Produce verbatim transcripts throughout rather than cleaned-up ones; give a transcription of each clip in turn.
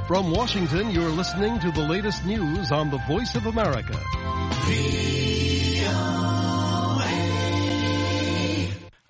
From Washington, you're listening to the latest news on the Voice of America.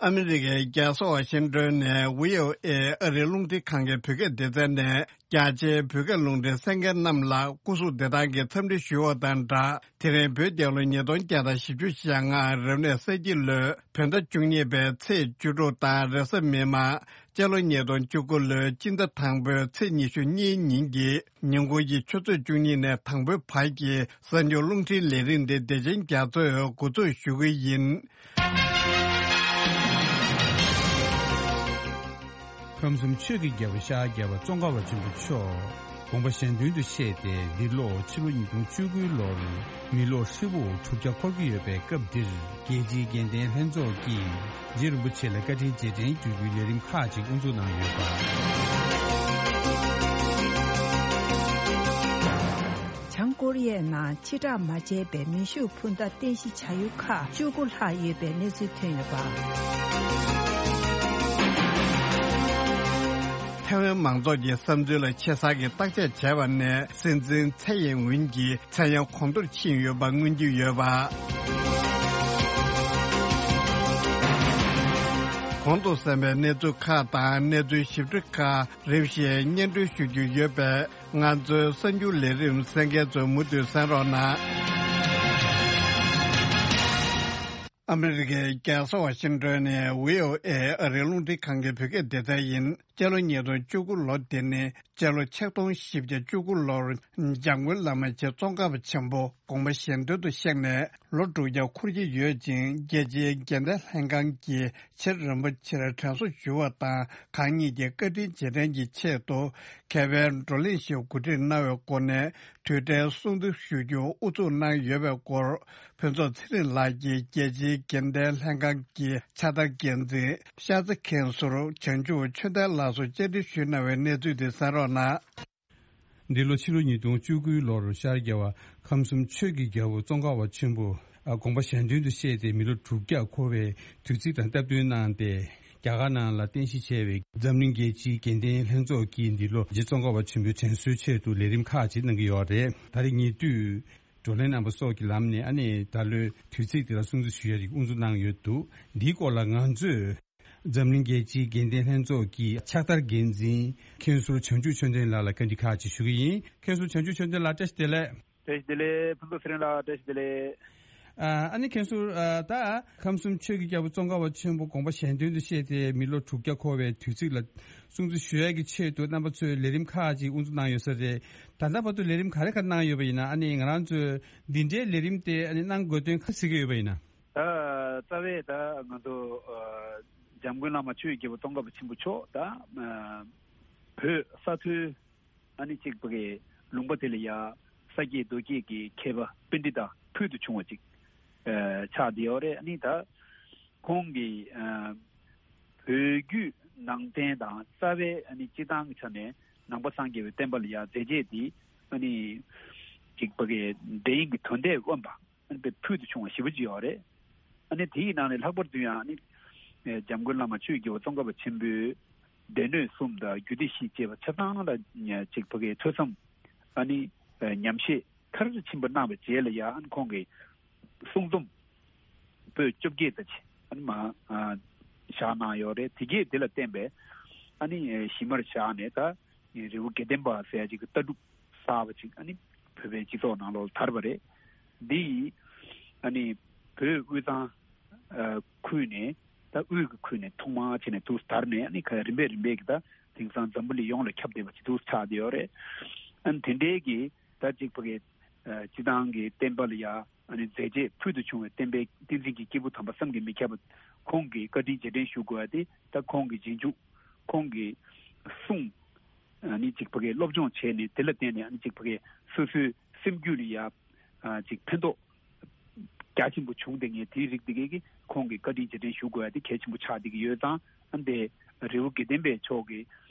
ཨ་མི་རི་ཀའི་རྒྱལ་ས་ཝ་ཤིང་ཏོན་ནས་བྷི་ཨོ་ཨེ་ཨ་རིའི་རླུང་འཕྲིན་ཁང་གི་བོད་སྐད་སྡེ་ཚན་ནས། རྒྱ་ཆེའི་བོད་སྐད་རླུང་འཕྲིན་གསན་མཁན་རྣམས་ལ་སྐུ་གཟུགས་བདེ་ཐང་གི་འཚམས་འདྲི་ཞུ་བ་དང་སྦྲགས། དེ་རིང་བོད་རྒྱལ་ལོ་ཉིས་སྟོང་བརྒྱ་དང་བཞི་བཅུ་ཞེ་ལྔ་རབ་གནས་ས་ཁྱི་ལོའི་བོད་ཟླ་བཅུ་གཉིས་པའི་ཚེས་བཅུ་དྲུག་དང་། རེས་གཟའ་མིག་དམར་སྤྱི་ལོ་ཉིས་སྟོང་བཅུ་དགུ་ལོའི་སྤྱི་ཟླ་དང་པོའི་ཚེས་ཉི་ཤུ་གཉིས་ཉིན་གྱི་ཉིན་གུང་གི་ཆུ་ཚོད་བཅུ་གཉིས་ནས་དང་པོའི་བར་གྱི་གསར་འགྱུར་རླུང་འཕྲིན་ལས་རིམ་འདི་བདེ་ཆེན་རྒྱ་མཚོས་འགོ་འཛུགས་ཞུ་གི་ཡིན། ཁམས་གསུམ་ཆོས་ཀྱི་རྒྱལ་པོ་ཤར་རྒྱལ་བ་ཙོང་ཁ་པ་ཆེན་པོ་མཆོག་དགོངས་པ་གཞན་དོན་དུ་གཤེགས་ཏེ། འདི་ལོ་ཕྱི་ལོ་ཉིས་སྟོང་བཅུ་དགུའི་ལོར་མི་ལོ་ཧྲིལ་པོ་དྲུག་བརྒྱ་འཁོར་གྱི་ཡོད་པའི་སྐབས་འདིར། རྒྱལ་སྤྱིའི་དགེ་ལྡན་ལྷན་ཚོགས་ཀྱིས་རྗེ་རིན་པོ་ཆེ་ལ་བཀའ་དྲིན་རྗེས་དྲན་ཞུ་རྒྱུའི་ལས་རིམ་ཁག་ཅིག་དབུ་འཛུགས་གནང་ཡོད་པ། བྱང་ཀོ་རི་ཡའི་ནང་ཕྱིར་བསྒྲགས་མ་བྱས་པའི་མེ་ཤུགས་འཕུར་མདའ་རྟེན་གཞི་བྱ་ཡུལ་ཁག་བཅུ་དགུ་ལྷག་ཡོད་པའི་གནས་ཚུལ་ཐོན་ཡོད་པ། ཐའེ་ཝན་མང་ཚོགས་ཀྱི་བསམ་ཚུལ་ལ་ཆེ་ས་གི་བརྟག་དཔྱད་བྱས་པ་ནས། སྲིད་འཛིན་ཚའེ་ཡིན་ཝིན་གྱི་མཚན་གཡང་གོང་མཐོར་ཕྱིན་ཡོད་པ་མངོན་གྱི་ཡོད་པ། གོང་དུ་གསན་པའི་གནས་ཚུལ་ཁག་དང་། གནས་ཚུལ་ཞིབ་ཕྲ་ཁག་རིམ་བཞིན་སྙན་སྒྲོན་ཞུ་རྒྱུ་ཡོད་པས། ང་ཚོའི་གསར་འགྱུར་ལས་རིམ་གསན་མཁན་ཚོས་མུ་མཐུད་གསན་རོགས་གནང་། ཨ་མི་རི་ཀའི་རྒྱལ་ས་ཝ་ཤིང་ཏོན་ནས་བྷི་ཨོ་ཨེ་ཨ་རིའི་རླུང་འཕྲིན་ཁང་གི་བོད་སྐད་སྡེ་ཚན་ཡིན། སྤྱི་ལོ་ཉིས་སྟོང་བཅུ་དགུ་ལོ་འདི་ནི་སྤྱི་ལོ་ཆིག་སྟོང་བཞི་བརྒྱ་བཅུ་དགུ་ལོར་འཇམ་མགོན་བླ་མ་རྗེ་ཙོང་ཁ་པ་ཆེན་པོ་དགོངས་པ་གཞན་དོན་དུ་གཤེགས་ནས་ལོ་དྲུག་བརྒྱ་འཁོར་གྱི་ཡོད་ཅིང་། རྒྱལ་སྤྱིའི་དགེ་ལྡན་ལྷན་ཁང་གིས་རྗེ་རིན་པོ་ཆེར་དྲན་གསོ་ཞུ་བ་དང་། གང་ཉིད་ཀྱི་བཀའ་དྲིན་རྗེས་དྲན་གྱི་ཆེད་དུ་མཁས་པའི་བགྲོ་གླེང་ཞིག་གོ་སྒྲིག་གནང་བའི་སྒོ་ནས། དུས་དྲན་སྲུང་བརྩི་ཞུ་རྒྱུ་དབུ་འཛུགས་གནང་ཡོད་པའི་སྐོར། ཕུན་ཚོགས་ཚེ་རིང་ལགས་ཀྱིས་རྒྱལ་སྤྱིའི་དགེ་ལྡན་ལྷན་ཁང་གི་ཕྱག་བསྟར་འགན་འཛིན་ཤར་རྩེ་མཁན་ཟུར་བྱང་ཆུབ་ཆོས་ལྡན་ལགས་སུ་བཅར་འདྲི་ཞུས་གནང་བའི་གནས་ཚུལ་དེ་གསན་རོགས་གནང་། འདི་ལོ་ཕྱི་ལོ་ཉིས་སྟོང་བཅུ་དགུའི་ལོར་ཤར་རྒྱལ་བ་ཁམས་གསུམ་ཆོས་ཀྱི་རྒྱལ་པོ་ཙོང་ཁ་པ་ཆེན་པོ་དགོངས་པ་གཞན་དོན་དུ་གཤེགས་ཏེ་མི་ལོ་དྲུག་བརྒྱ་འཁོར་བའི་དུས་ཚིགས་དང་སྟབས་བསྟུན་གནང་སྟེ། རྒྱ་གར་ནང་ལ་རྟེན་གཞི་བྱས་པའི་འཛམ་གླིང་རྒྱལ་སྤྱིའི་དགེ་ལྡན་ལྷན་ཚོགས་ཀྱིས་འདི་ལོ་རྗེ་ཙོང་ཁ་པ་ཆེན་པོའི་དྲན་གསོའི་ཆེད་དུ་ལས་རིམ་ཁག་ཅིག་གནང་གི་ཡོད་རེད། ད་རེས་ཉེ་དུས་བགྲོ་གླེང་རྣམ་པ་སོགས་ཀྱི་ལམ་ནས། ཨ་ནི་ད་ལོའི་དུས་ཚིགས་དེ་ལ་སྲུང་བརྩི་ཞུ་ཡ་ཞིག་དབུ་འཛུགས་གནང་ཡོད་འདུག་འདིའི་སྐོར་ལ་ང་ཚོས་འཛམ་གླིང་རྒྱལ་སྤྱིའི་དགེ་ལྡན་ལྷན་ཚོགས་ཀྱི་ཕྱག་བསྟར་འགན་འཛིན་མཁན་ཟུར་བྱང་ཆུབ་ཆོས་ལྡན་ལགས་ལ་བཀའ་འདྲི་ཁག་ཅིག་ཞུ་གི་ཡིན། མཁན་ཟུར་བྱང་ཆུབ་ཆོས་ལྡན་ལགས། བཀྲ་ཤིས་བདེ་ལེགས། བཀྲ་ཤིས་བདེ་ལེགས། ཕུན་ཚོགས་ཚེ་རིང་ལགས། བཀྲ་ཤིས་བདེ་ལེགས། ཨ་ནི་མཁན་ཟུར། ད་ཁམས་གསུམ་ཆོས་ཀྱི་རྒྱལ་པོ་ཙོང་ཁ་པ་ཆེན་པོ་དགོངས་པ་གཞན་དོན་དུ་གཤེགས་ཏེ་མི་ལོ་དྲུག་བརྒྱ་འཁོར་བའི་དུས་ཚིགས་ལ་སྲུང་བརྩི་ཞུ་ཡག་གི་ཆེད་དུ་རྣམ་པ་ཚོས་ལས་རིམ་ཁག་ཅིག་དབུ་འཛུགས་གནང་ཡོད་ས་རེད། ད་ལྟ་བར་དུ་ལས་རིམ་ག་རེ་ག་རེ་གནང་ཡོད་པ་ཡིན་ན། ཨ་ནི་ང་རང་ཚོས་འདི་འདྲའི་ལས་རིམ་དེ་ཨ་ནི་གནང་དགོས་དོན་ག་རེ་གཟིགས་ཀྱི་ཡོད་པ་ཡིན་ན། ད་རྩ་བའི་ད་ང་ཚོ་འཇམ་མགོན་བླ་མ་ཆོས་ཀྱི་རྒྱལ་པོ་ཙོང་ཁ་པ་ཆེན་པོ་མཆོག་ད་བོད་ས་མཐོའི་ཨ་ནི་གཅིག་པ་གི་ལུང་པ་དེ་ལ་ཡ་ས་སྐྱེས་རྡོ་སྐྱེས་ཀྱི་མཁས་པ་པཎྜི་ཏ་ཕུལ་དུ་བྱུང་བ་ཅིག་ཆགས་བསྡད་ཡོད་རེད། ཨ་ནི་ད་ཁོང་གིས་བོད་བརྒྱུད་ནང་བསྟན་དང་རྩ་བའི་ཨ་ནི་སྤྱི་བཏང་གི་ཆ་ནས་ནང་པ་སངས་རྒྱས་པའི་བསྟན་པ་ལ་ཡ་མཛད་རྗེས་དེ་ཨ་ནི་གཅིག་པ་གི་འདྲ་ཡིན་གྱི་དོན་དེ་དབེན་པ། ཨ་ནི་ཕུལ་དུ་བྱུང་བ་ཞེ་པོ་ཅིག་ཡོད་རེད། ཨ་ནི་དེའི་ནང་ནས་ལྷག་པར་དུ་ཡང་ཨ་ནི་འཇམ་མགོན་བླ་མ་ཆོས་ཀྱི་རྒྱལ་པོ་ཙོང་ཁ་པ་ཆེན་པོའི་སྡེ་སྣོད་གསུམ་དང་རྒྱུད་སྡེ་བཞི་བཅས་པ་ཆ་ཚང་ལ་ཅིག་ཕ་གིའི་ཐོས་བསམ་ཨ་ནི་ཉམས་བཞེས་མཐར་ཕྱིན་པ་གནང་བའི་རྗེས་ལ་ཡང་ཨ་ནི་ཁོང་གིས་གསུང་རྩོམ་པོད་བཅོ་བརྒྱད་ཙམ་ཅིག་ཨ་ནི་མ་བཞག་གནང་ཡོད་རེད། དེ་གས་དེ་ལ་བརྟེན་པའི་ཨ་ནི་གཞི་མར་བཞག་ནས་ད། རི་བོ་དགེ་ལྡན་པ་ཟེར་ཡ་ཅིག་གི་ལྟ་གྲུབ་གསར་པ་ཅིག་ཨ་ནི་བོད་པའི་སྤྱི་ཚོགས་ནང་ལོགས་ལ་དར་བ་རེད། འདི་ཡིས་ཨ་ནི་བོད་དབུས་གཙང་ཁུལ་ནས་ད་དབུས་ཀྱི་ཁུལ་ནས་ཐོག་མར་བྱས་ནས་འདུག་དར་ནས་ཨ་ནི་ཁ་རིམ་པས་རིམ་པས་ཀྱི་ད་དེང་སང་འཛམ་བུ་གླིང་ཡོངས་ལ་ཁྱབ་བསྡད་པ་ཅིག་འདུག་ཆགས་བསྡད་ཡོད་རེད། ཨ་ནི་དེ་འདྲའི་གི་ད་ཅིག་ཕ་གི་སྤྱི་བཏང་གི་བསྟན་པ་ལ་ཡ་ཨ་ནི་མཛད་རྗེས་ཕུལ་དུ་བྱུང་བའི་བསྟན་པའི་བསྟན་འཛིན་གྱི་སྐྱེས་བུ་དམ་པ་བསམ་གྱིས་མི་ཁྱབ་པ་ཁོང་གི་བཀའ་དྲིན་རྗེས་དྲན་ཞུ་དགོས་པ་དེ་ད་ཁོང་གི་རྗེས་འཇུག་ཁོང་གི་གསུང་ཨ་ནི་ཅིག་ཕ་གིའི་སློབ་སྦྱོང་བྱས་ནས་དེ་ལ་བརྟེན་ནས་ཨ་ནི་ཅིག་ཕ་གིའི་སོ་སོའི་སེམས་རྒྱུད་ལ་ཡ་ཨ་ཅིག་ཕན་ཐོགས་རྒྱ་ཆེན་པོ་བྱུང་བསྡད་མཁན་དེའི་རིགས་དེ་གས་ཀྱིས་ཁོང་གི་བཀའ་དྲིན་རྗེས་དྲན་ཞུ་དགོས་ཡ་དེ་གལ་ཆེན་པོ་ཆགས་བསྡད་ཀྱི་ཡོད་ཙང་ཨ་ནི་དེ་རི་བོ་དགེ་ལྡན་པའི་ཕྱོགས་ཀྱི་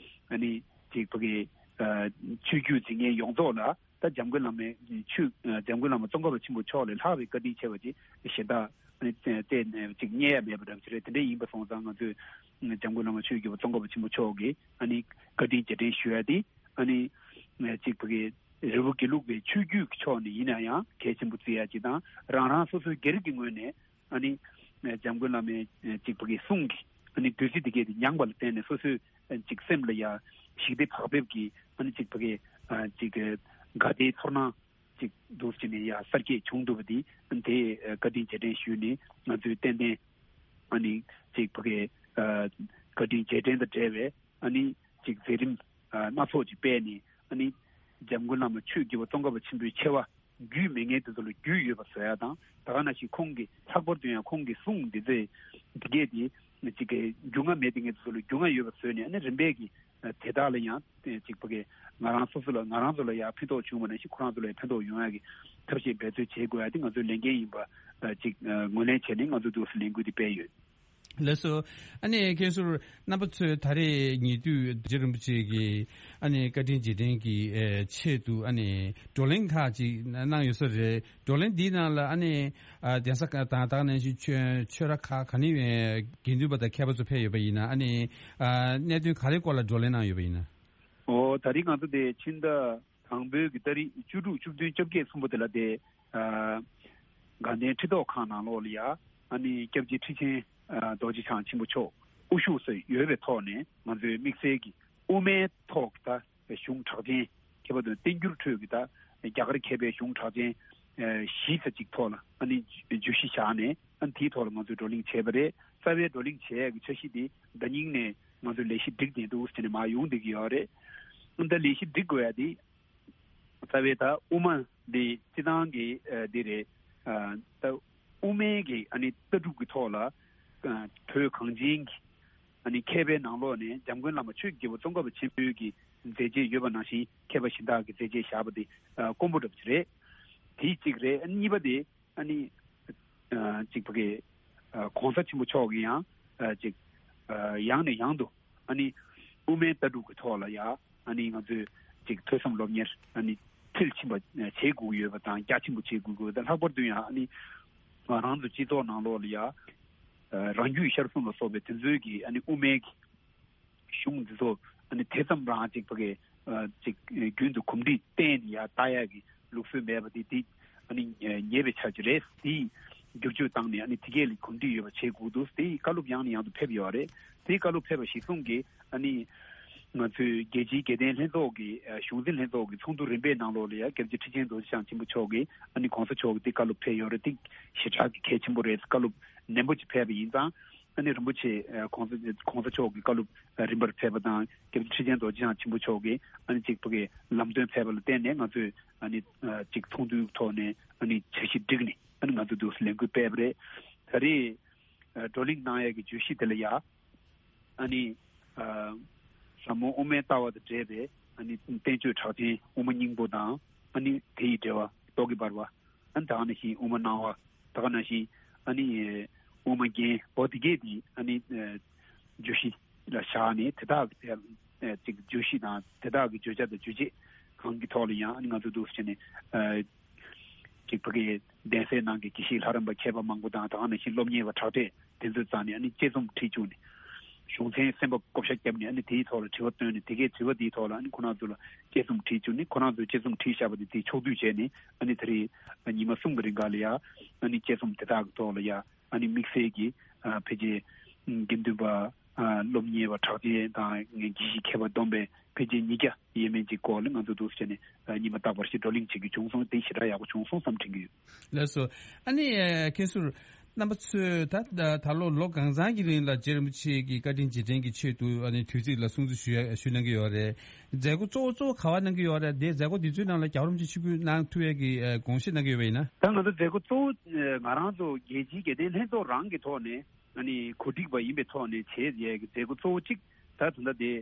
ཨ་ནི་ཅིག་ཕ་གིའི་ཨ་ཆོས་བརྒྱུད་འཛིན་མཁན་ཡོངས་རྫོགས་ལ་ད་འཇམ་མགོན་བླ་མའི་ཆོས་འཇམ་མགོན་བླ་མ་ཙོང་ཁ་པ་ཆེན་པོ་མཆོག་ལས་ལྷག་པའི་བཀའ་དྲིན་ཆེ་བ་ཅིག་གཞན་དག་ཨ་ནི་བཙལ་ནས་ཅིག་རྙེད་ཡ་མེད་པ་འདྲ་པོ་ཅིག་རེད། དེ་འདྲ་ཡིན་པ་སོང་ཙང་ང་ཚོས་འཇམ་མགོན་བླ་མ་ཆོས་ཀྱི་རྒྱལ་པོ་ཙོང་ཁ་པ་ཆེན་པོ་མཆོག་གི་ཨ་ནི་བཀའ་དྲིན་རྗེས་དྲན་ཞུ་ཡ་དེ་ཨ་ནི་ ཅིག་ཕ་གི་རི་བོ་དགེ་ལུགས་པའི་ཆོས་བརྒྱུད་ཀྱི་ཕྱོགས་ནས་ཡིན་ན་ཡང་གལ་ཆེན་པོ་བརྩི་ཡ་ཅིག་དང་། རང་རང་སོ་སོའི་སྒེར་གྱི་ངོས་ནས་ཨ་ནི་འཇམ་མགོན་བླ་མའི་ཅིག་ཕ་གི་གསུང་གི་ཨ་ནི་བདུད་རྩི་དེ་གས་དེ་མྱངས་པ་ལ་བརྟེན་ནས་སོ་སོའི་ཅིག་སེམས་ལ་ཡ་ཞི་བདེ་བག་ཕེབས་ཀྱི་ཨ་ནི་ཅིག་ཕ་གི་ཅིག་དགའ་བདེའི་ཚོར་སྣང་ཅིག་འདུག་ཅེས་ནས་ཡ་གསར་སྐྱེས་བྱུང་འདུག་པ་དེ་དེ་བཀའ་དྲིན་རྗེས་དྲན་ཞུས་ནས། ང་ཚོས་ཏན་ཏན་ཨ་ནི་ཅིག་ཕ་གི་བཀའ་དྲིན་རྗེས་དྲན་དང་འབྲེལ་བའི་ཨ་ནི་ཅིག་མཛད་རིམ་སྣ་ཚོགས་ཅིག་སྤེལ་ནས། ཨ་ནི་འཇམ་མགོན་བླ་མ་ཆོས་དགེ་བ་ཙོང་ཁ་པ་ཆེན་པོའི་ཆེ་བ་རྒྱུད་མེད་མཁན་དེ་ཚོ་ལ་རྒྱུས་ཡོད་པ་བཟོ་ཡ་དང་། ད་ག་ནང་བཞིན་ཁོང་གི་ལྷག་པར་དུ་ཡང་ཁོང་གི་གསུང་འདི་ཚོ་འདི་གས་དེ་ཅིག་རྒྱུས་མངའ་མེད་མཁན་དེ་ཚོ་ལ་རྒྱུས་མངའ་ཡོད་པ་བཟོས་ནས། ཨ་ནི་རིམ་པས་ཀྱི་དེ་དག་ལ་ཡང་ཅིག་ཕ་གི་ང་རང་སོ་སོ་ལ་ང་རང་ཚོ་ལ་ཡང་ཕན་ཐོགས་བྱུང་བ་ནང་བཞིན་ཁོ་རང་ཚོ་ལ་ཡང་ཕན་ཐོགས་ཡོང་ཡ་གི་ཐབས་ཤེས་འབད་རྩོལ་བྱེད་དགོས་ཡ་དེ་ང་ཚོའི་ལས་འགན་ཡིན་པ་ཅིག་ངོས་ལེན་བྱས་ནས་ང་ཚོས་འདུག་སེ་ལས་འགུལ་འདི་སྤེལ་ཡོད། ལགས་སོ། ཨ་ནི་མཁན་ཟུར་རྣམ་པ་ཚོས་ད་རེས་ཉེ་དུས་རྗེ་རིན་པོ་ཆེ་གིས་ཨ་ནི་བཀའ་དྲིན་རྗེས་དྲན་གྱི་ཨེ་ཆེད་དུ་ཨ་ནི་བགྲོ་གླེང་ཁག་ཅིག་གནང་ཡོད་ས་རེད། བགྲོ་གླེང་འདིའི་ནང་ལ་ཨ་ནི་ཨ་གདན་ས་ཁག་དང་། ད་ག་ནང་བཞིན་ཆོས་ཆོས་ར་ཁག་ག་ནས་ཡོད་དགེ་འདུན་པ་དང་མཁས་པ་ཚོ་ཕེབས་ཡོད་པ་ཡིན་ན། ཨ་ནི་ཨ་གནད་དོན་ག་རེ་སྐོར་ལ་བགྲོ་གླེང་གནང་ཡོད་པ་ཡིན་ན། ཨོ། ད་རེས་ང་ཚོ་དེ་ཕྱི་ཟླ་དང་པོའི་གི་ཏ་རིག་བཅུ་དྲུག་བཅུ་བདུན་བཅོ་བརྒྱད་གསུམ་པོ་དེ་ལ་དེ་ཨ་དགའ་ལྡན་ཁྲི་ཐོག་ཁང་ནང་ལོགས་ལ་ཡ་ཨ་ནི་སྐྱབས་རྗེ་ཁྲི་ཆེན་ཨ་རྡོ་རྗེ་འཆང་ཆེན་པོ་མཆོག་དབུ་བཞུགས་སུ་ཡོད་པའི་ཐོག་ནས། ང་ཚོའི་དམིགས་བསལ་གྱི་དབུ་མའི་ཐོག་གི་ད་གཞུང་གྲགས་ཅན། ཁྱད་པར་དུ་བསྟན་འགྱུར་ཁྲོད་ཀྱི་ད་རྒྱ་གར་མཁས་པའི་གཞུང་གྲགས་ཅན་ཨ་བཞི་ཙམ་ཅིག་ཐོག་ལ་ཨ་ནི་བརྗོད་གཞི་བཞག་ནས། ཨ་ནི་དེའི་ཐོག་ལ་ང་ཚོས་བགྲོ་གླེང་བྱས་པ་རེད། རྩ་བའི་བགྲོ་གླེང་བྱེད་ཡས་ཀྱི་འཆར་གཞི་དེ་ཟླ་ཉིན་ནས་ང་ཚོས་ལས་གཞི་སྒྲིག་བསྡད་འདུག་ཟེར་ནས་མར་ཡོང་བསྡད་ཀྱི་ཡོད་རེད། ཨ་ནི་ད་ལས་གཞི་སྒྲིག་དགོས་ཡ་དེ་རྩ་བའི་ད་དབུ་མ་འདི་སྤྱི་བཏང་གི་ཨ་འདི་རེད། ཨ་ད་དབུ་མའི་གི་ཨ་ནི་ལྟ་གྲུབ་ཀྱི་ཐོག་ལ་ཨ་བོད་གངས་ཅན་གྱི་ཨ་ནི་མཁས་པའི་ནང་ལོགས་ནས་འཇམ་མགོན་བླ་མ་ཆོས་ཀྱི་རྒྱལ་པོ་ཙོང་ཁ་པ་ཆེན་པོའི་གི་མཛད་རྗེས་ཡོད་པ་ནང་བཞིན་མཁས་པ་གཞན་དག་གི་མཛད་རྗེས་བཞག་པ་དེ་ཨ་དཀོན་པོ་འདྲ་པོ་ཅིག་རེད། དེ་གཅིག་རེད། ཨ་ནི་གཉིས་པ་དེ་ཨ་ནི་ཨ་ཅིག་ཕ་གི་ཨ་གོང་ས་ཆེན་པོ་མཆོག་གིས་ཡང་ཨ་ཅིག་ཨ་ཡང་ནས་ཡང་དུ་ཨ་ནི་དབུ་མའི་ལྟ་གྲུབ་ཀྱི་ཐོག་ལ་ཡ་ཨ་ནི་ང་ཚོས་ཅིག་ཐོས་བསམ་སློབ་གཉེར་ཨ་ནི་མཐིལ་ཕྱིན་པ་བྱེད་དགོས་ཀྱི་ཡོད་པ་དང་། རྒྱ་ཆེན་པོ་བྱེད་དགོས་ཀྱི་ཡོད་པ་དང་། ལྷག་པར་དུ་ཡང་ཨ་ནི་ང་རང་ཚོ་སྤྱི་ཚོགས་ནང་ལོགས་ལ་ཡ་ཨ་རང་རྒྱུད་ཤར་གསུམ་ལ་སོགས་པའི་དེ་ཚོའི་གི་ཨ་ནི་དབུ་མའི་གི་གཞུང་འདི་ཚོ་ཨ་ནི་དེ་ཙམ་རང་ཅིག་ཕ་གི་ཨ་ཅིག་རྒྱུན་དུ་གོམས་འདྲིས་བསྟེན་ནས་ཡར་ལྟ་ཡག་གི་ལུགས་སྲོལ་མེད་པ་དེ་དེ་ཨ་ནི་ཉེས་པའི་ཆ་ཅིག་རེད། དེ་བསྒྱུར་བཅོས་བཏང་ནས་ཨ་ནི་དེ་གས་ལ་གོམས་འདྲིས་ཡོད་པ་བྱེད་དགོས་འདུག། དེ་བཀའ་སློབ་ཡང་ནས་ཡང་དུ་ཕེབས་ཡོད་རེད། དེ་བཀའ་སློབ་ཕེབས་པ་གཞིར་བཟུང་གིས་ཨ་ནི་ང་ཚོའི་རྒྱལ་སྤྱིའི་དགེ་ལྡན་ལྷན་ཚོགས་ཀྱི་ཨ་གཞུང་འཛིན་ལྷན་ཚོགས་ཀྱི་ཚོགས་འདུ་རིམ་པའི་ནང་ལོགས་ལ་ཡ་སྐྱབས་རྗེ་ཁྲི་ཆེན་རྡོ་རྗེ་འཆང་ཆེན་པོ་མཆོག་གིས་ཨ་ནི་གོང་ས་མཆོག་གིས་དེ་བཀའ་སློབ་ཕེབས་ཡོད་རེད། དེ་ཞེ་དྲག་གི་གལ་ཆེན་པོ་རེད། བཀའ་སློབ་ནན་པོ་ཅིག་ཕེབས་པ་ཡིན་ཙང་། ཨ་ནི་རིན་པོ་ཆེ་ཨ་གོང་ས་གོང་ས་མཆོག་གི་བཀའ་སློབ་ཨ་རིམ་པར་ཕེབས་པ་དང་། སྐྱབས་རྗེ་ཁྲི་ཆེན་རྡོ་རྗེ་འཆང་ཆེན་པོ་མཆོག་གིས་ཨ་ནི་གཅིག་པུ་གི་ལམ་སྟོན་ཕེབས་པ་ལ་བརྟེན་ནས། ང་ཚོས་ཨ་ནི་ཨ་གཅིག་ཚོགས་འདུའི་ཐོག་ནས་ཨ་ནི་འཆར་གཞི་བསྒྲིགས་ནས། ཨ་ནི་ང་ཚོས་འདུག་སེ་ལས་འགུལ་སྤེལ་བ་རེད། ད་རེས་ཨ་བགྲོ་གླེང་གནང་ཡས་ཀྱི་བརྗོད་གཞི་དེ་ལ་ཡ་ཨ་ནི་ཨ་ཟབ་མོ་དབུ་མའི་ལྟ་བ་དང་འབྲེལ་བའི་ཨ་ནི་བསྟན་བཅོས་གྲགས་ཅན་དབུ་མ་སྙིང་པོ་དང་། ཨ་ནི་དེ་ཡི་འགྲེལ་པ་རྟོག་གེ་འབར་བ། ཨ་ནི་ད་ག་ནང་བཞིན་དབུ་མ་སྣང་བ། ད་ག་ནང་བཞིན་ཨ་ནི་དབུ་མ་རྒྱན། འོ་དེ་གས་དེ་ཨ་ནི་ཨ་བརྗོད་གཞི་ལ་བཞག་ནས། དེ་དག་གི་ཨ་ཅིག་བརྗོད་གཞི་དང་དེ་དག་གི་བརྗོད་བྱ་དང་རྗོད་བྱེད་གང་གི་ཐོག་ལ་ཡང་ཨ་ནི་ང་ཚོ་འདུག་སེ་བྱས་ནས་ཨ་ཅིག་ཕ་གིའི་གདན་སའི་ནང་གི་དགེ་བཤེས་ལྷ་རམས་པ་མཁས་པ་མང་པོ་དང་། ད་ག་ནང་བཞིན་སློབ་གཉེར་བ་གྲགས་ཅན་དེ་ཚོའི་རྩ་ནས་ཨ་ནི་དཔྱད་རྩོམ་བྲིས་བཅུག་ནས། གཞུང་ཚན་གསན་པ་བགོ་བཤའ་བརྒྱབ་ནས། ཨ་ནི་དེའི་ཐོག་ལ་དྲི་བ་བཏོན་ནས། དེ་གའི་དྲི་བ་དེའི་ཐོག་ལ་ཨ་ནི་ཁོ་རང་ཚོ་ལ་དཔྱད་རྩོམ་བྲིས་བཅུག་ནས། ཁོ་རང་ཚོས་དཔྱད་རྩོམ་བྲིས་བཞག་པ་དེ་དེ་ཕྱོགས་བསྡུས་བྱས་ནས། ཨ་ནི་ད་རེས་ཉི་མ་གསུམ་གྱི་རིང་ག་ལ་ཡ་ཨ་ནི་དཔྱད་རྩོམ་དེ་དག་གི་ཐོག་ལ་ཡ་ཨ་ནི་དམིགས་བསལ་གྱི་ཨ་ཕལ་ཆེར་དགེ་འདུན་པ་ཨ་སློབ་གཉེར་བ་གྲགས་ཅན་དང་དགེ་བཤེས་མཁས་པ་བསྡོམས་པས་ཕལ་ཆེར་ཉིས་བརྒྱ་ཡས་མས་ཅིག་སྐོར་ལ་ང་ཚོ་འདུག་སེ་བྱས་ནས་ཨ་ཉི་མ་རྟག་པར་ཞིག་བགྲོ་གླེང་བྱེད་རྒྱུ་བྱུང་སོང་། དེ་ཞེ་དྲག་ཡག་པོ་བྱུང་སོང་བསམ་དྲན་གྱི་ཡོད། ལགས་སོ། ཨ་ནི་ཨ་མཁན་ཟུར་རྣམ་པ་ཚོས་ད་ད་ད་ལོ་ལོ་གང་ཚང་གི་རིང་ལ་རྗེ་རིན་པོ་ཆེ་གི་བཀའ་དྲིན་རྗེས་དྲན་གྱི་ཆེད་དུ་ཨ་ནི་དུས་ཚིགས་ལ་སྲུང་བརྩི་ཞུ་ཡ་ཞུ་གནང་གི་ཡོད་རེད། མཛད་སྒོ་གཙོ་བོ་གཙོ་བོ་ག་པར་གནང་གི་ཡོད་རེད། དེ་མཛད་སྒོ་འདི་ཚོའི་ནང་ལ་རྒྱལ་བ་རིན་པོ་ཆེ་ཆིབས་བསྒྱུར་གནང་ཐུབ་ཡ་གི་ཨ་དགོངས་བཞེས་གནང་གི་ཡོད་པ་ཡིན་ན། ད་ང་ཚོ་མཛད་སྒོ་གཙོ་བོ་ཨ་ང་རང་ཚོ་རྒྱལ་སྤྱིའི་དགེ་ལྡན་ལྷན་ཚོགས་རང་གི་ཐོག་ནས་ཨ་ནི་གོ་སྒྲིག་པ་ཡིན་པའི་ཐོག་ནས་བྱས་ཡས་ཀྱི་མཛད་སྒོ་གཙོ་བོ་གཅིག་ད་ད་ལྟ་དེ་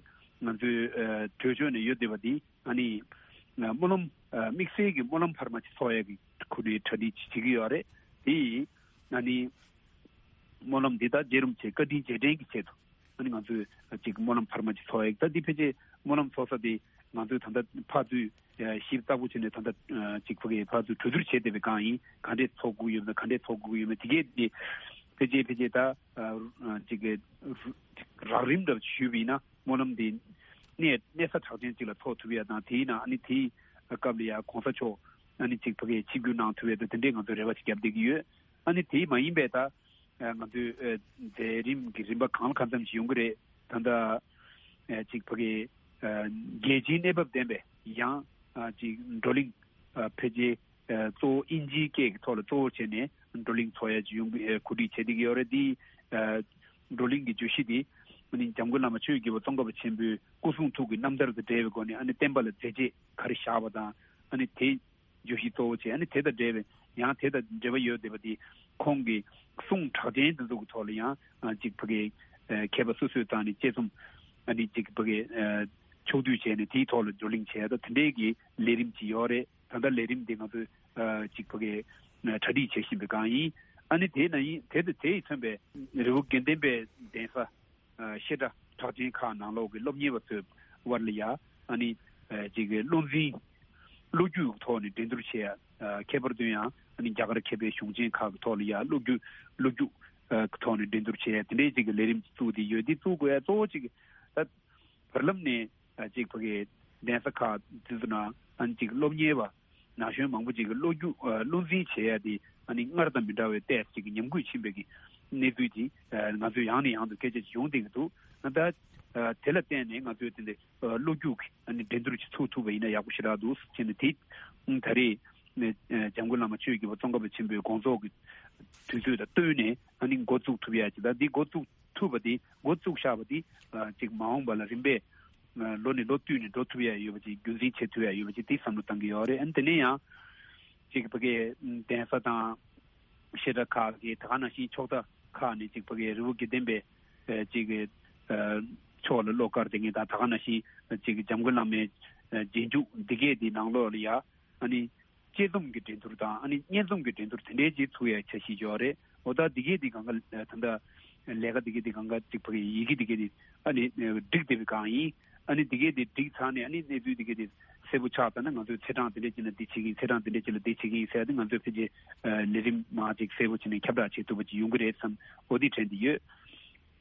ང་ཚོའི་ཨ་གྲོས་ཆོད་ནས་ཡོད་བསྡད་པ་འདི། ཨ་ནི་ཨ་སྨོན་ལམ་ཨ་དམིགས་བསལ་གྱི་སྨོན་ལམ་འཕར་མ་ཅིག་ཚོགས་ཡས་ཀྱི་ཁོ་རའི་གྲ་སྒྲིག་ཅིག་བྱེད་ཀྱི་ཡོད་རེད། དེ་ཡིས་ཨ་ནི་སྨོན་ལམ་འདི་ད་རྗེ་རིན་པོ་ཆེ་བཀའ་དྲིན་རྗེས་དྲན་གྱི་ཆེད་དུ། ཨ་ནི་ང་ཚོས་ཅིག་སྨོན་ལམ་འཕར་མ་ཅིག་ཚོགས་ཡས། ད་འདི་ཕལ་ཆེར་སྨོན་ལམ་ཚོགས་ས་དེ་ང་ཚོས་ད་ལྟ་ཕར་ཚུར་ཞིབ་ཚགས་པོ་བྱས་ནས་ད་ལྟ་ཅིག་ཕ་གི་ཕར་ཚུར་གྲོས་བསྡུར་བྱས་བསྡད་པའི་སྒང་ཡིན། ག་འདྲས་ཚོགས་དགོས་ཡོད་ན་ག་འདྲས་ཚོགས་དགོས་ཡོད་ན། དེ་གས་དེ་ཕལ་ཆེར་ཕལ་ཆེར་ད་ཅིག་གི་རགས་རིམ་འདྲ་ཞུས་པ་ཡིན་ན། སྨོན་ལམ་དེ་ གནས་གནས་ས་གྲགས་ཅན་ཅིག་ལ་ཚོགས་ཐུབ་ཡ་དང་། དེའི་ནང་ཨ་ནི་དེའི་སྐབས་ལ་ཡ་གོང་ས་མཆོག་ཨ་ནི་ཅིག་ཕ་གིའི་ཆིབས་བསྒྱུར་གནང་ཐུབ་ཡ་དང་། དེ་འདྲའི་ང་ཚོས་རེ་བ་ཅིག་བརྒྱབ་བསྡད་ཀྱི་ཡོད། ཨ་ནི་དེ་མ་ཡིན་པའི་ད་ང་ཚོའི་མཛད་རིམ་གྱི་རིམ་པ་གང་ལ་གང་འཚམ་ཞིག་ཡོང་གི་རེད། ད་ལྟ་ཅིག་ཕ་གིའི་རྒྱལ་སྤྱིའི་གནས་བབ་ལྡན་པའི་ཡང་ཅིག་བགྲོ་གླེང་ཕལ་ཆེར་གཙོ་བོ་དབྱིན་ཇིའི་སྐད་ཀྱི་ཐོག་ལ་གཙོ་བོ་བྱས་ནས་བགྲོ་གླེང་ཚོགས་ཡ་ཅིག་ཡོང་གི་གོ་སྒྲིག་བྱས་བསྡད་ཀྱི་ཡོད་རེད། དེའི་བགྲོ་གླེང་གི་བརྗོད་གཞི་དེ་ཨ་ནི་འཇམ་མགོན་བླ་མ་ཆོས་ཀྱི་རྒྱལ་པོ་ཙོང་ཁ་པ་ཆེན་པོའི་སྐུ་གསུང་ཐུགས་ཀྱི་རྣམ་ཐར་དང་འབྲེལ་བའི་སྒོ་ནས་ཨ་ནི་བསྟན་པ་ལ་མཛད་རྗེས་ག་རེ་བཞག་པ་དང་། ཨ་ནི་དེ་བརྗོད་གཞི་གཙོ་བོ་བྱས། ཨ་ནི་དེ་དང་འབྲེལ་བའི་ཡང་དེ་དང་འབྲེལ་བ་ཡོད་བསྡད་པ་དེ་ཁོང་གི་གསུང་གྲགས་ཅན་དེ་ཚོ་གི་ཐོག་ལ་ཡང་ཅིག་ཕ་གིའི་མཁས་པ་སོ་སོའི་རྩ་ནས་དཔྱད་རྩོམ་ཨ་ནི་ཅིག་ཕ་གིའི་ཕྱོགས་བསྡུས་བྱས་ནས་དེའི་ཐོག་ལ་བགྲོ་གླེང་བྱས་ཡ་དང་། དེ་འདྲའི་གི་ལས་རིམ་ཅིག་ཡོད་རེད། ད་ལྟ་ལས་རིམ་འདི་ང་ཚོས་ཨ་ཅིག་ཕ་གི་ཨ་གྲ་སྒྲིག་བྱེད་བཞིན་པའི་སྒང་ཡིན། ཨ་ནི་དེ་ན་ཡིན་དེ་དང་དེ་ཡིས་མཚོན་པའི་རི་བོ་དགེ་ལྡན་པའི་གདན་ས་ཨ་བཤད་གྲྭ་གྲགས་ཅན་ཁག་ནང་ལོགས་ཀྱི་སློབ་གཉེར་བ་ཚོའི་དབར་ལ་ཡ་ཨ་ནི་ཨ་ཅིག་བློ་འཛིན་བློ་རྒྱུག་གི་ཐོག་ནས་འགྲན་བསྡུར་བྱེད་ཡ། ཨ་ཁྱད་པར་དུ་ཡང་ཨ་ནི་རྒྱ་གར་མཁས་པའི་གཞུང་ཆེན་ཁག་གི་ཐོག་ལ་ཡ་བློ་རྒྱུག་བློ་རྒྱུག་ཨ་གི་ཐོག་ནས་འགྲན་བསྡུར་བྱེད་ཡ་དེ་འདྲའི་ཅིག་གི་ལས་རིམ་ཅིག་བཙུགས་ཏེ་ཡོད། འདི་བཙུགས་དགོས་ཡ་གཙོ་བོ་ཅིག་ད་བར་ལམ་ནས་ཨ་ཅིག་ཕ་གི་གདན་ས་ཁག་དེ་ཚོ་ནང་ཨ་ནི་ཅིག་སློབ་གཉེར་བ་ན་གཞོན་མང་པོ་ཅིག་གི་བློ་རྒྱུག་ཨ་བློ་འཛིན་བྱེད་ཡ་དེ་ཨ་ནི་སྔར་དང་མི་འདྲ་བའི་ཏོག་ཙམ་ཅིག་གི་ཉམས་རྒུད་ཕྱིན་པའི་གི་གནས་ཚུལ་དེ་ཨ་ང་ཚོས་ཡང་ནས་ཡང་དུ་སྐད་ཆ་ཅིག་ཡོང་བསྡད་ཀྱི་འདུག་ཨ་ད་ཨ་དེ་ལ་བརྟེན་ནས་ང་ཚོས་དེ་འདྲའི་ཨ་བློ་རྒྱུག་གི་ཨ་ནི་འགྲན་བསྡུར་ཅིག་ཚུགས་ཐུབ་པ་ཡིན་ན་ཡག་པོ་ཞེ་དྲག་འདུག་ཟེར་ནས། དེ་ཨ་ད་རེས་ནས་ཨ་འཇམ་མགོན་བླ་མ་ཆོས་ཀྱི་རྒྱལ་པོ་ཙོང་ཁ་པ་ཆེན་པོའི་དགོངས་རྫོགས་ཀྱི་དུས་ཚོད་དང་བསྟུན་ནས་ཨ་ནི་འགོ་བཙུགས་ཐུབ་ཡ་ཅིག་ད་འདི་འགོ་བཙུགས་ཐུབ་པ་དེ་འགོ་བཙུགས་བཞག་པ་དེ་ཨ་ཅིག་མ་འོངས་པ་ལ་རིམ་པས་ཨ་ལོ་ནས་ལོ་བསྟུད་ནས་འགྲོ་ཐུབ་ཡ་ཡོད་པ་ཅིག་རྒྱུན་འཛིན་བྱེད་ཐུབ་ཡ་ཡོད་པ་ཅིག་དེ་བསམ་བློ་བཏང་གི་ཡོད་རེད། ཨ་ནི་དེ་ནས་ཡང་ཅིག་ཕ་གིའི་གདན་ས་དང་བཤད་གྲྭ་ཁག་གི་ད་ག་ནང་བཞིན་ཕྱོགས་མཐའ་ཁག་ནས་ཅིག་ཕ་གིའི་རི་བོ་དགེ་ལྡན་པའི་ཨ་ཅིག་ཨ་ཕྱོགས་ལ་བློ་དཀར་དེ་ངས་ད་ད་ག་ནང་བཞིན་ཅིག་འཇམ་མགོན་བླ་མའི་ཨ་རྗེས་འཇུག་འདི་གས་དེ་ནང་ལོགས་ལ་ཡ་ཨ་ནི་དཔྱད་རྩོམ་གྱི་འགྲན་བསྡུར་དང་ཨ་ནི་སྙན་རྩོམ་གྱི་འགྲན་བསྡུར་དེ་འདྲའི་ཅིག་ཚུགས་ཡ་འཆར་གཞི་ཡོད་རེད། འོ་ད་འདི་གས་དེ་གང་ག་ད་ལྟ་ལས་ཀ་འདི་གས་དེ་གང་ག་ཅིག་ཕ་གི་ཡི་གེ་འདི་གས་དེ་ཨ་ནི་བསྒྲིགས་བསྡད་པའི་སྒང་ཡིན། ཨ་ནི་འདི་གས་དེ་བསྒྲིགས་ཚར་ནས་ཨ་ནི་གནས་ཚུལ་འདི་གས་དེ་གསལ་པོ་ཆགས་ཚར་ན་ང་ཚོས་ཚེས་གྲངས་འདི་འདྲ་ཅིག་ལ་འདི་བྱེད་ཀྱི་ཡིན། ཚེས་གྲངས་འདི་འདྲ་ཅིག་ལ་འདི་བྱེད་ཀྱི་ཡིན་ཟེར་ཏེ་ང་ཚོས་ཕལ་ཆེར་ཨ་ལས་རིམ་མང་ཅིག་གསལ་པོ་བྱས་ནས་ཁྱབ་བསྒྲགས་བྱེད་ཐུབ་པ་ཅིག་ཡོང་གི་རེད་བསམ། འོ་འདི་དྲན་གྱི་ཡོད།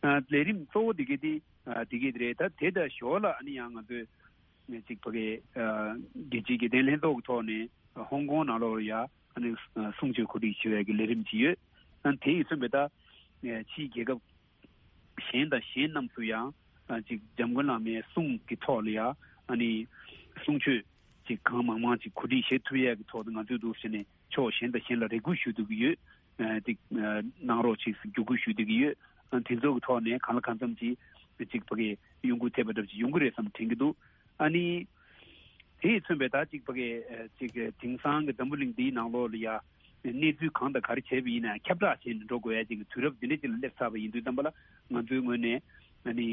ཨ་ལས་རིམ་གཙོ་བོ་འདི་གས་དེ་ཨ་འདི་གས་དེ་རེད། ད་དེ་དང་ཞོར་ལ་ཨ་ནི་ཡང་ང་ཚོས་ཅིག་ཕ་གི་ཨ་རྒྱལ་སྤྱིའི་དགེ་ལྡན་ལྷན་ཚོགས་ཀྱི་ཐོག་ནས་ཧོང་ཀོང་ནང་ལོགས་ལ་ཡ་ཨ་ནི་གསུང་ཆོས་གོ་སྒྲིག་ཞུ་ཡས་ཀྱི་ལས་རིམ་ཅིག་ཡོད། ཨ་ནི་དེ་ཡིས་མཚོན་པའི་ད་ཕྱིའི་རྒྱལ་ཁབ་གཞན་དང་གཞན་རྣམས་སུ་ཡང་ཨ་ཅིག་འཇམ་མགོན་བླ་མའི་གསུང་གི་ཐོག་ལ་ཡ་ཨ་ནི་གསུང་ཆོས་ཅིག་གང་མང་མང་ཅིག་གོ་སྒྲིག་བྱེད་ཐུབ་ཡས་ཀྱི་ཐོག་ཏུ་ང་ཚོས་འདུག་ཟེར་ནས་ཕྱོགས་གཞན་དང་གཞན་ལ་རེ་སྐུལ་ཞུ་སྡོད་ཀྱི་ཡོད། ཨ་ཅིག་ཨ་གནང་རོགས་ཅིག་བརྒྱུད་སྐུལ་ཞུ་སྡོད་ཀྱི་ཡོད། ཨ་དེ་ཚོ་གི་ཐོག་ནས་གང་ལ་གང་འཚམ་ཅིག་ཅིག་ཕ་གི་གཡོ་འགུལ་ཐེབས་པ་འདྲ་ཅིག་ཡོང་གི་རེད་བསམ་དྲན་གྱི་འདུག་ཨ་ནི་དེས་མཚོན་པའི་ད་ཅིག་ཕ་གི་ཨ་ཅིག་དེང་སང་གི་འཛམ་བུ་གླིང་འདིའི་ནང་ལོགས་ལ་ཡ་གནས་ཚུལ་གང་དང་ག་རེ་བྱས་པ་ཡིན་ན་ཁྱབ་བསྒྲགས་བྱས་ནས་འགྲོ་དགོས་ཡ་ཅིག་གི་དུས་རབས་འདི་འདྲ་ཅིག་ལ་སླེབས་ཚར་བ་ཡིན་དུས་ཙམ་པ་ལ་ང་ཚོའི་ངོས་ནས་ཨ་ནི་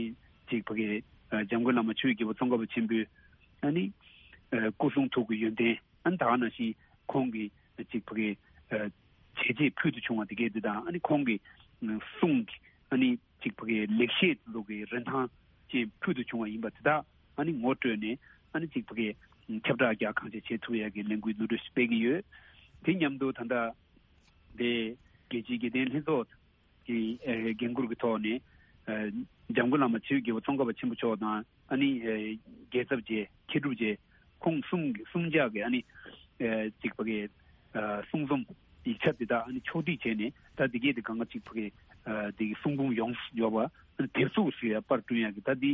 ཅིག་ཕ་གི་ཨ་འཇམ་མགོན་བླ་མ་ཆོས་ཀྱི་རྒྱལ་པོ་ཙོང་ཁ་པ་ཆེན་པོའི་ཨ་ནི་ཨ་སྐུ་གསུང་ཐུགས་ཀྱི་ཡོན་ཏན། ཨ་ནི་ད་ག་ནང་བཞིན་ཁོང་གིས་ཅིག་ཕ་གི་ཨ་བྱས་རྗེས་ཕུལ་དུ་བྱུང་བ་དེ་གས་དེ་དང་། ཨ་ནི་ཁོང་གི་ཨ་གསུང་གི་ཨ་ནི་ཅིག་ཕ་གི་ལེགས་བཤད་དེ་ཚོ་གི་རིན་ཐང་ཅན་ཕུལ་དུ་བྱུང་བ་ཡིན་པ་དེ་དག་ཨ་ནི་ངོ་སྤྲོད་ནས་ཨ་ནི་ཅིག་ཕ་གི་ཁྱབ་བསྒྲགས་རྒྱག་གང་ཆེ་བྱེད་ཐུབ་ཡ་གི་ལས་འགུལ་ནུས་སྤྲོད་ཞིག་སྤེལ་གྱི་ཡོད། དེ་མཉམ་དུ་ད་ལྟ་དེ་རྒྱལ་སྤྱིའི་དགེ་ལྡན་ལྷན་ཚོགས་ཀྱི་ཨེ་འགན་འཁུར་གྱི་ཐོག་ནས་ཨེ་འཇམ་མགོན་བླ་མ་ཆོས་ཀྱི་རྒྱལ་པོ་ཙོང་ཁ་པ་ཆེན་པོ་མཆོག་དང་། ཨ་ནི་ཨེ་རྒྱལ་ཚབ་རྗེ་མཁས་གྲུབ་རྗེ་ཁོང་གསུམ་གསུམ་ཆ་གི་ཨ་ནི་ཨེ་ཅིག་ཕ་གི་ཨེ་གསུང་རྩོམ་ཡིག་ཆ་དེ་དག་ཨ་ནི་ཕྱོགས་སྒྲིག་བྱས་ནས། ད་དེ་གས་དེ་གང་ག་ཅིག་ཕ་གི་ཨེ་དེ་གི་གསུང་འབུམ་ཡོངས་སུ་འབྱོར་བ་ཨ་ནི་དེབ་གཟུགས་སུ་ཡ་པར་བསྐྲུན་ཡ་གི་ད་དེ་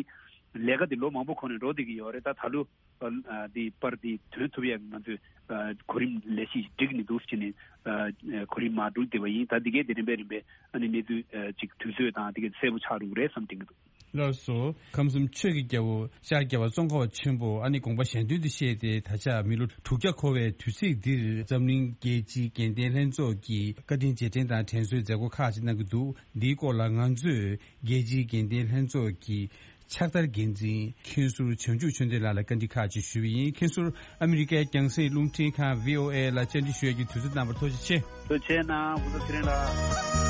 ལས་ཀ་དེ་ལོ་མང་པོ་གོང་ནས་འགྲོ་བསྡད་ཀྱི་ཡོད་རེད། ད་ད་ལོ་ཨ་འདི་པར་འདི་ཐོན་ཐུབ་ཡག་ང་ཚོས་ཨ་གོ་རིམ་ལས་གཞི་སྒྲིག་ནས་འདུག་ཟེར་ནས་ཨ་གོ་རིམ་མར་སྒྲིག་བསྡད་པ་ཡིན། ད་འདི་གས་དེ་རིམ་པས་རིམ་པས་ཨ་ནི་གནས་ཚུལ་ཨ་ཅིག་དུས་ཚོད་དང་དེ་གས་གསལ་པོ་ཆགས་འགྲོ་གི་རེད་བསམ་དྲན་གྱི་འདུག། ལགས་སོ། ཁམས་གསུམ་ཆོས་ཀྱི་རྒྱལ་པོ་ཤར་རྒྱལ་བ་ཙོང་ཁ་པ་ཆེན་པོ་ཨ་ནི་དགོངས་པ་གཞན་དོན་དུ་གཤེགས་ཏེ་ད་ཆ་མི་ལོ་དྲུག་བརྒྱ་འཁོར་བའི་དུས་ཚིགས་འདིར་འཛམ་གླིང་རྒྱལ་སྤྱིའི་དགེ་ལྡན་ལྷན་ཚོགས་ཀྱིས་བཀའ་དྲིན་རྗེས་དྲན་དང་དྲན་གསོའི་མཛད་སྒོ་ཁག་ཅིག་གནང་གི་འདུག། འདིའི་སྐོར་ལ་ང་ཚོས་རྒྱལ་སྤྱིའི་དགེ་ལྡན་ལྷན་ཚོགས་ཀྱི་ཕྱག་བསྟར་འགན་འཛིན་མཁན་ཟུར་བྱང་ཆུབ་ཆོས་ལྡན་ལགས་ལ་བཀའ་འདྲི་ཁག་ཅིག་ཞུས་པ་ཡིན། མཁན་ཟུར་ཨ་མི་རི་ཀའི་རྒྱང་སྲིང་རླུང་འཕྲིན་ཁང་བྷི་ཨོ་ཨེ་ལ་བཅར་འདྲི་ཞུ་ཡས་ཀྱི་དུས་ཚོད་གནང་བར་ཐུགས་རྗེ་ཆེ། ཐུགས་རྗེ་ཆེ་གནང་། སྐུ་ཚབ་ཚེ་རིང་ལགས།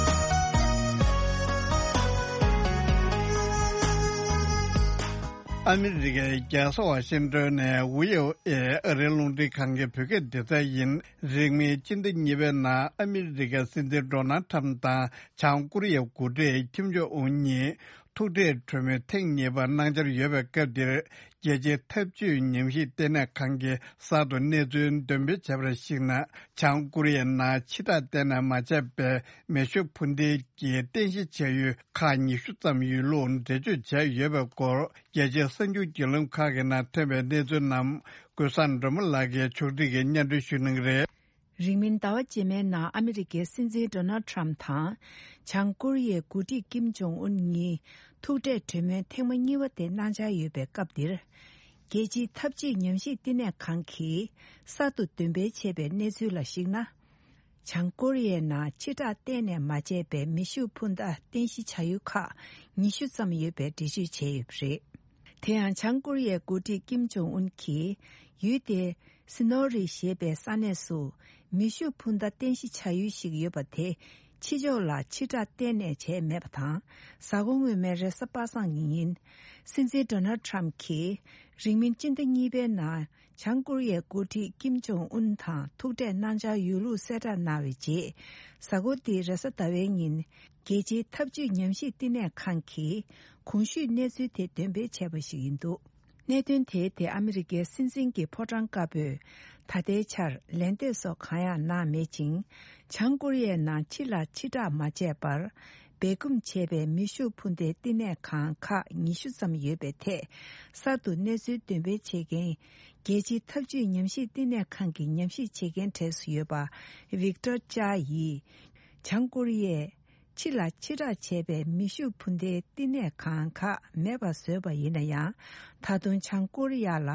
ཨ་མི་རི་ཀའི་རྒྱལ་ས་ཝ་ཤིང་ཏོན་ནས་བྷི་ཨོ་ཨེ་ཨ་རིའི་རླུང་འཕྲིན་ཁང་གི་བོད་སྐད་སྡེ་ཚན་ཡིན། རིང་མིན་སྤྱི་ཟླ་གཉིས་པའི་ནང་ཨ་མི་རི་ཀའི་སྲིད་འཛིན་ཌོ་ནལ་ཁྲམ་དང་བྱང་ཀོ་རི་ཡའི་འགོ་ཁྲིད་ཁིམ་ཇོ་ཨུན་གཉིས། ཐུག་འཕྲད་གྲོས་མོལ་ཐེངས་གཉིས་པ་གནང་འཆར་ཡོད་པའི་སྐབས་འདིར། རྒྱལ་སྤྱིའི་འཐབ་ཇུས་ཉམས་ཞིབ་ལྟེ་གནས་ཁང་གིས་གསར་དུ་གནས་ཚུལ་འདོན་སྤེལ་བྱས་པར་གཞིགས་ན། བྱང་ཀོ་རི་ཡའི་ནང་ཕྱི་བསྒྲགས་གཏན་ནས་མ་བྱས་པའི་མེ་ཤུགས་འཕུར་མདེལ་གྱི་རྟེན་གཞི་བྱ་ཡུལ་ཁག་ཉི་ཤུ་ཙམ་ཡོད་ལུགས་འགྲེལ་བརྗོད་བྱས་ཡོད་པའི་སྐོར། རྒྱལ་སྤྱིའི་གསར་འགྱུར་བརྒྱུད་ལམ་ཁག་གི་ནང་ཐོན་པའི་གནས་ཚུལ་རྣམས། ཀུན་བཟང་སྒྲོལ་མ་ལགས་ཀྱིས་ཕྱོགས་སྒྲིག་གིས་སྙན་སྒྲོན་ཞུ་གནང་གི་རེད། རིང་མིན་ཟླ་བ་རྗེས་མའི་ནང་ཨ་མི་རི་ཀའི་སྲིད་འཛིན་ཌོ་ནལ་ཁྲམ་དང་། བྱང་ཀོ་རི་ཡའི་འགོ་ཁྲིད་ཀིམ་ཇོང་ཨུན་གཉིས་ཐུག་འཕྲད་གྲོས་མོལ་ཐེངས་མ་གཉིས་པ་དེ་གནང་འཆར་ཡོད་པའི་སྐབས་འདིར། རྒྱལ་སྤྱིའི་འཐབ་ཇུས་ཉམས་ཞིབ་བསྟི་གནས་ཁང་གིས་གསར་དུ་འདོན་སྤེལ་བྱས་པའི་གནས་ཚུལ་ལ་གཞིགས་ན། བྱང་ཀོ་རི་ཡའི་ནང་ཕྱི་བསྒྲགས་གཏན་ནས་མ་བྱས་པའི་མེ་ཤུགས་འཕུར་མདའ་རྟེན་གཞི་བྱ་ཡུལ་ཁག་ཉི་ཤུ་ཙམ་ཡོད་པའི་འགྲེལ་བརྗོད་བྱས་ཡོད་པ་རེད། དེ་ཡང་བྱང་ཀོ་རི་ཡའི་འགོ་ཁྲིད་ཀིམ་ཇོང་ཨུན་གྱིས་ཡུལ་དེའི་སི་ནོ་རི་ཞེས་པའི་ས་གནས་སུ་མེ་ཤུགས་འཕུར་མདའ་རྟེན་གཞི་བྱ་ཡུལ་ཞིག་ཡོད་པ་དེ་ཕྱི་ཕྱོགས་ལ་ཕྱི་བསྒྲགས་གཏན་ནས་བྱས་མེད་པ་དང་། གཟའ་འཁོར་སྔོན་མའི་རེས་གཟའ་པ་སངས་ཀྱི་ཉིན། སྲིད་འཛིན་ཌོ་ནལ་ཁྲམ་གྱིས་རིང་མིན་སྤྱི་ཟླ་གཉིས་པའི་ནང་། བྱང་ཀོ་རི་ཡའི་འགོ་ཁྲིད་ཀིམ་ཇོང་ཨུན་དང་ཐུག་འཕྲད་གནང་འཆར་ཡོད་ལུགས་གསལ་བསྒྲགས་གནང་བའི་རྗེས། གཟའ་འཁོར་འདིའི་རེས་གཟའ་ཟླ་བའི་ཉིན། རྒྱལ་སྤྱིའི་འཐབ་ཇུས་ཉམས་ཞིབ་བསྟི་གནས་ཁང་གིས་གོང་ཞུས་གནས་ཚུལ་དེ་འདོན་སྤེལ་བྱས་པ་ཞིག་ཡིན་འདུག་གནད་དོན་དེའི་ཐད་ཨ་མི་རི་ཀའི་སྲིད་འཛིན་གྱི་ཕོ་བྲང་དཀར་པོས་ད་ལྟའི་ཆར་ལན་འདེབས་སོགས་གང་ཡང་གནང་མེད་ཅིང་། བྱང་ཀོ་རི་ཡའི་ནང་ཕྱི་ལ་ཕྱི་བསྒྲགས་མ་བྱས་པར། སྦས་སྐུང་བྱས་པའི་མེ་ཤུགས་འཕུར་མདའི་བསྟི་གནས་ཁང་ཁག་ཉི་ཤུ་ཙམ་ཡོད་པའི་ཐད། གསར་དུ་གནས་ཚུལ་འདོན་སྤེལ་བྱེད་མཁན། རྒྱལ་སྤྱིའི་འཐབ་ཇུས་ཉམས་ཞིབ་བསྟི་གནས་ཁང་གི་ཉམས་ཞིབ་བྱེད་མཁན་གྲས་སུ་ཡོད་པ། ཝིག་ཏོར་ཅཱ་ཡིས། བྱང་ཀོ་རི་ཡས་ཕྱི་ལ་ཕྱི་བསྒྲགས་བྱས་པའི་མེ་ཤུགས་འཕུར་མདའི་བསྟི་གནས་ཁང་ཁག་མེད་པར་བཟོས་པ་ཡིན་ན་ཡང་། ད་དུང་བྱང་ཀོ་རི་ཡ་ལ།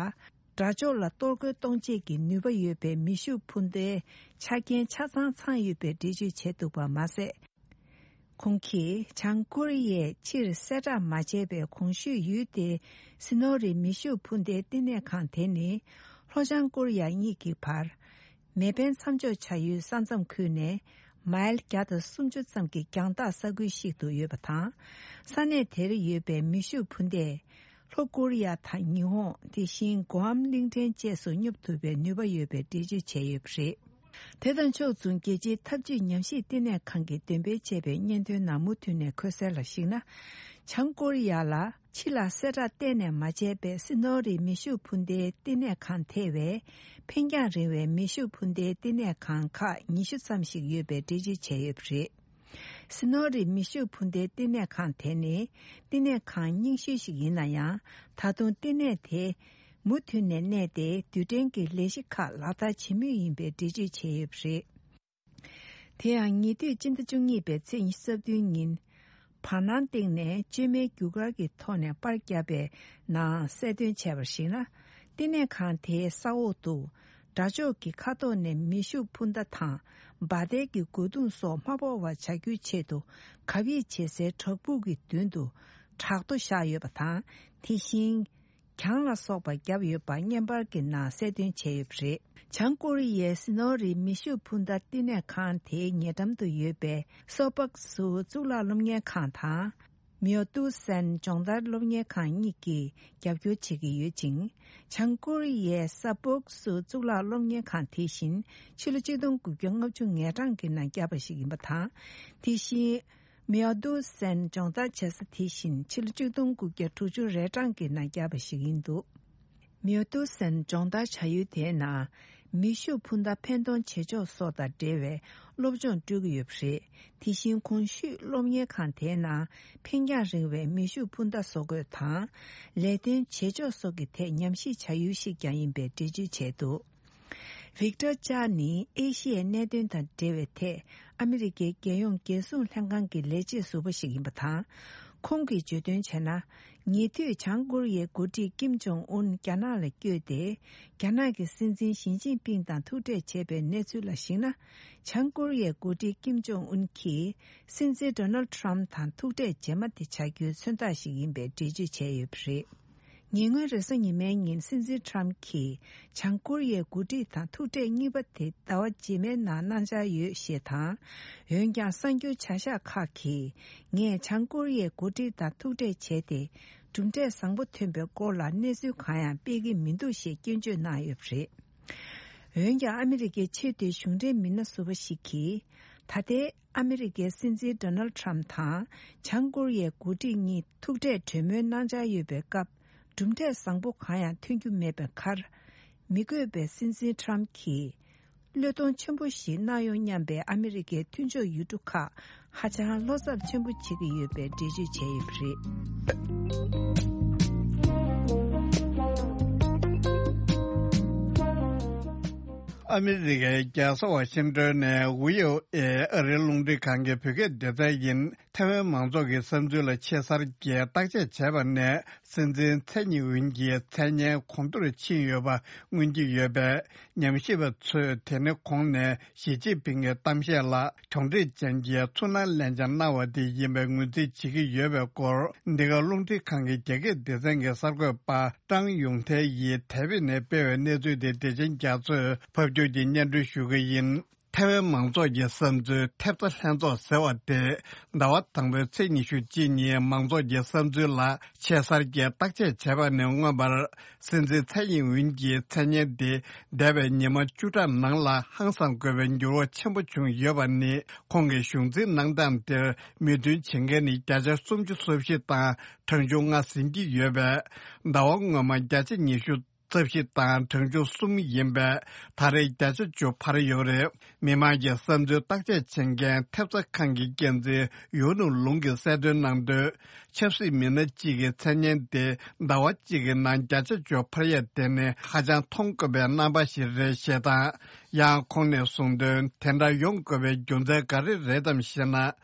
དགྲ་ཕྱོགས་ལ་གཏོར་རྒོལ་གཏོང་བྱེད་ཀྱི་ནུས་པ་ཡོད་པའི་མེ་ཤུགས་འཕུར་མདའི་ཆ་རྐྱེན་ཆ་ཚང་ཚང་ཡོད་པའི་འགྲེལ་བརྗོད་བྱས་འདུག་པ་མ་ཟད། ཁོང་གིས་བྱང་ཀོ་རི་ཡས་ཕྱིར་གསལ་བསྒྲགས་མ་བྱས་པའི་གོང་ཞུས་ཡུལ་དེའི་སི་ནོ་རི་མེ་ཤུགས་འཕུར་མདའི་བསྟི་གནས་ཁང་དེ་ནི། ལྷོ་བྱང་ཀོ་རི་ཡ་གཉིས་ཀྱི་བར། མེ་འཕེན་མཚམས་འཇོག་བྱ་ཡུལ་ས་མཚམས་ཁུལ་ནས་མའིལ་བརྒྱ་དང་སུམ་ཅུ་ཙམ་གྱི་རྒྱང་ཐག་ས་ཁུལ་ཞིག་ཏུ་ཡོད་པ་དང་། ས་གནས་དེར་ཡོད་པའི་མེ་ཤུགས་འཕུར་མདས། ལྷོ་ཀོ་རི་ཡ་དང་ཉི་ཧོང་། དེ་བཞིན་གོ་ཨམ་གླིང་ཕྲན་བཅས་སུ་སྙོབ་ཐུབ་པའི་ནུས་པ་ཡོད་པའི་འགྲེལ་བརྗོད་བྱས་ཡོད་པ་རེད། དེ་དང་ཕྱོགས་མཚུངས། རྒྱལ་སྤྱིའི་འཐབ་ཇུས་ཉམས་ཞིབ་བསྟི་གནས་ཁང་གིས་འདོན་སྤེལ་བྱས་པའི་སྙན་ཐོའི་ནང་མུ་མཐུད་ནས་འཁོད་གསལ་ལ་གཞིགས་ན། བྱང་ཀོ་རི་ཡ་ལ་ཕྱི་ལ་གསལ་བསྒྲགས་གཏན་ནས་མ་བྱས་པའི་སི་ནོ་རི་མེ་ཤུགས་འཕུར་མདའི་བསྟི་གནས་ཁང་ཐེ་བའི་འཕེན་རྒྱང་རིང་བའི་མེ་ཤུགས་འཕུར་མདའི་བསྟི་གནས་ཁང་ཁག་ཉི་ཤུ་ཙམ་ཞིག་ཡོད་པའི་འགྲེལ་བརྗོད་བྱས་ཡོད་པ་རེད། སི་ནོ་རི་མེ་ཤུགས་འཕུར་མདའི་བསྟི་གནས་ཁང་དེ་ནི་བསྟི་གནས་ཁང་རྙིང་ཤོས་ཤིག་ཡིན་ན་ཡང་། ད་དུང་བསྟི་གནས་དེ་མུ་མཐུད་ནས་གནས་ཏེ། རྡུལ་ཕྲན་གྱི་ལས་གཞི་ཁག་ལག་བསྟར་བྱེད་མུས་ཡིན་པའི་འགྲེལ་བརྗོད་བྱས་ཡོད་པ་རེད། དེ་ཡང་ཉེ་དུས་སྤྱི་ཟླ་བཅུ་གཉིས་པའི་ཚེས་ཉི་ཤུ་རྩ་བདུན་ཉིན། བར་སྣང་སྟེང་ནས་བཅོས་མའི་རྒྱུ་སྐར་གྱི་ཐོག་ནས་པར་བརྒྱབ་པའི་ནང་གསལ་སྟོན་བྱས་པར་གཞིགས་ན། བསྟི་གནས་ཁང་དེའི་ས་འོག་ཏུ། དགྲ་ཕྱོགས་ཀྱི་མཁའ་ཐོག་ནས་མེ་ཤུགས་འཕུར་མདའ་དང་། འབར་མདེལ་གྱི་རྒོལ་རྡུང་སོགས་མ་ཕོག་པར་བྱ་རྒྱུའི་ཆེད་དུ། གབ་ཡིབ་བྱེད་སའི་བྲག་ཕུག་གི་མདུན་དུ། བྲག་རྡོ་བཞག་ཡོད་པ་དང་། དེ་བཞིན། གྱང་ལ་སོགས་པ་བརྒྱབ་ཡོད་པ་བརྙན་པར་གྱི་ནང་གསལ་སྟོན་བྱས་ཡོད་པ་རེད། བྱང་ཀོ་རི་ཡའི་སི་ནོ་རི་མེ་ཤུགས་འཕུར་མདའ་བསྟི་གནས་ཁང་དེའི་ཉེ་འགྲམ་དུ་ཡོད་པའི་སོ་པག་སུ་གཙུག་ལག་སློབ་གཉེར་ཁང་དང་། མིའོ་ཏུ་སན་སྦྱོང་བརྡར་སློབ་གཉེར་ཁང་གཉིས་ཀྱིས་རྒྱབ་སྐྱོར་བྱེད་ཀྱི་ཡོད་ཅིང་། བྱང་ཀོ་རི་ཡའི་ས་པོག་སུ་གཙུག་ལག་སློབ་གཉེར་ཁང་དེ་བཞིན་ཕྱི་ལོ་ཆིག་སྟོང་དགུ་བརྒྱ་ལྔ་བཅུ་ང་གྲངས་ཀྱི་ནང་བརྒྱབ་པ་ཞིག་ཡིན་པ་དང་། དེ་བཞིན། མིའོ་ཏུ་སན་སྦྱོང་བརྡར་བྱེད་ས་དེ་བཞིན་ཕྱི་ལོ་ཆིག་སྟོང་དགུ་བརྒྱ་དྲུག་ཅུ་རེ་གྲངས་ཀྱི་ནང་བརྒྱབ་པ་ཞིག་ཡིན་འདུག་མིའོ་ཏུ་སན་སྦྱོང་བརྡར་བྱ་ཡུལ་དེའི་ནང་མེ་ཤུགས་འཕུར་མདའ་འཕེན་གཏོང་བྱེད་ཕྱོགས་སོགས་དང་འབྲེལ་བའི་སློབ་སྦྱོང་སྤྲོད་ཀྱི་ཡོད་པ་རེད། དེ་བཞིན་གོང་ཞུས་སློབ་གཉེར་ཁང་དེའི་ནང་འཕེན་རྒྱང་རིང་བའི་མེ་ཤུགས་འཕུར་མདའ་བཟོ་འགོད་དང་། ལས་དོན་བྱེད་ཕྱོགས་སོགས་ཀྱི་ཐད་ཉམས་ཞིབ་བྱ་ཡུལ་ཞིག་ཀྱང་ཡིན་པའི་འགྲེལ་བརྗོད་བྱས་འདུག་ཝིག་ཏོར་ཅཱ་ནི་ཨེ་ཤི་ཡའི་གནད་དོན་དང་འབྲེལ་བའི་ཐད་ཨ་མི་རི་ཀའི་རྒྱལ་ཡོངས་རྒྱལ་སྲུང་ལྷན་ཁང་གི་ལས་བྱེད་ཟུར་པ་ཞིག་ཡིན་པ་དང་། ཁོང་གིས་བརྗོད་དོན་བྱས་ན། ཉེ་དུས་བྱང་ཀོ་རི་ཡའི་འགོ་ཁྲིད་ཀིམ་ཇོང་ཨུན་རྒྱ་ནག་ལ་བསྐྱོད་དེ། རྒྱ་ནག་གི་སྲིད་འཛིན་ཞི་ཅིན་ཕིང་དང་ཐུག་འཕྲད་བྱས་པའི་གནས་ཚུལ་ལ་གཞིགས་ན། བྱང་ཀོ་རི་ཡའི་འགོ་ཁྲིད་ཀིམ་ཇོང་ཨུན་གྱིས་སྲིད་འཛིན་ཌོ་ནལ་ཁྲམ་དང་ཐུག་འཕྲད་རྗེས་མ་དེ་བྱ་རྒྱུའི་མཚོན་རྟགས་ཤིག་ཡིན་པའི་འགྲེལ་བརྗོད་བྱས་ཡོད་པ་རེད། ཉེ་སྔོན་རེས་གཟའ་ཉི་མའི་ཉིན་སྲིད་འཛིན་ཁྲམ་གྱིས་བྱང་ཀོ་རི་ཡའི་འགོ་ཁྲིད་དང་ཐུག་འཕྲད་གཉིས་པ་དེ་ཟླ་བ་རྗེས་མའི་ནང་གནང་འཆར་ཡོད་ཞེས་དང་། འོན་ཀྱང་གསར་འགྱུར་བྱ་གཞག་ཁག་གིས་ངས་བྱང་ཀོ་རི་ཡའི་འགོ་ཁྲིད་དང་ཐུག་འཕྲད་བྱས་ཏེ། གྲུབ་འབྲས་བཟང་པོ་ཐོན་པའི་སྐོར་ལ་གནས་ཚུལ་གང་ཡང་སྤེལ་གྱི་མི་འདུག་ཞེས་སྐྱོན་བརྗོད་གནང་ཡོད་པ་རེད། འོན་ཀྱང་ཨ་མི་རི་ཀའི་ཆེས་མཐོའི་གཞུང་འབྲེལ་མི་སྣ་ཟུར་པ་ཞིག་གིས། ད་ལྟའི་ཨ་མི་རི་ཀའི་སྲིད་འཛིན་ཌོ་ནལ་ཁྲམ་དང་བྱང་ཀོ་རི་ཡའི་འགོ་ཁྲིད་གཉིས་ཐུག་འཕྲད་གྲོས་མོལ་གནང་འཆར་ཡོད་པའི་སྐབས། གྲུབ་འབྲས་བཟང་པོ་གང་ཡང་ཐོན་རྒྱུ་མེད་པའི་ཁར། མི་དགོས་པའི་སྲིད་འཛིན་ཁྲམ་གྱིས། བློས་གཏོང་ཆེན་པོ་ཞིག་གནང་ཡོང་སྙམ་པའི་ཨ་མི་རི་ཀའི་མཐུན་ཕྱོགས་ཡུལ་གྲུ་ཁག་ཧ་ཅང་བློ་འཚབ་ཆེན་པོ་བྱེད་ཀྱི་ཡོད་པའི་འགྲེལ་བརྗོད་བྱས་ཡོད་པ་རེད། ཨ་མི་རི་ཀའི་རྒྱལ་ས་ཝ་ཤིང་ཏོན་ནས་ཝི་ཨོ་ཨེ་ཨ་རིའི་རླུང་འཕྲིན་ཁང་གི་བོད་སྐད་སྡེ་ཚན་ཡིན། ཐའེ་ཝན་མང་ཚོགས་ཀྱི་བསམ་ཚུལ་ལ་ཆེ་སར་གྱིས་བརྟག་དཔྱད་བྱས་པ་ནས། སྲིད་འཛིན་ཚའེ་ཉིན་ཝུན་གྱི་མཚན་སྙན་གོང་མཐོར་ཕྱིན་ཡོད་པ་མངོན་གྱི་ཡོད་པས། ཉམས་ཞིབ་པ་ཚོས་དེ་ནི་གོང་ནས་ཞི་ཅིན་ཕིང་གི་གཏམ་བཤད་ལ་གྱོང་འཕྲད་ཅན་གྱི་ཚུར་སྣང་ལན་ཆ་གནང་བ་དེ་ཡིན་པའི་ངོས་འཛིན་བྱེད་ཀྱི་ཡོད་པའི་སྐོར། འདི་ག་རླུང་འཕྲིན་ཁང་གི་རྒྱ་སྐད་སྡེ་ཚན་གྱི་གསར་འགོད་པ་ཀྲང་ཡུང་ཐའེ་ཡིས་དེ་བས་ནས་སྤེལ་བའི་གནས་ཚུལ་དེ་བདེ་ཆེན་རྒྱ་མཚོས་ཕབ་སྒྱུར་གྱིས་སྙན་སྒྲོན་ཞུ་གི་ཡིན། ཐའེ་ཝན་མང་ཚོགས་ཀྱི་བསམ་ཚུལ་ཐེབས་རྩ་ལྷན་ཚོགས་ཟེར་བ་དེ། ཟླ་བ་དང་པོའི་ཚེས་ཉི་ཤུ་གཅིག་ཉིན་མང་ཚོགས་ཀྱི་བསམ་ཚུལ་ལ་ཆེ་སར་གྱིས་བརྟག་དཔྱད་བྱས་པ་ནས་མངོན་པར། སྲིད་འཛིན་ཚའེ་ཡིན་ཝུན་གྱི་མཚན་སྙན་དེ་འདས་པའི་ཉི་མ་བཅུ་ཕྲག་ནང་ལ་ཧང་སང་དགོས་པའི་འགྱུར་བ་ཆེན་པོ་བྱུང་ཡོད་པ་ནི། ཁོང་གི་གཞུང་འཛིན་གནང་སྟངས་དེར་མོས་མཐུན་བྱེད་མཁན་ནི་བརྒྱ་ཆ་སུམ་ཅུ་སོ་བཞི་དང་གྲངས་ཆུང་ལྔ་ཟིན་གྱི་ཡོད་པས། ཟླ་བ་སྔོན་མ་བརྒྱ་ཆ་ཉི་ཤུ་རྩ་བཞི་དང་གྲངས་ཆུང་གསུམ་ཡིན་པས། ད་རེས་བརྒྱ་ཆ་བཅུ་འཕར་ཡོད་རེད། མི་མང་གི་བསམ་ཚུལ་བརྟག་དཔྱད་བྱེད་མཁན་ཐེབས་རྩ་ཁང་གི་འགན་འཛིན་ཡུའུ་ནུ་ལུང་གིས་གསལ་སྟོན་གནང་དོན། ཆབ་སྲིད་མི་སྣ་གཅིག་གི་མཚན་སྙན་དེ་ཟླ་བ་གཅིག་གི་ནང་བརྒྱ་ཆ་བཅུ་འཕར་ཡ་དེ་ནི་ཧ་ཅང་མཐོང་དཀོན་པའི་རྣམ་པ་ཞིག་རེད་ཞེས་དང་། ཡང་ཁོང་ནས་གསུངས་དོན། དེ་འདྲ་ཡོང་དགོས་པའི་རྒྱུ་མཚན་ག་རེ་རེད་དམ་ཞེ་ན།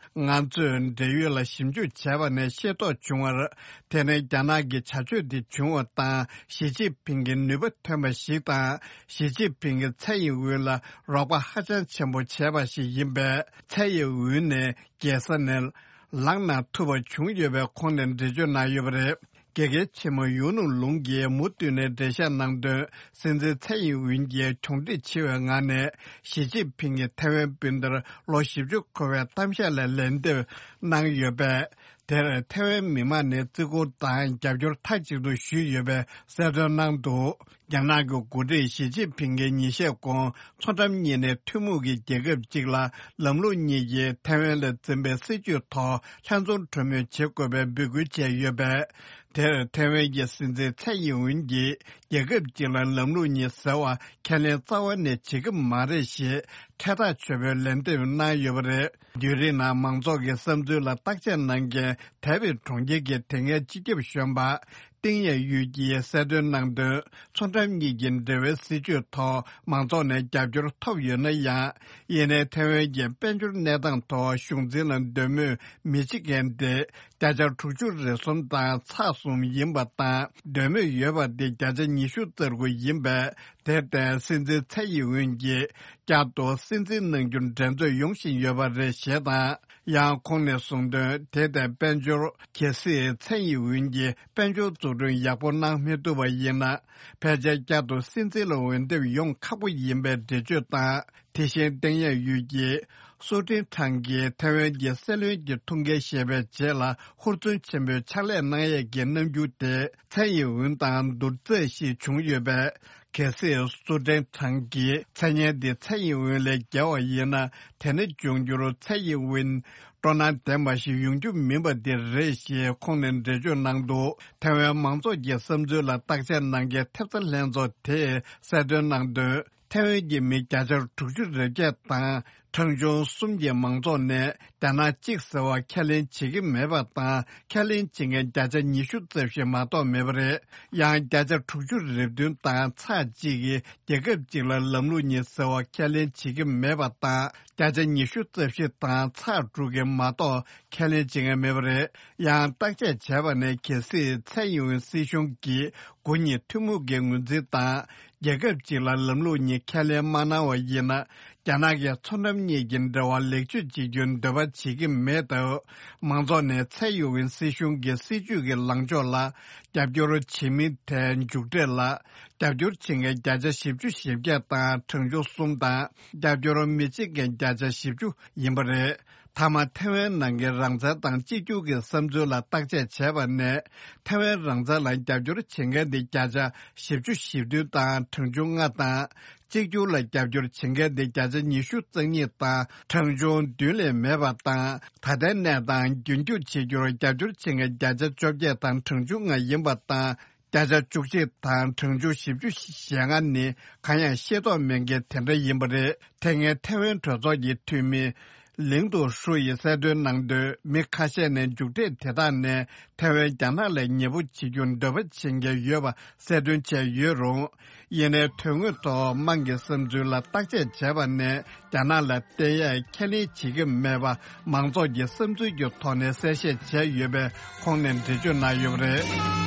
ང་ཚོས་འབྲེལ་ཡོད་ལ་ཞིབ་འཇུག་བྱས་པ་ནས་ཤེས་རྟོགས་བྱུང་བར། དེ་ནི་རྒྱ་ནག་གི་བྱ་སྤྱོད་འདི་བྱུང་བ་དང་། ཞི་ཅིན་ཕིང་གི་ནུས་པ་ཐོན་པ་ཞིག་དང་། ཞི་ཅིན་ཕིང་གིས་ཚའེ་ཡིན་ཝུན་ལ་རོགས་པ་ཧ་ཅང་ཆེན་པོ་བྱས་པ་ཞིག་ཡིན་པས། ཚའེ་ཡིན་ཝུན་ནས་རྒྱལ་ས་ནས་ལངས་གནང་ཐུབ་པ་བྱུང་ཡོད་པའི་ཁོང་ནས་འགྲེལ་བརྗོད་གནང་ཡོད་པ་རེད། དགེ་རྒན་ཆེན་མོ་ཡུའུ་ནུ་ལུང་གིས་མུ་མཐུད་ནས་འགྲེལ་བཤད་གནང་དོན། སྲིད་འཛིན་ཚའེ་ཡིན་ཝུན་གྱིས་གྱོང་འཕྲད་ཆེ་བའི་ངང་ནས་ཞི་ཅིན་ཕིང་གིས་ཐའེ་ཝན་སྤུན་ཟླར་ལོ་བཞི་བཅུ་འཁོར་བའི་གཏམ་བཤད་ལ་ལན་འདེབས་གནང་ཡོད་པས། དེར་ཐའེ་ཝན་མི་མང་ནས་བརྩི་བཀུར་དང་རྒྱབ་སྐྱོར་མཐའ་གཅིག་ཏུ་ཞུས་ཡོད་པའི་གསལ་སྟོན་གནང་འདུག་རྒྱ་ནག་གི་འགོ་ཁྲིད་ཞི་ཅིན་ཕིང་གིས་ཉིན་ཤས་གོང་མཚོ་འགྲམ་གཉིས་ནས་ཐུན་མོང་གི་རྒྱལ་ཁབ་ཅིག་ལ་ལམ་ལུགས་གཉིས་ཀྱིས་ཐའེ་ཝན་ལ་འཛིན་པའི་སྲིད་བྱུས་ཐོག་ལྷན་འཛོམས་གྲོས་མོལ་བྱེད་དགོས་པའི་འབོད་སྐུལ་བྱས་ཡོད་པས། དེར་ཐའེ་ཝན་གྱི་སྲིད་འཛིན་ཚའེ་ཡིན་ཝུན་གྱིས་རྒྱལ་ཁབ་ཅིག་ལ་ལམ་ལུགས་གཉིས་ཟེར་བ་ཁས་ལེན་རྩ་བ་ནས་བྱེད་ཀྱི་མ་རེད་ཞེས་ཕྲད་ཐག་ཆོད་པའི་ལན་འདེབས་གནང་ཡོད་པ་རེད། བརྒྱུད་རིམ་ནང་མང་ཚོགས་ཀྱི་བསམ་ཚུལ་ལ་བརྟག་དཔྱད་གནང་མཁན་ཐའེ་པེ་གྲོང་ཁྱེར་གྱི་དེ་སྔའི་སྤྱི་ཁྱབ་གཞོན་པ་ཏིང་ཡ་ཡུས་ཀྱིས་གསལ་སྟོན་གནང་དོན། མཚོ་འགྲམ་གཉིས་ཀྱི་འབྲེལ་བའི་སྲིད་བྱུས་ཐོག་མང་ཚོགས་ནས་རྒྱབ་སྐྱོར་ཐོབ་ཡོད་ན་ཡང་། ཡིན་ནའི་ཐའེ་ཝན་གྱི་དཔལ་འབྱོར་གནས་སྟངས་ཐོག་གཞུང་འཛིན་ལ་འདོད་མོས་མི་བྱེད་མཁན་དེ་བརྒྱ་ཆ་དྲུག་ཅུ་རེ་གསུམ་དང་ཚེག་གསུམ་ཡིན་པ་དང་། འདོད་མོས་ཡོད་པ་དེ་བརྒྱ་ཆ་ཉི་ཤུ་རྩ་དགུ་ཡིན་པས། དེར་བརྟེན་སྲིད་འཛིན་ཚའེ་ཡིན་ཝུན་གྱིས་བསྐྱར་དུ་སྲིད་འཛིན་གནང་རྒྱུར་འགྲན་རྩོད་ཡོང་བཞིན་ཡོད་པ་རེད་ཞེས་དང་། ཡང་ཁོང་ནས་གསུངས་དོན། དེ་ལྟའི་དཔལ་འབྱོར་གལ་སྲིད་ཚའེ་ཡིན་ཝུན་གྱིས་དཔལ་འབྱོར་འཛུགས་སྐྲུན་ཡག་པོ་གནང་མི་ཐུབ་པ་ཡིན་ན། ཕལ་ཆེར་བསྐྱར་དུ་སྲིད་འཛིན་ལ་འོས་འདེམས་ཡོང་ཁག་པོ་ཡིན་པའི་འགྲེལ་བརྗོད་དང་། དེ་བཞིན་ཏེང་ཡ་ཡུས་ཀྱིས་སུའུ་ཀྲིན་ཁྲང་གིས་ཐའེ་ཝན་གྱི་སྲིད་བློན་གྱི་ཐུགས་འགན་བཞེས་པའི་རྗེས་ལ་ཧུར་བརྩོན་ཆེན་པོས་ཕྱག་ལས་གནང་ཡས་ཀྱི་རྣམ་འགྱུར་དེ་ཚའེ་ཡིན་ཝུན་དང་བསྡུར་ཚད་ཞིག་བྱུང་ཡོད་པས། གལ་སྲིད་སུའུ་ཀྲིན་ཁྲང་གིས་མཚན་སྙན་འདི་ཚའེ་ཡིན་ཝུན་ལས་བརྒལ་བ་ཡིན་ན། དེ་ནི་འབྱུང་འགྱུར་ཚའེ་ཡིན་ཝུན་སྤྲོ་སྣང་ལྡན་པ་ཞིག་ཡོང་རྒྱུ་མིན་པ་འདི་རེད་ཞེས་ཁོང་ནས་འགྲེལ་བརྗོད་གནང་འདུག་ཐའེ་ཝན་མང་ཚོགས་ཀྱི་བསམ་ཚུལ་ལ་བརྟག་དཔྱད་གནང་མཁན་ཐེབས་རྩ་ལྷན་ཚོགས་དེས་གསལ་སྟོན་གནང་དོན། ཐའེ་ཝན་གྱི་མི་བརྒྱ་ཆ་དྲུག་ཅུ་རེ་བརྒྱད་དང་། གྲངས་ཆུང་གསུམ་གྱི་མང་ཚོགས་ནས་རྒྱ་ནག་གཅིག་ཟེར་བ་ཁས་ལེན་བྱེད་ཀྱི་མེད་པ་དང་། ཁས་ལེན་བྱེད་མཁན་བརྒྱ་ཆ་ཉི་ཤུ་རྩ་བཞི་མ་གཏོགས་མེད་པ་རེད། ཡང་བརྒྱ་ཆ་དྲུག་ཅུ་རེ་བདུན་དང་ཚེག་གཅིག་གིས་རྒྱལ་ཁབ་གཅིག་ལ་ལམ་ལུགས་གཉིས་ཟེར་བ་ཁས་ལེན་བྱེད་ཀྱི་མེད་པ་དང་། བརྒྱ་ཆ་ཉི་ཤུ་རྩ་བཞི་དང་ཚེག་དྲུག་གིས་མ་གཏོགས་ཁས་ལེན་བྱེད་མཁན་མེད་པ་རེད། ཡང་བརྟག་དཔྱད་བྱས་པ་ནས། གལ་སྲིད་ཚའེ་ཡིན་ཝུན་སྲིད་གཞུང་གིས་འགོ་གཉིས་ཐུན་མོང་གི་ངོས་འཛིན་དང་། རྒྱལ་ཁབ་གཅིག་ལ་ལམ་ལུགས་གཉིས་ཁས་ལེན་མ་གནང་བ་ཡིན་ན། རྒྱ་ནག་གིས་མཚོ་འགྲམ་གཉིས་ཀྱི་འབྲེལ་བ་ལེགས་བཅོས་བྱེད་རྒྱུའི་འདོད་པ་བྱེད་ཀྱི་མེད་སྟབས། མང་ཚོགས་ནས་ཚའེ་ཡིན་ཝུན་སྲིད་གཞུང་གི་སྲིད་བྱུས་ཀྱི་ལངས་ཕྱོགས་ལ་རྒྱབ་སྐྱོར་བྱེད་མིན་ཐད་མཇུག་འབྲས་ལ་རྒྱབ་སྐྱོར་བྱེད་མཁན་བརྒྱ་ཆ་བཞི་བཅུ་ཞེ་བརྒྱད་དང་གྲངས་ཆུང་གསུམ་དང་། རྒྱབ་སྐྱོར་མི་བྱེད་མཁན་བརྒྱ་ཆ་བཞི་བཅུ་ཡིན་པ་རེད། མཐའ་མ་ཐེ་ཝན་ནང་གི་རང་བཙན་དང་གཅིག་གྱུར་གྱི་བསམ་ཚུལ་ལ་བརྟག་དཔྱད་བྱས་པ་ནས། ཐེ་ཝན་རང་བཙན་ལ་རྒྱབ་སྐྱོར་བྱེད་མཁན་དེ་བརྒྱ་ཆ་བཞི་བཅུ་ཞེ་བདུན་དང་གྲངས་ཆུང་ལྔ་དང་། གཅིག་གྱུར་ལ་རྒྱབ་སྐྱོར་བྱེད་མཁན་དེ་བརྒྱ་ཆ་ཉི་ཤུ་རྩ་གཉིས་དང་གྲངས་ཆུང་བདུན་ལས་མེད་པ་དང་། ད་ལྟའི་གནས་སྟངས་རྒྱུན་སྐྱོང་བྱེད་རྒྱུར་རྒྱབ་སྐྱོར་བྱེད་མཁན་བརྒྱ་ཆ་བཅོ་བརྒྱད་དང་གྲངས་ཆུང་ལྔ་ཡིན་པ་དང་། བརྒྱ་ཆ་བཅུ་གཅིག་དང་གྲངས་ཆུང་བཞི་བཅུ་ཞེ་ལྔ་ནི་གང་ཡང་ཤེས་རྟོགས་མེད་མཁན་དེ་འདྲ་ཡིན་པ་རེད། དེ་སྔའི་ཐེ་ཝན་གྲོས་ཚོགས་ཀྱི་འཐུས་མི། ལིང་ཏུའུ་ཧྲུའུ་ཡིས་གསལ་སྟོན་གནང་དོན། མི་ཁ་ཤས་ནས་མཇུག་འབྲས་དེ་དག་ནས་ཐེ་ཝན་རྒྱ་ནག་ལ་ཉེ་པོ་བྱེད་རྒྱུར་འདོད་པ་བྱེད་མཁན་ཡོད་པ་གསལ་སྟོན་བྱས་ཡོད་རུང་། ཡིན་ནའི་དོན་དངོས་ཐོག་དམངས་ཀྱི་བསམ་ཚུལ་ལ་བརྟག་དཔྱད་བྱས་པ་ནས། རྒྱ་ནག་ལ་བརྟེན་ཡས་ཁས་ལེན་བྱེད་ཀྱི་མེད་པ་མང་ཚོགས་ཀྱི་བསམ་ཚུལ་གྱི་ཐོག་ནས་གསལ་བཤད་བྱས་ཡོད་པའི་ཁོང་ནས་འགྲེལ་བརྗོད་གནང་ཡོད་པ་རེད།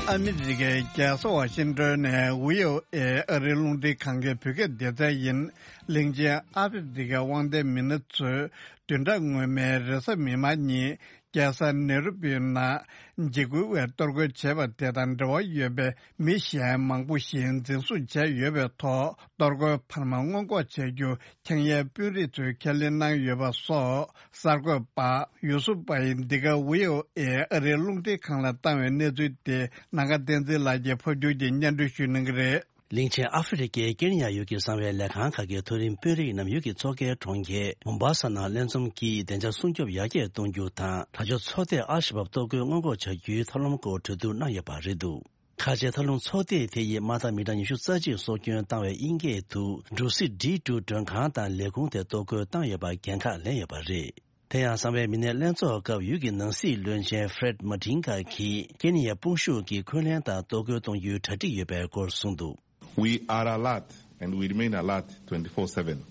ཨ་མི་རི་ཀའི་རྒྱལ་ས་ཝ་ཤིང་ཏོན་ནས་ཝི་ཨོ་ཨེ་ཨ་རིའི་རླུང་འཕྲིན་ཁང་གི་བོད་སྐད་སྡེ་ཚན་ཡིན། གླིང་ཆེན་ཨ་ཧྥེ་རི་ཁའི་དབང་ལྡན་མི་སྣ་ཚོས་བདུན་ཕྲག་སྔོན་མའི་རེས་གཟའ་མིག་དམར་ཉིན། རྒྱལ་ས་ནེ་རུ་པིའི་ནང་འཇིགས་སྐུལ་བས་གཏོར་རྒོལ་བྱས་པ་དེ་དང་འབྲེལ་བ་ཡོད་པའི་མི་གཞན་མང་པོ་ཞིག་འཛིན་བཟུང་བྱས་ཡོད་པའི་ཐོག་གཏོར་རྒོལ་འཕར་མ་སྔོན་འགོག་བྱ་རྒྱུ་ཁེ་ཉན་དཔོན་རིགས་ཚོས་ཁས་ལེན་གནང་ཡོད་པ་སོགས། གསར་འགོད་པ་ཡུ་སུབ་པ་ཡིས་འདི་ག་ཝི་ཨོ་ཨེ་ཨ་རིའི་རླུང་འཕྲིན་ཁང་ལ་བཏང་བའི་གནས་ཚུལ་དེ་ནམ་མཁའ་བསྟན་འཛིན་ལགས་ཀྱིས་ཕབ་སྒྱུར་གྱིས་སྙན་སྒྲོན་ཞུ་གནང་གི་རེད། གླིང་ཆེན་ཨ་ཧྥེ་རི་ཁའི་ཀེན་ཡ་ཡུལ་གྱི་གསང་བའི་ལས་ཁང་ཁག་གི་མཐོ་རིམ་དཔོན་རིགས་རྣམས་ཡུལ་གྱི་མཚོ་ཁའི་གྲོང་ཁྱེར་མོམ་བྷ་ས་ནང་ལྷན་འཛོམས་ཀྱིས་བདེ་འཇགས་སྲུང་སྐྱོབ་ཡར་རྒྱས་གཏོང་རྒྱུ་དང་། དྲག་སྤྱོད་ཚོགས་སྡེས་ཨལ་ཤ་བབ་གཏོར་རྒོལ་སྔོན་འགོག་བྱ་རྒྱུའི་ཐབས་ལམ་སྐོར་གྲོས་བསྡུར་གནང་ཡོད་པ་རེད་འདུག་ཁ་ཆེའི་ཐབས་ལམ་ཚོགས་སྡེ་དེ་ཡིས་མ་མཐའ་མི་གྲངས་ཉི་ཤུ་རྩ་གཅིག་སྲོག་སྐྱོན་བཏང་བའི་དབྱིན་སྐད་དུ་འབྲུག་སི་ཌི་ཊུ་མགྲོན་ཁང་དང་ལས་ཁུངས་དེ་གཏོར་རྒོལ་བཏང་ཡོད་པ་འགན་ཁག་ལེན་ཡོད་པ་རེད། དེ་ཡང་གསང་བའི་མི་སྣའི་ལྷན་ཚོགས་སྐབས་ཡུལ་གྱི་ནང་སྲིད་བློན་ཆེན་ཧྥེ་རེད་མ་ཏིན་གྷ་གིས་ཀེན་ཡའི་དཔུང་ཤུགས་ཀྱིས་འཁོན་ལན་དང་གཏོར་རྒོལ་གཏོང་རྒྱུའི་གྲ་སྒྲིག་ཡོད་པའི་སྐོར་གསུངས་འདུག We are alert and we remain alert twenty-four seven.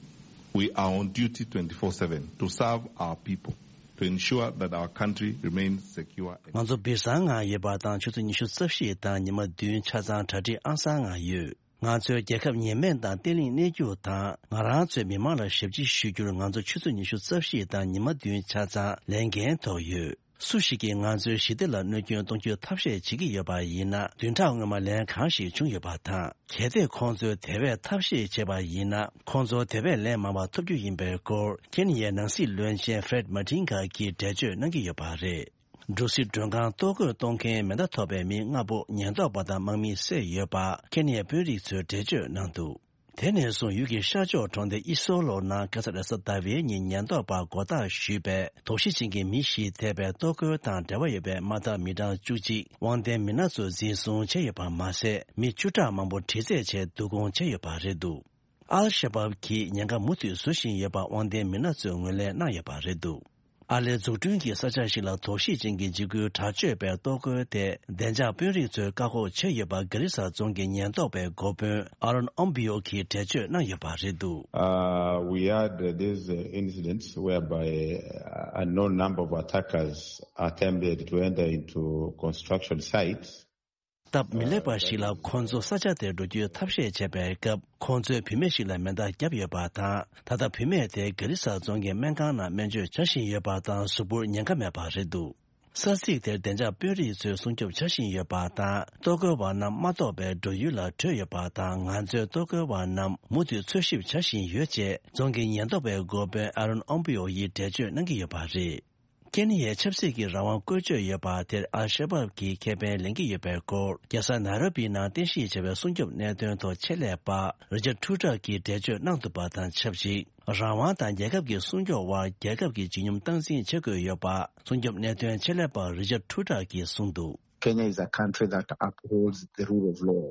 We are on duty twenty-four seven to serve our people, to ensure that our country remains secure. ང་ཚོ་སྦིར་སང་ངང་ཡོད་པ་དང་ཆུ་ཚོད་ཉི་ཤུ་རྩ་བཞི་དང་ཉི་མ་བདུན་ཆ་ཚང་གྲ་སྒྲིག་ཨང་གསར་ངང་ཡོད། ང་ཚོའི་རྒྱལ་ཁབ་ཉེན་སྨན་དང་བརྟན་ལྷིང་གནས་རྒྱུ་དང་ང་རང་ཚོའི་མི་མང་ལ་ཞབས་ཕྱི་ཞུ་རྒྱུར་ང་ཚོ་ཆུ་ཚོད་ཉི་ཤུ་རྩ་བཞི་དང་ཉི་མ་བདུན་ཆ་ཚང་ལས་འགན་ཐོག་ཡོད། སུ་ཞིག་གིས་ང་ཚོའི་ཞི་བདེ་ལ་གནོད་སྐྱོན་གཏོང་རྒྱུའི་ཐབས་ཤེས་བྱེད་ཀྱི་ཡོད་པ་ཡིན་ན། བདུན་ཕྲག་སྔོན་མ་ལན་གང་ཞིག་བྱུང་ཡོད་པ་དང་། གལ་ཏེ་ཁོང་ཚོས་དེ་བས་ཐབས་ཤེས་བྱས་པ་ཡིན་ན། ཁོང་ཚོ་དེ་བས་ལན་མང་བ་ཐོབ་རྒྱུ་ཡིན་པའི་སྐོར་ཀེན་ཡའི་ནང་སྲིད་བློན་ཆེན་ཧྥེ་རེད་མ་ཏིན་གྷ་གིས་འགྲེལ་བརྗོད་གནང་གི་ཡོད་པ་རེད། འབྲུག་སི་མགྲོན་ཁང་གཏོར་རྒོལ་གཏོང་མཁན་མེ་མདའ་ཐོགས་པའི་མི་ལྔ་པོ་ཉེན་རྟོག་པ་དང་དམག་མིས་བསད་ཡོད་པ་ཀེན་ཡའི་དཔོན་རིགས་ཚོས་འགྲེལ་བརྗོད་གནང་འདུག་དེ་ནས་བཟུང་ཡུལ་གྱི་ཤར་ཕྱོགས་གྲོང་སྡེ་ཨི་སོ་ལོ་ནང་ཁ་སང་རེས་གཟའ་ཟླ་བའི་ཉིན་ཉེན་རྟོག་པ་མགོ་བཏགས་ཞུས་པའི་དོགས་གཞི་ཅན་གྱི་མི་བཞི་ཐེ་བའི་གཏོར་རྒོལ་དང་འབྲེལ་བ་ཡོད་པའི་མ་མཐའ་མི་གྲངས་བཅུ་གཅིག་དབང་ལྡན་མི་སྣ་ཚོ་འཛིན་བཟུང་བྱས་ཡོད་པ་མ་ཟད། མི་བཅུ་ཕྲག་མང་པོ་དྲི་རྩད་བྱས་བསྡུ་སྐོང་བྱས་ཡོད་པ་རེད་འདུག་ཨལ་ཤ་བབ་གིས་ཉེན་ཁ་མུ་མཐུད་བཟོ་བཞིན་ཡོད་པ་དབང་ལྡན་མི་སྣ་ཚོས་ངོས་ལེན་གནང་ཡོད་པ་རེད་འདུག་ཨ་ལིའི་འཛུགས་སྐྲུན་གྱི་ས་ཆ་ཞིག་ལ་དོགས་གཞི་ཅན་གྱི་འཇིགས་སྐུལ་དྲག་སྤྱོད་པའི་གཏོར་རྒོལ་དེ་བདེ་འཇགས་དཔོན་རིགས་ཚོས་བཀག་འགོག་བྱས་ཡོད་པ་གྷ་རི་ས་རྫོང་གི་ཉེན་རྟོག་པའི་འགོ་དཔོན་ཨ་རོན་ཨོམ་བྷི་ཡོ་གིས་འགྲེལ་བརྗོད་གནང་ཡོད་པ་རེད་འདུག Uh, we had uh, these uh, incidents whereby uh, a known number of attackers attempted to enter into construction sites. སྟབས་མི་ལེགས་པ་ཞིག་ལ་ཁོང་ཚོ་ས་ཆ་དེར་འགྲོ་རྒྱུའི་ཐབས་ཤེས་བྱས་པའི་སྐབས། ཁོང་ཚོས་བུད་མེད་ཞིག་ལ་མེ་མདའ་བརྒྱབ་ཡོད་པ་དང་། ད་ལྟ་བུད་མེད་དེ་གྷ་རི་ས་རྫོང་གི་སྨན་ཁང་ནང་སྨན་བཅོས་བྱ་བཞིན་ཡོད་པ་དང་། གཟུགས་པོར་ཉེན་ཁ་མེད་པ་རེད་འདུག་ས་ཚིགས་དེར་བདེ་འཇགས་དཔོན་རིགས་ཚོས་སྲུང་སྐྱོབ་བྱ་བཞིན་ཡོད་པ་དང་། གཏོར་རྒོལ་བ་རྣམས་མ་གཏོགས་པའི་འགྲོ་ཡུལ་ལ་བྲོས་ཡོད་པ་དང་། ང་ཚོས་གཏོར་རྒོལ་བ་རྣམས་མུ་མཐུད་འཚོལ་ཞིབ་བྱ་བཞིན་ཡོད་ཅེས་རྫོང་གི་ཉེན་རྟོག་པའི་འགོ་དཔོན་ཨ་རོན་ཨོམ་པི་ཡོ་ཡིས་འགྲེལ་བརྗོད་གནང་གི་ཡོད་པ་རེད། ཀེན་ཡའི་ཆབ་སྲིད་ཀྱི་རང་དབང་བཀོལ་སྤྱོད་ཡོད་པ་དེར་ཨལ་ཤ་བབ་ཀྱིས་ཁེ་ཕན་ལེན་གྱི་ཡོད་པའི་སྐོར། རྒྱལ་ས་ནཱ་རོ་པི་ནང་རྟེན་གཞི་བྱས་པའི་སྲུང་སྐྱོབ་གནད་དོན་ཐོག་ཆེད་ལས་པ་རི་ཅར་ཊུ་ཊར་གྱིས་འགྲེལ་བརྗོད་གནང་འདུག་པ་དང་ཆབས་ཅིག་རང་དབང་དང་རྒྱལ་ཁབ་ཀྱི་སྲུང་སྐྱོབ་དབར་རྒྱལ་ཁབ་ཀྱི་བརྗིད་ཉམས་སྟངས་འཛིན་བྱེད་དགོས་ཡོད་པ། སྲུང་སྐྱོབ་གནད་དོན་ཆེད་ལས་པ་རི་ཅར་ཊུ་ཊར་གྱིས་གསུངས་འདུག Kenya is a country that upholds the rule of law.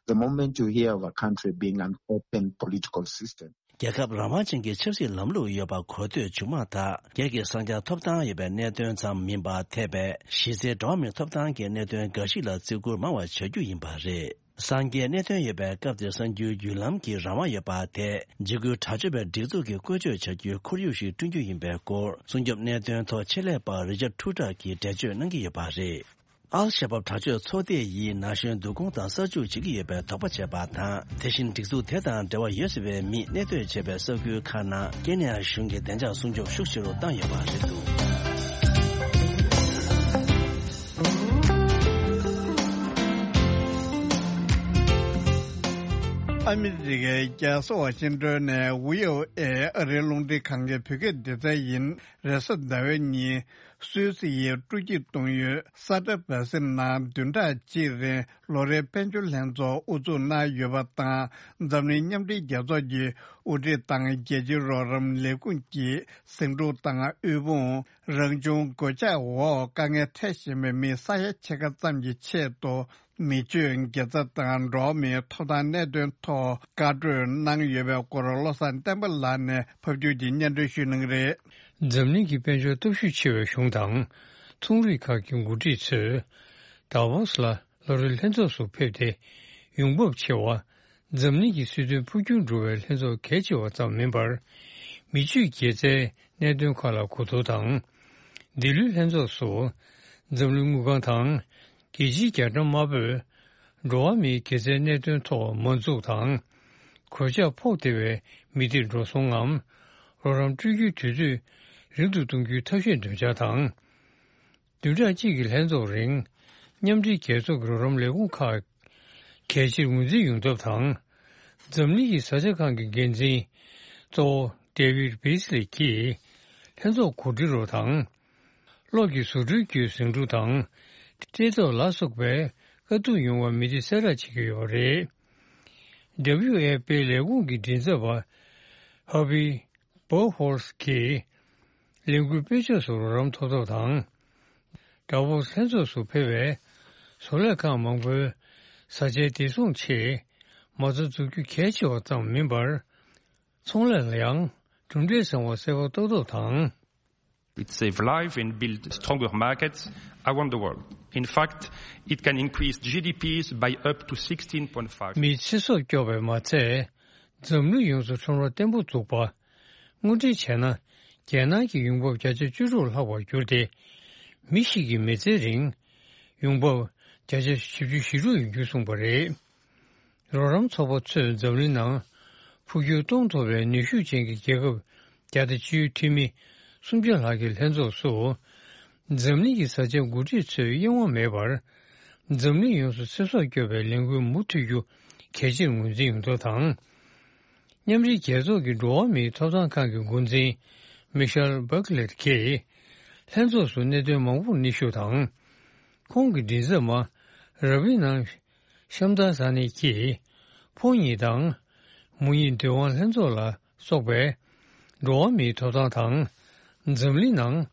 The moment you hear of a country being an open political system, རྒྱལ་ཁབ་རང་དབང་ཅན་གྱི་ཆབ་སྲིད་ལམ་ལུགས་ཡོད་པ་གོ་ཐོས་བྱུང་མ་ཐག་སྒེར་གྱི་གསང་རྒྱ་ཐོབ་ཐང་ཡོད་པའི་གནད་དོན་ཙམ་མིན་པར། འཐད་པའི་གཞི་རྩའི་འགྲོ་བ་མིའི་ཐོབ་ཐང་གི་གནད་དོན་འགའ་ཞིག་ལ་བརྩི་བཀུར་མང་བ་བྱ་རྒྱུ་ཡིན་པ་རེད། གསང་རྒྱའི་གནད་དོན་ཡོད་པའི་སྐབས་དེར་གསར་འགྱུར་བརྒྱུད་ལམ་གྱི་རང་དབང་ཡོད་པ་དེ་འཇིགས་སྐུལ་དྲག་སྤྱོད་པའི་སྒྲིག་འཛུགས་ཀྱིས་བཀོལ་སྤྱོད་བྱ་རྒྱུའི་ཁོར་ཡུག་ཞིག་བསྐྲུན་རྒྱུ་ཡིན་པའི་སྐོར། སྲུང་སྐྱོབ་གནད་དོན་ཐོག་ཆེད་ལས་པ་རི་ཅར་ཊུ་ཊར་གྱིས་འགྲེལ་བརྗོད་གནང་གི་ཡོད་པ་རེད། ཨལ་ཤ་བབ་དྲག་སྤྱོད་ཚོགས་སྡེ་ཡིས་ན་གཞོན་བསྡུ་སྐོང་དང་གསར་འཇུག་བྱེད་ཀྱི་ཡོད་པའི་དོགས་པ་བྱས་པ་དང་། དེ་བཞིན་སྒྲིག་འཛུགས་དེ་དང་འབྲེལ་བ་ཡོད་སྲིད་པའི་མིས་གནས་སྡོད་བྱས་པའི་ས་ཁུལ་ཁག་ནང་ཀེན་ཡ་གཞུང་གིས་བདེ་འཇགས་སྲུང་སྐྱོབ་ཤུགས་ཆེ་རུ་བཏང་ཡོད་པ་རེད་འདུག་ཨ་ ཨ་མི་རི་ཀའི་རྒྱལ་ས་ཝ་ཤིང་ཏོན་ནས་བྷི་ཨོ་ཨེ་ཨ་རིའི་རླུང་འཕྲིན་ཁང་གི་བོད་སྐད་སྡེ་ཚན་ཡིན། རེས་གཟའ་ཟླ་བའི་ཉིན་སུད་སི་ཡི་སྤྲོ་སྐྱིད་གཏོང་ཡུལ་ས་ཏྲ་བྷ་སི་ནང་བདུན་ཕྲག་གཅིག་རིང་ལོ་རེའི་དཔལ་འབྱོར་ལྷན་ཚོགས་དབུ་འཛུགས་གནང་ཡོད་པ་དང་། འཛམ་གླིང་མཉམ་འབྲེལ་རྒྱལ་ཚོགས་ཀྱི་དབུ་ཁྲིད་དང་རྒྱལ་སྤྱིའི་རོགས་རམ་ལས་ཁུངས་ཀྱིས་ཟིང་འཁྲུག་དང་དབུལ་ཕོངས། རང་བྱུང་གོད་ཆག་འོག་དཀའ་ངལ་འཕྲད་བཞིན་པའི་མི་ས་ཡ་ཕྱེད་ཀ་ཙམ་གྱི་ཆེད་དུ། མི་སྤྱོད་དགེ་རྩ་དང་འགྲོ་བ་མིའི་ཐོབ་ཐང་གནད་དོན་ཐོག་བཀའ་གྲོས་གནང་ཡོད་པའི་སྐོར་བློ་བཟང་བསྟན་པ་ལགས་ནས་ཕབ་སྒྱུར་གྱིས་སྙན་སྒྲོན་ཞུ་གནང་གི་རེད། འཛམ་གླིང་གི་དཔལ་འབྱོར་སྟོབས་ཤུགས་ཆེ་བའི་གཞུང་དང་། ཚོང་རིགས་ཁག་གི་འགོ་ཁྲིད་ཚོས། དཱ་བོ་སི་ལ་ལོ་རེའི་ལྷན་ཚོགས་སུ་ཕེབས་ཏེ། ཡོང་འབབ་ཆེ་བ། འཛམ་གླིང་གི་སྲིད་དོན་འཕོ་འགྱུར་འགྲོ་བའི་ལྷན་ཚོགས་གལ་ཆེ་བ་ཙམ་མིན་པར། མི་སྤྱོད་དགེ་རྩའི་གནད་དོན་ཁག་ལ་གོ་བསྡུར་དང་། འདི་ལོའི་ལྷན་ཚོགས་སུ། འཛམ་གླིང་དངུལ་ཁང་དང་། རྒྱལ་སྤྱིའི་རྒྱ་གྲམ་དམར་པོས། འགྲོ་བ་མིའི་དགེ་རྩའི་གནད་དོན་ཐོག་མ་འཛུགས་དང་། གོད་ཆག་ཕོག་བདེ་བའི་མི་སྡེར་འགྲོ་སོང་ངམ། རོགས་རམ་སྤྲོད་རྒྱུའི་དུས་ཚོད་རིང་དུ་གཏོང་རྒྱུའི་ཐབས་ཤེས་འདོན་འཆར་དང་། བདུན་ཕྲག་གཅིག་གི་ལྷན་ཚོགས་རིང་། མཉམ་འབྲེལ་རྒྱལ་ཚོགས་ཀྱི་རོགས་རམ་ལས་ཁུངས་ཁག་གལ་ཆེར་ངོས་འཛིན་ཡོང་ཐབས་དང་། འཛམ་གླིང་གི་བཟའ་བཅའ་ཁང་གི་འགན་འཛིན་གཙོ་བོ་ཌེ་ཝིད་བྷི་སི་ལི་གྱིས་ལྷན་ཚོགས་གོ་སྒྲིག་རོགས་དང་། གློག་གི་བཟོ་སྐྲུན་བརྒྱུད་ཟིང་འཁྲུག་དང་། བཀྲེས་ལྟོགས་ལ་སོགས་པའི་དཀའ་སྡུག་མྱོང་བའི་མི་སྡེ་གསལ་བསྒྲགས་བྱེད་ཀྱི་ཡོད་པ་རེད། ཌབ་ལིའུ་ཨེཕ་པིའི་ལས་ཁུངས་ཀྱི་མགྲིན་ཚབ་པ་ཧར་བྷི་བྷོ་ཧོལ་གྱིས་ལས་འགུལ་སྤེལ་ཕྱོགས་སུ་རོགས་རམ་ཐོབ་ཐབས་དང་། ཌ་བོ་སི་ལྷན་ཚོགས་སུ་ཕེབས་པའི་བཟོ་ལས་ཁང་མང་པོའི་བཟའ་བཅའི་བདེ་སྲུང་ཆེད་མ་རྩ་འཛུགས་རྒྱུ་གལ་ཆེ་བ་ཙམ་མིན་པར། ཚོང་ལས་ལ་ཡང་གྲུབ་འབྲས་བཟང་བ་གསལ་པོ་རྟོགས་ཐབས་དང་། It save life and build stronger markets around the world. In fact, it can increase G D Ps by up to sixteen point five. མིའི་ཚེ་སྲོག་སྐྱོབ་པས་མ་ཚད། འཛམ་གླིང་ཡོངས་སུ་ཁྲོམ་ར་བརྟན་པོ་འཛུགས་པ། དངོས་འབྲེལ་བྱས་ན། རྒྱལ་ནང་གི་ཡོང་འབབ་བརྒྱ་ཆ་བཅུ་དྲུག་ལྷག་པར་གྱུར་ཏེ། མི་ཞིག་གི་མི་ཚེའི་རིང་། ཡོང་འབབ་བརྒྱ་ཆ་བཞི་བཅུ་ཞེ་དྲུག་ཡོང་རྒྱུ་གསུངས་པ་རེད། རོགས་རམ་ཚོགས་པ་ཚོས་འཛམ་གླིང་ནང་འཕོ་འགྱུར་གཏོང་ཐུབ་པའི་ནུས་ཤུགས་ཅན་གྱི་རྒྱལ་ཁབ་བརྒྱ་དང་བཅུའི་འཐུས་མི་སུམ་བརྒྱ་ལྷག་གི་ལྷན་ཚོགས་སུ། འཛམ་གླིང་གི་བཟའ་བཅའ་འགོ་ཁྲིད་ཚོས་གཡེང་བ་མེད་པར། འཛམ་གླིང་ཡོངས་སུ་ཚེ་སྲོག་སྐྱོབ་པའི་ལས་འགུལ་མུ་མཐུད་རྒྱུ་གལ་ཆེར་ངོས་འཛིན་ཡོང་ཐབས་དང་། མཉམ་འབྲེལ་རྒྱལ་ཚོགས་ཀྱི་འགྲོ་བ་མིའི་ཐོབ་ཐང་ཁང་གི་འགོ་འཛིན་མི་ཤེལ་བྷག་ལེར་གྱིས། ལྷན་ཚོགས་སུ་གནད་དོན་མང་པོར་སྙན་ཞུ་དང་། ཁོང་གི་མགྲིན་ཚབ་མ་ར་བི་ནང་ཤམ་དཱ་ཟ་ནི་གྱིས། ཕོ་ཉིད་དང་། མོ་ཉིད་འདུན་དབང་ལྷན་ཚོགས་ལ་སོགས་པའི་འགྲོ་བ་མིའི་ཐོབ་ཐང་དང་། འཛམ་གླིང་ནང་།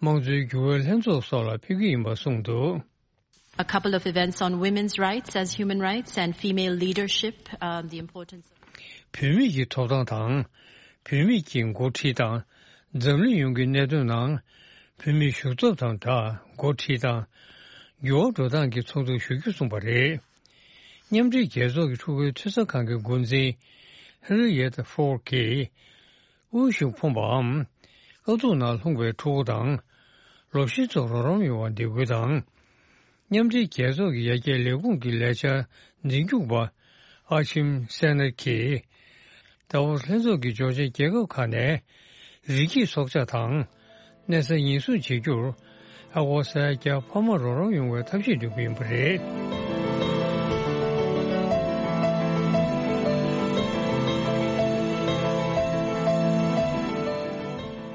དམངས་གཙོའི་འགྱུར་བའི་ལྷན་ཚོགས་སོགས་ལ་ཕེབས་ཀྱི་ཡིན་པ་གསུངས་འདུག། A couple of events on women's rights as human rights and female leadership, um, the importance of བུད་མེད་ཀྱི་ཐོབ་ཐང་དང་། བུད་མེད་ཀྱི་འགོ་ཁྲིད་དང་། འཛམ་གླིང་ཡོངས་ཀྱི་གནད་དོན་ནང་། བུད་མེད་ཞུགས་ཐབས་དང་སྦྲགས་འགོ་ཁྲིད་དང་། འགྱུར་བ་འགྲོ་སྟངས་ཀྱི་ཚོགས་འདུར་ཞུགས་རྒྱུ་གསུངས་པ་རེད། མཉམ་འབྲེལ་རྒྱལ་ཚོགས་ཀྱི་ཕྲུ་གུའི་འཐུས་ཚབ་ཁང་གི་འགོ་འཛིན་ཧེན་རི་ཡེ་ཏ་ཧྥོར་གྱིས། དབུལ་ཞིང་ཕོངས་པའམ། དཀའ་སྡུག་ནང་ལྷུང་བའི་ཕྲུ་གུ་དང་། ལོ་ཤས་ཚོར་རོགས་རམ་ཡོང་བར་འདེད་སྐུལ་དང་། མཉམ་འབྲེལ་རྒྱལ་ཚོགས་ཀྱི་ཡར་རྒྱས་ལས་ཁུངས་ཀྱི་ལས་འཆར་འཛིན་སྐྱོང་པ་ཨ་ཆིམ་སེ་ནར་གྱིས། ཏཱ་ཝོ་སི་ལྷན་ཚོགས་ཀྱི་འབྱོར་ཆེན་རྒྱལ་ཁབ་ཁག་ནས་རི་སྐྱེས་སྲོག་ཆགས་དང་། གནས་ས་ཉེན་སྲུང་བྱེད་རྒྱུར་ཨ་སྒོར་ས་ཡ་བརྒྱ་འཕར་མ་རོགས་རམ་ཡོང་བའི་ཐབས་ཤེས་འདོན་གྱི་ཡིན་པ་རེད།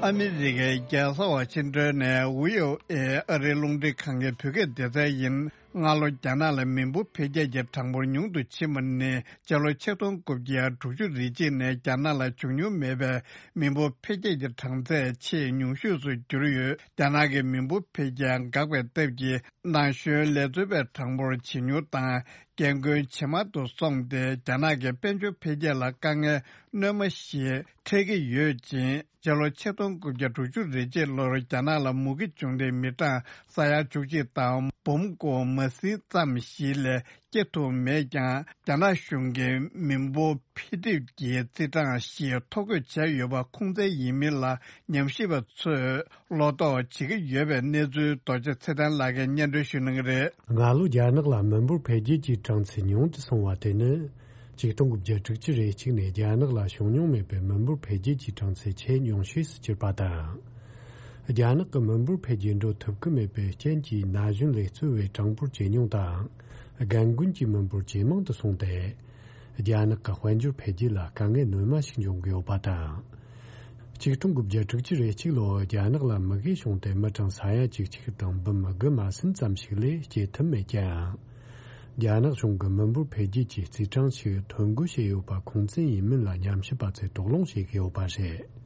ཨ་མི་རི་ཀའི་རྒྱལ་ས་ཝ་ཤིང་ཏོན་ནས་བྷི་ཨོ་ཨེ་ཨ་རིའི་རླུང་འཕྲིན་ཁང་གི་བོད་སྐད་སྡེ་ཚན་ཡིན། སྔ་ལོ་རྒྱ་ནག་ལ་མི་འབོར་འཕེལ་རྒྱས་ཀྱི་གྲངས་འབོར་ཉུང་དུ་ཕྱིན་པ་ནི་སྤྱི་ལོ་ཆིག་སྟོང་དགུ་བརྒྱ་དྲུག་ཅུ་རེ་གཅིག་ནས་རྒྱ་ནག་ལ་བྱུང་མྱོང་མེད་པའི་མི་འབོར་འཕེལ་རྒྱས་ཀྱི་གྲངས་ཚད་ཆེས་ཉུང་ཤོས་སུ་གྱུར་ཡོད། རྒྱ་ནག་གི་མི་འབོར་འཕེལ་རྒྱས་འགག་པའི་སྟབས་ཀྱིས། ན་གཞོན་ལས་བཟོ་པའི་གྲངས་འབོར་ཇེ་ཉུང་དང་། རྒན་རྒོན་ཇེ་དམའ་དུ་སོང་སྟེ། རྒྱ་ནག་གི་དཔལ་འབྱོར་འཕེལ་རྒྱས་ལ་དཀའ་ངལ་སྣོན་མ་ཞིག་འཕྲད་ཀྱི་ཡོད་ཅིང་། སྤྱི་ལོ་ཆིག་སྟོང་དགུ་བརྒྱ་དྲུག་ཅུ་རེ་གཅིག་ལོར་རྒྱ་ནག་ལ་མུ་གེ་བྱུང་སྟེ། མི་གྲངས་ས་ཡ་བཅུ་གཅིག་དང་འབུམ་དགུ་མ་ཟིན་ཙམ་ཞིག་ལས་སྐྱེ་ཐུབ་མེད་ཀྱང་། རྒྱ་ནག་གཞུང་གིས་མི་འབོར་འཕེལ་འགྲིབ་ཀྱི་རྩིས་གྲངས་ཤིག་ཐོ་འགོད་བྱས་ཡོད་པ་ཁུངས་བཙན་ཡིན་མིན་ལ་ཉམས་ཞིབ་པ་ཚོས་བློ་དོགས་བྱེད་ཀྱི་ཡོད་པའི་གནས་ཚུལ་རྡོ་རྗེ་ཚེ་བརྟན་ལགས་ཀྱིས་སྙན་སྒྲོན་ཞུ་གནང་གི་རེད། སྔ་ལོ་རྒྱ་ནག་ལ་མི་འབོར་འཕེལ་རྒྱས་ཀྱི་གྲངས་ཚད་ཉུང་དུ་སོང་བ་དེ་ནི། ཆིག་སྟོང་དགུ་བརྒྱ་དྲུག་ཅུ་རེ་གཅིག་ནས་རྒྱ་ནག་ལ་བྱུང་མྱོང་མེད་པའི་མི་འབོར་འཕེལ་རྒྱས་ཀྱི་གྲངས་ཚད་ཆེས་ཉུང་ཤོས་སུ་གྱུར་པ་དང་། རྒྱ་ནག་གི་མི་འབོར་འཕེལ་རྒྱས་འགྲོ་ཐུབ་ཀྱི་མེད་པའི་རྐྱེན་གྱིས། ན་གཞོན་ལས་བརྩོན་པའི་གྲངས་འབོར་ཇེ་ཉུང་དང་། རྒན་རྒོན་གྱི་མི་འབོར་ཇེ་མང་དུ་སོང་སྟེ། རྒྱ་ནག་གི་དཔལ་འབྱོར་འཕེལ་རྒྱས་ལ་དཀའ་ངལ་སྣོན་མ་ཞིག་འབྱུང་གི་ཡོད་པ་དང་། ཆིག་སྟོང་དགུ་བརྒྱ་དྲུག་ཅུ་རེ་གཅིག་ལོར་རྒྱ་ནག་ལ་མུ་གེ་བྱུང་སྟེ་མི་གྲངས་ས་ཡ་བཅུ་གཅིག་དང་འབུམ་དགུ་མ་ཟིན་ཙམ་ཞིག་ལས་སྐྱེ་ཐུབ་མེད་ཀྱང་། རྒྱ་ནག་གཞུང་གིས་མི་འབོར་འཕེལ་རྒྱས་ཀྱི་རྩིས་གྲངས་ཤིག་ཐོ་འགོད་བྱས་ཡོད་པ་ཁུངས་བཙན་ཡིན་མིན་ལ་ཉམས་ཞིབ་པ་ཚོས་དོགས་སློང་བྱེད་ཀྱི་ཡོད་པ་རེད།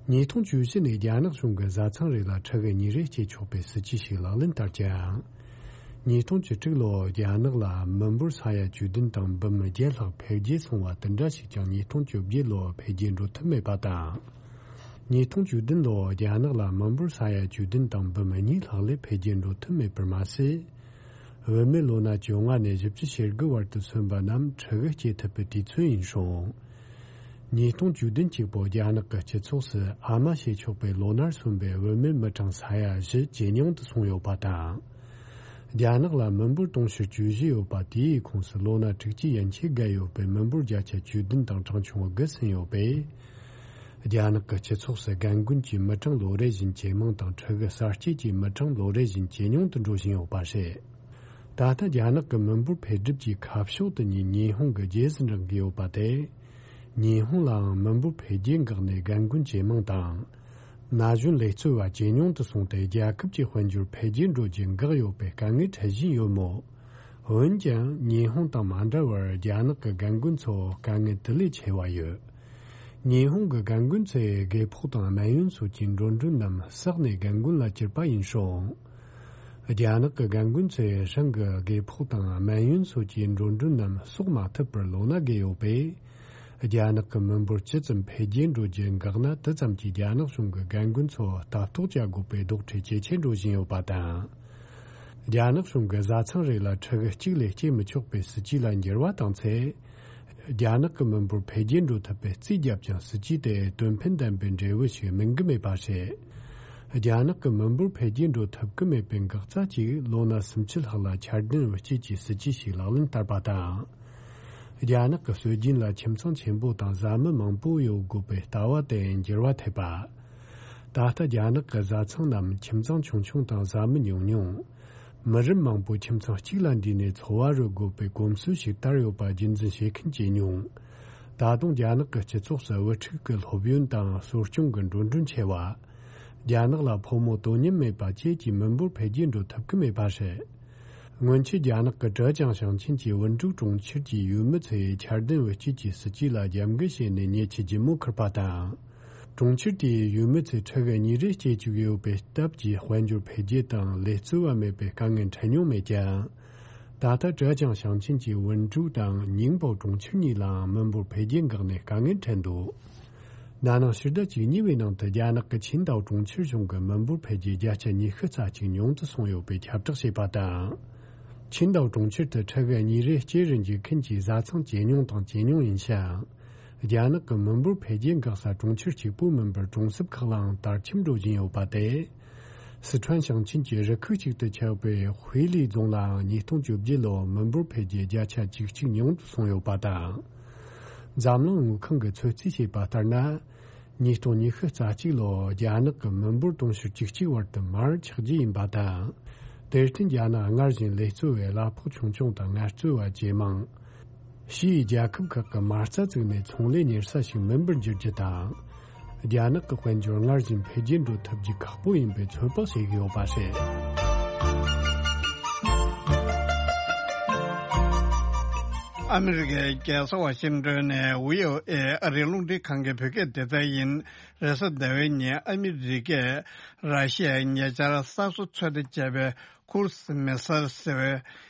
ཉིས་སྟོང་བཅུ་བཞི་ནས་རྒྱ་ནག་གཞུང་གིས་བཟའ་ཚང་རེ་ལ་ཕྲུ་གུ་གཉིས་རེ་སྐྱེ་ཆོག་པའི་སྲིད་ཇུས་ཤིག་ལག་ལེན་བསྟར་ཀྱང་། ཉིས་སྟོང་བཅུ་དྲུག་ལོར་རྒྱ་ནག་ལ་མི་འབོར་ས་ཡ་བཅུ་བདུན་དང་འབུམ་བརྒྱད་ལྷག་འཕེལ་རྒྱས་སོང་བ་དེ་འདྲ་ཞིག་ཀྱང་ཉིས་སྟོང་བཅོ་བརྒྱད་ལོར་འཕེལ་རྒྱས་འགྲོ་ཐུབ་མེད་པ་དང་། ཉིས་སྟོང་བཅུ་བདུན་ལོར་རྒྱ་ནག་ལ་མི་འབོར་ས་ཡ་བཅུ་བདུན་དང་འབུམ་གཉིས་ལྷག་ལས་འཕེལ་རྒྱས་འགྲོ་ཐུབ་མེད་པར་མ་ཟད། བུད་མེད་ལོ་ན་བཅོ་ལྔ་ནས་བཞི་བཅུ་ཞེ་དགུ་བར་དུ་སོན་པ་རྣམས་ཕྲུ་གུ་སྐྱེ་ཐུབ་པའི་དུས་ཚོད་ཡིན་སྲོལ། ཉིས་སྟོང་བཅུ་བདུན་གཅིག་པོ་རྒྱ་ནག་གི་སྤྱི་ཚོགས་སུ་ཨ་མ་བྱེད་ཆོག་པའི་ལོ་ནར་སོན་པའི་བུད་མེད་མི་གྲངས་ས་ཡ་བཞི་ཇེ་ཉུང་དུ་སོང་ཡོད་པ་དང་། རྒྱ་ནག་ལ་མི་འབོར་དུང་ཕྱུར་བཅུ་བཞི་ཡོད་པ་དེའི་ཁོངས་སུ་ལོ་ན་དྲུག་ཅུ་ཡན་ཆད་བརྒལ་ཡོད་པའི་མི་འབོར་བརྒྱ་ཆ་བཅུ་བདུན་དང་གྲངས་ཆུང་དགུ་ཟིན་ཡོད་པས། རྒྱ་ནག་གི་སྤྱི་ཚོགས་སུ་རྒན་རྒོན་གྱི་མི་གྲངས་ལོ་རེ་བཞིན་ཇེ་མང་དང་ཕྲུ་གུ་གསར་སྐྱེས་ཀྱི་མི་གྲངས་ལོ་རེ་བཞིན་ཇེ་ཉུང་དུ་འགྲོ་བཞིན་ཡོད་པ་རེད། ད་ལྟ་རྒྱ་ནག་གི་མི་འབོར་འཕེལ་འགྲིབ་ཀྱི་ཁ་ཕྱོགས་དེ་ཉིད་ཉི་ཧོང་གི་རྗེས་སུ་འབྲང་གི་ཡོད་པ་དེ། ཉི་ཧོང་ལའང་མི་འབོར་འཕེལ་རྒྱས་འགག་ནས་རྒན་རྒོན་ཇེ་མང་དང་། ན་གཞོན་ལས་བཙོས་པ་ཇེ་ཉུང་དུ་སོང་སྟེ་རྒྱལ་ཁབ་ཀྱི་དཔལ་འབྱོར་འཕེལ་རྒྱས་འགྲོ་རྒྱུ་འགག་ཡོད་པའི་དཀའ་ངལ་འཕྲད་བཞིན་ཡོད་མོད། འོན་ཀྱང་ཉི་ཧོང་དང་མ་འདྲ་བར་རྒྱ་ནག་གི་རྒན་རྒོན་ཚོ་དཀའ་ངལ་དེ་ལས་ཆེ་བ་ཡོད། ཉི་ཧོང་གི་རྒན་རྒོན་ཚོས་རྒས་ཕོགས་དང་སྨན་ཡོན་སོགས་ཀྱི་འགྲོ་གྲོན་རྣམས་བསགས་ནས་རྒན་རྒོན་ལ་གྱུར་པ་ཡིན་སྲོལ། རྒྱ་ནག་གི་རྒན་རྒོན་ཚོས་རང་གི་རྒས་ཕོགས་དང་སྨན་ཡོན་སོགས་ཀྱི་འགྲོ་གྲོན་རྣམས་གསོག་མ་ཐུབ་པར་ལོ་ན་རྒས་ཡོད་པས། རྒྱ་ནག་གི་མི་འབོར་ཇི་ཙམ་འཕེལ་རྒྱས་འགྲོ་རྒྱུ་འགག་ན་དེ་ཙམ་གྱིས་རྒྱ་ནག་གཞུང་གི་རྒན་རྒོན་ཚོ་ལྟ་རྟོག་བྱ་དགོས་པའི་རྡོག་ཁྲེས་ཇེ་ཆེར་འགྲོ་བཞིན་ཡོད་པ་དང་། རྒྱ་ནག་གཞུང་གིས་བཟའ་ཚང་རེ་ལ་ཕྲུ་གུ་གཅིག་ལས་སྐྱེ་མི་ཆོག་པའི་སྲིད་ཇུས་ལ་འགྱུར་བ་བཏང་ཚེ། རྒྱ་ནག་གི་མི་འབོར་འཕེལ་རྒྱས་འགྲོ་ཐུབ་པའི་རྩིས་བརྒྱབ་ཀྱང་སྲིད་ཇུས་དེ་དོན་ཕན་ལྡན་པའི་འབྲས་བུ་ཞིག་སྨིན་གྱི་མེད་པ་རེད། རྒྱ་ནག་གི་མི་འབོར་འཕེལ་རྒྱས་འགྲོ་ཐུབ་ཀྱི་མེད་པའི་འགག་རྩ་གཅིག་ལོ་ན་སུམ་ཅུ་ལྷག་ལ་འཆར་ལྡན་བུ་སྐྱེས་ཀྱི་སྲིད་ཇུས་ཤིག་ལག་ལེན་བསྟར་པ་དང་། རྒྱ་ནག་གི་སྲོལ་རྒྱུན་ལ་ཁྱིམ་ཚང་ཆེན་པོ་དང་བཟའ་མི་མང་པོ་ཡོད་དགོས་པའི་ལྟ་བ་དེ་འགྱུར་བ་ཐེབས་པ། ད་ལྟ་རྒྱ་ནག་གི་བཟའ་ཚང་རྣམས་ཁྱིམ་ཚང་ཆུང་ཆུང་དང་བཟའ་མི་ཉུང་ཉུང་། མི་རབས་མང་པོ་ཁྱིམ་ཚང་གཅིག་ལ་འདུས་ནས་འཚོ་བ་རོལ་དགོས་པའི་གོམས་སྲོལ་ཞིག་དར་ཡོད་པ་རྒྱུན་འཛིན་བྱེད་མཁན་ཇེ་ཉུང་། ད་དུང་རྒྱ་ནག་གི་སྤྱི་ཚོགས་སུ་བུ་ཕྲུག་གི་སློབ་ཡོན་དང་གསོ་སྐྱོང་གི་འགྲོ་གྲོན་ཆེ་བ། རྒྱ་ནག་ལ་ཕོ་མོ་དོ་མཉམ་མེད་པ་བཅས་ཀྱི་མི་འབོར་འཕེལ་རྒྱས་འགྲོ་ཐུབ་ཀྱི་མེད་པ་རེད། སྔོན་ཆད་རྒྱ་ནག་གི་ཀྲེ་ཅང་ཞིང་ཆེན་གྱི་ཝུན་ཀྲུའུ་གྲོང་ཁྱེར་གྱི་ཡུལ་མི་ཚོས་འཆར་ལྡན་བུ་སྐྱེས་ཀྱི་སྲིད་ཇུས་ལ་རྒྱབ་འགལ་བྱས་ནས་ཉེ་ཆར་ལྗིད་མོ་ཁུར་པ་དང་། གྲོང་ཁྱེར་དེའི་ཡུལ་མི་ཚོས་ཕྲུ་གུ་གཉིས་རེ་སྐྱེ་བཅུག་ཡོད་པའི་སྟབས་ཀྱིས་དཔལ་འབྱོར་འཕེལ་རྒྱས་དང་ལས་བརྩི་བ་མེད་པའི་དཀའ་ངལ་འཕྲད་མྱོང་མེད་ཀྱང་། ད་ལྟ་ཀྲེ་ཅང་ཞིང་ཆེན་གྱི་ཝུན་ཀྲུའུ་དང་ཉིང་པའོ་གྲོང་ཁྱེར་གཉིས་ལའང་མི་འབོར་འཕེལ་རྒྱས་འགག་ནས་དཀའ་ངལ་འཕྲད་འདུག་ན་ནིང་ཕྱི་ཟླ་བཅུ་གཉིས་པའི་ནང་དུ་རྒྱ་ནག་གི་ཆིང་ཏའོ་གྲོང་ཁྱེར་གཞུང་གིས་མི་འབོར་འཕེལ་རྒྱས་བརྒྱ་ཆ་ཉི་ཤུ་རྩ་གཅིག་ཉུང་དུ་སོང་ཡོད་པའི་ཁྱབ་བསྒྲགས་བྱས་པ་དང་། ཆིང་ཏའོ་གྲོང་ཁྱེར་དུ་ཕྲུ་གུ་གཉིས་རེ་སྐྱེ་རུ་འཇུག་མཁན་གྱི་བཟའ་ཚང་ཇེ་ཉུང་དང་ཇེ་ཉུང་ཡིན་ཞིང་། རྒྱ་ནག་གི་མི་འབོར་འཕེལ་རྒྱས་འགག་ས་གྲོང་ཁྱེར་གཅིག་པུ་མིན་པར་གྲོང་གསེབ་ཁག་ལའང་དར་ཁྱབ་འགྲོ་བཞིན་ཡོད་པ་སྟེ། སི་ཁྲོན་ཞིང་ཆེན་གྱི་རུ་ཁག་ཅིག་ཏུ་ཆགས་པའི་ཧུའེ་ལི་རྫོང་ལའང་ཉིས་སྟོང་བཅོ་བརྒྱད་ལོར་མི་འབོར་འཕེལ་རྒྱས་བརྒྱ་ཆ་བཅུ་གཅིག་ཉུང་དུ་སོང་ཡོད་པ་དང་། འཛམ་གླིང་དངུལ་ཁང་གིས་ཚོད་རྩིས་བྱས་པ་ལྟར་ན། ཉིས་སྟོང་ཉི་ཤུ་རྩ་གཅིག་ལོར་རྒྱ་ནག་གི་མི་འབོར་དུང་ཕྱུར་བཅུ་གཅིག་བར་དུ་མར་ཆག་རྒྱུ་ཡིན་པ་དང་། དེར་བརྟེན་རྒྱ་ནག་སྔར་བཞིན་ལས་བརྩི་བའི་གླ་ཕོགས་ཆུང་ཆུང་དང་ངལ་རྩོལ་བ་ཇེ་མང་། ཕྱིའི་རྒྱལ་ཁབ་ཁག་གི་མ་རྩ་བཙུགས་ནས་ཚོང་ལས་གཉེར་ས་ཞིག་མིན་པར་འགྱུར་རྒྱུ་དང་། རྒྱ་ནག་གི་དཔལ་འབྱོར་སྔར་བཞིན་འཕེལ་རྒྱས་འགྲོ་ཐུབ་རྒྱུ་ཁག་པོ་ཡིན་པའི་ཚོད་དཔག་བྱེད་ཀྱི་ཡོད་པ་རེད། ཨ་མི་རི་ཀའི་རྒྱལ་ས་ཝ་ཤིང་ཏོན་ནས་ཝི་ཨོ་ཨེ་ཨ་རིའི་རླུང་འཕྲིན་ཁང་གི་བོད་སྐད་སྡེ་ཚན་ཡིན། རེས་གཟའ་ཟླ་བའི་ཉིན་ཨ་མི་རི་ཀས་ར་ཤི་ཡའི་ཉེ་ཆར་གསར་བཟོ་ཚོད་ལྟ་བྱས་པའི་ཁུ་རུ་སི་མི་སེལ་ཟེར་བའི་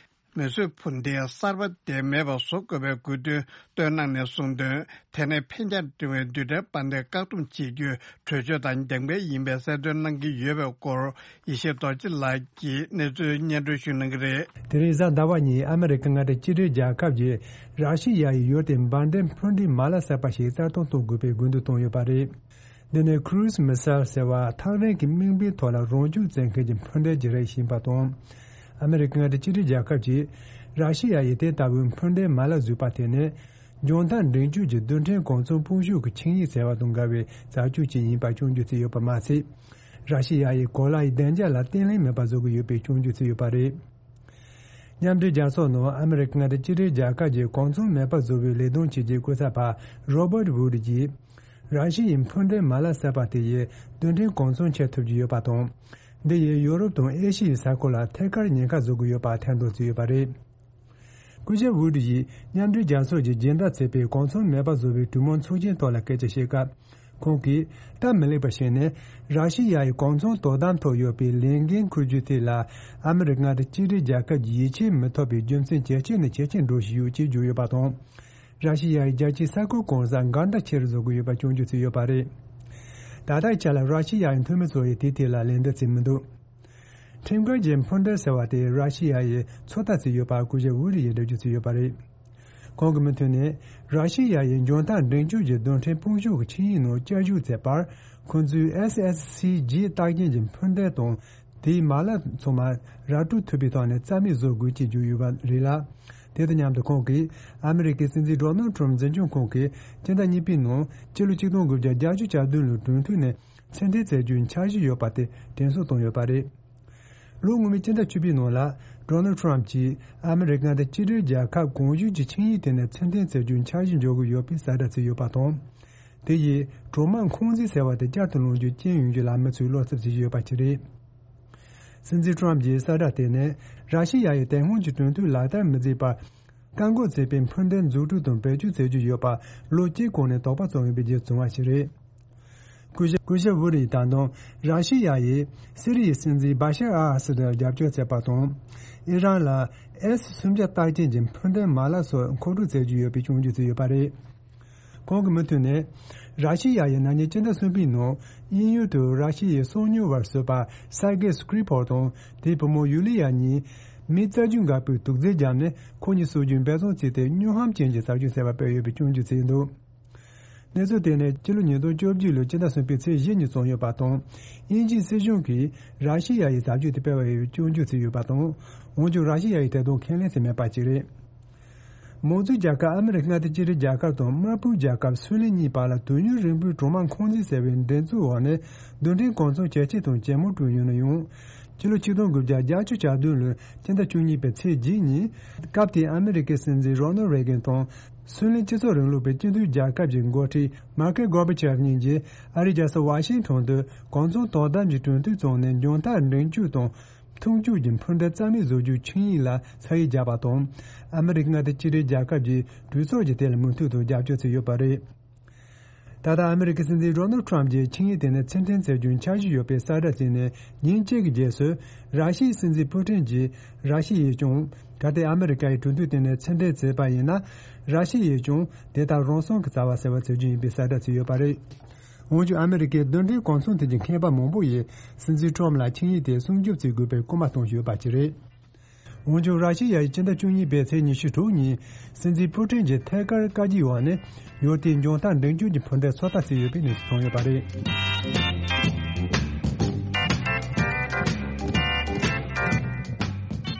མིས་བཟོས་འཕུར་མདེལ་གསར་པ་དེ་མེད་པ་བཟོ་དགོས་པའི་དགོས་འདུན་བཏོན་གནང་ནས་གསུངས་དོན། དེ་ནས་འཕེན་རྒྱས་འབྲིང་བའི་རྡུལ་ཕྲན་དཔལ་ལྡན་བཀག་སྡོམ་བྱེད་རྒྱུའི་གྲོས་ཆོད་དང་འགལ་འགལ་ཡིན་པའི་གསལ་སྟོན་གནང་གི་ཡོད་པའི་སྐོར་ཡེ་ཤེས་རྡོ་རྗེ་ལགས་ཀྱིས་གནས་ཚུལ་སྙན་སྒྲོན་ཞུ་གནང་གི་རེད། དེ་རིང་གཟའ་ཟླ་བ་ཉིན་ཨ་མི་རི་ཀ་མངའ་སྡེ་གཅིག་སྒྲིལ་རྒྱལ་ཁབ་ཀྱིས་ར་ཤི་ཡ་ཡི་ཡུལ་དེར་འབར་མདེལ་འཕུར་མདེལ་མ་ལག་གསར་པ་ཞིག་གསར་གཏོད་གཏོང་དགོས་པའི་དགོས་འདུན་བཏོན་ཡོད་པ་རེད། འདི་ནི་Cruise Missile ཟེར་བ་ཐག་རིང་གི་དམིགས་འབེན་ཐོག་ལ་རང་འཇུག་བཙན་མཁན་གྱི་འཕུར་མདེལ་གྱི་རིགས་ཡིན་པ་དང་། ཨ་མི་རི་ཀ་མངའ་སྡེ་གཅིག་སྒྲིལ་རྒྱལ་ཁབ་ཀྱིས་ར་ཤི་ཡ་ཡིས་དེ་ལྟ་བུའི་འཕུར་མདེལ་མ་ལག་བཟོས་པ་དེ་ནི། ལྗོན་ཐང་འབྲིང་ཆུང་གི་རྡུལ་ཕྲན་གོ་མཚོན་སྤོ་བཤུད་ཀྱི་ཆིངས་ཡིག་ཟེར་བ་དང་འགལ་བའི་བྱ་སྤྱོད་ཅིག་ཡིན་པ་སྐྱོན་བརྗོད་བྱས་ཡོད་པ་མ་ཟད། ར་ཤི་ཡ་ཡིས་གོ་ལ་ཡི་བདེ་འཇགས་ལ་བརྟན་ལྷིང་མེད་པ་བཟོ་གི་ཡོད་པའི་སྐྱོན་བརྗོད་བྱས་ཡོད་པ་རེད། མཉམ་འབྲེལ་རྒྱལ་ཚོགས་ནང་ཨ་མི་རི་ཀ་མངའ་སྡེ་གཅིག་སྒྲིལ་རྒྱལ་ཁབ་ཀྱི་གོ་མཚོན་མེད་པ་བཟོ་བའི་ལས་དོན་བྱེད་ཀྱི་སྐུ་ཚབ་པ་རོ་བར་ཝུ་ཌི་ཡིས། ར་ཤི་ཡའི་འཕུར་མདེལ་མ་ལག་གསར་པ་དེ་ཡིས་རྡུལ་ཕྲན་གོ་མཚོན་ཁྱེར་ཐུབ་ཀྱི་ཡོད་པ་དང་། འདི་ཡིས་ཡོ་རོབ་དང་ཨེ་ཤི་ཡའི་ས་ཁུལ་ལ་ཐད་ཀར་ཉེན་ཁ་བཟོ་གི་ཡོད་པ་ཐེར་འདོན་བྱས་ཡོད་པ་རེད། སྐུ་ཞབས་ཝུ་ཌི་ཡིས་མཉམ་འབྲེལ་རྒྱལ་ཚོགས་ཀྱི་སྦྱིན་བདག་བྱས་པའི་གོ་མཚོན་མེད་པ་བཟོ་བའི་གྲོས་མོལ་ཚོགས་ཆེན་ཐོག་ལ་སྐད་ཆ་བཤད་སྐབས། ཁོང་གིས་སྟབས་མི་ལེགས་པ་ཞིག་ནི། ར་ཤི་ཡ་ཡི་གོ་མཚོན་དོ་དམ་ཐོག་ཡོད་པའི་ལས་འགན་འཁུར་རྒྱུ་དེ་ལ་ཨ་མི་རི་ཀ་མངའ་སྡེ་གཅིག་སྒྲིལ་རྒྱལ་ཁབ་ཀྱི་ཡིད་ཆེས་མི་ཐོབ་པའི་རྒྱུ་མཚན་ཇེ་ཆེ་ནས་ཇེ་ཆེར་འགྲོ་བཞིན་ཡོད་ཅེས་བརྗོད་ཡོད་པ་དང་། ར་ཤི་ཡ་ཡི་རྒྱལ་སྤྱིའི་ས་ཁུལ་གང་སར་འགལ་ཟླ་ཆེ་རུ་བཟོ་གི་ཡོད་པ་སྐྱོན་བརྗོད་བྱས་ཡོད་པ་རེད། ད་ལྟའི་ཆ་ལ་ར་ཤི་ཡ་ཡི་འཐུས་མི་ཚོ་ཡིས་དེའི་ཐད་ལ་ལན་འདེབས་བྱས་མི་འདུག་ཁྲིམས་འགལ་གྱི་འཕུར་མདེལ་ཟེར་བ་དེ་ར་ཤི་ཡ་ཡིས་ཚོད་ལྟ་བྱས་ཡོད་པ་སྐུ་ཞབས་ཝུ་ཌི་ཡིས་འགྲེལ་བརྗོད་བྱས་ཡོད་པ་རེད། ཁོང་གི་མུ་མཐུད་ནས། ར་ཤི་ཡ་ཡིས་འཇོན་ཐང་འབྲིང་སྐྱོད་ཀྱི་རྡུལ་ཕྲན་དཔུང་ཤུགས་ཀྱི་ཆིངས་ཡིག་ནང་བསྐྱར་ཞུགས་བྱས་པར། ཁོང་ཚོས་ཨེས་ཨེས་སི་ཇི་རྟགས་ཅན་གྱི་འཕུར་མདེལ་དང་། དེའི་མ་ལག་ཚང་མ་ར་སྤྲོད་ཐུབ་པའི་ཐོག་ནས་རྩ་མེད་བཟོ་དགོས་ཅེས་བརྗོད་ཡོད་པ་རེད་ལ། དེ་དང་མཉམ་དུ་ཁོང་གིས། ཨ་མི་རི་ཀའི་སྲིད་འཛིན་ཌོ་ནལ་ཊམ་འཛིན་སྐྱོང་ཁང་གིས་སྤྱི་ཟླ་གཉིས་པའི་ནང་། སྤྱི་ལོ་ཆིག་སྟོང་དགུ་བརྒྱ་བརྒྱད་ཅུ་གྱ་བདུན་ལོའི་གྲོས་མཐུན་ནས་ཕྱིར་འཐེན་བྱེད་རྒྱུའི་འཆར་གཞི་ཡོད་པ་དེ་དྲན་གསོ་བཏང་ཡོད་པ་རེད། ལོ་སྔོན་མའི་སྤྱི་ཟླ་བཅུ་པའི་ནང་ལ། ཌོ་ནལ་ཊམ་གྱིས་ཨ་མི་རི་ཀ་དང་གཅིག་སྒྲིལ་རྒྱལ་ཁབ་གོང་ཞུས་ཀྱི་ཆིངས་ཡིག་དེ་ནས་ཕྱིར་འཐེན་བྱེད་རྒྱུའི་འཆར་གཞི་འཇོག་གི་ཡོད་པའི་གསལ་བསྒྲགས་བྱས་ཡོད་པ་དང་། དེ་ཡིས་གྲོག་དམག་འཁོན་འཛིན་ཟེར་བ་དེ་བསྐྱར་དུ་ལངས་རྒྱུའི་རྐྱེན་ཡོང་རྒྱུ་ལ་མི་ཚོས་བློ་འཚབ་བྱེད་ཀྱི་ཡོད་པ་ཞིག་རེད། སྲིད་འཛིན་ཊམ་གྱི་གསལ་བསྒྲགས་དེ་ནི། ར་ཤི་ཡ་ཡིས་དེ་སྔོན་གྱི་གྲོས་མཐུན་ལག་བསྟར་མི་མཛད་པར། བཀག་འགོག་བྱས་པའི་འཕུར་མདེལ་འཛུགས་སྐྲུན་དང་བེད་སྤྱོད་བྱེད་རྒྱུ་ཡོད་པ། ལོ་གཅིག་གོང་ནས་དོགས་པ་བྱུང་ཡོད་པའི་རྗེས་བྱུང་བ་ཞིག་རེད། སྐུ་ཞབས་སྐུ་ཞབས་ཝུ་ཌི་ཡིས་ད་དུང་། ར་ཤི་ཡ་ཡིས་སི་རི་ཡའི་སྲིད་འཛིན་བྷ་ཤར་ཨལ་ཨ་སཱད་ལ་རྒྱབ་སྐྱོར་བྱས་པ་དང་། ཨི་རན་ལ་ཨེས་སུམ་བརྒྱ་རྟགས་ཅན་གྱི་འཕུར་མདེལ་མ་ལག་སོགས་མཁོ་སྤྲོད་བྱེད་རྒྱུ་ཡོད་པའི་སྐྱོན་བརྗོད་བྱས་ཡོད་པ་རེད། ཁོང་གི་མུ་མཐུད་ནས། ར་ཤི་ཡ་ཡིས་ན་ནིང་སྤྱི་ཟླ་གསུམ་པའི་ནང་དབྱིན་ཡུལ་དུ་ར་ཤི་ཡའི་གསང་ཉུལ་བ་ཟུར་པ་སར་གེ་སྐྲི་པོ་དང་དེའི་བུ་མོ་ཡུ་ལི་ཡ་གཉིས་མི་རྩ་རྒྱུས་འགས་པོས་དུག་རྫས་བརྒྱབ་ནས་ཁོ་གཉིས་གསོད་རྒྱུའི་འབད་བརྩོན་བྱས་ཏེ་སྨྱོ་ཧམ་ཅན་གྱི་བྱ་སྤྱོད་ཟེར་བ་སྤེལ་ཡོད་པའི་སྐྱོན་བརྗོད་བྱས་འདུག་གནས་ཚུལ་དེ་ནི་སྤྱི་ལོ་ཉིས་སྟོང་བཅོ་བརྒྱད་ལོའི་སྤྱི་ཟླ་གསུམ་པའི་ཚེས་བཞི་ཉིན་བྱུང་ཡོད་པ་དང་། དབྱིན་ཇིའི་སྲིད་གཞུང་གིས་ར་ཤི་ཡ་ཡི་བྱ་སྤྱོད་དེ་སྤེལ་བ་ཡིན་པའི་སྐྱོན་བརྗོད་བྱས་ཡོད་པ་དང་། འོན་ཀྱང་ར་ཤི་ཡ་ཡིས་དེ་དག་ཁས་ལེན་བྱས་མེད་པ་ཞིག་རེད། མང་གཙོའི་རྒྱལ་ཁབ་ཨ་མི་རི་ཀ་མངའ་སྡེ་གཅིག་སྒྲིལ་རྒྱལ་ཁབ་དང་དམར་པོའི་རྒྱལ་ཁབ་སུའུ་ལེན་གཉིས་བར་ལ་དུས་ཡུན་རིང་པོའི་གྲོག་དམག་འཁོན་འཛིན་ཟེར་བའི་འགྲན་རྩོད་འོག་ནས་རྡུལ་ཕྲན་གོ་མཚོན་ཇེ་ཆེ་དང་ཇེ་མང་བསྐྲུན་ཡོད་ན་ཡང་། སྤྱི་ལོ་ཆིག་སྟོང་དགུ་བརྒྱ་བརྒྱད་ཅུ་གྱ་བདུན་ལོའི་སྤྱི་ཟླ་བཅུ་གཉིས་པའི་ཚེས་བརྒྱད་ཉིན། སྐབས་དེའི་ཨ་མི་རི་ཀའི་སྲིད་འཛིན་རོ་ནལ་རེ་གན་དང་། སུའུ་ལེན་སྤྱི་ཚོགས་རིང་ལུགས་པའི་སྤྱི་མཐུན་རྒྱལ་ཁབ་ཀྱི་འགོ་ཁྲིད་མར་ཁེལ་གོར་བྷ་ཆེབ་གཉིས་ཀྱིས་ཨ་རིའི་རྒྱལ་ས་ཝ་ཤིང་ཊོན་དུ་གོ་མཚོན་དོ་དམ་གྱི་གྲོས་མཐུན་བཙུགས་ནས་འཇོན་ཐང་འབྲིང་སྐྱོད་དང་། མཐུན་སྐྱོད་ཀྱི་འཕུར་མདའ་རྩ་མེད་བཟོ་རྒྱུའི་ཆིངས་ཡིག་ལ་ཚ་གྱང་བརྒྱབ་པ་དང་། ཨ་མི་རི་ཀ་མངའ་སྡེ་གཅིག་སྒྲིལ་རྒྱལ་ཁབ་ཀྱི་གྲོས་ཚོགས་ཀྱིས་དེ་ལ་མུ་མཐུད་དུ་རྒྱབ་སྐྱོར་བྱས་ཡོད་པ་རེད། ད་ལྟ་ཨ་མི་རི་ཀའི་སྲིད་འཛིན་རོ་ནལ་ཁྲམ་གྱིས་ཆིངས་ཡིག་དེ་ནས་ཕྱིར་འཐེན་བྱ་རྒྱུའི་འཆར་གཞི་ཡོད་པའི་གསལ་བསྒྲགས་བྱས་ནས་ཉིན་གཅིག་གི་རྗེས་སུ། ར་ཤི་ཡའི་སྲིད་འཛིན་པུ་ཏིན་གྱིས་ར་ཤི་ཡས་ཀྱང་། གལ་ཏེ་ཨ་མི་རི་ཀ་ཡིས་གྲོས་མཐུན་དེ་ནས་ཕྱིར་འཐེན་བྱས་པ་ཡིན་ན། ར་ཤི་ཡས་ཀྱང་དེ་ལྟར་རང་སྲུང་གི་བྱ་བ་ཟེར་བ་བྱེད་རྒྱུ་ཡིན་པའི་གསལ་བསྒྲགས་བྱས་ཡོད་པ་རེད། འོན་ཀྱང་ཨ་མི་རི་ཀའི་རྡུལ་ཕྲན་གོ་མཚོན་ཐད་ཀྱི་མཁས་པ་མང་པོ་ཡིས་སྲིད་འཛིན་ཁྲོམ་ལ་ཆིངས་ཡིག་དེ་སྲུང་སྐྱོབ་བྱེད་དགོས་པའི་སྐུལ་མ་གཏོང་བཞིན་ཡོད་པ་ཞིག་རེད། འོན་ཀྱང་། ར་ཤི་ཡ་ཡིས་སྤྱི་ཟླ་བཅུ་གཉིས་པའི་ཚེས་ཉི་ཤུ་དྲུག་ཉིན་སྲིད་འཛིན་པུ་ཏིན་གྱི་ཐད་ཀར་བཀའ་བཀྱོན་འོག་ནས་ཡུལ་དེའི་འཇོན་ཐང་འབྲིང་སྐྱོད་ཀྱི་འཕུར་མདའི་ཚོད་ལྟ་བྱས་ཡོད་པའི་གནས་ཚུལ་བྱུང་ཡོད་པ་རེད།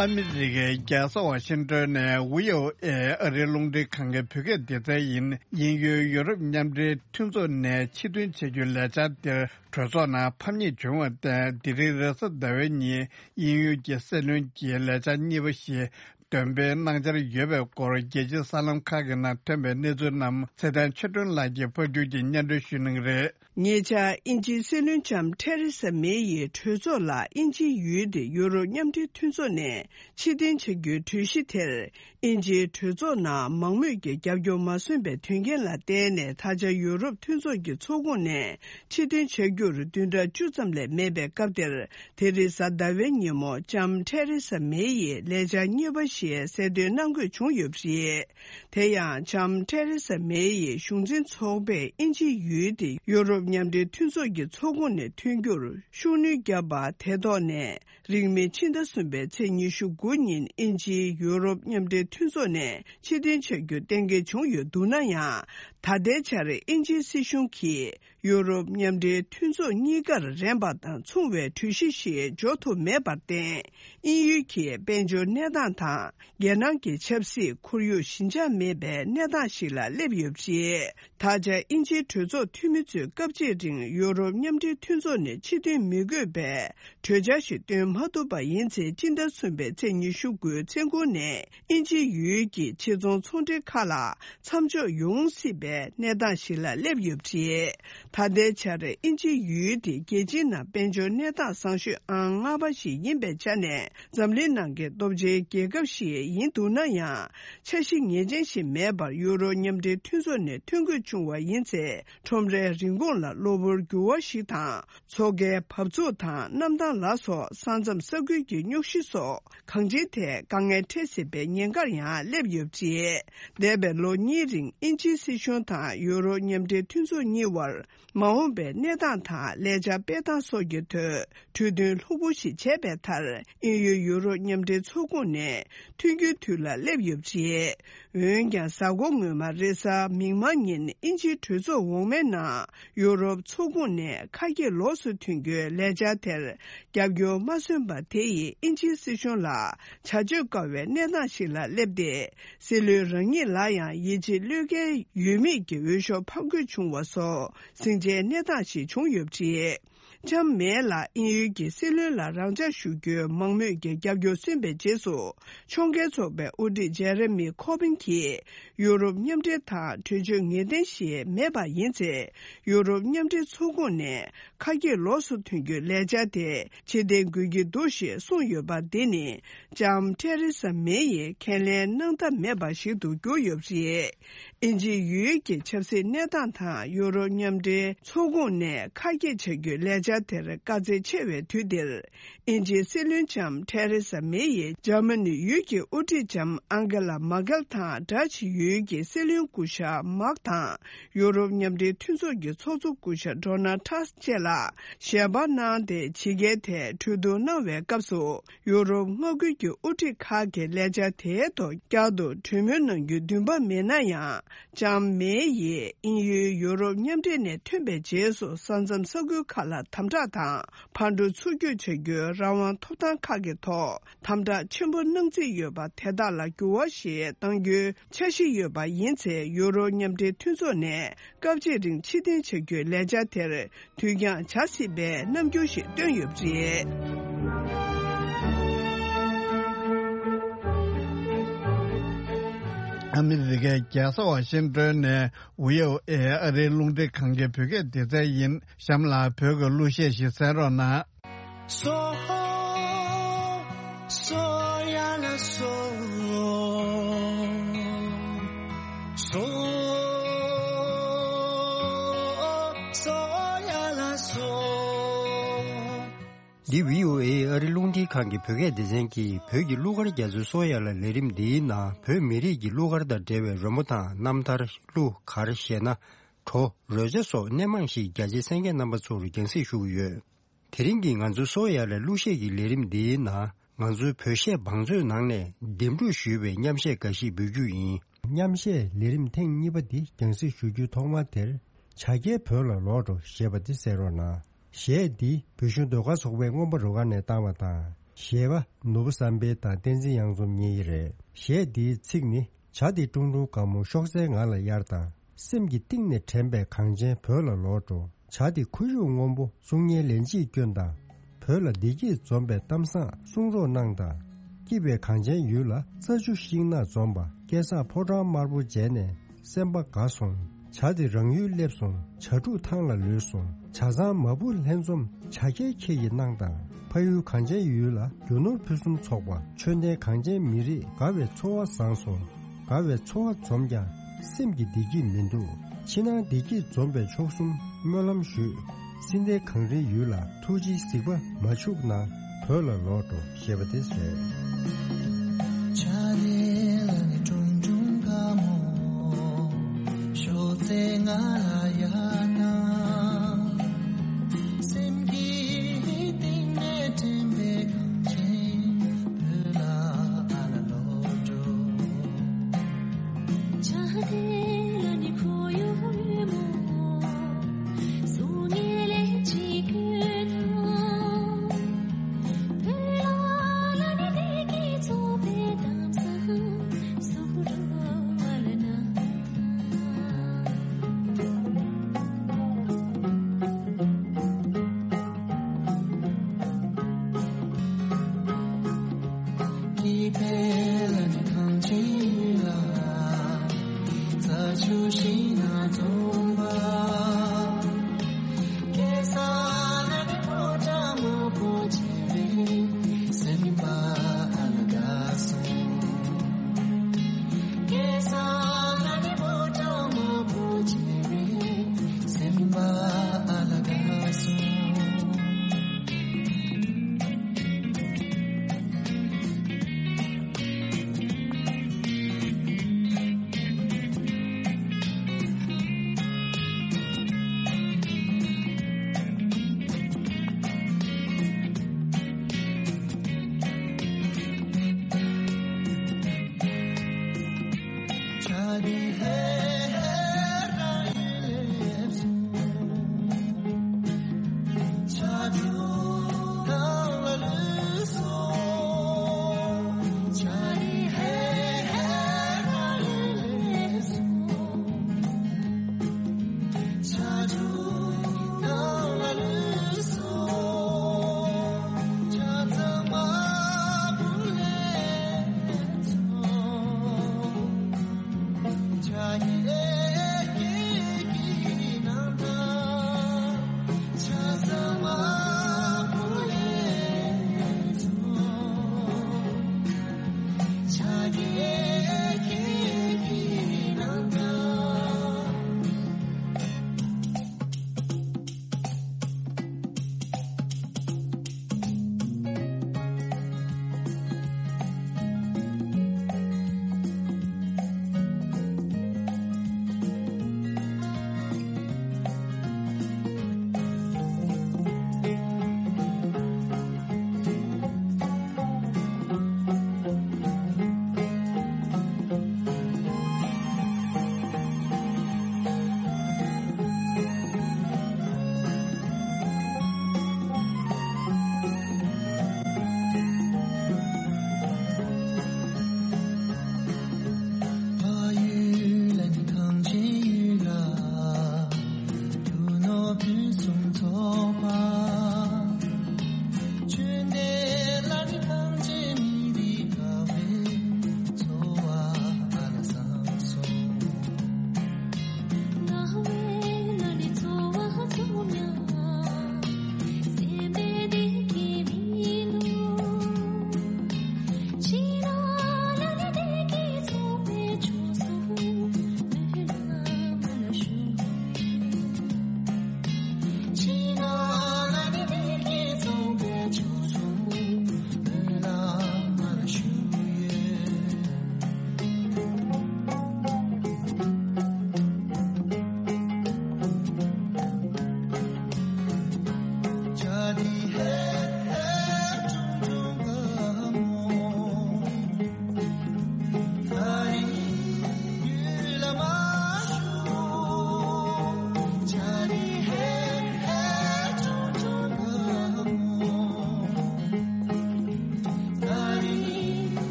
ཨ་མི་རི་ཀའི་རྒྱལ་ས་ཝ་ཤིང་ཏོན་ནས་ཝི་ཨོ་ཨེ་ཨ་རིའི་རླུང་འཕྲིན་ཁང་གི་བོད་སྐད་སྡེ་ཚན་ཡིན། དབྱིན་ཡུལ་ཡོ་རོབ་མཉམ་འབྲེལ་མཐུན་ཚོགས་ནས་ཕྱིར་ཐོན་བྱེད་རྒྱུའི་ལས་འཆར་དེར་གྲོས་ཚོགས་ནང་ཕམ་ཉེས་བྱུང་བར་བརྟེན། དེ་རིང་རེས་གཟའ་ཟླ་བའི་ཉིན་དབྱིན་ཡུལ་གྱི་སྲིད་བློན་གྱིས་ལས་འཆར་གཉིས་པ་ཞིག་འདོན་སྤེལ་གནང་འཆར་ཡོད་པའི་སྐོར་རྒྱལ་སྤྱིའི་གསར་ལམ་ཁག་གི་ནང་ཐོན་པའི་གནས་ཚུལ་རྣམས་ཚེ་བརྟན་ཆོས་སྒྲོན་ལགས་ཀྱིས་ཕབ་སྒྱུར་གྱིས་སྙན་སྒྲོན་ཞུ་གནང་གི་རེད། ཉེ་ཆར་དབྱིན་ཇིའི་སྲིད་བློན་ལྕམ་ཐེ་རེ་ས་མེ་ཡིས་གྲོས་ཚོགས་ལ་དབྱིན་ཇིའི་ཡུལ་དེ་ཡུ་རོབ་མཉམ་འབྲེལ་མཐུན་ཚོགས་ནས་ཕྱིར་འཐེན་བྱ་རྒྱུའི་གྲོས་གཞི་དེར། དབྱིན་ཇིའི་གྲོས་ཚོགས་ནང་མང་མོས་ཀྱི་རྒྱབ་སྐྱོར་མ་སོན་པའི་དོན་རྐྱེན་ལ་བརྟེན་ནས། ད་ཆ་ཡུ་རོབ་མཐུན་ཚོགས་ཀྱི་ཚོགས་ཁོངས་ནས་ཕྱིར་འཐེན་བྱ་རྒྱུར་བདུན་ཕྲག་བཅུ་ཙམ་ལས་མེད་པའི་སྐབས་དེར། དེ་རིང་གཟའ་ཟླ་བའི་ཉིན་མོ་ལྕམ་ཐེ་རེ་ས་མེ་ཡིས་ལས་འཆར་གཉིས་པ་ཞིག་གསལ་སྟོན་གནང་དགོས་བྱུང་ཡོད་པ་རེད། དེ་ཡང་ལྕམ་ཐེ་རེ་ས་མེ་ཡི་གཞུང་འཛིན་ཚོགས་པས་དབྱིན་ཇིའི་ཡུལ་དེ་ཡུ་རོབ་མཉམ་འབྲེལ་མཐུན་ཚོགས་ཀྱི་ཚོགས་ཁོངས་ནས་ཐོན་རྒྱུར་ཤུགས་སྣོན་བརྒྱབ་པ་དེ་ཐོག་ནས། རིང་མིན་ཕྱི་ཟླ་གསུམ་པའི་ཚེས་ཉི་ཤུ་དགུ་ཉིན་དབྱིན་ཇིའི་ཡུ་རོབ་མཉམ་འབྲེལ་མཐུན་ཚོགས་ནས་ཕྱིར་འཐེན་བྱ་རྒྱུ་གཏན་འཁེལ་བྱུང་ཡོད་འདུག་ན་ཡང་། ད་ལྟའི་ཆར་དབྱིན་ཇིའི་སྲིད་གཞུང་གིས་ ཡུ་རོབ་མཉམ་འབྲེལ་མཐུན་ཚོགས་གཉིས་ཀར་རན་པ་དང་མཚུངས་པའི་གྲོས་གཞི་ཞིག་འཇོག་ཐུབ་མེད་པར་བརྟེན། དབྱིན་ཡུལ་གྱི་དཔལ་འབྱོར་གནས་སྟངས་དང་། རྒྱལ་ནང་གི་ཆབ་སྲིད། ཁོར་ཡུག་ཞི་འཇགས་མེད་པའི་གནས་སྟངས་ཤིག་ལ་སླེབས་ཡོད་པ་རེད། ད་ཆ་དབྱིན་ཇིའི་གྲོས་ཚོགས་འཐུས་མི་ཚོས་སྐབས་གཅིག་རིང་ཡུ་རོབ་མཉམ་འབྲེལ་མཐུན་ཚོགས་ནས་ཕྱིར་འཐེན་མི་དགོས་པའི་གྲོས་འཆར་ཞིག་བཏོན་མ་ཐུབ་པ་ཡིན་ཚེ། སྤྱི་ཟླ་གསུམ་པའི་ཚེས་ཉི་ཤུ་དགུའི་མཚན་གུང་ནས་དབྱིན་ཇིའི་ཡུལ་གྱི་ཕྱི་ཚོང་ཚོང་འབྲེལ་ཁག་ལ་མཚམས་འཇོག་ཡོང་སྲིད་པའི་གནས་སྟངས་ཤིག་ལ་སླེབས་ཡོད་པ་རེད། ད་ལྟའི་ཆར་དབྱིན་ཇིའི་ཡུལ་དེ་རྒྱལ་སྤྱིའི་ནང་དཔལ་འབྱོར་གནས་སྟངས་བཟང་ཤོས་ཨང་ལྔ་པ་ཞིག་ཡིན་པའི་ཆ་ནས། འཛམ་གླིང་ནང་གི་སྟོབས་ཆེའི་རྒྱལ་ཁབ་ཞིག་ཡིན་འདུག་ན་ཡང་། འཆར་གཞི་ངེས་ཅན་ཞིག་མེད་པར་ཡུ་རོབ་མཉམ་འབྲེལ་མཐུན་ཚོགས་ནས་ཐོན་དགོས་བྱུང་བ་ཡིན་ཚེ། ཁྲོམ་རའི་རིན་གོང་ལ་གློ་བུར་འགྱུར་བ་ཞིག་དང་། མཚོ་ཁའི་བབས་ཚུགས་དང་གནམ་ཐང་ལ་སོགས་ས་མཚམས་ས་ཁུལ་གྱི་རྙོག་གཞི་སོགས་གང་ཅིའི་ཐད་དཀའ་ངལ་འཕྲད་སྲིད་པའི་ཉེན་ཁར་ཡང་སླེབས་ཡོད་པ་རེད། འདས་པའི་ལོ་གཉིས་རིང་དབྱིན་ཇིའི་སྲིད་གཞུང་དང་ཡུ་རོབ་མཉམ་འབྲེལ་མཐུན་ཚོགས་གཉིས་བར་མ་འོངས་པའི་གནས་སྟངས་དང་ལས་འཆར་སྤེལ་སྟངས་སོགས་ཀྱི་ཐོག་གྲོས་མཐུན་ལྷུག་པོ་ཞིག་བྱས་པའི་མཐར། དབྱིན་ཡུལ་ཡུ་རོབ་མཉམ་འབྲེལ་ཚོགས་ཁོངས་ནས་ཐོན་རྒྱུའི་དུས་ལ་སླེབས་ཡོད་པ་རེད། འོན་ཀྱང་། གཟའ་འཁོར་སྔོན་མ་རེས་གཟའ་མིག་དམར་ཉིན་དབྱིན་ཇིའི་གྲོས་ཚོགས་འོག་མའི་ནང་ཡུ་རོབ་ཚོགས་ཁོངས་ནས་ཁ་གྱེས་ལོགས་སུ་ཐོན་རྒྱུའི་ལས་འཆར་དེར་རྒྱབ་སྐྱོར་མ་སོན་པ་དེ་ཡིས་དབྱིན་ཇིའི་སྲིད་གཞུང་ལ་བྱ་སྤྱོད་དཀའ་བའི་གནས་སྟངས་ཤིག་ལ་སླེབས་ཏེ། སྲིད་བློན་རང་ཉིད་ལ་ཡང་ཡིད་ཆེས་བློས་འགེལ་ཡོད་མེད་ཀྱི་འོས་ཤོག་ཕབ་དགོས་བྱུང་བ་སོགས་ཟིང་ཆའི་གནས་སྟངས་ཤིག་བྱུང་ཡོད་པ་རེད། ལྕམ་མེ་ལ་དབྱིན་ཡུལ་གྱི་སྲིད་བློན་ལ་རང་འཇགས་ཞུ་རྒྱུའི་མང་མོས་ཀྱི་རྒྱབ་སྐྱོར་སོན་པའི་རྗེས་སུ། ཕྱོགས་འགལ་ཚོགས་པའི་དབུ་ཁྲིད་ཇེ་རེ་མི་ཁོ་བིན་གྱིས། ཡུ་རོབ་མཉམ་འབྲེལ་དང་གྲོས་ཆོད་ངེས་གཏན་ཞིག་མེད་པ་ཡིན་ཚེ། ཡུ་རོབ་མཉམ་འབྲེལ་ཚོགས་ཁོངས་ནས་ཁ་གྱེས་ལོགས་སུ་ཐོན་རྒྱུའི་ལས་འཆར་དེ་ཕྱིར་འཐེན་དགོས་ཀྱི་འདུག་ཞེས་གསུངས་ཡོད་པ་འདི་ནི། ལྕམ་ཐེ་རེ་ས་མེ་ཡིས་ཁས་ལེན་གནང་ཐབས་མེད་པ་ཞིག་ཏུ་གྱུར་ཡོད་པ་རེད། དབྱིན་ཇིའི་ཡུལ་གྱི་ཆབ་སྲིད་གནས་སྟངས་དང་ཡུ་རོབ་མཉམ་འབྲེལ་ཚོགས་ཁོངས་ནས་ཁ་གྱེས་བྱ་རྒྱུའི་ལས་འཆར་དེར་དཀའ་ཚེགས་ཆེ་བའི་དུས་འདིར། དབྱིན་ཇིའི་སྲིད་བློན་ལྕམ་ཐེ་རེ་ས་མེ་ཡིས་འཇར་མ་ནི་ཡུལ་གྱི་དབུ་ཁྲིད་ལྕམ་ཨང་གེ་ལ་མར་ཀེལ་དང་། ཌ་ཅི་ཡུལ་གྱི་སྲིད་བློན་སྐུ་ཞབས་མཱག་དང་། ཡུ་རོབ་མཉམ་འབྲེལ་མཐུན་ཚོགས་ཀྱི་ཚོགས་གཙོ་སྐུ་ཞབས་ཌོ་ནལ་ཊ་བཅས་ལ་ཞལ་པར་གནང་སྟེ། ཕྱི་རྒྱལ་ཐད་གྲོས་བསྡུར་གནང་བའི་སྐབས་སུ། ཡུ་རོབ་མངའ་ཁུལ་གྱི་དབུ་ཁྲིད་ཁག་གིས་ལས་འཆར་དེའི་ཐོག་བསྐྱར་དུ་གྲོས་མོལ་གནང་རྒྱུའི་འདུན་པ་མེད་ན་ཡང་། ལྕམ་མེ་ཡིས་དབྱིན་ཡུལ་ཡུ་རོབ་མཉམ་འབྲེལ་ནས་ཐོན་པའི་རྗེས་སུ། ས་མཚམས་ས་ཁུལ་ཁག་ལ་དམ་དྲག་དང་ཕར་འགྲོ་ཚུར་སྐྱོད་བྱ་རྒྱུའི་རང་དབང་ཐོབ་ཐང་ཁག་གི་ཐོག་དམ་དྲག་ཆེན་པོ་གནང་རྩིས་ཡོད་པ་དེ་དག་ལ་འགྱུར་བ་ཞིག་གཏང་རྒྱུའི་འཆར་གཞི་ཡོད་པ་ཡིན་ཚེ། ཡུ་རོབ་མཉམ་འབྲེལ་མཐུན་ཚོགས་ནས་སྐབས་གཅིག་རིང་ཕྱིར་འཐེན་བྱ་རྒྱུའི་ལས་འཆར་དེར། དུས་འགྱངས་བྱ་སྲིད་པའི་རྣམ་འགྱུར་ཞིག་བཏོན་ཡོད་པ་རེད། ཨ་མི་རི་ཀའི་རྒྱལ་ས་ཝ་ཤིང་ཏོན་ནས་ཝི་ཨོ་ཨེ་ཨ་རིའི་རླུང་འཕྲིན་ཁང་གི་བོད་སྐད་སྡེ་ཚན་ཡིན། གཤམ་ལ་བོད་ཀྱི་གླུ་གཞས་ཤིག་གསན་རོགས་གནང་། སོ། སོ་ཡ་ལ་སོ། སོ། སོ་ཡ་ལ་སོ། འདི་བྷི་ཨོ་ཨེ་ཨ་རི་རླུང་འཕྲིན་ཁང་གི་བོད་སྐད་སྡེ་ཚན་གྱིས་བོད་ཀྱི་གླུ་གར་རྒྱ་མཚོའི་སོ་ཡ་ལ་ལས་རིམ་འདིའི་ནང་བོད་མི་རིགས་ཀྱི་གླུ་གར་དང་འབྲེལ་བའི་རོལ་མོ་དང་རྣམ་ཐར། གླུ་གར་གཞས་སྣ། བྲོ། རོལ་ཆ་སོགས་སྣེ་མང་ཞིག་རྒྱ་ཆེའི་གསན་མཁན་རྣམ་པ་ཚོར་རྒྱང་སྲིང་ཞུ་གི་ཡོད། དེ་རིང་གི་ང་ཚོའི་སོ་ཡ་ལ་གླུ་གཞས་ཀྱི་ལས་རིམ་འདིའི་ནང་ང་ཚོའི་བོད་གཞས་བང་མཛོད་ནང་ནས་འདེམས་སྒྲུག་ཞུས་པའི་མཉམ་གཞས་འགའ་ཞིག་འབུལ་རྒྱུ་ཡིན། མཉམ་གཞས་ལས་རིམ་ཐེངས་གཉིས་པ་འདི་རྒྱང་སྲིང་ཞུ་རྒྱུའི་ཐོག་མ་དེར། བྱ་རྒྱལ་བོད་ལ་ལོག་འགྲོ་ཞེས་པ་འདི་གསན་རོགས་གནང་། གཞས་འདི་བོད་གཞུང་ཟློས་གར་ཚོགས་པའི་རྔོན་པ་རུ་ཁག་ནས་བཏང་བ་དང་། གཞས་པ་ནོར་བུ་བསམ་འཕེལ་དང་བསྟན་འཛིན་གཡང་འཛོམས་གཉིས་རེད། གཞས་འདིའི་ཚིག་ནི། བྱ་དེ་ཀྲུང་ཀྲུང་དགའ་མོ་ཤོག་སེར་ང་ལ་གཡར་དང་། སེམས་ཀྱི་གཏིང་ནས་དྲན་པའི་གངས་ཅན་བོད་ལ་ལོག་འགྲོ། བྱ་དེ་ཁོར་ཡུག་སྔོན་པོ་གསུང་སྙན་ལན་གཅིག་སྐྱོན་དང་། བོད་ལ་བདེ་སྐྱིད་འཛོམས་པའི་གཏམ་བཟང་གསུང་རོགས་གནང་དང་། སྐྱིད་པའི་གངས་ཅན་ཡུལ་ལ་རྩྭ་ཆུ་ཤིང་ནགས་འཛོམས་པ། སྐལ་བཟང་ཕོ་བྲང་དམར་པོ་མཇལ་ནས་སེམས་པ་དགའ་སོང་། བྱ་དེ་རང་ཡུལ་སླེབས་སོང་། བྱ་ཕྲུག་ཐང་ལ་ལུས་སོང་། བྱ་ཚང་མ་བུ་ལྷན་འཛོམས་བྱ་རྒྱལ་ཁྱེད་ཀྱིས་གནང་དང་། ཕ་ཡུལ་གངས་ཅན་ཡུལ་ལ་རྒྱུ་ནོར་ཕུན་སུམ་ཚོགས་པ། ཆོས་ལྡན་གངས་ཅན་མི་རིགས་དགའ་བའི་འཚོ་བ་བཟང་སོང་། དགའ་བའི་འཚོ་བ་འཛོམས་ཀྱང་སེམས་ཀྱི་བདེ་སྐྱིད་མི་འདུག་ཕྱི་ནང་བདེ་སྐྱིད་འཛོམས་པའི་མཆོག་གསུམ་སྨོན་ལམ་ཞུས། སྲིད་མཐའི་གངས་རིའི་ཡུལ་ལ་ཐུགས་རྗེའི་གཟིགས་པ་མ་འཆུག་ན་བོད་ལ་ལོག་འགྲོ་ཞེས་པ་དེ་བཟོས།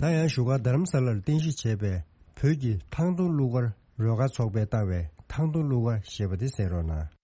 ད་ཡང་བཞུགས་སྒར་རྡ་རམ་ས་ལར་རྟེན་གཞི་བྱས་པའི་བོད་ཀྱི་ཐང་སྟོང་གླུ་གར་རོལ་གར་ཚོགས་པས་བཏང་བའི་ཐང་སྟོང་གླུ་གར་ཞེས་པ་དེ་གསན་རོགས་གནང་།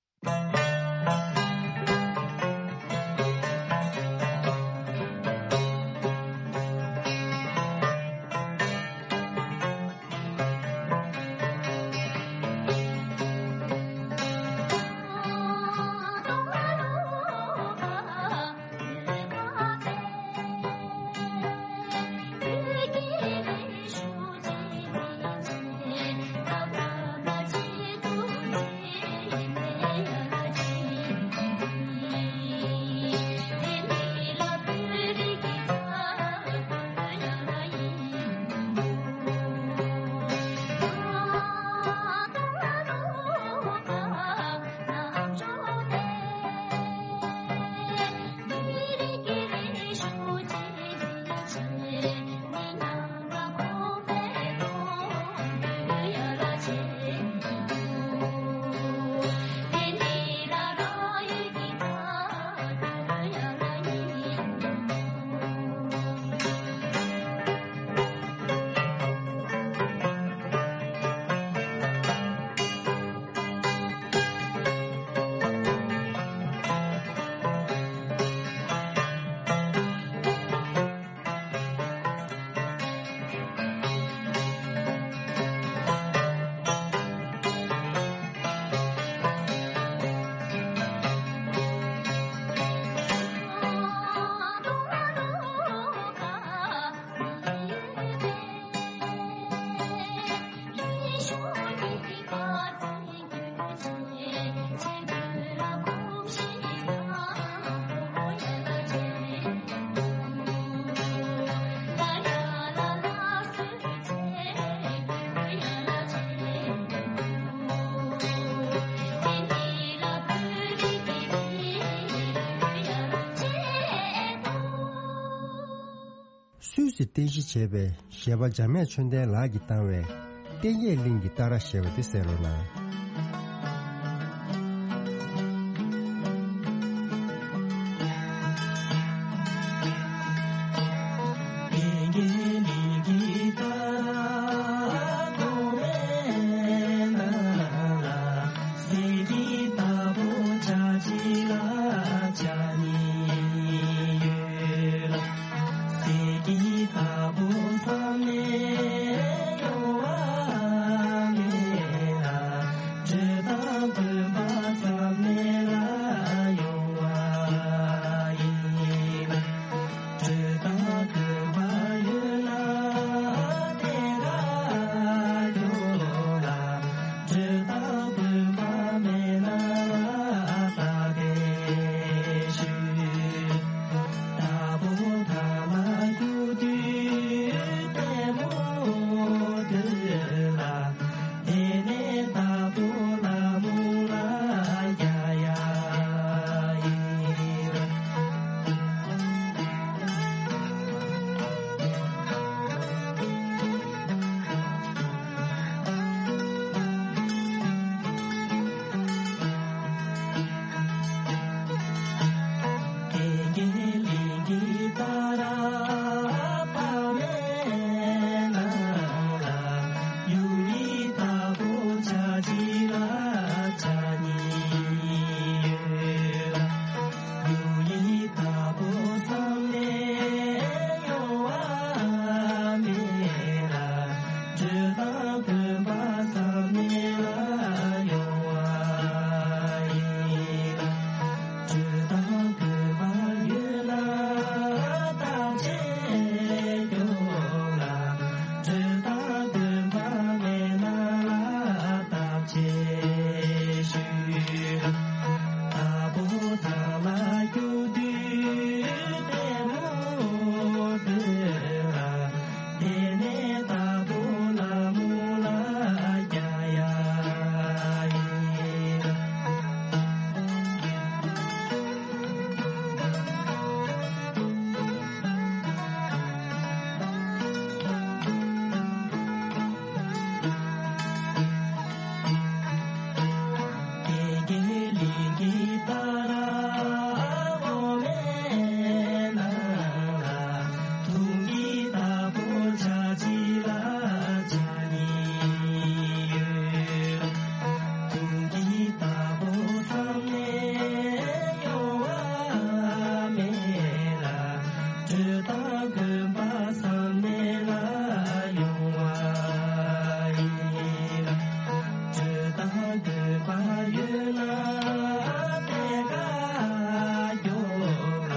སུད་སི་རྟེན་གཞི་བྱས་པའི་གཞས་པ་འཇམ་དབྱངས་ཆོས་ལྡན་ལགས་ཀྱིས་བཏང་བའི་ལྟེང་རྒྱས་གླིང་གི་རྟ་ར་ཞེས་པ་དེ་གསན་རོགས་གནང་། དྲོད་དང་དགོས་པ་ཚང་མེད་ལ་ཡོང་བ་ཡིན། དྲོད་དང་དགོས་པ་ཡོད་ན་དེ་ག་སྐྱོ་བ།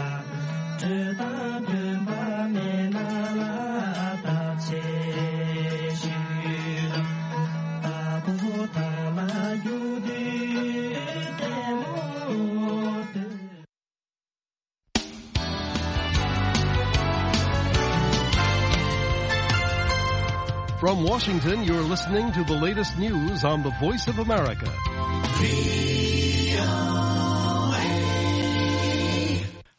དྲོད་དང་དགོས་པ་མེད་ན་ལ་བརྟག་དཔྱད་ཞུས་ལ། ད་བོ་ད་ལ་རྒྱུ་དུས་ལྟད་མོ་ལྟོས། From Washington, you're listening to the latest news on the Voice of America.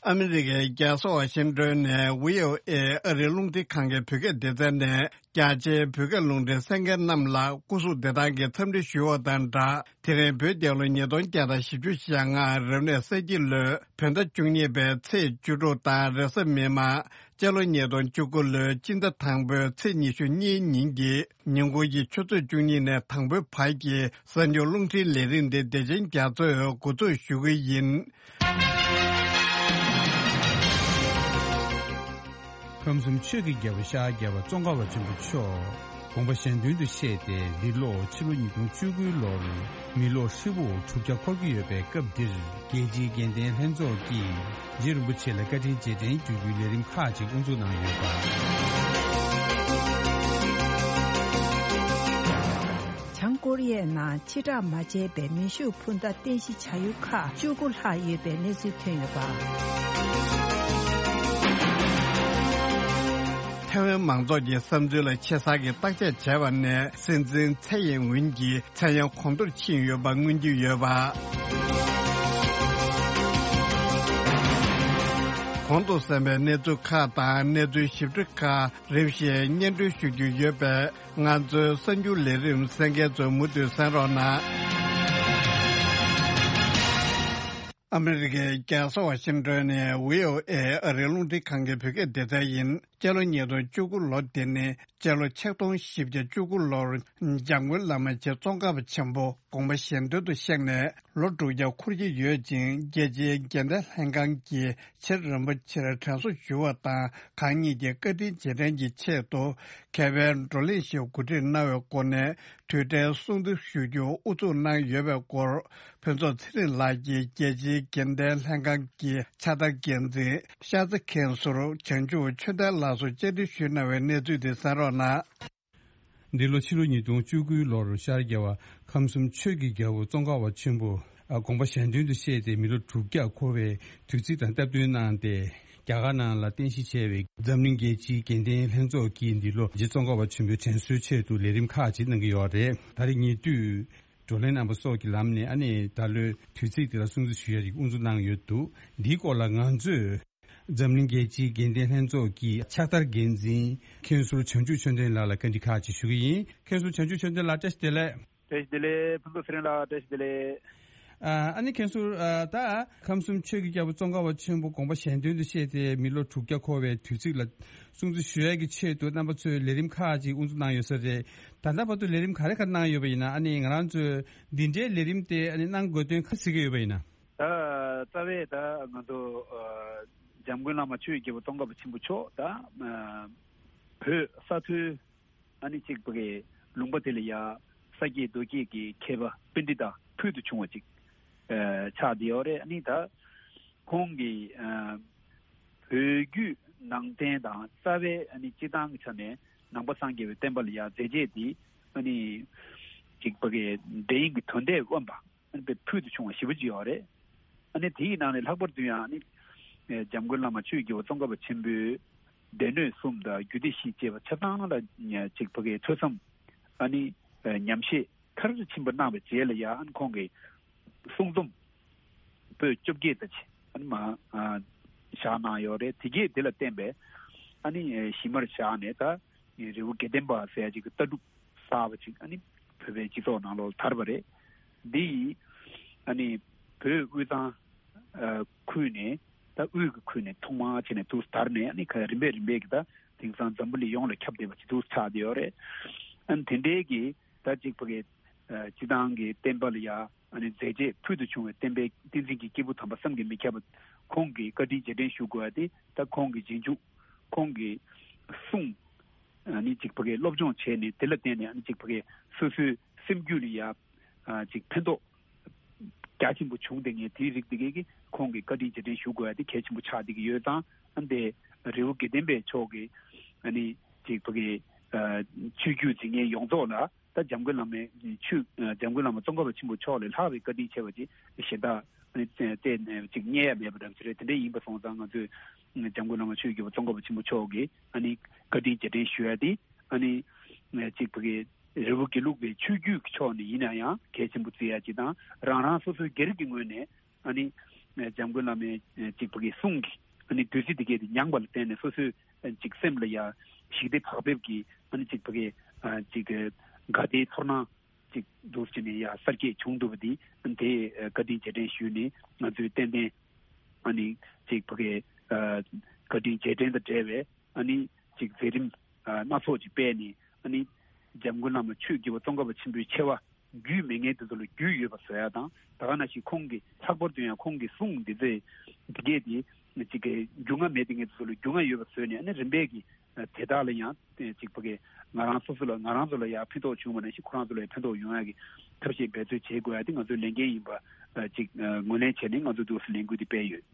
ཨ་མི་རི་ཀའི་རྒྱལ་ས་ཝ་ཤིང་ཏོན་ནས་བྷི་ཨོ་ཨེ་ཨ་རིའི་རླུང་འཕྲིན་ཁང་གི་བོད་སྐད་སྡེ་ཚན་ནས། རྒྱ་ཆེའི་བོད་སྐད་རླུང་འཕྲིན་གསན་མཁན་རྣམས་ལ་སྐུ་གཟུགས་བདེ་ཐང་གི་འཚམས་འདྲི་ཞུ་བ་དང་སྦྲགས། དེ་རིང་བོད་རྒྱལ་ལོ་ཉིས་སྟོང་བརྒྱ་དང་བཞི་བཅུ་ཞེ་ལྔ་རབ་གནས་ས་ཁྱི་ལོའི་བོད་ཟླ་བཅུ་གཉིས་པའི་ཚེས་བཅུ་དྲུག་དང་རེས་གཟའ་མིག་དམར་སྤྱི་ལོ་ཉིས་སྟོང་བཅུ་དགུ་ལོའི་སྤྱི་ཟླ་དང་པོའི་ཚེས་ཉི་ཤུ་གཉིས་ཉིན་གྱི་ཉིན་གུང་གི་ཆུ་ཚོད་བཅུ་གཉིས་ནས་དང་པོའི་བར་གྱི་གསར་འགྱུར་རླུང་འཕྲིན་ལས་རིམ་འདི་བདེ་ཆེན་རྒྱ་མཚོས་འགོ་འཛུགས་ཞུ་གི་ཡིན། ཁམས་གསུམ་ཆོས་ཀྱི་རྒྱལ་པོ་ཤར་རྒྱལ་བ་ཙོང་ཁ་པ་ཆེན་པོ་མཆོག་དགོངས་པ་གཞན་དོན་དུ་གཤེགས་ཏེ། འདི་ལོ་ཕྱི་ལོ་ཉིས་སྟོང་བཅུ་དགུའི་ལོར་མི་ལོ་ཧྲིལ་པོ་དྲུག་བརྒྱ་འཁོར་གྱི་ཡོད་པའི་སྐབས་འདིར། རྒྱལ་སྤྱིའི་དགེ་ལྡན་ལྷན་ཚོགས་ཀྱིས་རྗེ་རིན་པོ་ཆེ་ལ་བཀའ་དྲིན་རྗེས་དྲན་ཞུ་རྒྱུའི་ལས་རིམ་ཁག་ཅིག་དབུ་འཛུགས་གནང་ཡོད་པ། བྱང་ཀོ་རི་ཡའི་ནང་ཕྱིར་བསྒྲགས་མ་བྱས་པའི་མེ་ཤུགས་འཕུར་མདའ་རྟེན་གཞི་བྱ་ཡུལ་ཁག་བཅུ་དགུ་ལྷག་ཡོད་པའི་གནས་ཚུལ་ཐོན་ཡོད་པ། ཐའེ་ཝན་མང་ཚོགས་ཀྱི་བསམ་ཚུལ་ལ་ཆེ་ས་ཀྱི་བརྟག་དཔྱད་བྱས་པ་ནས་སྲིད་འཛིན་ཚའེ་ཡིན་ཝིན་གྱི་མཚན་གཡང་གོང་མཐོར་ཕྱིན་ཡོད་པ་མངོན་གྱི་ཡོད་པ། གོང་དུ་གསན་པའི་གནས་ཚུལ་ཁག་དང་གནས་ཚུལ་ཞིབ་ཕྲ་ཁག་རིམ་བཞིན་སྙན་སྒྲོན་ཞུ་རྒྱུ་ཡོད་པས། ང་ཚོའི་གསར་འགྱུར་ལས་རིམ་གསན་མཁན་ཚོས་མུ་མཐུད་གསན་རོགས་གནང་། ཨ་མི་རི་ཀའི་རྒྱལ་ས་ཝ་ཤིང་ཏོན་ནས་བྷི་ཨོ་ཨེ་ཨ་རིའི་རླུང་འཕྲིན་ཁང་གི་བོད་སྐད་སྡེ་ཚན་ཡིན། སྤྱི་ལོ་ཉིས་སྟོང་བཅུ་དགུ་ལོ་འདི་ནི་སྤྱི་ལོ་ཆིག་སྟོང་བཞི་བརྒྱ་བཅུ་དགུ་ལོར་འཇམ་མགོན་བླ་མ་རྗེ་ཙོང་ཁ་པ་ཆེན་པོ་དགོངས་པ་གཞན་དོན་དུ་གཤེགས་ནས་ལོ་དྲུག་བརྒྱ་འཁོར་གྱི་ཡོད་ཅིང་། རྒྱལ་སྤྱིའི་དགེ་ལྡན་ལྷན་ཁང་གིས་རྗེ་རིན་པོ་ཆེར་དྲན་གསོ་ཞུ་བ་དང་། གང་ཉིད་ཀྱི་བཀའ་དྲིན་རྗེས་དྲན་གྱི་ཆེད་དུ་མཁས་པའི་བགྲོ་གླེང་ཞིག་གོ་སྒྲིག་གནང་བའི་སྒོ་ནས་དུས་དྲན་སྲུང་བརྩི་ཞུ་རྒྱུ་དབུ་འཛུགས་གནང་ཡོད་པའི་སྐོར། ཕུན་ཚོགས་ཚེ་རིང་ལགས་ཀྱིས་རྒྱལ་སྤྱིའི་དགེ་ལྡན་ལྷན་ཁང་གི་ཕྱག་བསྟར་འགན་འཛིན་ཤར་རྩེ་མཁན་ཟུར་བྱང་ཆུབ་ཆོས་ལྡན་ལགས་སུ་བཅར་འདྲི་ཞུས་གནང་བའི་གནས་ཚུལ་དེ་གསན་རོགས་གནང་། འདི་ལོ་ཕྱི་ལོ་ཉིས་སྟོང་བཅུ་དགུའི་ལོར་ཤར་རྒྱལ་བ་ཁམས་གསུམ་ཆོས་ཀྱི་རྒྱལ་པོ་ཙོང་ཁ་པ་ཆེན་པོ་དགོངས་པ་གཞན་དོན་དུ་གཤེགས་ཏེ་མི་ལོ་དྲུག་བརྒྱ་འཁོར་བའི་དུས་ཚིགས་དང་སྟབས་བསྟུན་གནང་སྟེ། རྒྱ་གར་ནང་ལ་རྟེན་གཞི་བྱས་པའི་འཛམ་གླིང་རྒྱལ་སྤྱིའི་དགེ་ལྡན་ལྷན་ཚོགས་ཀྱིས་འདི་ལོ་རྗེ་ཙོང་ཁ་པ་ཆེན་པོའི་དྲན་གསོའི་ཆེད་དུ་ལས་རིམ་ཁག་ཅིག་གནང་གི་ཡོད་རེད། ད་རེས་ཉེ་དུས་བགྲོ་གླེང་རྣམ་པ་སོགས་ཀྱི་ལམ་ནས་ཨ་ནི་ད་ལོའི་དུས་ཚིགས་འདི་ལ་སྲུང་བརྩི་ཞུ་ཡ་ཅིག་དབུ་འཛུགས་གནང་ཡོད་འདུག་འདིའི་སྐོར་ལ་ང་ཚོས་འཛམ་གླིང་རྒྱལ་སྤྱིའི་དགེ་ལྡན་ལྷན་ཚོགས་ཀྱི་ཕྱག་བསྟར་འགན་འཛིན་མཁན་ཟུར་བྱང་ཆུབ་ཆོས་ལྡན་ལགས་ལ་བཀའ་འདྲི་ཁག་ཅིག་ཞུ་གི་ཡིན། མཁན་ཟུར་བྱང་ཆུབ་ཆོས་ལྡན་ལགས་བཀྲ་ཤིས་བདེ་ལེགས། བཀྲ་ཤིས་བདེ་ལེགས། ཕུན་ཚོགས་ཚེ་རིང་ལགས་བཀྲ་ཤིས་བདེ་ལེགས། ཨ་ཨ་ནི་མཁན་ཟུར་ཨ་ད་ཁམས་གསུམ་ཆོས་ཀྱི་རྒྱལ་པོ་ཙོང་ཁ་པ་ཆེན་པོ་དགོངས་པ་གཞན་དོན་དུ་གཤེགས་ཏེ་མི་ལོ་དྲུག་བརྒྱ་འཁོར་བའི་དུས་ཚིགས་ལ་སྲུང་བརྩི་ཞུ་ཡ་གི་ཆེད་དུ་རྣམ་པ་ཚོས་ལས་རིམ་ཁག་ཅིག་དབུ་འཛུགས་གནང་ཡོད་ས་རེད། ད་ལྟ་བར་དུ་ལས་རིམ་ག་རེ་ག་རེ་གནང་ཡོད་པ་ཡིན་ན། ཨ་ནི་ང་རང་ཚོས་འདི་འདྲའི་ལས་རིམ་དེ་ཨ་ནི་གནང་དགོས་དོན་ག་རེ་གཟིགས་ཀྱི་ཡོད་པ་ཡིན་ན། ད་རྩ་བའི་ད་ང་ཚོ་ཨ་འཇམ་མགོན་བླ་མ་ཆོས་ཀྱི་རྒྱལ་པོ་ཙོང་ཁ་པ་ཆེན་པོ་མཆོག་ད་ཨ་བོད་ས་མཐོའི་ཨ་ནི་གཅིག་པ་གི་ལུང་པ་དེ་ལ་ཡ་ས་སྐྱེས་རྡོ་སྐྱེས་ཀྱི་མཁས་པ་པཎྜི་ཏ་ཕུལ་དུ་བྱུང་བ་ཅིག་ཨ་ཆགས་བསྡད་ཡོད་རེད། ཨ་ནི་ད་ཁོང་གིས་ཨ་བོད་བརྒྱུད་ནང་བསྟན་དང་རྩ་བའི་ཨ་ནི་སྤྱི་བཏང་གི་ཆ་ནས་ནང་པ་སངས་རྒྱས་པའི་བསྟན་པ་ལ་ཡ་མཛད་རྗེས་འདི་ཨ་ནི་གཅིག་པ་གི་འདྲ་མཉམ་གྱི་དོན་དེ་དབེན་པ། ཨ་ནི་དཔེ་ཕུལ་དུ་བྱུང་བ་ཞེ་པོ་ཅིག་ཡོད་རེད། ཨ་ནི་དེའི་ནང་ནས་ལྷག་པར་དུ་ཡང་ཨ་ནི་འཇམ་མགོན་བླ་མ་ཆོས་ཀྱི་རྒྱལ་པོ་ཙོང་ཁ་པ་ཆེན་པོའི་སྡེ་སྣོད་གསུམ་དང་རྒྱུད་སྡེ་བཞི་བཅས་པ་ཆ་ཚང་ལ་ཅིག་ཕ་གིའི་ཐོས་བསམ་ཨ་ནི་ཉམས་བཞེས་མཐར་ཕྱིན་པ་གནང་བའི་རྗེས་ལ་ཡང་ཨ་ནི་ཁོང་གིས་གསུང་རྩོམ་པོད་བཅོ་བརྒྱད་ཙམ་ཅིག་ཨ་ནི་མ་བཞག་གནང་ཡོད་རེད། དེ་གས་དེ་ལ་བརྟེན་པའི་ཨ་ནི་གཞི་མར་བཞག་ནས་ད་རི་བོ་དགེ་ལྡན་པ་ཟེར་ཡ་ཅིག་གི་ལྟ་གྲུབ་གསར་པ་ཅིག་ཨ་ནི་བོད་པའི་སྤྱི་ཚོགས་ནང་ལོགས་ལ་དར་བ་རེད། འདི་ཡིས་ཨ་ནི་བོད་དབུས་གཙང་ཨ་ཁུལ་ནས་ད་དབུས་ཀྱི་ཁུལ་ནས་ཐོག་མར་བྱས་ནས་དུ་དར་ནས་ཨ་ནི་ཁ་རིམ་པས་རིམ་པས་ཀྱི་ད་དེང་སང་འཛམ་བུ་གླིང་ཡོངས་ལ་ཁྱབ་བསྡད་པ་ཅིག་ཏུ་ཆགས་བསྡད་ཡོད་རེད། ཨ་ནི་དེ་འདྲའི་གི་ད་ཅིག་ཕ་གི་ཨ་སྤྱི་བཏང་གི་བསྟན་པ་ལ་ཡ་ཨ་ནི་མཛད་རྗེས་ཕུལ་དུ་བྱུང་བའི་བསྟན་པའི་བསྟན་འཛིན་གྱི་སྐྱེས་བུ་དམ་པ་བསམ་གྱིས་མི་ཁྱབ་པ་ ཁོང་གིས་བཀའ་དྲིན་རྗེས་དྲན་ཞུ་དགོས་པ་དེ་ད་ཁོང་གི་རྗེས་འཇུག་ཁོང་གི་གསུང་ཨ་ནི་ཅིག་ཕ་གི་སློབ་སྦྱོང་བྱས་ནས་དེ་ལ་བརྟེན་ནས་ཨ་ནི་ཅིག་ཕ་གི་སོ་སོའི་སེམས་རྒྱུད་ལ་ཡ་ཅིག་ཕན་ཐོགས་རྒྱ་ཆེན་པོ་བྱུང་། དེ་ངས་དེའི་རིགས་དེ་གས་ཀྱིས་ཁོང་གི་བཀའ་དྲིན་རྗེས་དྲན་ཞུ་དགོས་ཡ་དེ་གལ་ཆེན་པོ་ཆགས་བསྡད་ཀྱི་ཡོད་ཙང་། ཨ་ནི་རི་བོ་དགེ་ལྡན་པའི་ཕྱོགས་ཀྱི་ཨ་ནི་ཅིག་ཕ་གི་ཆོས་བརྒྱུད་འཛིན་མཁན་ཡོངས་རྫོགས་ལ་ད་འཇམ་མགོན་བླ་མའི་ཆོས་འཇམ་མགོན་བླ་མ་ཙོང་ཁ་པ་ཆེན་པོ་མཆོག་ལས་ལྷག་པའི་བཀའ་དྲིན་ཆེ་བ་ཅིག་གཞན་དག་བལྟས་ནས་ཅིག་རྙེད་ཡ་མེད་པ་འདྲ་ཅིག་རེད། དེ་འདྲ་ཡིན་པ་སོང་ཙང་ང་ཚོས་འཇམ་མགོན་བླ་མ་ཆོས་བརྒྱུད་པ་ཙོང་ཁ་པ་ཆེན་པོ་མཆོག་གི་ཨ་ནི་བཀའ་དྲིན་རྗེས་དྲན་ཞུ་ཡ་དེ་ཨ་ནི་ཅིག་ཕ་གི་རི་བོ་དགེ་ལུགས་པའི་ཆོས་བརྒྱུད་ཀྱི་ཕྱོགས་ནས་ཡིན་ན་ཡང་གལ་ཆེན་པོ་བརྩི་ཡ་ཅིག་དང་། རང་རང་སོ་སོའི་སྒེར་གྱི་ངོས་ནས་ཨ་ནི་འཇམ་མགོན་བླ་མའི་ཅིག་ཕ་གི་གསུང་གི་ཨ་ནི་བདུད་རྩི་དེ་གས་དེ་མྱངས་པ་ལ་བརྟེན་ནས་སོ་སོའི་ཅིག་སེམས་ལ་ཡ་ཞི་བདེ་བག་ཕེབས་ཀྱི་ཨ་ནི་ཅིག་ཕ་གི་ཅིག་དགའ་བདེའི་ཚོར་སྣང་ཅིག་འདུག་ཅེས་ནས་ཡ་གསར་སྐྱེས་བྱུང་འདུག་པ་འདི་དེ་བཀའ་དྲིན་རྗེས་དྲན་ཞུས་ནས་ང་ཚོས་ཏན་ཏན་ཨ་ནི་ཅིག་ཕ་གི་བཀའ་དྲིན་རྗེས་དྲན་དང་འབྲེལ་བའི་ཨ་ནི་ཅིག་མཛད་རིམ་སྣ་ཚོགས་ཅིག་སྤེལ་ནས་ཨ་ནི་འཇམ་མགོན་བླ་མ་ཆོས་བརྒྱུད་པ་ཙོང་ཁ་པ་ཆེན་པོའི་ཆེ་བ་རྒྱུས་མེད་མཁན་དེ་ཚོ་ལ་རྒྱུས་ཡོད་པ་བཟོ་ཡ་དང་། ད་ག་ནང་བཞིན་ཁོང་གིས་ལྷག་པར་དུ་ཡང་ཁོང་གི་གསུང་འདི་ཚོས་འདི་གས་དེ་ཅིག་གི་རྒྱུས་མངའ་མེད་མཁན་དེ་ཚོ་ལ་རྒྱུས་མངའ་ཡོད་པ་བཟོས་ནས་ཨ་ནི་རིམ་པས་ཀྱི་དེ་དག་ལ་ཡང་ཅིག་ཕ་གི་ང་རང་སོ་སོ་ལ་ང་རང་ཚོ་ལ་ཡང་ཕན་ཐོགས་བྱུང་བ་ནང་བཞིན་ཁོ་རང་ཚོ་ལ་ཡང་ཕན་ཐོགས་ཡོང་ཡ་གི་ཐབས་ཤེས་འབད་རྩོལ་བྱེད་དགོས་ཡ་དེ་ང་ཚོའི་ལས་འགན་ཡིན་པ་ཅིག་ངོས་ལེན་བྱས་ནས་ང་ཚོས་འདུག་སེ་ལས་འགུལ་འདི་སྤེལ་ཡོད།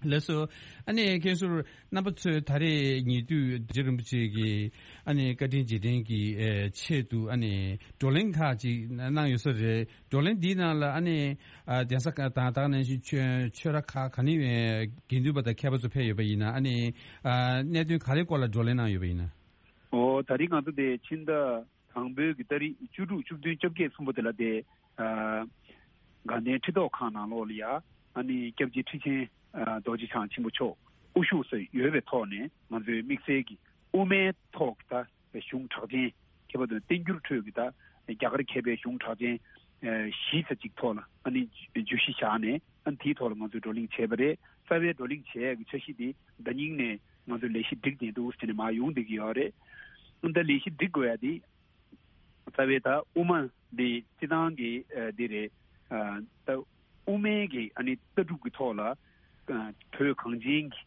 ལགས་སོ། ཨ་ནི་མཁན་ཟུར་རྣམ་པ་ཚོས་ད་རེས་ཉེ་དུས་རྗེ་རིན་པོ་ཆེ་གི་ཨ་ནི་བཀའ་དྲིན་རྗེས་དྲན་གྱི་ཨེ་ཆེད་དུ་ཨ་ནི་བགྲོ་གླེང་ཁག་ཅིག་གནང་ཡོད་ས་རེད། བགྲོ་གླེང་འདིའི་ནང་ལ་ཨ་ནི་ཨ་གདན་ས་ཁག་དང་ད་ག་ནང་བཞིན་ཆོས་ཆོས་ར་ཁག་ག་ནས་ཨེ་དགེ་འདུན་པ་དང་མཁས་པ་ཚོ་ཕེབས་ཡོད་པ་ཡིན་ན་ཨ་ནི་ཨ་གནད་དོན་ག་རེ་སྐོར་ལ་བགྲོ་གླེང་གནང་ཡོད་པ་ཡིན་ན། ཨོ་ད་རེས་ང་ཚོ་དེ་ཕྱི་ཟླ་དང་པོའི་གི་ཏ་རིག་བཅུ་དྲུག་བཅུ་བདུན་བཅོ་བརྒྱད་གསུམ་པོ་དེ་ལ་དེ་ཨ་དགའ་ལྡན་ཁྲི་ཐོག་ཁང་ནང་ལོགས་ལ་ཡ་ཨ་ནི་སྐྱབས་རྗེ་ཁྲི་ཆེན་ཨ་རྡོ་རྗེ་འཆང་ཆེན་པོ་མཆོག་དབུ་བཞུགས་སུ་ཡོད་པའི་ཐོག་ནས་ང་ཚོའི་དམིགས་བསལ་གྱི་དབུ་མའི་ཐོག་གི་ད་གཞུང་གྲགས་ཅན་ཁྱད་པར་དུ་བསྟན་འགྱུར་ཁྲོད་ཀྱི་ད་རྒྱ་གར་མཁས་པའི་གཞུང་གྲགས་ཅན་ཨ་བཞི་ཙམ་ཅིག་ཐོག་ལ་ཨ་ནི་བརྗོད་གཞི་བཞག་ནས་ཨ་ནི་དེའི་ཐོག་ལ་ང་ཚོས་བགྲོ་གླེང་བྱས་པ་རེད། རྩ་བའི་བགྲོ་གླེང་བྱེད་ཡས་ཀྱི་འཆར་གཞི་དེ་ཟླ་ཉིན་ནས་ང་ཚོས་ལས་གཞི་སྒྲིག་བསྡད་འདུག་ཟེར་ནས་མར་ཡོང་བསྡད་ཀྱི་ཡོད་རེད། ཨ་ནི་ད་ལས་གཞི་སྒྲིག་དགོས་ཡ་དེ། རྩ་བའི་ད་དབུ་མ་འདི་སྤྱི་བཏང་གི་ཨ་འདི་རེད། ཨ་ད་དབུ་མའི་གི་ཨ་ནི་ལྟ་གྲུབ་ཀྱི་ཐོག་ལ་ཨ་བོད་གངས་ཅན་གྱི་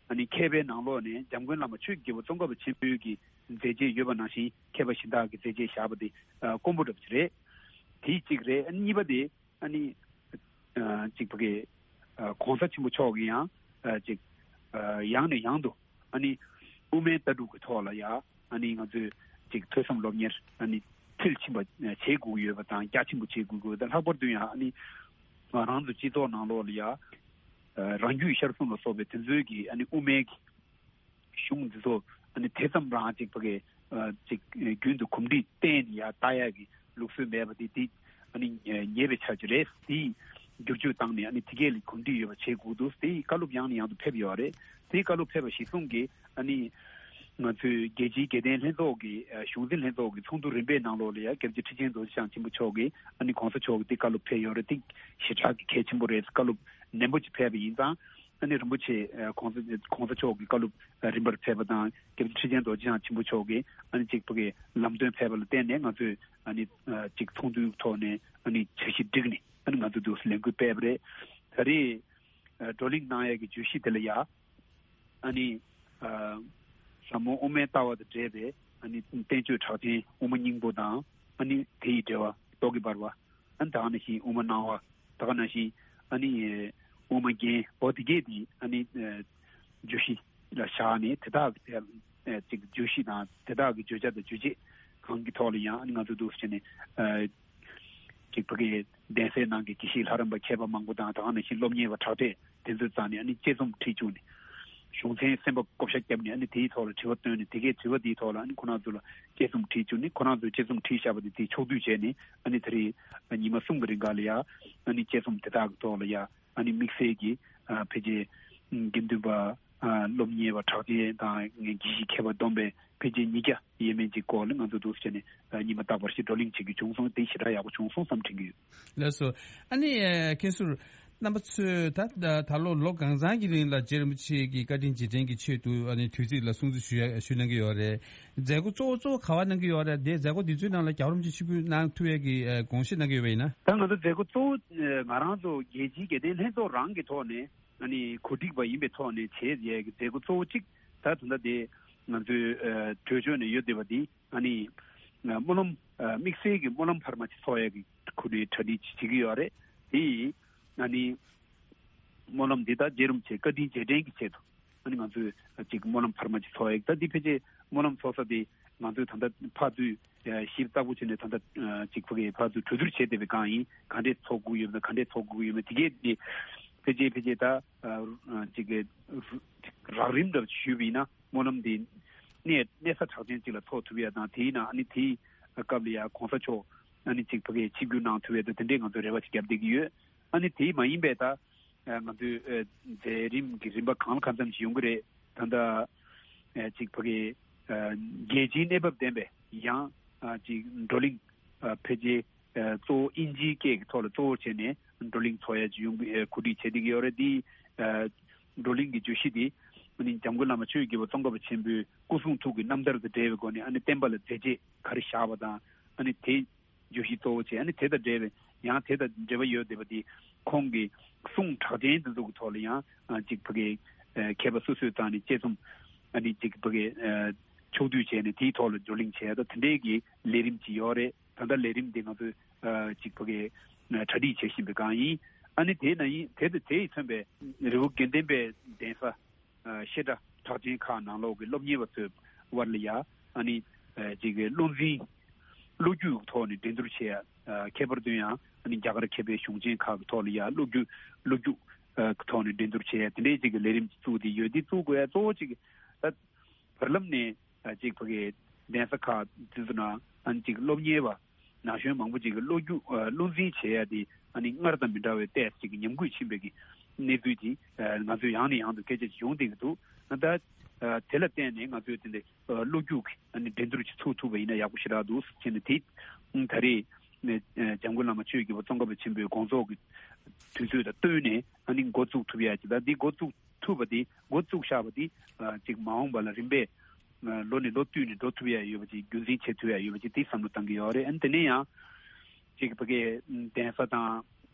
ཨ་ནི་མཁས་པའི་ནང་ལོགས་ནས་འཇམ་མགོན་བླ་མ་ཆོས་ཀྱི་རྒྱལ་པོ་ཙོང་ཁ་པ་ཆེན་པོའི་གི་མཛད་རྗེས་ཡོད་པ་ནང་བཞིན་མཁས་པ་གཞན་དག་གི་མཛད་རྗེས་བཞག་པ་དེ་ཨ་དཀོན་པོ་འདྲ་པོ་ཅིག་རེད། དེ་གཅིག་རེད། ཨ་ནི་གཉིས་པ་དེ། ཨ་ནི་ཨ་གཅིག་ཕ་གི་ཨ་གོང་ས་ཆེན་པོ་མཆོག་གིས་ཡང་ཨ་གཅིག་ཨ་ཡང་ནས་ཡང་དུ་ཨ་ནི་དབུ་མའི་ལྟ་གྲུབ་ཀྱི་ཐོག་ལ་ཡ་ཨ་ནི་ང་ཚོས་གཅིག་ཐོས་བསམ་སློབ་གཉེར་ཨ་ནི་མཐིལ་ཕྱིན་པ་བྱེད་དགོས་ཀྱི་ཡོད་པ་དང་རྒྱ་ཆེན་པོ་བྱེད་དགོས་ཀྱི་ཡོད་པ་དང་། ལྷག་པར་དུ་ཡང་ཨ་ནི་ང་རང་ཚོ་སྤྱི་ཚོགས་ནང་ལོགས་ལ་ཡ་ཨ་རང་རྒྱུད་ཤར་གསུམ་ལ་སོགས་པའི་དེ་ཚོའི་གི་ཨ་ནི་དབུ་མའི་གི་གཞུང་འདི་ཚོ་ཨ་ནི་དེ་ཙམ་རང་ཅིག་ཕ་གི་ཨ་ཅིག་རྒྱུན་དུ་གོམས་འདྲིས་བསྟེན་ནས་ཡར་ལྟ་ཡག་གི་ལུགས་སྲོལ་མེད་པ་དེ་དེ་ཨ་ནི་ཉེས་པའི་ཆ་ཅིག་རེད། དེ་བསྒྱུར་བཅོས་བཏང་ནས་ཨ་ནི་དེ་གས་ལ་གོམས་འདྲིས་ཡོད་པ་བྱེད་དགོས་འདུག་དེ་བཀའ་སློབ་ཡང་ནས་ཡང་དུ་ཕེབས་ཡོད་རེད། དེ་བཀའ་སློབ་ཕེབས་པ་གཞིར་བཟུང་གིས་ཨ་ནི་ང་ཚོའི་རྒྱལ་སྤྱིའི་དགེ་ལྡན་ལྷན་ཚོགས་ཀྱི་ཨ་གཞུང་འཛིན་ལྷན་ཚོགས་ཀྱི་ཚོགས་འདུ་རིམ་པའི་ནང་ལོགས་ལ་ཡང་སྐྱབས་རྗེ་ཁྲི་ཆེན་རྡོ་རྗེ་འཆང་ཆེན་པོ་མཆོག་གིས་ཨ་ནི་གོང་ས་མཆོག་གིས་དེ་བཀའ་སློབ་ཕེབས་ཡོད་རེད། དེ་ཞེ་དྲག་གི་གལ་ཆེན་པོ་རེད། བཀའ་སློབ་ནན་པོ་ཅིག་ཕེབས་པ་ཡིན་ཙང་། ཨ་ནི་རིན་པོ་ཆེ་ཨ་གོང་ས་གོང་ས་མཆོག་གི་བཀའ་སློབ་ཨ་རིམ་པར་ཕེབས་པ་དང་། སྐྱབས་རྗེ་ཁྲི་ཆེན་རྡོ་རྗེ་འཆང་ཆེན་པོ་མཆོག་གིས་ཨ་ནི་གཅིག་པུ་གི་ལམ་སྟོན་ཕེབས་པ་ལ་བརྟེན་ནས་ང་ཚོས་ཨ་ནི་ཨ་གཅིག་ཚོགས་འདུའི་ཐོག་ནས་ཨ་ནི་འཆར་གཞི་བསྒྲིགས་ནས་ཨ་ནི་ང་ཚོས་འདུག་སེ་ལས་འགུལ་སྤེལ་བ་རེད། ད་རེས་ཨ་བགྲོ་གླེང་གནང་ཡས་ཀྱི་བརྗོད་གཞི་དེ་ལ་ཡ་ཨ་ནི་ཨ་ཟབ་མོ་དབུ་མའི་ལྟ་བ་དང་འབྲེལ་བའི་ཨ་ནི་བསྟན་བཅོས་གྲགས་ཅན་དབུ་མ་སྙིང་པོ་དང་། ཨ་ནི་དེ་ཡི་འགྲེལ་པ་རྟོག་གེ་འབར་བ། ཨ་ནི་ད་ག་ནང་བཞིན་དབུ་མ་སྣང་བ། ད་ག་ནང་བཞིན་ཨ་ནི་དབུ་མ་རྒྱན་པོ་དེ་གས་དེ་ཨ་ནི་བརྗོད་གཞི་ལ་བཞག་ནས་དེ་དག་གི་ཅིག་བརྗོད་གཞི་དང་དེ་དག་གི་བརྗོད་བྱ་དང་རྗོད་བྱེད་གང་གི་ཐོག་ལ་ཡང་ཨ་ནི་ང་ཚོ་འདུག་སེ་བྱས་ནས་ཅིག་ཕ་གི་གདན་སའི་ནང་གི་དགེ་བཤེས་ལྷ་རམས་པ་མཁས་པ་མང་པོ་དང་། ད་ག་ནང་བཞིན་སློབ་གཉེར་བ་གྲགས་ཅན་དེ་ཚོའི་རྩ་ནས་ཨ་ནི་དཔྱད་རྩོམ་བྲིས་བཅུག་ནས། གཞུང་ཚན་གསན་པ་བགོ་བཤའ་བརྒྱབ་ནས་ཨ་ནི་དེའི་ཐོག་ལ་དྲི་བ་བཏོན་ནས། དེ་གའི་དྲི་བ་དེའི་ཐོག་ལ་ཨ་ནི་ཁོ་རང་ཚོ་ལ་དཔྱད་རྩོམ་བྲིས་བཅུག་ནས། ཁོ་རང་ཚོས་དཔྱད་རྩོམ་བྲིས་བཞག་པ་དེ་དེ་ཕྱོགས་བསྡུས་བྱས་ནས། ཨ་ནི་ད་རེས་ཉི་མ་གསུམ་གྱི་རིང་ག་ལ་ཡ་ཨ་ནི་དཔྱད་རྩོམ་དེ་དག་གི་ཐོག་ལ་ཡ་ཨ་ནི་དམིགས་བསལ་གྱི་ཨ་ཕལ་ཆེར་དགེ་འདུན་པ་ཨ་སློབ་གཉེར་བ་གྲགས་ཅན་དང་དགེ་བཤེས་མཁས་པ་བསྡོམས་པས་ཕལ་ཆེར་ཉིས་བརྒྱ་ཡས་མས་ཅིག་སྐོར་ལ་ང་ཚོ་འདུག་སེ་བྱས་ནས་ཨ་ཉི་མ་རྟག་པར་ཞིག་བགྲོ་གླེང་བྱེད་རྒྱུ་བྱུང་སོང་། དེ་ཞེ་དྲག་ཡག་པོ་བྱུང་སོང་བསམ་དྲན་གྱི་ཡོད། ལགས་སོ། ཨ་ནི་ཨ་མཁན་ཟུར་རྣམ་པ་ཚོས་ད་ད་ད་ལོ་ལོ་གང་ཚང་གི་རིང་ལ་རྗེ་རིན་པོ་ཆེ་གི་བཀའ་དྲིན་རྗེས་དྲན་གྱི་ཆེད་དུ་ཨ་ནི་དུས་ཚིགས་ལ་སྲུང་བརྩི་ཞུ་ཡ་ཞུ་གནང་གི་ཡོད་རེད། མཛད་སྒོ་གཙོ་བོ་གཙོ་བོ་ག་བ་གནང་གི་ཡོད་རེད། དེ་མཛད་སྒོ་འདི་ཚོའི་ནང་ལ་རྒྱལ་བ་རིན་པོ་ཆེ་ཆིབས་བསྒྱུར་གནང་ཐུབ་ཡས་ཀྱི་ཨ་དགོངས་བཞེས་གནང་གི་ཡོད་པ་ཡིན་ན། ད་ང་ཚོ་མཛད་སྒོ་གཙོ་བོ་ཨ་ང་རང་ཚོ་རྒྱལ་སྤྱིའི་དགེ་ལྡན་ལྷན་ཚོགས་རང་གི་ཐོག་ནས་ ཨ་ནི་གོ་སྒྲིག་པ་ཡིན་པའི་ཐོག་ནས་བྱས་ཡས་ཀྱི་མཛད་སྒོ་གཙོ་བོ་གཅིག་ད་ད་ལྟ་དེ་ང་ཚོའི་ཨ་གྲོས་ཆོད་ནས་ཡོད་བསྡད་པ་འདི་ཨ་ནི་ཨ་སྨོན་ལམ་ཨ་དམིགས་བསལ་གྱི་སྨོན་ལམ་འཕར་མ་ཅིག་ཚོགས་ཡས་ཀྱི་ཁོ་ནའི་གྲ་སྒྲིག་ཅིག་བྱེད་ཀྱི་ཡོད་རེད། དེ་ཡིས་ཨ་ནི་སྨོན་ལམ་འདི་དག་རྗེ་རིན་པོ་ཆེ་བཀའ་དྲིན་རྗེས་དྲན་གྱི་ཆེད་དུ་ཨ་ནི་ང་ཚོས་ཅིག་སྨོན་ལམ་འཕར་མ་ཅིག་ཚོགས་ཡས་ཀྱི་ད་འདི་ཕལ་ཆེར་སྨོན་ལམ་ཚོགས་ས་དེ་ང་ཚོས་ད་ལྟ་ཕར་ཚུར་ཞིབ་ཚགས་པོ་བྱས་ནས་ད་ལྟ་ཅིག་ཕ་གི་ཕར་ཚུར་གྲོས་བསྡུར་བྱས་བསྡད་པའི་སྒང་ཡིན། ག་འདྲས་ཚོགས་དགོས་ཡོད་མེད་ག་འདྲས་ཚོགས་དགོས་ཡོད་མེད་དེ་གས་དེ་ཕལ་ཆེར་ཕལ་ཆེར་ད་ཅིག་གི་རགས་རིམ་འདྲ་ཞུས་པ་ཡིན་ན་སྨོན་ལམ་འདི་གནས་གནས་ས་གྲགས་ཅན་ཅིག་ལ་ཚོགས་ཐུབ་ཡ་དང་དེ་ཡིན་ན་ཨ་ནི་དེའི་སྐབས་ལ་ཡ་གོང་ས་མཆོག་ཨ་ནི་ཅིག་ཕ་གི་ཆིབས་བསྒྱུར་གནང་ཐུབ་ཡ་དང་དེ་འདྲས་ང་ཚོས་རེ་བ་ཅིག་བརྒྱབ་བསྡད་ཀྱི་ཡོད། ཨ་ནི་དེ་མ་ཡིན་པའི་ད་ང་ཚོའི་མཛད་རིམ་གྱི་རིམ་པ་གང་ལ་གང་འཚམ་ཞིག་ཡོང་གི་རེད། ད་ལྟ་ཅིག་ཕ་གི་རྒྱལ་སྤྱིའི་གནས་བབ་ལྡན་པའི་ཡང་ཅིག་བགྲོ་གླེང་ཕལ་ཆེར་གཙོ་བོ་དབྱིན་ཇིའི་སྐད་ཀྱི་ཐོག་ལ་གཙོ་བོར་བྱས་ནས་བགྲོ་གླེང་ཚོགས་ཡ་ཅིག་ཡོང་གི་གོ་སྒྲིག་བྱེད་བསྡད་ཀྱི་ཡོད་རེད། དེའི་བགྲོ་གླེང་གི་བརྗོད་གཞི་དེ་ཨ་ནི་འཇམ་མགོན་བླ་མ་ཆོས་ཀྱི་རྒྱལ་པོ་ཙོང་ཁ་པ་ཆེན་པོའི་སྐུ་གསུང་ཐུགས་ཀྱི་རྣམ་ཐར་དང་འབྲེལ་བའི་སྒོ་ནས་ཨ་ནི་བསྟན་པ་ལ་མཛད་རྗེས་ག་རེ་བཞག་པ་དང་ཨ་ནི་དེ་བརྗོད་གཞི་གཙོ་བོ་བྱས་ཨ་ནི་དེ་དང་འབྲེལ་བའི་ཡང་དེ་དང་འབྲེལ་བ་ཡོད་བསྡད་པ་དེ་ཁོང་གི་གསུང་གྲགས་ཅན་དེ་ཚོ་གི་ཐོག་ལ་ཡང་ཅིག་ཕ་གི་མཁས་པ་སོ་སོའི་རྩ་ནས་དཔྱད་རྩོམ་ཨ་ནི་ཅིག་ཕ་གི་ཕྱོགས་བསྡུས་བྱས་ནས་དེའི་ཐོག་ལ་བགྲོ་གླེང་བྱས་ད་དེ་འདྲའི་གི་ལས་རིམ་ཅིག་ཡོད་རེད། ད་ལྟ་ལས་རིམ་དེ་ང་ཚོས་ཅིག་ཕ་གི་གྲ་སྒྲིག་བྱེད་བཞིན་པའི་སྒང་ཡིན། ཨ་ནི་དེ་ན་ཡིན་དེ་དང་དེ་ཡིས་མཚོན་པའི་རི་བོ་དགེ་ལྡན་པའི་གདན་ས་བཤད་གྲྭ་གྲགས་ཅན་ཁག་ནང་ལོགས་ཀྱི་སློབ་གཉེར་བ་ཚོའི་དབར་ལ་ཡ་ཨ་ནི་ཅིག་བློ་འཛིན་བློ་རྒྱུག་ཐོག་ནས་འགྲན་བསྡུར་བྱེད་ཡ། ཁྱད་པར་དུ་ཡང་ཨ་ནི་རྒྱ་གར་མཁས་པའི་གཞུང་ཆེན་ཁག་གི་ཐོག་ལ་ཡ་བློ་རྒྱུག་བློ་རྒྱུག་ཐོག་ནས་འགྲན་བསྡུར་བྱེད་ཡ་དེ་འདྲའི་ཅིག་གི་ལས་རིམ་ཅིག་བཙུགས་ཏེ་ཡོད། འདི་བཙུགས་དགོས་ཡ་གཙོ་བོ་ཅིག་ད་བར་ལམ་ནས་ཅིག་ཕ་གི་གདན་ས་ཁག་དེ་ཚོ་ན་ཨ་ནི་ཅིག་སློབ་གཉེར་བ་ན་གཞོན་མང་པོ་ཅིག་གི་བློ་རྒྱུག་ཨ་བློ་འཛིན་བྱེད་ཡ་དེ་ཨ་ནི་སྔར་དང་མི་འདྲ་བའི་ཏོག་ཙམ་ཅིག་གི་ཉམས་རྒུད་ཕྱིན་པའི་གི་གནས་ཚུལ་ཅིག་ཨ་ང་ཚོས་ཡང་ནས་ཡང་དུ་སྐད་ཆ་ཅིག་ཡོང་བསྡད་ཀྱི་འདུག་ཨ་ད་ཨ་དེ་ལ་བརྟེན་ནས་ང་ཚོས་དེ་འདྲའི་ཨ་བློ་རྒྱུག་གི་ཨ་ནི་འགྲན་བསྡུར་ཅིག་ཚུགས་ཐུབ་པ་ཡིན་ན་ཡག་པོ་ཞེ་དྲག་འདུག་ཟེར་བྱས་ནས་དེ་ཨ་ད་རེས་ཨ་འཇམ་མགོན་བླ་མ་ཆོས་ཀྱི་རྒྱལ་པོ་ཙོང་ཁ་པ་ཆེན་པོའི་དགོངས་རྫོགས་ཀྱི་དུས་ཚོད་དང་བསྟུན་ནས་ཨ་ནི་འགོ་བཙུགས་ཐུབ་ཡ་ཅིག་ད་འདི་འགོ་བཙུགས་ཐུབ་པ་དེ་འགོ་བཙུགས་བཞག་པ་དེ་ཨ་ཅིག་མ་འོངས་པ་ལ་རིམ་པས་ཨ་ལོ་ནས་ལོ་བསྟུད་ནས་འགྲོ་ཐུབ་ཡ་ཡོད་པ་ཅིག་རྒྱུན་འཛིན་བྱེད་ཐུབ་ཡ་ཡོད་པ་ཅིག་དེ་བསམ་བློ་བཏང་གི་ཡོད་རེད། ཨ་ནི་དེ་ནས་ཡང་ཅིག་ཕ་གི་གདན་ས་དང་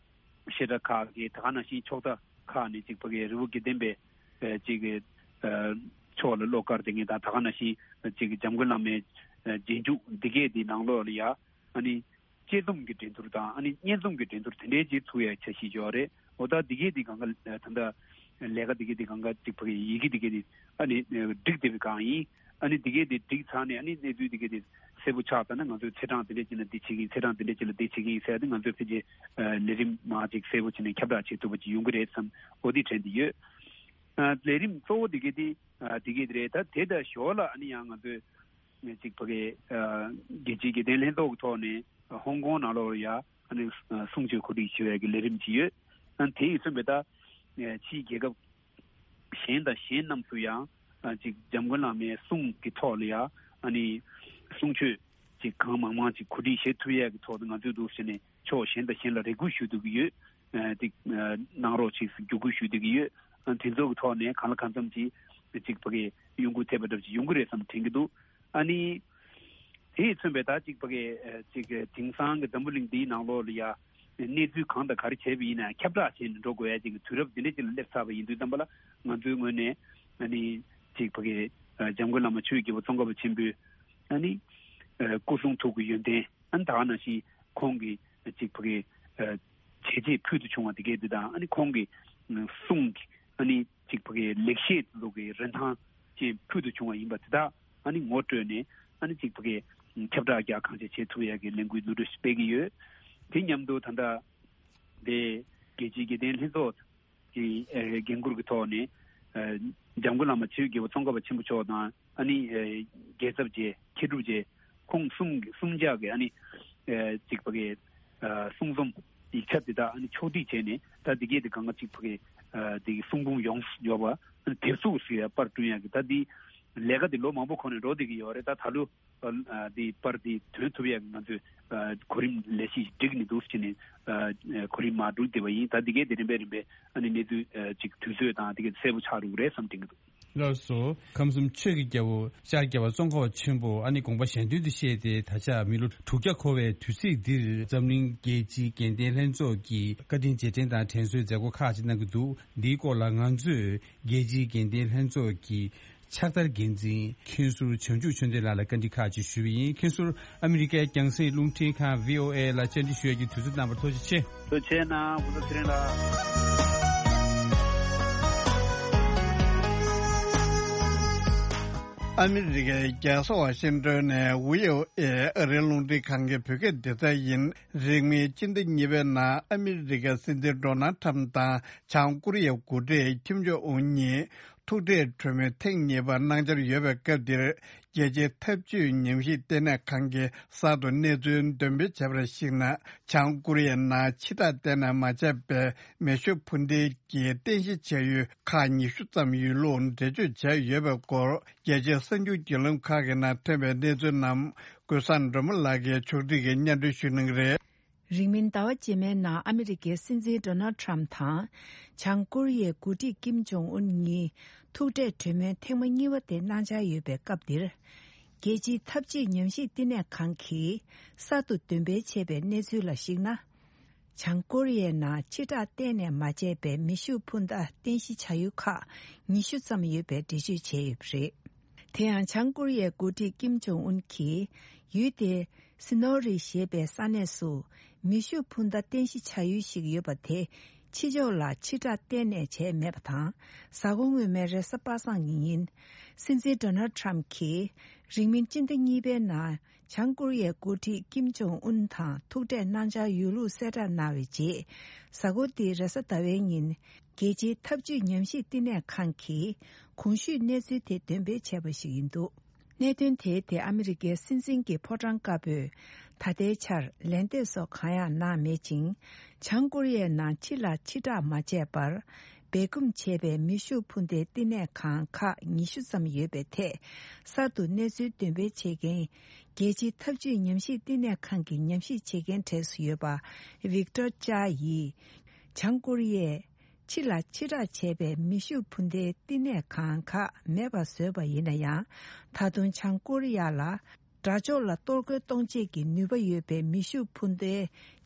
བཤད་གྲྭ་ཁག་གི་ད་ག་ནང་བཞིན་ཕྱོགས་མཐའ་ཁག་ནས་ཅིག་ཕ་གི་རི་བོ་དགེ་ལྡན་པའི་ཨ་ཅིག་ཨ་ཕྱོགས་ལ་བློ་དཀར་དེ་ངེས་དང་ད་ག་ནང་བཞིན་ཅིག་འཇམ་མགོན་བླ་མའི་ཨ་རྗེས་འཇུག་འདི་གས་དེ་ནང་ལོགས་ལ་ཡ་ཨ་ནི་དཔྱད་རྩོམ་གྱི་འགྲན་བསྡུར་དང་ཨ་ནི་སྙན་རྩོམ་གྱི་འགྲན་བསྡུར་དེ་འདྲའི་ཅིག་ཚུགས་ཡ་འཆར་གཞི་ཡོད་རེད། འོ་ད་འདི་གས་དེ་གང་ག་ད་ལྟ་ལས་ཀ་འདི་གས་དེ་གང་ག་ཅིག་ཕ་གི་ཡི་གེ་འདི་གས་དེ་ཨ་ནི་བསྒྲིགས་བསྡད་པའི་སྒང་ཡིན། ཨ་ནི་འདི་གས་དེ་བསྒྲིགས་ཚར་ནས་ཨ་ནི་གནས་ཚུལ་འདི་གས་དེ་གསལ་པོ་ཆགས་ཚར་ན་ང་ཚོས་ཚེས་གྲངས་འདི་འདྲས་ཅིག་ལ་འདི་བྱེད་ཀྱི་ཡིན། ཚེས་གྲངས་འདི་འདྲས་ཅིག་ལ་འདི་བྱེད་ཀྱི་ཡིན་ཟེར་ཏེ་ང་ཚོས་ཕལ་ཆེར་ལས་རིམ་མང་ཅིག་གསལ་པོ་བྱས་ནས་ཁྱབ་བསྒྲགས་བྱེད་ཐུབ་པ་ཅིག་ཡོང་གི་རེད་བསམ། འོ་འདི་དྲན་གྱི་ཡོད། ལས་རིམ་གཙོ་བོ་འདི་གས་དེ་འདི་གས་དེ་རེད། ད་དེ་དང་ཞོར་ལ་ཨ་ནི་ཡང་ང་ཚོས་ཅིག་ཕ་གི་རྒྱལ་སྤྱིའི་དགེ་ལྡན་ལྷན་ཚོགས་ཀྱི་ཐོག་ནས་ཧོང་ཀོང་ནང་ལོགས་ལ་ཡ་ཨ་ནི་གསུང་ཆོས་གོ་སྒྲིག་བྱེད་པའི་གི་ལས་རིམ་ཅིག་ཡོད། ཨ་ནི་དེ་ཡིས་མཚོན་པའི་ད་ཕྱིའི་རྒྱལ་ཁབ་གཞན་དང་གཞན་རྣམས་སུ་ཡང་ཅིག་འཇམ་མགོན་བླ་མའི་གསུང་གི་ཐོག་ལ་ཡང་ཨ་ནི་གསུང་ཆོས་ཅིག་གང་མང་མང་ཅིག་གོ་སྒྲིག་བྱེད་ཐུབ་ཡས་ཀྱི་ཐོག་ཏུ་ང་ཚོས་འདུག་ཟེར་ནས་ཕྱོགས་གཞན་དང་གཞན་ལ་རེ་སྐུལ་ཞུ་སྡོད་ཀྱི་ཡོད། ཨ་ཅིག་གནང་རོགས་ཅིག་བརྒྱུད་སྐུལ་ཞུ་སྡོད་ཀྱི་ཡོད། ཨ་དེ་ཚོ་གི་ཐོག་ནས་གང་ལ་གང་འཚམ་ཅིག་ཅིག་ཕ་གི་གཡོ་འགུལ་ཐེབས་པ་འདྲ་ཅིག་ཡོང་གི་རེད་བསམ་དྲན་གྱི་འདུག་ཨ་ནི་དེ་ཡིས་མཚོན་པའི་ད་ཅིག་ཕ་གི་ཅིག་དེང་སང་གི་འཛམ་བུ་གླིང་འདིའི་ནང་ལོགས་ལ་ཡ་གནས་ཚུལ་གང་དང་ག་རེ་བྱས་པ་ཡིན་ན་ཁྱབ་བསྒྲགས་བྱས་ནས་འགྲོ་དགོས་ཡ་ཅིག་གི་དུས་རབས་འདི་འདྲ་ཅིག་ལ་སླེབས་ཚར་བ་ཡིན་དུས་ཙམ་པ་ལ་ང་ཚོའི་ངོས་ནས་ཨ་ནི་ཅིག་ཕ་གི་འཇམ་མགོན་བླ་མ་ཆོས་ཀྱི་རྒྱལ་པོ་ཙོང་ཁ་པ་ཆེན་པོའི་ཨ་ནི་སྐུ་གསུང་ཐུགས་ཀྱི་ཡོན་ཏན་ཨ་ནི་ད་ག་ནང་བཞིན་ཁོང་གི་ཅིག་ཕ་གི་བྱས་རྗེས་ཕུལ་དུ་བྱུང་བ་དེ་གས་དེ་དང་ཨ་ནི་ཁོང་གི་གསུང་གི་ཨ་ནི་ཅིག་ཕ་གི་ལེགས་བཤད་ལུགས་ཀྱི་རིན་ཐང་ཅན་ཕུལ་དུ་བྱུང་བ་ཡིན་པ་དེ་དག་ཨ་ནི་ངོ་སྤྲོད་ནས་ཨ་ནི་ཅིག་ཕ་གི་ཁྱབ་བསྒྲགས་རྒྱག་གང་ཆེ་བྱེད་ཐུབ་ཡ་གི་ལས་འགུལ་བསྡུ་སྒྲིག་སྤེལ་གྱི་ཡོད། དེ་མཉམ་དུ་ད་ལྟ་དེ་རྒྱལ་སྤྱིའི་དགེ་ལྡན་ལྷན་ཚོགས་ཀྱི་ཨ་འགན་འཁུར་གྱི་ཐོག་ནས་ཨ་འཇམ་མགོན་བླ་མ་ཆོས་ཀྱི་རྒྱལ་པོ་ཙོང་ཁ་པ་ཆེན་པོ་མཆོག་དང་ཨ་ནི་ཨ་རྒྱལ་ཚབ་རྗེ་མཁས་གྲུབ་རྗེ་ཁོང་གསུམ་གསུམ་ཆ་གི་ཨ་ནི་ཨ་ཅིག་ཕ་གི་ཨ་གསུང་རྩོམ་ཡིག་ཆ་དེ་དག་ཨ་ནི་ཕྱོགས་སྒྲིག་བྱས་ནས་ད་འདི་གས་དེ་གང་ག་ཅིག་ཕ་གི་ཨ་དེ་གི་གསུང་འབུམ་ཡོངས་སུ་འབྱོར་བ་ཨ་ནི་དེབ་གཟུགས་སུ་ཡ་པར་བསྐྲུན་ཡ་གི་ད་འདི་ལས་ཀ་དེ་ལོ་མང་པོ་གོང་ནས་འགྲོ་བསྡད་ཀྱི་ཡོད་རེད། ད་ད་ལོ་ཨ་འདི་པར་འདི་ཐོན་ཐུབ་ཡ་གི་ང་ཚོས་ཨ་གོ་རིམ་ལས་གཞི་བསྒྲིགས་ནས་འདུག་ཟེར་ནས་ཨ་གོ་རིམ་མར་བསྒྲིགས་བསྡད་པ་ཡིན། ད་འདི་གས་དེ་རིམ་པས་རིམ་པས་ཨ་ནི་གནས་ཚུལ་ཨ་ཅིག་དུས་ཚོད་དང་འདི་གས་གསལ་པོ་ཆགས་འགྲོ་གི་རེད་བསམ་དྲན་གྱི་འདུག་ལགས་སོ། ཁམས་གསུམ་ཆོས་ཀྱི་རྒྱལ་པོ་ཤར་རྒྱལ་བ་ཙོང་ཁ་པ་ཆེན་པོ་ཨ་ནི་དགོངས་པ་གཞན་དོན་དུ་བཤད་དེ། ད་ཆ་མི་ལོ་དྲུག་བརྒྱ་འཁོར་བའི་དུས་ཚིགས་འདིར་འཛམ་གླིང་རྒྱལ་སྤྱིའི་དགེ་ལྡན་ལྷན་ཚོགས་ཀྱི་བཀའ་དྲིན་རྗེས་དྲན་དང་དྲན་གསོའི་མཛད་སྒོ་ཁག་ཅིག་གནང་གི་འདུག། འདིའི་སྐོར་ལ་ང་ཚོས་རྒྱལ་སྤྱིའི་དགེ་ལྡན་ལྷན་ཚོགས་ཀྱི་ཕྱག་བསྟར་འགན་འཛིན་མཁན་ཟུར་བྱང་ཆུབ་ཆོས་ལྡན་ལགས་ལ་བཀའ་འདྲི་ཁག་ཅིག་ཞུས་པ་ཡིན། མཁན་ཟུར་ཨ་མི་རི་ཀའི་རྒྱང་སྲིང་རླུང་འཕྲིན་ཁང་བྷི་ཨོ་ཨེ་ལ་བཅར་འདྲི་ཞུ་ཡས་ཀྱི་དུས་ཚོད་གནང་བར་ཐུགས་རྗེ་ཆེ། ཐུགས་རྗེ་གནང་། སྐུ་ཚེ་རིང་ལགས། ཨ་མི་རི་ཀའི་རྒྱལ་ས་ཝ་ཤིང་ཏོན་ནས་བྷི་ཨོ་ཨེ་ཨ་རིའི་རླུང་འཕྲིན་ཁང་གི་བོད་སྐད་སྡེ་ཚན་ཡིན། རིང་མིན་སྤྱི་ཟླ་གཉིས་པའི་ནང་ཨ་མི་རི་ཀའི་སྲིད་འཛིན་ཌོ་ནལ་ཁྲམ་དང་བྱང་ཀོ་རི་ཡའི་འགོ་ཁྲིད་ཁིམ་ཇོང་ཨུན་གཉིས་ཐུག་འཕྲད་གྲོས་མོལ་ཐེངས་གཉིས་པ་གནང་འཆར་ཡོད་པའི་སྐབས་འདིར། རྒྱལ་སྤྱིའི་འཐབ་ཇུས་ཉམས་ཞིབ་ལྟེ་གནས་ཁང་གིས་གསར་དུ་གནས་ཚུལ་འདོན་སྤེལ་བྱས་པར་གཞིགས་ན། བྱང་ཀོ་རི་ཡའི་ནང་ཕྱིར་བསྒྲགས་གཏན་ནས་མ་བྱས་པའི་མེ་ཤུགས་འཕུར་མདེལ་གྱི་རྟེན་གཞི་བྱས་ཡུལ་ཁག་ཉི་ཤུ་ཙམ་ཡོད་ལུགས་འགྲེལ་བརྗོད་བྱས་ཡོད་པའི་སྐོར། རྒྱལ་སྤྱིའི་གསར་འགྱུར་བརྒྱུད་ལམ་ཁག་གི་ནང་ཐོན་པའི་གནས་ཚུལ་རྣམས་ཀུན་བཟང་སྒྲོལ་མ་ལགས་ཀྱིས་ཕྱོགས་སྒྲིག་གིས་སྙན་སྒྲོན་ཞུ་གནང་གི་རེད། རིང་མིན་ཟླ་བ་རྗེས་མའི་ནང་ཨ་མི་རི་ཀའི་སྲིད་འཛིན་ཌོ་ནལ་ཁྲམ་དང་། བྱང་ཀོ་རི་ཡའི་འགོ་ཁྲིད་ཀིམ་ཇོང་ཨུན་གཉིས་ཐུག་འཕྲད་གྲོས་མོལ་ཐེངས་མ་གཉིས་པ་དེ་གནང་འཆར་ཡོད་པའི་སྐབས་འདིར། རྒྱལ་སྤྱིའི་འཐབ་ཇུས་ཉམས་ཞིབ་ལྟེ་གནས་ཁང་གིས་གསར་དུ་འདོན་སྤེལ་བྱས་པའི་གནས་ཚུལ་ལ་གཞིགས་ན། བྱང་ཀོ་རི་ཡའི་ནང་ཕྱིར་བསྒྲགས་གཏན་ནས་མ་བྱས་པའི་མེ་ཤུགས་འཕུར་མདའ་རྟེན་གཞི་བྱ་ཡུལ་ཁག་ཉི་ཤུ་ཙམ་ཡོད་པའི་འགྲེལ་བརྗོད་བྱས་ཡོད་པ་རེད། དེ་ཡང་བྱང་ཀོ་རི་ཡའི་འགོ་ཁྲིད་ཀིམ་ཇོང་ཨུན་གྱིས་ཡུལ་དེའི་སི་ནོ་རི་ཞེས་པའི་ས་གནས་སུ་མེ་ཤུགས་འཕུར་མདའ་རྟེན་གཞི་བྱ་ཡུལ་ཞིག་ཡོད་པ་དེ་ཕྱི་ཕྱོགས་ལ་ཕྱིར་བསྒྲགས་གཏན་ནས་བྱས་མེད་པ་དང་། གཟའ་འཁོར་སྔོན་མའི་རེས་གཟའ་པ་སངས་ཀྱི་ཉིན། སྲིད་འཛིན་ཌོ་ནལ་ཁྲམ་གྱིས་རིང་མིན་སྤྱི་ཟླ་གཉིས་པའི་ནང་བྱང་ཀོ་རི་ཡའི་འགོ་ཁྲིད་ཀིམ་ཇོང་ཨུན་དང་ཐུག་འཕྲད་གནང་འཆར་ཡོད་ལུགས་གསལ་བསྒྲགས་གནང་བའི་རྗེས། གཟའ་འཁོར་འདིའི་རེས་གཟའ་ཟླ་བའི་ཉིན། རྒྱལ་སྤྱིའི་འཐབ་ཇུས་ཉམས་ཞིབ་བསྟི་གནས་ཁང་གིས་གོང་ཞུས་གནས་ཚུལ་དེ་འདོན་སྤེལ་བྱས་པ་ཞིག་ཡིན་འདུག། གནད་དོན་དེའི་ཐད་ཨ་མི་རི་ཀའི་སྲིད་འཛིན་གྱི་ཕོ་བྲང་དཀར་པོས་ད་ལྟའི་ཆར་ལན་འདེབས་སོགས་གང་ཡང་གནང་མེད་ཅིང་། བྱང་ཀོ་རི་ཡའི་ནང་ཕྱི་ལ་ཕྱིར་བསྒྲགས་མ་བྱས་པར། སྦས་སྐུང་བྱས་པའི་མེ་ཤུགས་འཕུར་མདའི་བསྟི་གནས་ཁང་ཁག་ཉི་ཤུ་ཙམ་ཡོད་པའི་ཐད། གསར་དུ་གནས་ཚུལ་འདོན་སྤེལ་བྱེད་མཁན་རྒྱལ་སྤྱིའི་འཐབ་ཇུས་ཉམས་ཞིབ་བསྟི་གནས་ཁང་གི་ཉམས་ཞིབ་བྱེད་མཁན་གྲས་སུ་ཡོད་པ་ཝིག་ཏོར་ཅཱ་ཡིས། བྱང་ཀོ་རི་ཡས་ཕྱི་ལ་ཕྱིར་བསྒྲགས་བྱས་པའི་མེ་ཤུགས་འཕུར་མདའི་བསྟི་གནས་ཁང་ཁག་མེད་པ་བཟོས་པ་ཡིན་ན་ཡང་། ད་དུང་བྱང་ཀོ་རི་ཡ་ལ་དགྲ་ཕྱོགས་ལ་གཏོར་རྒོལ་གཏོང་ཆེད་ཀྱི་ནུས་པ་ཡོད་པའི་མེ་ཤུགས་འཕུར་མདའི་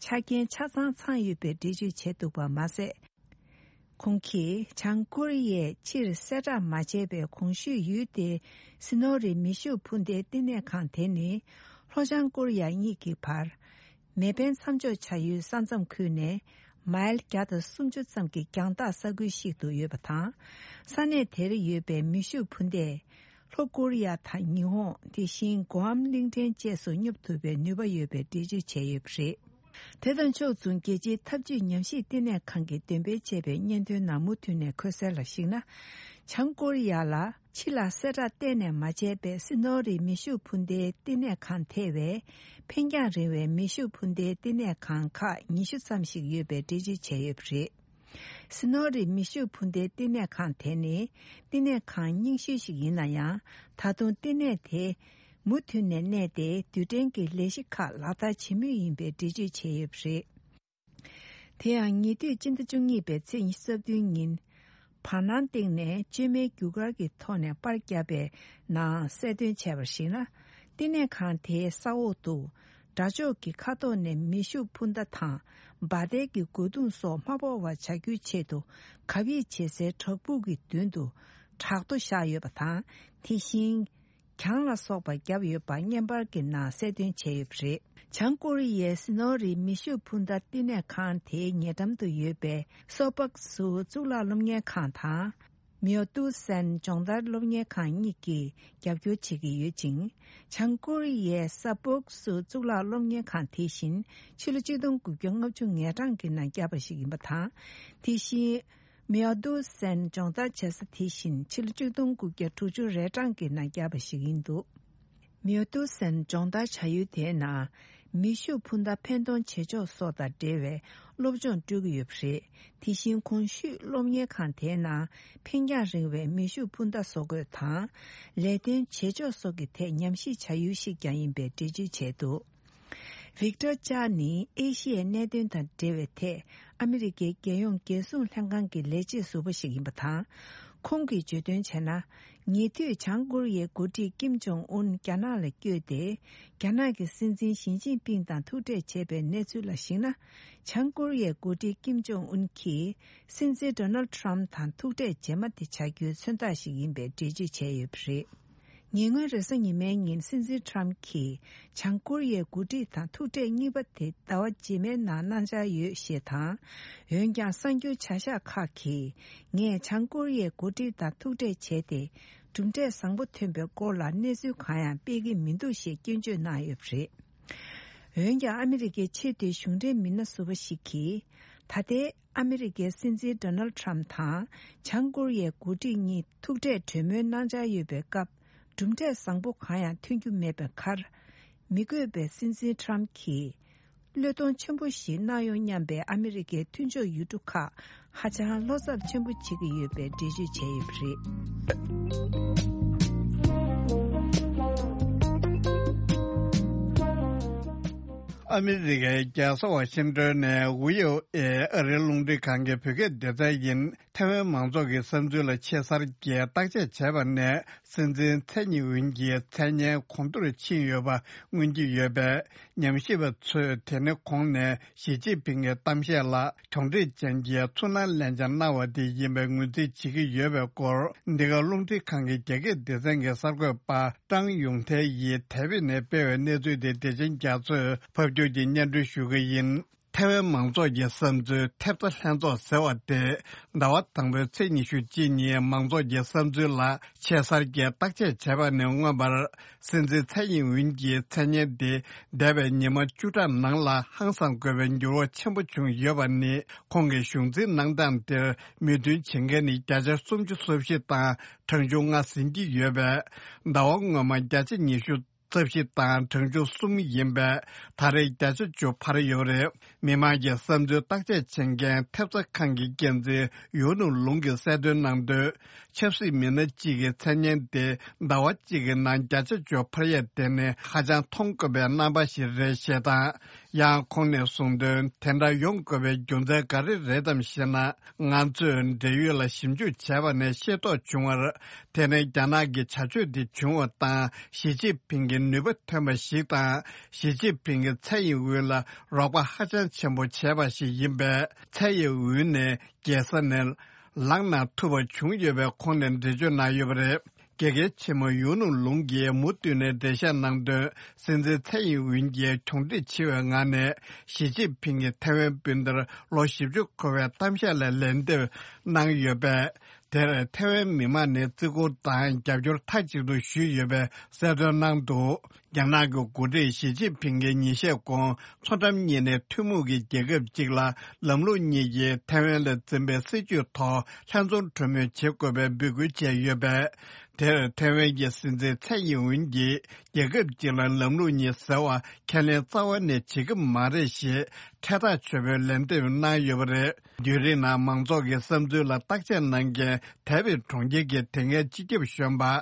ཆ་རྐྱེན་ཆ་ཚང་ཚང་ཡོད་པའི་འགྲེལ་བརྗོད་བྱས་འདུག་པ་མ་ཟད། ཁོང་གིས་བྱང་ཀོ་རི་ཡས་ཕྱིར་གསལ་བསྒྲགས་མ་བྱས་པའི་གོང་ཞུས་ཡུལ་དེའི་སི་ནོ་རི་མེ་ཤུགས་འཕུར་མདའི་བསྟི་གནས་ཁང་དེ་ནི་ལྷོ་བྱང་ཀོ་རི་ཡ་གཉིས་ཀྱི་བར། མེ་འཕེན་མཚམས་འཇོག་བྱ་ཡུལ་ས་མཚམས་ཁུལ་ནས་མའིལ་བརྒྱ་དང་སུམ་ཅུ་ཙམ་གྱི་རྒྱང་ཐག་ས་ཁུལ་ཞིག་ཏུ་ཡོད་པ་དང་། ས་གནས་དེར་ཡོད་པའི་མེ་ཤུགས་འཕུར་མདས་ལྷོ་ཀོ་རི་ཡ་དང་ཉི་ཧོང་། དེ་བཞིན་གོ་ཨམ་གླིང་ཕྲན་བཅས་སུ་སྙོབ་ཐུབ་པའི་ནུས་པ་ཡོད་པའི་འགྲེལ་བརྗོད་བྱས་ཡོད་པ་རེད། དེ་དང་ཕྱོགས་མཚུངས་རྒྱལ་སྤྱིའི་འཐབ་ཇུས་ཉམས་ཞིབ་བསྟི་གནས་ཁང་གིས་འདོན་སྤེལ་བྱས་པའི་སྙན་ཐོའི་ནང་མུ་མཐུད་ནས་འཁོད་གསལ་ལ་གཞིགས་ན། བྱང་ཀོ་རི་ཡ་ལ་ཕྱི་ལ་གསལ་བསྒྲགས་གཏན་ནས་མ་བྱས་པའི་སི་ནོ་རི་མེ་ཤུགས་འཕུར་མདའི་བསྟི་གནས་ཁང་ཐེ་བའི་འཕེན་རྒྱང་རིང་བའི་མེ་ཤུགས་འཕུར་མདའི་བསྟི་གནས་ཁང་ཁག་ཉི་ཤུ་ཙམ་ཞིག་ཡོད་པའི་འགྲེལ་བརྗོད་བྱས་ཡོད་པ་རེད། སི་ནོ་རི་མེ་ཤུགས་འཕུར་མདའི་བསྟི་གནས་ཁང་དེ་ནི་བསྟི་གནས་ཁང་རྙིང་ཤོས་ཤིག་ཡིན་ན་ཡང་། ད་དུང་བསྟི་གནས་དེ་མུ་མཐུད་ནས་གནས་ཏེ་རྡུལ་ཕྲན་གྱི་ལས་གཞི་ཁག་ལག་བསྟར་བྱེད་མུས་ཡིན་པའི་འགྲེལ་བརྗོད་བྱས་ཡོད་པ་རེད། དེ་ཡང་ཉེ་དུས་སྤྱི་ཟླ་བཅུ་གཉིས་པའི་ཚེས་ཉི་ཤུ་རྩ་བདུན་ཉིན། བར་སྣང་སྟེང་ནས་བཅོས་མའི་རྒྱུ་སྐར་གྱི་ཐོག་ནས་པར་བརྒྱབ་པའི་ནང་གསལ་སྟོན་བྱས་པར་གཞིགས་ན། བསྟི་གནས་ཁང་དེའི་ས་འོག་ཏུ། དགྲ་ཕྱོགས་ཀྱི་མཁའ་ཐོག་ནས་མེ་ཤུགས་འཕུར་མདའ་དང་འབར་མདེལ་གྱི་རྒོལ་རྡུང་སོགས་མ་ཕོག་པར་བྱ་རྒྱུའི་ཆེད་དུ་གབ་ཡིབ་བྱེད་སའི་བྲག་ཕུག་གི་མདུན་དུ་བྲག་རྡོ་བཞག་ཡོད་པ་དང་། དེ་བཞིན། གྱང་ལ་སོགས་པ་བརྒྱབ་ཡོད་པ་བརྙན་པར་གྱི་ནང་གསལ་སྟོན་བྱས་ཡོད་པ་རེད། བྱང་ཀོ་རི་ཡའི་སི་ནོ་རི་མེ་ཤུགས་འཕུར་མདའ་བསྟི་གནས་ཁང་དེའི་ཉེ་འགྲམ་དུ་ཡོད་པའི་སོ་པག་སུ་གཙུག་ལག་སློབ་གཉེར་ཁང་དང་། མེའོ་ཏུ་སན་སྦྱོང་བརྡར་སློབ་གཉེར་ཁང་གཉིས་ཀྱིས་རྒྱབ་སྐྱོར་བྱེད་ཀྱི་ཡོད་ཅིང་། བྱང་ཀོ་རི་ཡའི་ས་པོག་སུ་གཙུག་ལག་སློབ་གཉེར་ཁང་དེ་བཞིན་ཕྱི་ལོ་ཆིག་སྟོང་དགུ་བརྒྱ་ལྔ་བཅུ་ང་གྲངས་ཀྱི་ནང་བརྒྱབ་པ་ཞིག་ཡིན་པ་དང་། དེ་བཞིན། མེའོ་ཏུ་སན་སྦྱོང་བརྡར་བྱེད་ས་དེ་བཞིན་ཕྱི་ལོ་ཆིག་སྟོང་དགུ་བརྒྱ་དྲུག་ཅུ་རེ་གྲངས་ཀྱི་ནང་བརྒྱབ་པ་ཞིག་ཡིན་འདུག། མེའོ་ཏུ་སན་སྦྱོང་བརྡར་བྱ་ཡུལ་དེའི་ནང་མེ་ཤུགས་འཕུར་མདའ་འཕེན་གཏོང་བྱེད་ཕྱོགས་སོགས་དང་འབྲེལ་བའི་སློབ་སྦྱོང་སྤྲོད་ཀྱི་ཡོད་པ་རེད། དེ་བཞིན་གོང་ཞུས་སློབ་གཉེར་ཁང་དེའི་ནང་འཕེན་རྒྱང་རིང་བའི་མེ་ཤུགས་འཕུར་མདའ་བཟོ་འགོད་དང་། ལས་དོན་བྱེད་ཕྱོགས་སོགས་ཀྱི་ཐད་ཉམས་ཞིབ་བྱ་ཡུལ་ཞིག་ཀྱང་ཡིན་པའི་འགྲེལ་བརྗོད་བྱས་འདུག། ཝིག་ཏོར་ཅཱ་ནི་ཨེ་ཤི་ཡའི་གནད་དོན་དང་འབྲེལ་བའི་ཐད་ཨ་མི་རི་ཀའི་རྒྱལ་ཡོངས་རྒྱལ་སྲུང་ལྷན་ཁང་གི་ལས་བྱེད་ཟུར་པ་ཞིག་ཡིན་པ་དང་། ཁོང་གིས་བརྗོད་དོན་བྱས་ན། ཉེ་དུས་བྱང་ཀོ་རི་ཡའི་འགོ་ཁྲིད་ཀིམ་ཇོང་ཨུན་རྒྱ་ནག་ལ་བསྐྱོད་དེ། རྒྱ་ནག་གི་སྲིད་འཛིན་ཞི་ཅིན་ཕིང་དང་ཐུག་འཕྲད་བྱས་པའི་གནས་ཚུལ་ལ་གཞིགས་ན། བྱང་ཀོ་རི་ཡའི་འགོ་ཁྲིད་ཀིམ་ཇོང་ཨུན་གྱིས་སྲིད་འཛིན་ཌོ་ནལ་ཊམ་དང་ཐུག་འཕྲད་རྗེས་མ་དེ་བྱ་རྒྱུའི་མཚོན་རྟགས་ཤིག་ཡིན་པའི་འགྲེལ་བརྗོད་བྱས་ཡོད་པ་རེད། ཉེ་སྔོན་རེས་གཟའ་ཉི་མའི་ཉིན་སྲིད་འཛིན་ཊམ་གྱིས་བྱང་ཀོ་རི་ཡའི་འགོ་ཁྲིད་དང་ཐུག་འཕྲད་གཉིས་པ་དེ་ཟླ་བ་རྗེས་མའི་ནང་གནང་འཆར་ཡོད་ཞེས་དང་། འོན་ཀྱང་གསར་འགྱུར་བྱ་གཞག་ཁག་གིས། ངས་བྱང་ཀོ་རི་ཡའི་འགོ་ཁྲིད་དང་ཐུག་འཕྲད་བྱས་ཏེ། གྲུབ་འབྲས་བཟང་པོ་ཐོན་པའི་སྐོར་ལ་གནས་ཚུལ་གང་ཡང་སྤེལ་གྱི་མི་འདུག་ཞེས་སྐྱོན་བརྗོད་གནང་ཡོད་པ་རེད། འོན་ཀྱང་ཨ་མི་རི་ཀའི་ཆེས་མཐོའི་གཞུང་འབྲེལ་མི་སྣ་ཟུར་པ་ཞིག་གིས། ད་ལྟའི་ཨ་མི་རི་ཀའི་སྲིད་འཛིན་ཌོ་ནལ་ཊམ་དང་བྱང་ཀོ་རི་ཡའི་འགོ་ཁྲིད་གཉིས་ཐུག་འཕྲད་གྲོས་མོལ་གནང་འཆར་ཡོད་པའི་སྐབས། གྲུབ་འབྲས་བཟང་པོ་གང་ཡང་ཐོན་རྒྱུ་མེད་པའི་ཁར། མི་དགོས་པའི་སྲིད་འཛིན་ཊམ་གྱིས། བློས་གཏོང་ཆེན་པོ་ཞིག་གནང་ཡོང་སྙམ་པའི་ཨ་མི་རི་ཀའི་མཐུན་ཕྱོགས་ཡུལ་གྲུ་ཁག་ཧ་ཅང་བློ་འཚབ་ཆེན་པོ་བྱེད་ཀྱི་ཡོད་པའི་འགྲེལ་བརྗོད་བྱས་ཡོད་པ་རེད། ཨ་མི་རི་ཀའི་རྒྱལ་ས་ཝ་ཤིང་ཏོན་ནས་ཝི་ཨོ་ཨེ་ཨ་རིའི་རླུང་འཕྲིན་ཁང་གི་བོད་སྐད་སྡེ་ཚན་ཡིན། ཐའེ་ཝན་མང་ཚོགས་ཀྱི་བསམ་ཚུལ་ལ་ཆེ་སར་གྱིས་བརྟག་དཔྱད་བྱས་པ་ནས། སྲིད་འཛིན་ཚའེ་ཉིན་ཝུན་གྱི་མཚན་སྙན་གོང་མཐོར་ཕྱིན་ཡོད་པ་མངོན་གྱི་ཡོད་པས། ཉམས་ཞིབ་པ་ཚོས་དེ་ནི་གོང་ནས་ཞི་ཅིན་ཕིང་གི་གཏམ་བཤད་ལ་གྱོང་འཕྲད་ཅན་གྱི་ཚུར་སྣང་ལན་ཆ་གནང་བ་དེ་ཡིན་པའི་ངོས་འཛིན་བྱེད་ཀྱི་ཡོད་པའི་སྐོར། འདི་ག་རླུང་འཕྲིན་ཁང་གི་རྒྱ་སྐད་སྡེ་ཚན་གྱི་གསར་འགོད་པ་ཀྲང་ཡུང་ཐའེ་ཡིས་དེ་བས་ནས་སྤེལ་བའི་གནས་ཚུལ་དེ་བདེ་ཆེན་རྒྱ་མཚོས་ཕབ་སྒྱུར་གྱིས་སྙན་སྒྲོན་ཞུ་གི་ཡིན། ཐའེ་ཝན་མང་ཚོགས་ཀྱི་བསམ་ཚུལ་ཐེབས་རྩ་ལྷན་ཚོགས་ཟེར་བ་དེ། ཟླ་བ་དང་པོའི་ཚེས་ཉི་ཤུ་གཅིག་ཉིན་མང་ཚོགས་ཀྱི་བསམ་ཚུལ་ལ་ཆེ་སར་གྱིས་བརྟག་དཔྱད་བྱས་པ་ནས་མངོན་པར། སྲིད་འཛིན་ཚའེ་ཡིན་ཝུན་གྱི་མཚན་སྙན་དེ། འདས་པའི་ཉི་མ་བཅུ་ཕྲག་ནང་ལ་ཧང་སང་དགོས་པའི་འགྱུར་བ་ཆེན་པོ་བྱུང་ཡོད་པ་ནི། ཁོང་གི་གཞུང་འཛིན་གནང་སྟངས་དེར་མོས་མཐུན་བྱེད་མཁན་ནི་བརྒྱ་ཆ་སུམ་ཅུ་སོ་བཞི་དང་གྲངས་ཆུང་ལྔ་ཟིན་གྱི་ཡོད་པས། ཟླ་བ་སྔོན་མ་བརྒྱ་ཆ་ཉི་ཤུ། རྩ་བཞི་དང་གྲངས་ཆུང་གསུམ་ཡིན་པས། ད་རེས་བརྒྱ་ཆ་བཅུ་འཕར་ཡོད་རེད། མི་མང་གི་བསམ་ཚུལ་བརྟག་དཔྱད་བྱེད་མཁན་ཐེབས་རྩ་ཁང་གི་འགན་འཛིན་ཡུའུ་ནུ་ལུང་གིས་གསལ་སྟོན་གནང་དོན། ཆབ་སྲིད་མི་སྣ་གཅིག་གི་མཚན་སྙན་དེ་ཟླ་བ་གཅིག་གི་ནང་བརྒྱ་ཆ་བཅུ་འཕར་ཡས་དེ་ནི་ཧ་ཅང་མཐོང་དཀོན་པའི་རྣམ་པ་ཞིག་རེད་ཞེས་དང་། ཡང་ཁོང་ནས་གསུངས་དོན། དེ་འདྲ་ཡོང་དགོས་པའི་རྒྱུ་མཚན་ག་རེ་རེད་དམ་ཞེ་ན། ང་ཚོས་འབྲེལ་ཡོད་ལ་ཞིབ་འཇུག་བྱས་པ་ནས་ཤེས་རྟོགས་བྱུང་བར། དེ་ནི་རྒྱ་ནག་གི་བྱ་སྤྱོད་དེ་བྱུང་བ་དང་། ཞི་ཅིན་ཕིང་གི་ནུས་པ་ཐོན་པ་ཞིག་དང་། ཞི་ཅིན་ཕིང་གིས་ཚའེ་ཡིན་ཝུན་ལ་རོགས་པ་ཧ་ཅང་ཆེན་པོ་བྱས་པ་ཞིག་ཡིན་པས། ཚའེ་ཡིན་ཝུན་ནས་རྒྱལ་ས་ནས་ལངས་ན་ཐུབ་པ་བྱུང་ཡོད་པའི་ཁོང་ནས་འགྲེལ་བརྗོད་གནང་ཡོད་པ་རེད། དགེ་རྒན་ཆེན་མོ་ཡུ་ནུ་ལུང་གིས་མུ་མཐུད་ནས་འགྲེལ་བཤད་གནང་དོན། སྲིད་འཛིན་ཚའེ་ཡིན་ཝུན་གྱིས་གྱོང་འཕྲད་ཆེ་བའི་ངང་ནས་ཞི་ཅིན་ཕིང་གིས་ཐའེ་ཝན་སྤུན་ཟླར་ལོ་བཞི་བཅུ་འཁོར་བའི་གཏམ་བཤད་ལ་ལན་འདེབས་གནང་ཡོད་པས། དེར་ཐའེ་ཝན་མི་མང་ནས་བརྩི་བཀུར་དང་རྒྱབ་སྐྱོར་མཐའ་གཅིག་ཏུ་ཞུས་ཡོད་པའི་གསལ་སྟོན་གནང་འདུག་རྒྱ་ནག་གི་འགོ་ཁྲིད་ཞི་ཅིན་ཕིང་གིས་ཉིན་ཤས་གོང་མཚོ་འགྲམ་གཉིས་ནས་ཐུན་མོང་གི་རྒྱལ་ཁབ་ཅིག་ལ་ལམ་ལུགས་གཉིས་ཀྱིས་ཐའེ་ཝན་ལ་འཛིན་པའི་སྲིད་ཇུས་ཐོག་ལྷན་འཛོམས་གྲོས་མོལ་བྱེད་དགོས་པའི་འབོད་སྐུལ་བྱས་ཡོད་པས། དེར་ཐའེ་ཝན་གྱི་སྲིད་འཛིན་ཚའེ་ཡིན་ཝུན་གྱིས་རྒྱལ་ཁབ་ཅིག་ལ་ལམ་ལུགས་གཉིས་ཟེར་བ་ཁས་ལེན་རྩ་བ་ནས་བྱེད་ཀྱི་མ་རེད་ཞེས་ཕྲད་ཐག་ཆོད་པོའི་ལན་འདེབས་གནང་ཡོད་པ་རེད། བརྒྱུད་རིམ་ནང་མང་ཚོགས་ཀྱི་བསམ་ཚུལ་ལ་བརྟག་དཔྱད་གནང་མཁན་དཱ་བིད་གྲོང་ཁྱེར་གྱི་དེ་སྔའི་སྤྱི་ཁྱབ་གཞོན་པ་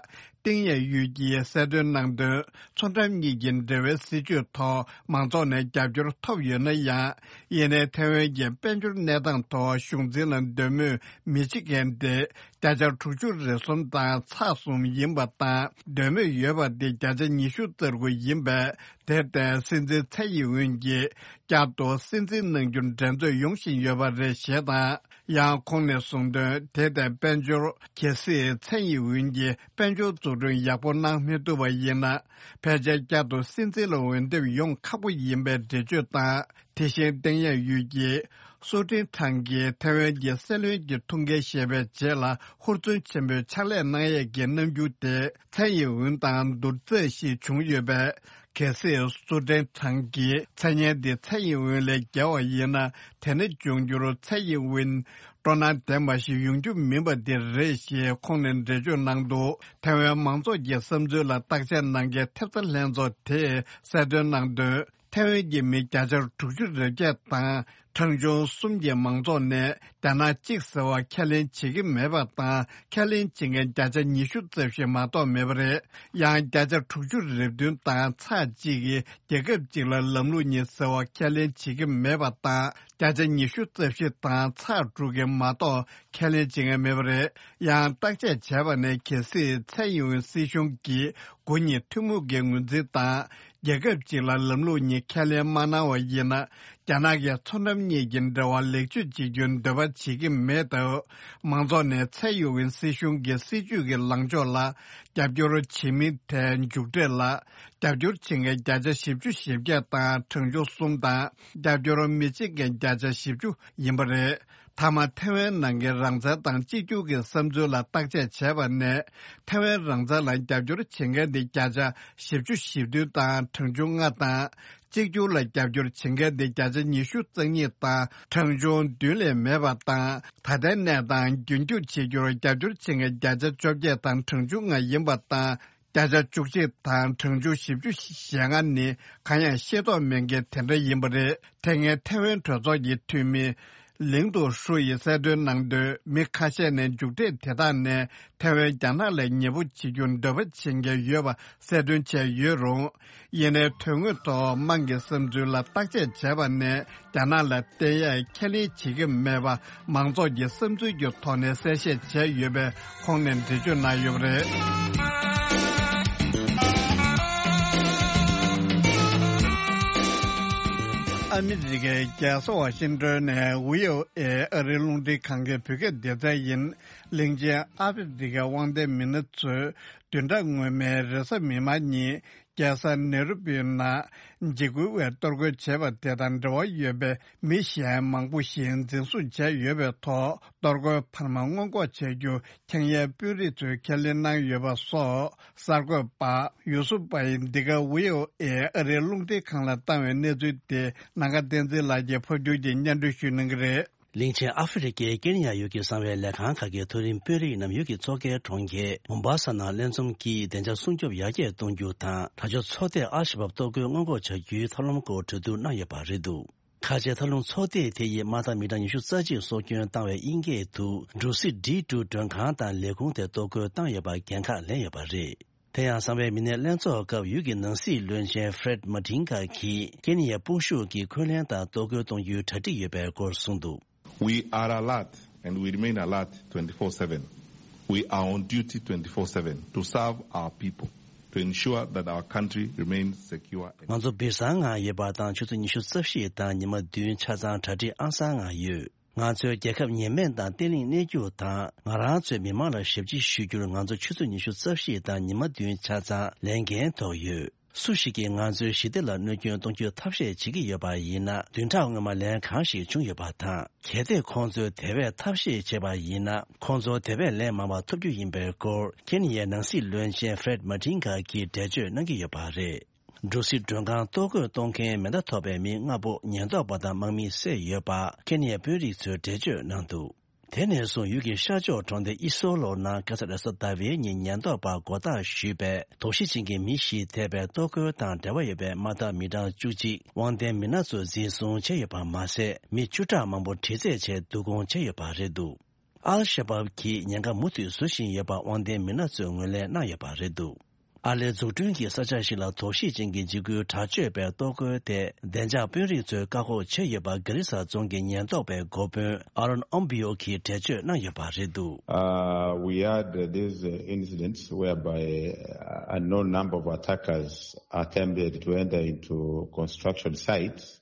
ཏིང་ཡ་ཡུས་ཀྱིས་གསལ་སྟོན་གནང་དོན། མཚོ་འགྲམ་གཉིས་ཀྱི་འབྲེལ་བའི་སྲིད་ཇུས་ཐོག་མང་ཚོགས་ནས་རྒྱབ་སྐྱོར་ཐོབ་ཡོད་ན་ཡང་། ཡིན་ནའི་ཐའེ་ཝན་གྱི་དཔལ་འབྱོར་གནས་སྟངས་ཐོག་གཞུང་འཛིན་ལ་འདོད་མོས་མི་བྱེད་མཁན་དེ། བརྒྱ་ཆ་དྲུག་ཅུ་རེ་གསུམ་དང་ཚེག་གསུམ་ཡིན་པ་དང་། འདོད་མོས་ཡོད་པ་དེ་བརྒྱ་ཆ་ཉི་ཤུ་རྩ་དགུ་ཡིན་པས། དེར་བརྟེན་སྲིད་འཛིན་ཚའེ་ཡིན་ཝུན་གྱིས་བསྐྱར་དུ་སྲིད་འཛིན་གནང་རྒྱུར་འགྲན་རྩོད་ཡོང་བཞིན་ཡོད་པ་རེད་ཞེས་དང་། ཡང་ཁོང་ནས་གསུངས་དོན། དེ་ལྟའི་དཔལ་འབྱོར་གལ་སྲིད་ཚའེ་ཡིན་ཝུན་གྱིས་དཔལ་འབྱོར་འཛུགས་སྐྲུན་ཡག་པོ་གནང་མི་ཐུབ་པ་ཡིན་ན། ཕལ་ཆེར་བསྐྱར་དུ་སྲིད་འཛིན་ལ་འོས་འདེམས་ཡོང་ཁག་པོ་ཡིན་པའི་འགྲེལ་བརྗོད་དང་། དེ་བཞིན་ཏེང་ཡན་ཡུས་ཀྱིས་སུའུ་ཀྲིན་ཁྲང་གིས་ཐའེ་ཝན་གྱི་སྲིད་བློན་གྱི་ཐུགས་འགན་བཞེས་པའི་རྗེས་ལ་ཧུར་བརྩོན་ཆེན་པོས་ཕྱག་ལས་གནང་ཡས་ཀྱི་རྣམ་འགྱུར་དེ་ཚའེ་ཡིན་ཝུན་དང་བསྡུར་ཚད་ཞིག་བྱུང་ཡོད་པས། གལ་སྲིད་སུའུ་ཀྲིན་ཁྲང་གིས་མཚན་སྙན་འདི་ཚའེ་ཡིན་ཝུན་ལས་བརྒལ་བ་ཡིན་ན། དེ་ནི་འབྱུང་འགྱུར་ཚའེ་ཡིན་ཝུན་སྤྲོ་སྣང་ལྡན་པ་ཞིག་ཡོང་རྒྱུ་མིན་པ་འདི་རེད་ཞེས་ཁོང་ནས་འགྲེལ་བརྗོད་གནང་འདུག་ཐའེ་ཝན་མང་ཚོགས་ཀྱི་བསམ་ཚུལ་ལ་བརྟག་དཔྱད་གནང་མཁན་ཐེབས་རྩ་ལྷན་ཚོགས་དེས་གསལ་སྟོན་གནང་དོན། ཐའེ་ཝན་གྱི་མི་བརྒྱ་ཆ་དྲུག་ཅུ་རེ་བརྒྱད་དང་གྲངས་ཆུང་གསུམ་གྱི་མང་ཚོགས་ནས་ རྒྱ་ནག་གཅིག་ཟེར་བ་ཁས་ལེན་བྱེད་ཀྱི་མེད་པ་དང་། ཁས་ལེན་བྱེད་མཁན་བརྒྱ་ཆ་ཉི་ཤུ་རྩ་བཞི་མ་གཏོགས་མེད་པ་རེད། ཡང་བརྒྱ་ཆ་དྲུག་ཅུ་རེ་བདུན་དང་ཚེག་གཅིག་གིས་རྒྱལ་ཁབ་གཅིག་ལ་ལམ་ལུགས་གཉིས་ཟེར་བ་ཁས་ལེན་བྱེད་ཀྱི་མེད་པ་དང་། བརྒྱ་ཆ་ཉི་ཤུ་རྩ་བཞི་དང་ཚེག་དྲུག་གིས་མ་གཏོགས་ཁས་ལེན་བྱེད་མཁན་མེད་པ་རེད། ཡང་བརྟག་དཔྱད་བྱས་པ་ནས། གལ་སྲིད་ཚད་ཡོད་སྲིད་གཞུང་གིས་དགུ་གཉིས་ཐུན་མོང་གི་ངོས་འཛིན་དང་། རྒྱལ་ཁབ་གཅིག་ལ་ལམ་ལུགས་གཉིས་ཁས་ལེན་མ་གནང་བ་ཡིན་ན། རྒྱ་ནག་གིས་མཚོ་འགྲམ་གཉིས་ཀྱི་འབྲེལ་བ་ལེགས་བཅོས་བྱེད་རྒྱུའི་འདོད་པ་བྱེད་ཀྱི་མེད་སྟབས། མང་ཚོགས་ནས་ཚད་ཡོད་ཀྱི་སྲིད་གཞུང་གི་སྲིད་ཇུས་ཀྱི་ལངས་ཕྱོགས་ལ་རྒྱབ་སྐྱོར་བྱེད་མིན་ཐད། མཇུག་འབྲས་ལ་རྒྱབ་སྐྱོར་བྱེད་མཁན་བརྒྱ་ཆ་བཞི་བཅུ་ཞེ་བརྒྱད་དང་གྲངས་ཆུང་གསུམ་དང་། རྒྱབ་སྐྱོར་མི་བྱེད་མཁན་བརྒྱ་ཆ་བཞི་བཅུ་ཡིན་པ་རེད། མཐའ་མ་ཐེ་ཝན་ནང་གི་རང་བཙན་དང་གཅིག་གྱུར་གྱི་བསམ་ཚུལ་ལ་བརྟག་དཔྱད་བྱས་པ་ནས། ཐེ་ཝན་རང་བཙན་ལ་རྒྱབ་སྐྱོར་བྱེད་མཁན་དེ་བརྒྱ་ཆ་བཞི་བཅུ་ཞེ་བདུན་དང་གྲངས་ཆུང་ལྔ་དང་། གཅིག་གྱུར་ལ་རྒྱབ་སྐྱོར་བྱེད་མཁན་དེ་བརྒྱ་ཆ་ཉི་ཤུ་རྩ་གཉིས་དང་གྲངས་ཆུང་བདུན་ལས་མེད་པ་དང་། ད་ལྟའི་གནས་སྟངས་རྒྱུན་འཁྱོངས་བྱེད་རྒྱུར་རྒྱབ་སྐྱོར་བྱེད་མཁན་བརྒྱ་ཆ་བཅོ་བརྒྱད་དང་གྲངས་ཆུང་ལྔ་ཡིན་པ་དང་། བརྒྱ་ཆ་བཅུ་གཅིག་དང་གྲངས་ཆུང་བཞི་བཅུ་ཞེ་ལྔ་ནི་གང་ཡང་ཤེས་རྟོགས་མེད་མཁན་དེ་འདྲ་ཡིན་པ་རེད། དེ་སྔའི་ཐེ་ཝན་གྲོས་ཚོགས་ཀྱི་འཐུས་མི་ལིང་ཏུ་ཧྲུ་ཡིས་གསལ་སྟོན་གནང་དོན། མི་ཁ་ཤས་ནས་མཇུག་འབྲས་དེ་དག་ནས་ཐེ་ཝན་རྒྱ་ནག་ལ་ཉེ་པོ་བྱེད་རྒྱུར་འདོད་པ་བྱེད་མཁན་ཡོད་པ་གསལ་སྟོན་བྱས་ཡོད་རུང་། ཡིན་ནའི་དོན་དངོས་ཐོག་དམངས་ཀྱི་བསམ་ཚུལ་ལ་བརྟག་དཔྱད་བྱས་པ་ནས། རྒྱ་ནག་ལ་བརྟེན་ཡས་ཁས་ལེན་བྱེད་ཀྱི་མེད་པ། མང་ཚོགས་ཀྱི་བསམ་ཚུལ་གྱི་ཐོག་ནས་གསལ་བཤད་བྱས་ཡོད་པའི་ཁོང་ནས་འགྲེལ་བརྗོད་གནང་ཡོད་པ་རེད། ཨ་མི་རི་ཀའི་རྒྱལ་ས་ཝ་ཤིང་ཏོན་ནས་ཝི་ཨོ་ཨེ་ཨ་རིའི་རླུང་འཕྲིན་ཁང་གི་བོད་སྐད་སྡེ་ཚན་ཡིན། གླིང་ཆེན་ཨ་ཧྥེ་རི་ཀའི་དབང་ལྡན་མི་སྣ་ཚོས་བདུན་ཕྲག་སྔོན་མའི་རེས་གཟའ་མིག་དམར་ཉིན། རྒྱལ་ས་ནེ་རུ་པིའི་ནང་འཇིགས་སྐུལ་བའི་གཏོར་རྒོལ་བྱས་པ་དེ་དང་འབྲེལ་བ་ཡོད་པའི་མི་གཞན་མང་པོ་ཞིག་འཛིན་བཟུང་བྱས་ཡོད་པའི་ཐོག་གཏོར་རྒོལ་འཕར་མ་སྔོན་འགོག་བྱ་རྒྱུ་འཆང་ཡའི་དཔོན་རིགས་ཚོས་ཁས་ལེན་གནང་ཡོད་པ་སོགས། གསར་འགོད་པ་ཡུ་སུབ་པ་ཡིས་འདི་ག་ཝི་ཨོ་ཨེ་ཨ་རིའི་རླུང་འཕྲིན་ཁང་ལ་བཏང་བའི་གནས་ཚུལ་དེ། ནམ་མཁའ་བསྟན་འཛིན་ལགས་ཀྱིས་ཕབ་སྒྱུར་གྱིས་སྙན་སྒྲོན་ཞུ་གནང་གི་རེད། གླིང་ཆེན་ཨ་ཧྥེ་རི་ཀའི་ཀེན་ཡ་ཡུལ་གྱི་གསང་བའི་ལས་ཁང་ཁག་གི་མཐོ་རིམ་དཔོན་རིགས་རྣམས་ཡུལ་གྱི་མཚོ་ཁའི་གྲོང་ཁྱེར་མོམ་བྷ་ས་ནང་ལྷན་འཛོམས་ཀྱིས་བདེ་འཇགས་སྲུང་སྐྱོབ་ཡར་རྒྱས་གཏོང་རྒྱུ་དང་། དྲག་སྤྱོད་ཚོགས་སྡེས་ཨལ་ཤ་བབ་གཏོར་རྒོལ་སྔོན་འགོག་བྱ་རྒྱུའི་ཐབས་ལམ་སྐོར་གྲོས་བསྡུར་གནང་ཡོད་པ་རེད་འདུག་ཁ་ཆེའི་ཐབས་ལམ་ཚོགས་སྡེ་དེ་ཡིས་དམག་འཐབ་མི་གྲངས་ཉི་ཤུ་རྩ་གཅིག་སྲོག་སྐྱོན་བཏང་བའི་དབྱིན་སྐད་དུ་འབྲུ་སི་ཌི་ཊུ་མགྲོན་ཁང་དང་ལས་ཁུངས་དེ་གཏོར་རྒོལ་བཏང་ཡོད་པར་འགན་ཁག་ལེན་ཡོད་པ་རེད། དེ་ཡང་གསང་བའི་མི་སྣའི་ལྷན་ཚོགས་སྐབས་ཡུལ་གྱི་ནང་སྲིད་བློན་ཆེན་ཧྥེ་རེད་མ་ཏིན་ཀ་གིས་ཀེན་ཡའི་དཔུང་ཤུགས་ཀྱིས་འཁོན་ལན་དང་གཏོར་རྒོལ་གཏོང་རྒྱུའི་གྲ་སྒྲིག་ཡོད་པའི་སྐོར་གསུངས་འདུག We are alert and we remain alert twenty-four seven. We are on duty twenty-four seven to serve our people, to ensure that our country remains secure. ང་ཚོ་སྦིར་སང་ངང་ཡོད་པ་དང་ཆུ་ཚོད་ཉི་ཤུ་རྩ་བཞི་དང་ཉི་མ་བདུན་ཆ་ཚང་གྲ་སྒྲིག་ཨང་གསར་ངང་ཡོད། ང་ཚོའི་རྒྱལ་ཁབ་ཉེན་མེད་དང་བརྟན་ལྷིང་གནས་རྒྱུ་དང་། ང་རང་ཚོའི་མི་མང་ལ་ཞབས་ཕྱི་ཞུ་རྒྱུར་ང་ཚོ་ཆུ་ཚོད་ཉི་ཤུ་རྩ་བཞི་དང་ཉི་མ་བདུན་ཆ་ཚང་ལས་འགན་ཐོག་ཡོད། སུ་ཞིག་གིས་ང་ཚོའི་ཞི་བདེ་ལ་གནོད་སྐྱོན་གཏོང་རྒྱུའི་ཐབས་ཤེས་བྱེད་ཀྱི་ཡོད་པ་ཡིན་ན། བདུན་ཕྲག་སྔོན་མ་ལན་གང་ཞིག་བྱུང་ཡོད་པ་དང་། གལ་ཏེ་ཁོང་ཚོས་དེ་བས་ཐབས་ཤེས་བྱས་པ་ཡིན་ན། ཁོང་ཚོར་དེ་བས་ལན་མང་བ་ཐོབ་རྒྱུ་ཡིན་པའི་སྐོར་ཁེ་ནི་ཡའི་ནང་སྲིད་བློན་ཆེན་ཧྥེ་རེད་མ་ཏིན་ཀ་གིས་འགྲེལ་བརྗོད་གནང་གི་ཡོད་པ་རེད། འབྲུ་སི་མགྲོན་ཁང་གཏོར་རྒོལ་གཏོང་མཁན་མེ་མདའ་ཐོགས་པའི་མི་ལྔ་པོ་ཉེན་རྟོག་པ་དང་དམག་མིས་བསད་ཡོད་པ་ཁེ་ནི་ཡའི་དཔོན་རིགས་ཚོས་འགྲེལ་བརྗོད་གནང་འདུག་དེ་ནས་བཟུང་ཡུལ་གྱི་ཤར་ཕྱོགས་གྲོང་སྡེ་ཨི་སོ་ལོ་ནང་ཁ་སང་རེས་གཟའ་ཟླ་བའི་ཉིན་ཉེན་རྟོག་པ་མགོ་བཏགས་ཞུས་པའི་དོགས་གཞི་ཅན་གྱི་མི་བཞི་ཐེ་བའི་གཏོར་རྒོལ་དང་འབྲེལ་བ་ཡོད་པའི་དམག་འཐབ་མི་གྲངས་བཅུ་གཅིག་དབང་ལྡན་མི་སྣ་ཚོ་འཛིན་བཟུང་བྱས་ཡོད་པ་མ་ཟད། མི་བཅུ་ཕྲག་མང་པོ་དྲི་རྩད་བྱས་བསྡུ་སྐོང་བྱས་ཡོད་པ་རེད་འདུག་ཨལ་ཤ་བབ་ཀྱིས་ཉེན་ཁ་མུ་མཐུད་བཟོ་བཞིན་ཡོད་པ་དབང་ལྡན་མི་སྣ་ཚོས་ངོས་ལེན་གནང་ཡོད་པ་རེད་འདུག་ཨ་ལའི་འཛུགས་སྐྲུན་གྱི་ས་ཆ་ཞིག་ལ་དོགས་གཞི་ཅན་གྱི་འཇིགས་སྐུལ་དྲག་སྤྱོད་པའི་གཏོར་རྒོལ་དེ་བདེ་འཇགས་དཔོན་རིགས་ཚོས་བཀག་འགོག་བྱས་ཡོད་པ་གྷ་རི་ས་རྫོང་གི་ཉེན་རྟོག་པའི་འགོ་དཔོན་ཨ་རོན་ཨོམ་བི་ཡོ་གིས་འགྲེལ་བརྗོད་གནང་ཡོད་པ་རེད་འདུག Uh, we had uh, these uh, incidents whereby uh, unknown number of attackers attempted to enter into construction sites.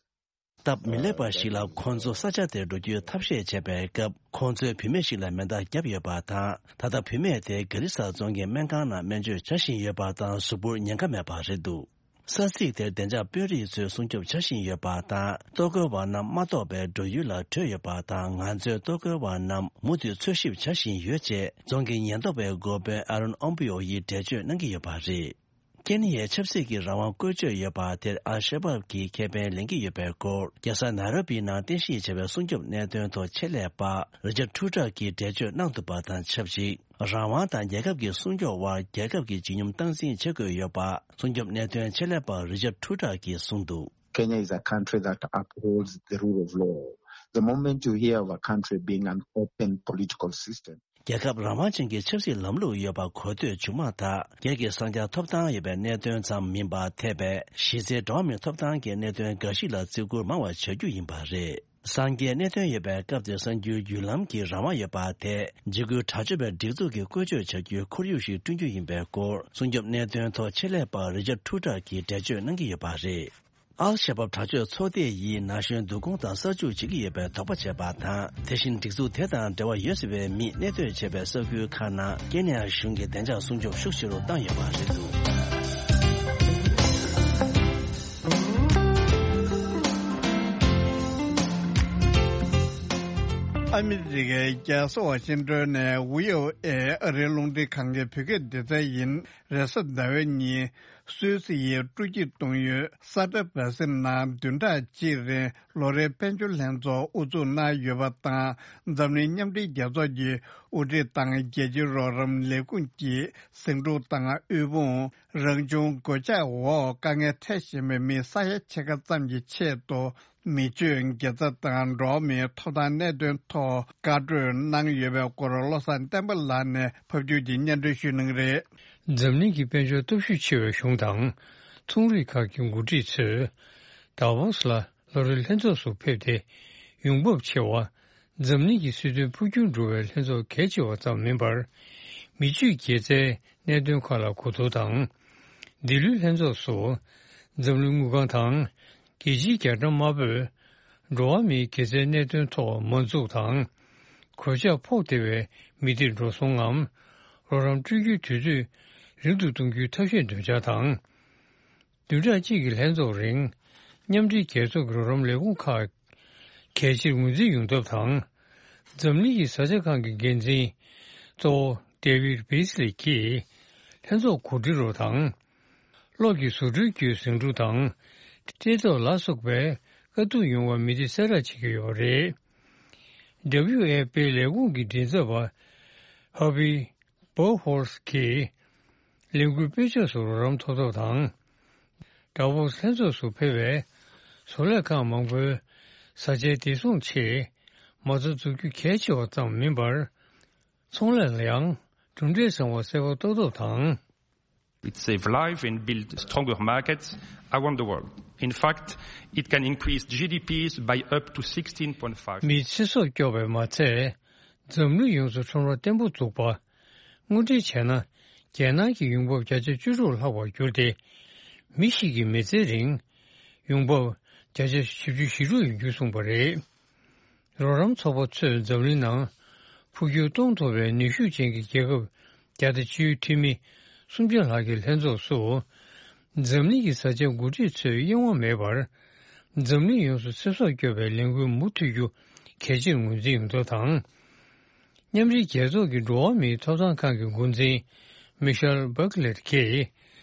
སྟབས་མི་ལེགས་པ་ཞིག་ལ་ཁོང་ཚོ་ས་ཆ་དེར་འགྲོ་རྒྱུའི་ཐབས་ཤེས་བྱས་པའི་སྐབས། ཁོང་ཚོས་བུད་མེད་ཞིག་ལ་མེ་མདའ་བརྒྱབ་ཡོད་པ་དང་། ད་ལྟ་བུད་མེད་དེ་གྷ་རི་ས་རྫོང་གི་སྨན་ཁང་ནང་སྨན་བཅོས་བྱ་བཞིན་ཡོད་པ་དང་། གཟུགས་པོར་ཉེན་ཁ་མེད་པ་རེད་འདུག་ས་ཚིགས་དེར་བདེ་འཇགས་དཔོན་རིགས་ཚོས་སྲུང་སྐྱོབ་བྱ་བཞིན་ཡོད་པ་དང་། གཏོར་རྒོལ་བ་རྣམས་མ་གཏོགས་པའི་འགྲོ་ཡུལ་ལ་བྲོས་ཡོད་པ་དང་། ང་ཚོས་གཏོར་རྒོལ་བ་རྣམས་མུ་མཐུད་འཚོལ་ཞིབ་བྱ་བཞིན་ཡོད་ཅེས་རྫོང་གི་ཉེན་རྟོག་པའི་འགོ་དཔོན་ཨ་རོན་ཨོམ་པུ་ཡོ་ཡིས་འགྲེལ་བརྗོད་གནང་གི་ཡོད་པ་རེད། ཀེན་ཡའི་ཆབ་སྲིད་ཀྱི་རང་དབང་བཀོལ་སྤྱོད་ཡོད་པ་དེར་ཨལ་ཤ་བབ་ཀྱིས་ཁེ་ཕན་ལེན་གྱི་ཡོད་པའི་སྐོར། རྒྱལ་ས་ནཱ་རོ་པི་ནང་རྟེན་གཞི་བྱས་པའི་སྲུང་སྐྱོབ་གནད་དོན་ཐོག་ཆེད་ལས་པ་རི་ཅར་ཊུ་ཊར་གྱིས་འགྲེལ་བརྗོད་གནང་འདུག་པ་དང་ཆབས་ཅིག་རང་དབང་དང་རྒྱལ་ཁབ་ཀྱི་སྲུང་སྐྱོབ་དབར་རྒྱལ་ཁབ་ཀྱི་བརྗིད་ཉམས་སྟངས་འཛིན་བྱེད་དགོས་ཡོད་པ། སྲུང་སྐྱོབ་གནད་དོན་ཆེད་ལས་པ་རི་ཅར་ཊུ་ཊར་གྱིས་གསུངས་འདུག Kenya is a country that upholds the rule of law. the moment you hear of a country being an open political system. རྒྱལ་ཁབ་རང་དབང་ཅན་གྱི་ཆབ་སྲིད་ལམ་ལུགས་ཡོད་པ་གོ་ཐོས་བྱུང་མ་ཐག་སྒེར་གྱི་གསང་རྒྱ་ཐོབ་ཐང་ཡོད་པའི་གནད་དོན་ཙམ་མིན་པར་འཐད་པའི་གཞི་རྩའི་འགྲོ་བ་མིའི་ཐོབ་ཐང་གི་གནད་དོན་འགའ་ཞིག་ལ་བརྩི་བཀུར་མང་བ་བྱ་རྒྱུ་ཡིན་པ་རེད། གསང་རྒྱའི་གནད་དོན་ཡོད་པའི་སྐབས་དེར་གསར་འགྱུར་བརྒྱུད་ལམ་གྱི་རང་དབང་ཡོད་པ་དེ་འཇིགས་སྐུལ་དྲག་སྤྱོད་པའི་སྒྲིག་འཛུགས་ཀྱིས་བཀོལ་སྤྱོད་བྱ་རྒྱུའི་ཁོར་ཡུག་ཞིག་བསྐྲུན་རྒྱུ་ཡིན་པའི་སྐོར་སྲུང་སྐྱོབ་གནད་དོན་ཐོག་ཆེད་ལས་པ་རི་ཅར་ཁྲུ་ཀྲར་གྱིས་འགྲེལ་བརྗོད་གནང་གི་ཡོད་པ་རེད། ཨལ་ཤ་བབ་དྲག་སྤྱོད་ཚོགས་སྡེ་ཡིས་ན་གཞོན་བསྡུ་སྐོང་དང་གསར་འཇུག་བྱེད་ཀྱི་ཡོད་པའི་དོགས་པ་བྱས་པ་དང་། དེ་བཞིན་སྒྲིག་འཛུགས་དེ་དང་འབྲེལ་བ་ཡོད་ཟེར་བའི་མིས་གནས་སྡོད་བྱས་པའི་ས་ཁུལ་ཁག་ནང་ཀེ་ནི་ཡ་གཞུང་གིས་བདེ་འཇགས་སྲུང་སྐྱོབ་ཤུགས་ཆེ་རུ་བཏང་ཡོད་པ་རེད་འདུག་ཨ་མི་རི་ཀའི་རྒྱལ་ས་ཝ་ཤིང་ཏོན་ནས་བྷི་ཨོ་ཨེ་ཨ་རིའི་རླུང་འཕྲིན་ཁང་གི་བོད་སྐད་སྡེ་ཚན་ཡིན། རེས་གཟའ་ཟླ་བའི་ཉིན་སུད་སི་ཡི་སྤྲོ་སྐྱིད་གཏོང་ཡུལ་ས་ཏྲ་བྷ་སི་ནང་བདུན་ཕྲག་གཅིག་རིང་ལོ་རེའི་དཔལ་འབྱོར་ལྷན་ཚོགས་དབུ་འཛུགས་གནང་ཡོད་པ་དང་། འཛམ་གླིང་མཉམ་འབྲེལ་རྒྱལ་ཚོགས་ཀྱི་དབུ་ཁྲིད་དང་རྒྱལ་སྤྱིའི་རོགས་རམ་ལས་ཁུངས་ཀྱི་ཟིང་འཁྲུག་དང་དབུལ་ཕོངས། རང་བྱུང་གོད་ཆག་འོག་དཀའ་ངལ་འཕྲད་བཞིན་པའི་མི་ས་ཡ་ཕྱེད་ཀ་ཙམ་གྱི་ཆེད་དུ། མི་སྤྱོད་དགེ་རྩ་དང་འགྲོ་བ་མིའི་ཐོབ་ཐང་གནད་དོན་ཐོག་བཀའ་གྲོས་གནང་ཡོད་པའི་སྐོར་བློ་བཟང་བསྟན་པ་ལགས་ནས་ཕབ་སྒྱུར་གྱིས་སྙན་སྒྲོན་ཞུ་གནང་གི་རེད། འཛམ་གླིང་གི་དཔལ་འབྱོར་སྟོབས་ཤུགས་ཆེ་བའི་གཞུང་དང་། ཚོང་རིགས་ཁག་གི་འགོ་ཁྲིད་ཚོས་ཌ་ཝོ་སི་ལ་ལོ་རེའི་ལྷན་ཚོགས་སུ་ཕེབས་ཏེ། ཡོང་འབབ་ཆེ་བ། འཛམ་གླིང་གི་སྲིད་དོན་འཕོ་འགྱུར་འགྲོ་བའི་ལྷན་ཚོགས་གལ་ཆེ་བ་ཙམ་མིན་པར། མི་སྤྱོད་དགེ་རྩའི་གནད་དོན་ཁག་ལ་གོ་བསྡུར་དང་། འདི་ལོའི་ལྷན་ཚོགས་སུ། འཛམ་གླིང་དངུལ་ཁང་དང་། རྒྱལ་སྤྱིའི་རྒྱ་གྲམ་དམར་པོས། འགྲོ་བ་མིའི་དགེ་རྩའི་གནད་དོན་ཐོག་མ་འཛུགས་དང་། གོད་ཆག་ཕོག་བདེ་བའི་མི་སྡེར་འགྲོ་སོང་ངམ། རོགས་རམ་སྤྲོད་རྒྱུའི་དུས་ཚོད་རིང་དུ་གཏོང་རྒྱུའི་ཐབས་ཤེས་འདོན་འཆར་དང་། བདུན་ཕྲག་གཅིག་གི་ལྷན་ཚོགས་རིང་། མཉམ་འབྲེལ་རྒྱལ་ཚོགས་ཀྱི་རོགས་རམ་ལས་ཁུངས་ཁག་གལ་ཆེར་ངོས་འཛིན་ཡོང་ཐབས་དང་། འཛམ་གླིང་གི་བཟའ་བཅའ་ཁང་གི་འགན་འཛིན་གཙོ་བོ་ཌེ་ཝིད་བྷི་སི་ལི་ཀྱིས་ལྷན་ཚོགས་གོ་སྒྲིག་རོགས་དང་། གློག་གི་བཟོ་སྐྲུན་བརྒྱུད་ཟིང་འཁྲུག་དང་། བཀྲེས་ལྟོགས་ལ་སོགས་པའི་དཀའ་སྡུག་ཡོང་བར་མི་སྡེ་གསལ་བསྒྲགས་བྱེད་ཀྱི་ཡོད་པ་རེད། ཌབ་ལིའུ་ཨེཕ་པིའི་ལས་ཁུངས་ཀྱི་མགྲིན་ཚབ་པ་ཧ་བི། པོ་ཧོལ་གྱིས་ལས་འགུལ་སྤེལ་ཕྱོགས་སུ་རོགས་རམ་ཐོབ་ཐབས་དང་། ཌ་ཝོ་སི་ལྷན་ཚོགས་སུ་ཕེབས་པའི་བཟོ་ལས་ཁང་མང་པོའི་བཟའ་བཅའི་བདེ་སྲུང་ཆེད་མ་རྩ་འཛུགས་རྒྱུ་གལ་ཆེ་བ་ཙམ་མིན་པར། ཚོང་ལས་ལ་ཡང་གྲུབ་འབྲས་བཟང་བ་གསལ་པོ་རྟོགས་ཐབས་དང་། It save life and build stronger markets around the world. In fact, it can increase G D Ps by up to sixteen point five. མིའི་ཚེ་སྲོག་སྐྱོབ་པས་མ་ཚད། འཛམ་གླིང་ཡོངས་སུ་ཁྲོམ་ར་བརྟན་པོ་འཛུགས་པ། དངོས་འབྲེལ་བྱས་ན། རྒྱལ་ནང་གི་ཡོང་འབབ་བརྒྱ་ཆ་བཅུ་དྲུག་ལྷག་པར་གྱུར་ཏེ། མི་ཞིག་གི་མི་ཚེའི་རིང་ཡོང་འབབ་བརྒྱ་ཆ་བཞི་བཅུ་ཞེ་དྲུག་ཡོང་རྒྱུ་གསུངས་པ་རེད། རོགས་རམ་ཚོགས་པ་ཚོས་འཛམ་གླིང་ནང་འཕོ་འགྱུར་གཏོང་ཐུབ་པའི་ནུས་ཤུགས་ཅན་གྱི་རྒྱལ་ཁབ་བརྒྱ་དང་བཅུའི་འཐུས་མི་སུམ་བརྒྱ་ལྷག་གི་ལྷན་ཚོགས་སུ། འཛམ་གླིང་གི་བཟའ་བཅའ་འགོ་ཁྲིད་ཚོས་གཡེང་བ་མེད་པར། འཛམ་གླིང་ཡོངས་སུ་ཚེ་སྲོག་སྐྱོབ་པའི་ལས་འགུལ་མུ་མཐུད་རྒྱུ་གལ་ཆེར་ངོས་འཛིན་ཡོང་ཐབས་དང་། མཉམ་འབྲེལ་རྒྱལ་ཚོགས་ཀྱི་འགྲོ་བ་མིའི་ཐོབ་ཐང་ཁང་གི་འགོ་འཛིན་མི་ཤེལ་བྷག་ལེར་གྱིས་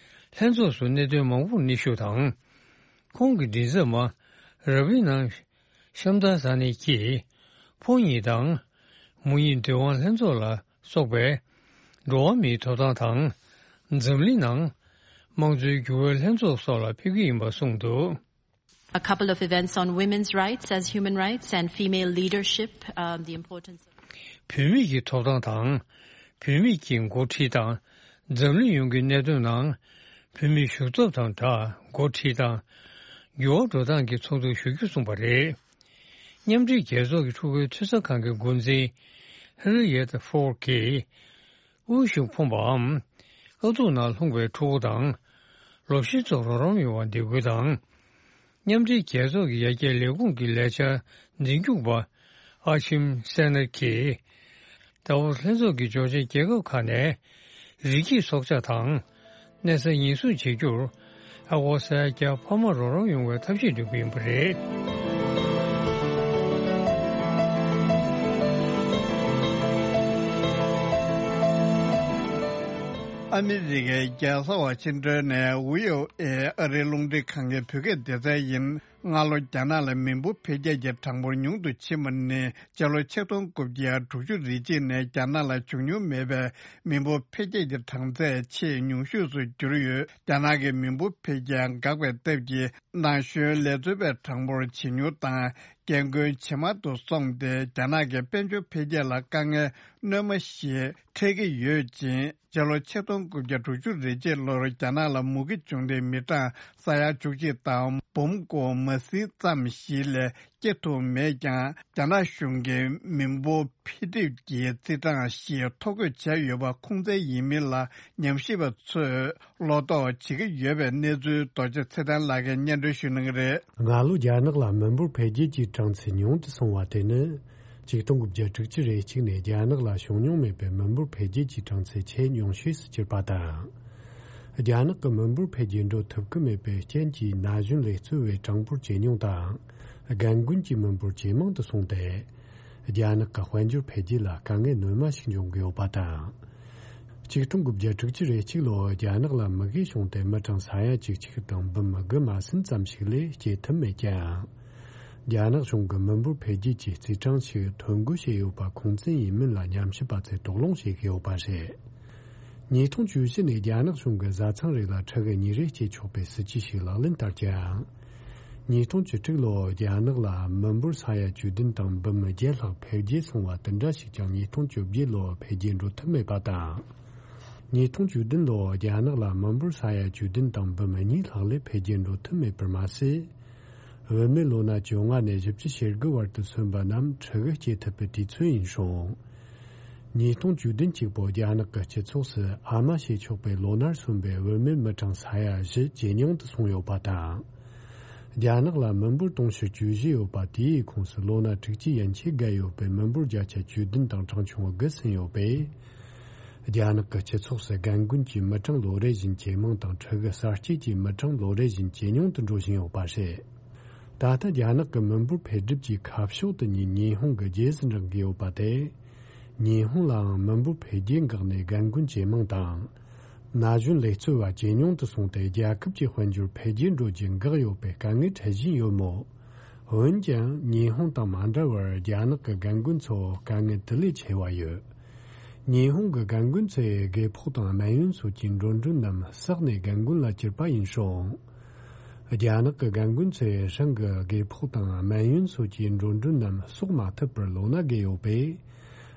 ལྷན་ཚོགས་སུ་གནད་དོན་མང་པོར་སྙན་ཞུ་དང་། ཁོང་གི་མགྲིན་ཚབ་མ་ར་བི་ནང་ཤམ་ད་ས་ནི་གྱིས་ཕོ་ཉིད་དང་མོ་ཉིད་འདུན་དབང་ལྷན་ཚོགས་ལ་སོགས་པའི་འགྲོ་བ་མིའི་ཐོབ་ཐང་དང་། འཛམ་གླིང་ནང་དམངས་གཙོའི་འགྱུར་བའི་ལྷན་ཚོགས་སོགས་ལ་ཕེབས་ཀྱི་ཡིན་པ་གསུངས་འདུག། A couple of events on women's rights as human rights and female leadership, um, the importance of བུད་མེད་ཀྱི་ཐོབ་ཐང་དང་། བུད་མེད་ཀྱི་འགོ་ཁྲིད་དང་། འཛམ་གླིང་ཡོངས་ཀྱི་གནད་དོན་ནང་བུད་མེད་ཞུགས་ཐབས་དང་སྦྲགས་འགོ་ཁྲིད་དང་། འགྱུར་བ་འགྲོ་སྟངས་ཀྱི་ཚོགས་འདུར་ཞུགས་རྒྱུ་གསུངས་པ་རེད། མཉམ་འབྲེལ་རྒྱལ་ཚོགས་ཀྱི་ཕྲུ་གུའི་འཐུས་ཚབ་ཁང་གི་འགོ་འཛིན་ཧེ་རི་ཡེད་ཧྥོར་གྱིས། དབུལ་ཞིང་ཕོངས་པའམ། དཀའ་སྡུག་ནང་ལྷུང་བའི་ཕྲུ་གུ་དང་། ལོ་ཤས་ཐོག་རོགས་རམ་ཡོང་བར་འདེད་སྐུལ་དང་། མཉམ་འབྲེལ་རྒྱལ་ཚོགས་ཀྱི་ཡར་རྒྱས་ལས་ཁུངས་ཀྱི་ལས་འཆར་འཛིན་སྐྱོང་པ་ཨ་ཆིམ་སེ་ནར་གྱིས། ཏཱ་ཝོ་སི་ལྷན་ཚོགས་ཀྱི་འབྱོར་ཆེན་རྒྱལ་ཁབ་ཁག་ནས་རི་སྐྱེས་སྲོག་ཆགས་དང་། གནས་ས་ཉེན་སྲུང་བྱེད་རྒྱུར་ཨ་སྒོར་ས་ཡ་བརྒྱ་འཕར་མ་རོགས་རམ་ཡོང་བའི་ཐབས་ཤེས་འདོན་གྱི་ཡིན་པ་རེད། ཨ་མི་རི་ཀའི་རྒྱལ་ས་ཝ་ཤིང་ཏོན་ནས་བྷི་ཨོ་ཨེ་ཨ་རིའི་རླུང་འཕྲིན་ཁང་གི་བོད་སྐད་སྡེ་ཚན་ཡིན། སྔ་ལོ་རྒྱ་ནག་ལ་མི་འབོར་འཕེལ་རྒྱས་ཀྱི་གྲངས་འབོར་ཉུང་དུ་ཕྱིན་པ་ནི་སྤྱི་ལོ་ཆིག་སྟོང་དགུ་བརྒྱ་དྲུག་ཅུ་རེ་གཅིག་ནས་རྒྱ་ནག་ལ་བྱུང་མྱོང་མེད་པའི་མི་འབོར་འཕེལ་རྒྱས་ཀྱི་གྲངས་ཚད་ཆེས་ཉུང་ཤོས་སུ་གྱུར་ཡོད། རྒྱ་ནག་གི་མི་འབོར་འཕེལ་རྒྱས་འགག་པའི་སྟབས་ཀྱིས་ན་གཞོན་ལས་བཟོ་པའི་གྲངས་འབོར་ཇེ་ཉུང་དང་རྒན་རྒོན་ཇེ་དམའ་དུ་སོང་སྟེ། རྒྱ་ནག་གི་དཔལ་འབྱོར་འཕེལ་རྒྱས་ལ་དཀའ་ངལ་སྣོན་མ་ཞིག་འཕྲད་ཀྱི་ཡོད་ཅིང་། སྤྱི་ལོ་ཆིག་སྟོང་དགུ་བརྒྱ་དྲུག་ཅུ་རེ་གཅིག་ལོར་རྒྱ་ནག་ལ་མུ་གེ་བྱུང་སྟེ་མི་གྲངས་ས་ཡ་བཅུ་གཅིག་དང་འབུམ་སྒོར་མ་ཟིན་ཙམ་ཞིག་ལས་སྐྱེ་ཐུབ་མེད་ཀྱང་། རྒྱ་ནག་གཞུང་གིས་མི་འབོར་འཕེལ་འགྲིབ་ཀྱི་རྩིས་གྲངས་ཤིག་ཐོ་འགོད་བྱས་ཡོད་པ་ཁུངས་བཙན་ཡིན་མིན་ལ་ཉམས་ཞིབ་པ་ཚོས་བློ་དོགས་བྱེད་ཀྱི་ཡོད་པའི་གནས་ཚུལ་རྡོ་རྗེ་ཚེ་བརྟན་ལགས་ཀྱིས་སྙན་སྒྲོན་ཞུ་གནང་གི་རེད། སྔ་ལོ་རྒྱ་ནག་ལ་མི་འབོར་འཕེལ་རྒྱས་ཀྱི་གྲངས་ཚད་ཉུང་དུ་སོང་བ་དེ་ནི། ཆིག་སྟོང་དགུ་བརྒྱ་དྲུག་ཅུ་རེ་གཅིག་ནས་རྒྱ་ནག་ལ་བྱུང་མྱོང་མེད་པའི་མི་འབོར་འཕེལ་རྒྱས་ཀྱི་གྲངས་ཚད་ཆེས་ཉུང་ཤོས་སུ་གྱུར་པ་དང་། རྒྱ་ནག་གི་མི་འབོར་འཕེལ་རྒྱས་འགྲོ་ཐུབ་ཀྱི་མེད་པའི་རྐྱེན་གྱིས་ན་གཞོན་ལས་བརྩོན་པའི་གྲངས་འབོར་ཇེ་ཉུང་དང་། རྒན་རྒོན་གྱི་མི་འབོར་ཇེ་མང་དུ་སོང་སྟེ། རྒྱ་ནག་གི་དཔལ་འབྱོར་འཕེལ་རྒྱས་ལ་དཀའ་ངལ་སྣོན་མ་ཞིག་འབྱུང་གི་ཡོད་པ་དང་། ཆིག་སྟོང་དགུ་བརྒྱ་དྲུག་ཅུ་རེ་གཅིག་ལོར་རྒྱ་ནག་ལ་མུ་གེ་བྱུང་སྟེ་མི་གྲངས་ས་ཡ་བཅུ་གཅིག་དང་འབུམ་དགུ་མ་ཟིན་ཙམ་ཞིག་ལས་སྐྱེ་ཐུབ་མེད་ཀྱང་། རྒྱ་ནག་གཞུང་གིས་མི་འབོར་འཕེལ་རྒྱས་ཀྱི་རྩིས་གྲངས་ཤིག་ཐོ་འགོད་བྱས་ཡོད་པ་ཁུངས་བཙན་ཡིན་མིན་ལ་ཉམས་ཞིབ་པ་ཚོས་དོགས་སློང་བྱེད་ཀྱི་ཡོད་པ་རེད། ཉིས་སྟོང་བཅུ་བཞི་ནས་རྒྱ་ནག་གཞུང་གིས་བཟའ་ཚང་རེ་ལ་ཕྲུ་གུ་གཉིས་རེ་སྐྱེ་ཆོག་པའི་སྲིད་ཇུས་ཤིག་ལག་ལེན་བསྟར་ཀྱང་། ཉིས་སྟོང་བཅུ་དྲུག་ལོར་རྒྱ་ནག་ལ་མི་འབོར་ས་ཡ་བཅུ་བདུན་དང་འབུམ་བརྒྱད་ལྷག་འཕེལ་རྒྱས་སོང་བ་དེ་འདྲ་ཞིག་ཀྱང་ཉིས་སྟོང་བཅོ་བརྒྱད་ལོར་འཕེལ་རྒྱས་འགྲོ་ཐུབ་མེད་པ་དང་། ཉིས་སྟོང་བཅུ་བདུན་ལོར་རྒྱ་ནག་ལ་མི་འབོར་ས་ཡ་བཅུ་བདུན་དང་འབུམ་གཉིས་ལྷག་ལས་འཕེལ་རྒྱས་འགྲོ་ཐུབ་མེད་པར་མ་ཟད། བུད་མེད་ལོ་ན་བཅོ་ལྔ་ནས་བཞི་བཅུ་ཞེ་དགུ་བར་དུ་སོན་པ་རྣམས་ཕྲུ་གུ་སྐྱེ་ཐུབ་པའི་དུས་ཚོད་ཡིན་སོང་། ཉིས་སྟོང་བཅུ་བདུན་གཅིག་པོ་རྒྱ་ནག་གི་སྤྱི་ཚོགས་སུ་ཨ་མ་བྱེད་ཆོག་པའི་ལོ་ནར་སོན་པའི་བུད་མེད་མི་གྲངས་ས་ཡ་བཞི་ཇེ་ཉུང་དུ་སོང་ཡོད་པ་དང་། རྒྱ་ནག་ལ་མི་འབོར་དུང་ཕྱུར་བཅུ་བཞི་ཡོད་པ་དེའི་ཁོངས་སུ་ལོ་ན་དྲུག་ཅུ་ཡན་ཆད་བརྒལ་ཡོད་པའི་མི་འབོར་བརྒྱ་ཆ་བཅུ་བདུན་དང་གྲངས་ཆུང་དགུ་ཟིན་ཡོད་པས། རྒྱ་ནག་གི་སྤྱི་ཚོགས་སུ་རྒན་རྒོན་གྱི་མི་གྲངས་ལོ་རེ་བཞིན་ཇེ་མང་དང་ཕྲུ་གུ་གསར་སྐྱེས་ཀྱི་མི་གྲངས་ལོ་རེ་བཞིན་ཇེ་ཉུང་དུ་འགྲོ་བཞིན་ཡོད་པ་རེད། ད་ལྟ་རྒྱ་ནག་གི་མི་འབོར་འཕེལ་འགྲིབ་ཀྱི་ཁ་ཕྱོགས་དེ་ཉིད་ཉི་ཧོང་གི་རྗེས་སུ་འབྲང་གི་ཡོད་པ་དེ། ཉི་ཧོང་ལའང་མི་འབོར་འཕེལ་རྒྱས་འགག་ནས་རྒན་རྒོན་ཇེ་མང་དང་། ན་གཞོན་ལས་བརྩོན་པ་ཇེ་ཉུང་དུ་སོང་སྟེ། རྒྱལ་ཁབ་ཀྱི་དཔལ་འབྱོར་འཕེལ་རྒྱས་འགྲོ་རྒྱུ་འགག་ཡོད་པའི་དཀའ་ངལ་འཕྲད་བཞིན་ཡོད་མོད། འོན་ཀྱང་ཉི་ཧོང་དང་མ་འདྲ་བར་རྒྱ་ནག་གི་རྒན་རྒོན་ཚོ་དཀའ་ངལ་དེ་ལས་ཆེ་བ་ཡོད། ཉི་ཧོང་གི་རྒན་རྒོན་ཚོས་དགོས་ཕོགས་དང་སྨན་ཡོན་སོགས་ཀྱི་འགྲོ་གྲོན་རྣམས་བསགས་ནས་རྒན་རྒོན་ལ་བསྐྱུར་པ་ཡིན་སོང་། རྒྱ་ནག་གི་རྒན་རྒོན་ཚོས་རང་གི་དགོས་ཕོགས་དང་སྨན་ཡོན་སོགས་ཀྱི་འགྲོ་གྲོན་རྣམས་གསོག་མ་ཐུབ་པར་ལོ་ན་བརྒལ་ཡོད་པས།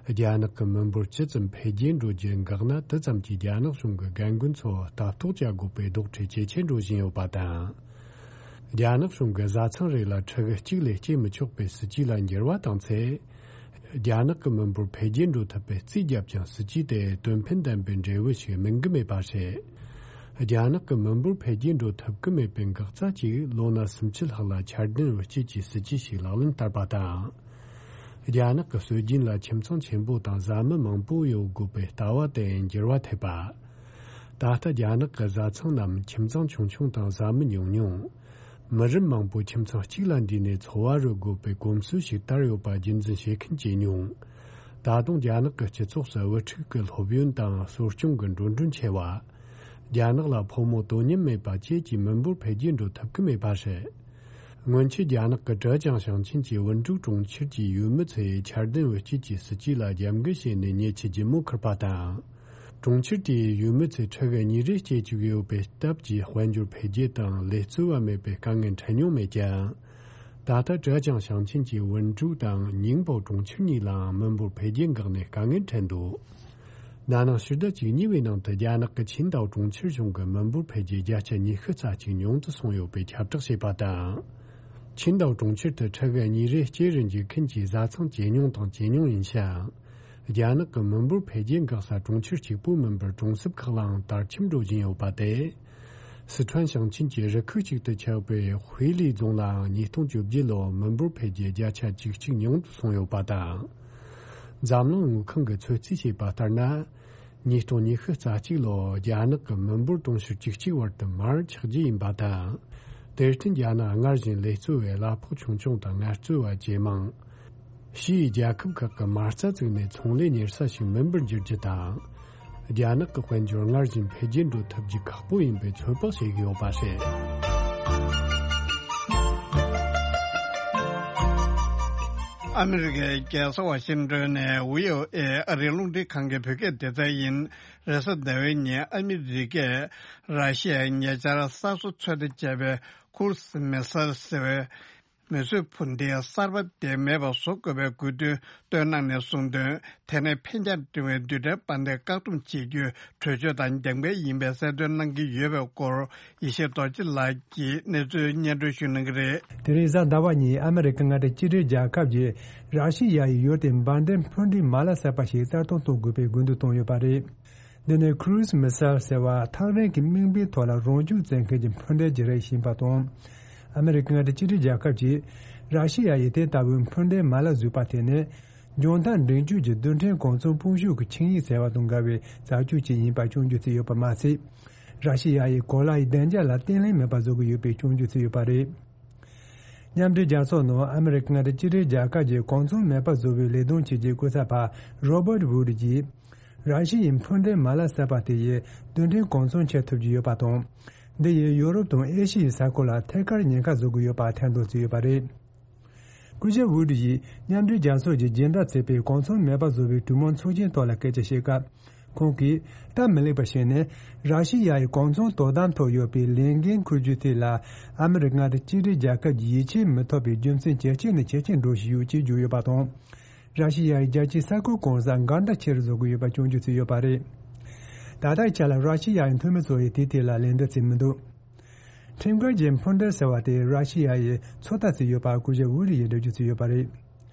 རྒྱ་ནག་གི་མི་འབོར་ཇི་ཙམ་འཕེལ་རྒྱས་འགྲོ་རྒྱུ་འགག་ན། དེ་ཙམ་གྱིས་རྒྱ་ནག་གཞུང་གིས་རྒན་རྒོན་ཚོ་ལྟ་རྟོག་བྱ་དགོས་པའི་དོགས་འདྲི་ཇེ་ཆེར་འགྲོ་བཞིན་ཡོད་པ་དང་། རྒྱ་ནག་གཞུང་གིས་བཟའ་ཚང་རེ་ལ་ཕྲུ་གུ་གཅིག་ལས་སྐྱེ་མི་ཆོག་པའི་སྲིད་ཇུས་ལ་འགྱུར་བ་བཏང་ཚེ། རྒྱ་ནག་གི་མི་འབོར་འཕེལ་རྒྱས་འགྲོ་ཐུབ་པའི་རྩིས་བརྒྱབ་ཀྱང་། སྲིད་ཇུས་དེ་དོན་ཕན་ལྡན་པའི་འབྲས་བུ་ཞིག་སྨིན་གྱི་མེད་པ་རེད། རྒྱ་ནག་གི་མི་འབོར་འཕེལ་རྒྱས་འགྲོ་ཐུབ་ཀྱི་མེད་པའི་འགག་རྩ་གཅིག་ལོ་ན་སུམ་ཅུ་ལྷག་ལ་འཆར་ལྡན་བུ་སྐྱེས་ཀྱི་སྲིད་ཇུས་ཤིག་ལག་ལེན་བསྟར་བ་དང་། རྒྱ་ནག་གི་སྲོལ་རྒྱུན་ལ་ཁྱིམ་ཚང་ཆེན་པོ་དང་བཟའ་མི་མང་པོ་ཡོད་དགོས་པའི་ལྟ་བ་དེ་འགྱུར་བ་ཐེབས་པ། ད་ལྟ་རྒྱ་ནག་གི་བཟའ་ཚང་རྣམས་ཁྱིམ་ཚང་ཆུང་ཆུང་དང་བཟའ་མི་ཉུང་ཉུང་། མི་རབས་མང་པོ་ཁྱིམ་ཚང་གཅིག་ལ་འདུས་ནས་འཚོ་བ་རོལ་དགོས་པའི་གོམས་སྲོལ་ཞིག་དར་ཡོད་པ་རྒྱུན་འཛིན་བྱེད་མཁན་ཇེ་ཉུང་། ད་དུང་རྒྱ་ནག་གི་སྤྱི་ཚོགས་སུ་བུ་ཕྲུག་གི་སློབ་ཡོན་དང་གསོ་སྐྱོང་གི་འགྲོ་གྲོན་ཆེ་བ། རྒྱ་ནག་ལ་ཕོ་མོ་དོ་མཉམ་མེད་པ་བཅས་ཀྱི་མི་འབོར་འཕེལ་རྒྱས་འགྲོ་ཐུབ་ཀྱི་མེད་པ་རེད། སྔོན་ཆད་རྒྱ་ནག་གི་ཀྲེ་ཅང་ཞིང་ཆེན་གྱི་ཝུན་ཀྲུའུ་གྲོང་ཁྱེར་གྱི་ཡུལ་མི་ཚོས་འཆར་ལྡན་བུ་སྐྱེས་ཀྱི་སྲིད་ཇུས་ལ་རྒྱབ་འགལ་བྱས་ནས་ཉེས་ཆད་ལྗིད་མོ་འཁུར་པ་དང་། གྲོང་ཁྱེར་དེའི་ཡུལ་མི་ཚོས་ཕྲུ་གུ་གཉིས་རེ་སྐྱེ་བཅུག་ཡོད་པའི་སྟབས་ཀྱིས་དཔལ་འབྱོར་འཕེལ་རྒྱས་དང་ལས་རྩོལ་བ་མེད་པའི་དཀའ་ངལ་འཕྲད་མྱོང་མེད་ཀྱང་། ད་ལྟ་ཀྲེ་ཅང་ཞིང་ཆེན་གྱི་ཝུན་ཀྲུའུ་དང་ཉིང་པའོ་གྲོང་ཁྱེར་གཉིས་ལའང་མི་འབོར་འཕེལ་རྒྱས་འགག་ནས་དཀའ་ངལ་འཕྲད་འདུག་ན་ནིང་ཕྱི་ཟླ་བཅུ་གཉིས་པའི་ནང་དུ་རྒྱ་ནག་གི་ཆིང་ཏའོ་གྲོང་ཁྱེར་གཞུང་གིས་མི་འབོར་འཕེལ་རྒྱས་བརྒྱ་ཆ་ཉི་ཤུ་རྩ་གཅིག་ཉུང་དུ་སོང་ཡོད་པའི་ཁྱབ་བསྒྲགས་བྱས་པ་དང་། ཆིང་ཏའོ་གྲོང་ཁྱེར་དུ་ཕྲུ་གུ་གཉིས་རེ་སྐྱེ་རུ་འཇུག་མཁན་གྱི་བཟའ་ཚང་ཇེ་ཉུང་དང་ཇེ་ཉུང་ཡིན་ཞིང་། རྒྱ་ནག་གི་མི་འབོར་འཕེལ་རྒྱས་འགག་ས་གྲོང་ཁྱེར་གཅིག་པུ་མིན་པར་གྲོང་གསེབ་ཁག་ལའང་དར་ཁྱབ་འགྲོ་བཞིན་ཡོད་པ་དེ། སི་ཁྲོན་ཞིང་ཆེན་གྱི་རུ་ཁག་ཅིག་ཏུ་ཆགས་པའི་ཧུའེ་ལི་རྫོང་ལའང་ཉིས་སྟོང་བཅོ་བརྒྱད་ལོར་མི་འབོར་འཕེལ་རྒྱས་བརྒྱ་ཆ་བཅུ་གཅིག་ཉུང་དུ་སོང་ཡོད་པ་དང་། འཛམ་གླིང་དངུལ་ཁང་གིས་ཚོད་རྩིས་བྱས་པ་ལྟར་ན། ཉིས་སྟོང་ཉི་ཤུ་རྩ་གཅིག་ལོར་རྒྱ་ནག་གི་མི་འབོར་དུང་ཕྱུར་བཅུ་གཅིག་བར་དུ་མར་ཆག་རྒྱུ་ཡིན་པ་དང་། དེར་བརྟེན་རྒྱ་ནག་སྔར་བཞིན་ལས་རྩོལ་བའི་གླ་ཕོགས་ཆུང་ཆུང་དང་ངལ་རྩོལ་བ་ཇེ་མང་། ཕྱིའི་རྒྱལ་ཁབ་ཁག་གི་མ་རྩ་བཙུགས་ནས་ཚོང་ལས་གཉེར་ས་ཞིག་མིན་པར་འགྱུར་རྒྱུ་དང་། རྒྱ་ནག་གི་དཔལ་འབྱོར་སྔར་བཞིན་འཕེལ་རྒྱས་འགྲོ་ཐུབ་རྒྱུ་ཁག་པོ་ཡིན་པའི་ཚོད་དཔག་བྱེད་ཀྱི་ཡོད་པ་རེད། ཨ་མི་རི་ཀའི་རྒྱལ་ས་ཝ་ཤིང་ཏོན་ནས་བྷི་ཨོ་ཨེ་ཨ་རིའི་རླུང་འཕྲིན་ཁང་གི་བོད་སྐད་སྡེ་ཚན་ཡིན། རེས་གཟའ་ཟླ་བའི་ཉིན་ཨ་མི་རི་ཀས་ར་ཤི་ཡའི་ཉེ་ཆར་གསར་བཟོ་ཚོད་ལྟ་བྱས་པའི་ཁུ་རུ་སི་མི་སལ་ཟེར་བའི་མིས་བཟོས་འཕུར་མདེལ་གསར་པ་དེ་མེད་པ་བཟོ་དགོས་པའི་དགོས་འདུན་བཏོན་གནང་ནས་གསུངས་དོན། དེ་ནས་འཕེན་རྒྱང་འཕྲེང་བའི་རྡུལ་ཕྲན་དཔལ་ལྡན་བཀག་སྡོམ་བྱེད་རྒྱུའི་གྲོས་ཆོད་དང་འགལ་འགལ་ཡིན་པའི་གསལ་སྟོན་གནང་གི་ཡོད་པའི་སྐོར། ཡེ་ཤེས་རྡོ་རྗེ་ལགས་ཀྱིས་གནས་ཚུལ་སྙན་སྒྲོན་ཞུ་གནང་གི་རེད། དེ་རིང་གཟའ་ཟླ་བ་ཉིན་ཨ་མི་རི་ཀ་མངའ་སྡེ་གཅིག་སྒྲིལ་རྒྱལ་ཁབ་ཀྱིས་ར་ཤི་ཡ་ཡི་ཡུལ་དེ་འབར་མདེལ་འཕུར་མདེལ་མ་ལག་གསར་པ་ཞིག་གསར་གཏོད་གཏོང་དགོས་པའི་དགོས་འདུན་བཏོན་ཡོད་པ་རེད། འདི་ནི་ཁུ་རུ་སི་མི་སལ་ཟེར་བ་ཐག་རིང་གི་དམིགས་འབེན་ཐོག་ལ་རང་འཇུག་བཙན་མཁན་གྱི་འཕུར་མདེལ་ཅིག་རེད་བཞིན་པ་དང་། ཨ་མི་རི་ཀ་མངའ་སྡེ་གཅིག་སྒྲིལ་རྒྱལ་ཁབ་ཀྱིས་ར་ཤི་ཡ་ཡི་དེ་ལྟ་བུའི་འཕུར་མདེལ་མ་ལག་བཟོས་པ་དེ་ནི། འཇོན་ཐང་འབྲིང་བཅུད་ཀྱི་རྡུལ་ཕྲན་གོ་མཚོན་དཔུང་ཤུགས་ཀྱི་ཆིངས་ཡིག་ཟེར་བ་དང་འགལ་བའི་རྩ་ཆོས་ཅིག་ཡིན་པ་སྐྱོན་བརྗོད་བྱས་ཡོད་པ་མ་ཟད། ར་ཤི་ཡ་ཡིས་གོ་ལའི་བདེ་འཇགས་ལ་བརྟན་ལྷིང་མེད་པ་བཟོ་གི་ཡོད་པའི་སྐྱོན་བརྗོད་བྱས་ཡོད་པ་རེད། མཉམ་འབྲེལ་རྒྱལ་ཚོགས་ནང་ཨ་མི་རི་ཀ་མངའ་སྡེ་གཅིག་སྒྲིལ་རྒྱལ་ཁབ་ཀྱི་གོ་མཚོན་མེད་པ་བཟོ་བའི་ལས་དོན་བྱས་རྗེས་སྐུ་ཚབ་པ་རོ་བར་ཝུ་ཌི་ཡིས། ར་ཤི་ཡའི་འཕུར་མདེལ་མ་ལག་གསར་པ་དེ་ཡིས་རྡུལ་ཕྲན་གོ་མཚོན་ཁྱེར་ཐུབ་ཀྱི་ཡོད་པ་དང་། འདི་ཡིས་ཡོ་རོབ་དང་ཨེ་ཤི་ཡའི་ས་ཁུལ་ལ་ཐད་ཀར་ཉེན་ཁ་བཟོ་གི་ཡོད་པ་ཐེར་འདོན་བྱས་ཡོད་པ་རེད། སྐུ་ཞབས་ཝུ་ཌི་ཡིས་མཉམ་འབྲེལ་རྒྱལ་ཚོགས་ཀྱི་སྦྱིན་བདག་བྱས་པའི་གོ་མཚོན་མེད་པ་བཟོ་བའི་གྲོས་མོལ་ཚོགས་ཆེན་ཐོག་ལ་སྐད་ཆ་བཤད་སྐབས། ཁོང་གིས་སྟབས་མི་ལེགས་པ་ཞིག་ནི། ར་ཤི་ཡ་ཡི་གོ་མཚོན་དོ་དམ་ཐོག་ཡོད་པའི་ལས་འགན་འཁུར་རྒྱུ་དེ་ལ་ཨ་མི་རི་ཀ་མངའ་སྡེ་གཅིག་སྒྲིལ་རྒྱལ་ཁབ་ཀྱིས་ཡིད་ཆེས་མི་ཐོབ་པའི་རྒྱུ་མཚན་ཇེ་ཆེ་ནས་ཇེ་ཆེར་འགྲོ་བཞིན་ཡོད་ཅེས་བརྗོད་ཡོད་པ་དང་། ར་ཤི་ཡ་ཡི་རྒྱལ་སྤྱིའི་ས་ཁུལ་གང་སར་འགལ་ཟླ་ཆེ་རུ་བཟོ་གི་ཡོད་པ་སྐྱོན་བརྗོད་བྱས་ཡོད་པ་རེད། ད་ལྟའི་ཆ་ལ་ར་ཤི་ཡ་ཡི་འཐུས་མི་ཚོ་ཡིས་དེའི་ཐད་ལ་ལན་འདེབས་བྱས་མི་འདུག་ཁྲིམས་འགལ་གྱི་འཕུར་མདེལ་ཟེར་བ་དེ་ར་ཤི་ཡ་ཡིས་ཚོད་ལྟ་བྱས་ཡོད་པ་སྐུ་ཞབས་ཝུ་ཌི་ཡིས་འགྲེལ་བརྗོད་བྱས་ཡོད་པ་རེད།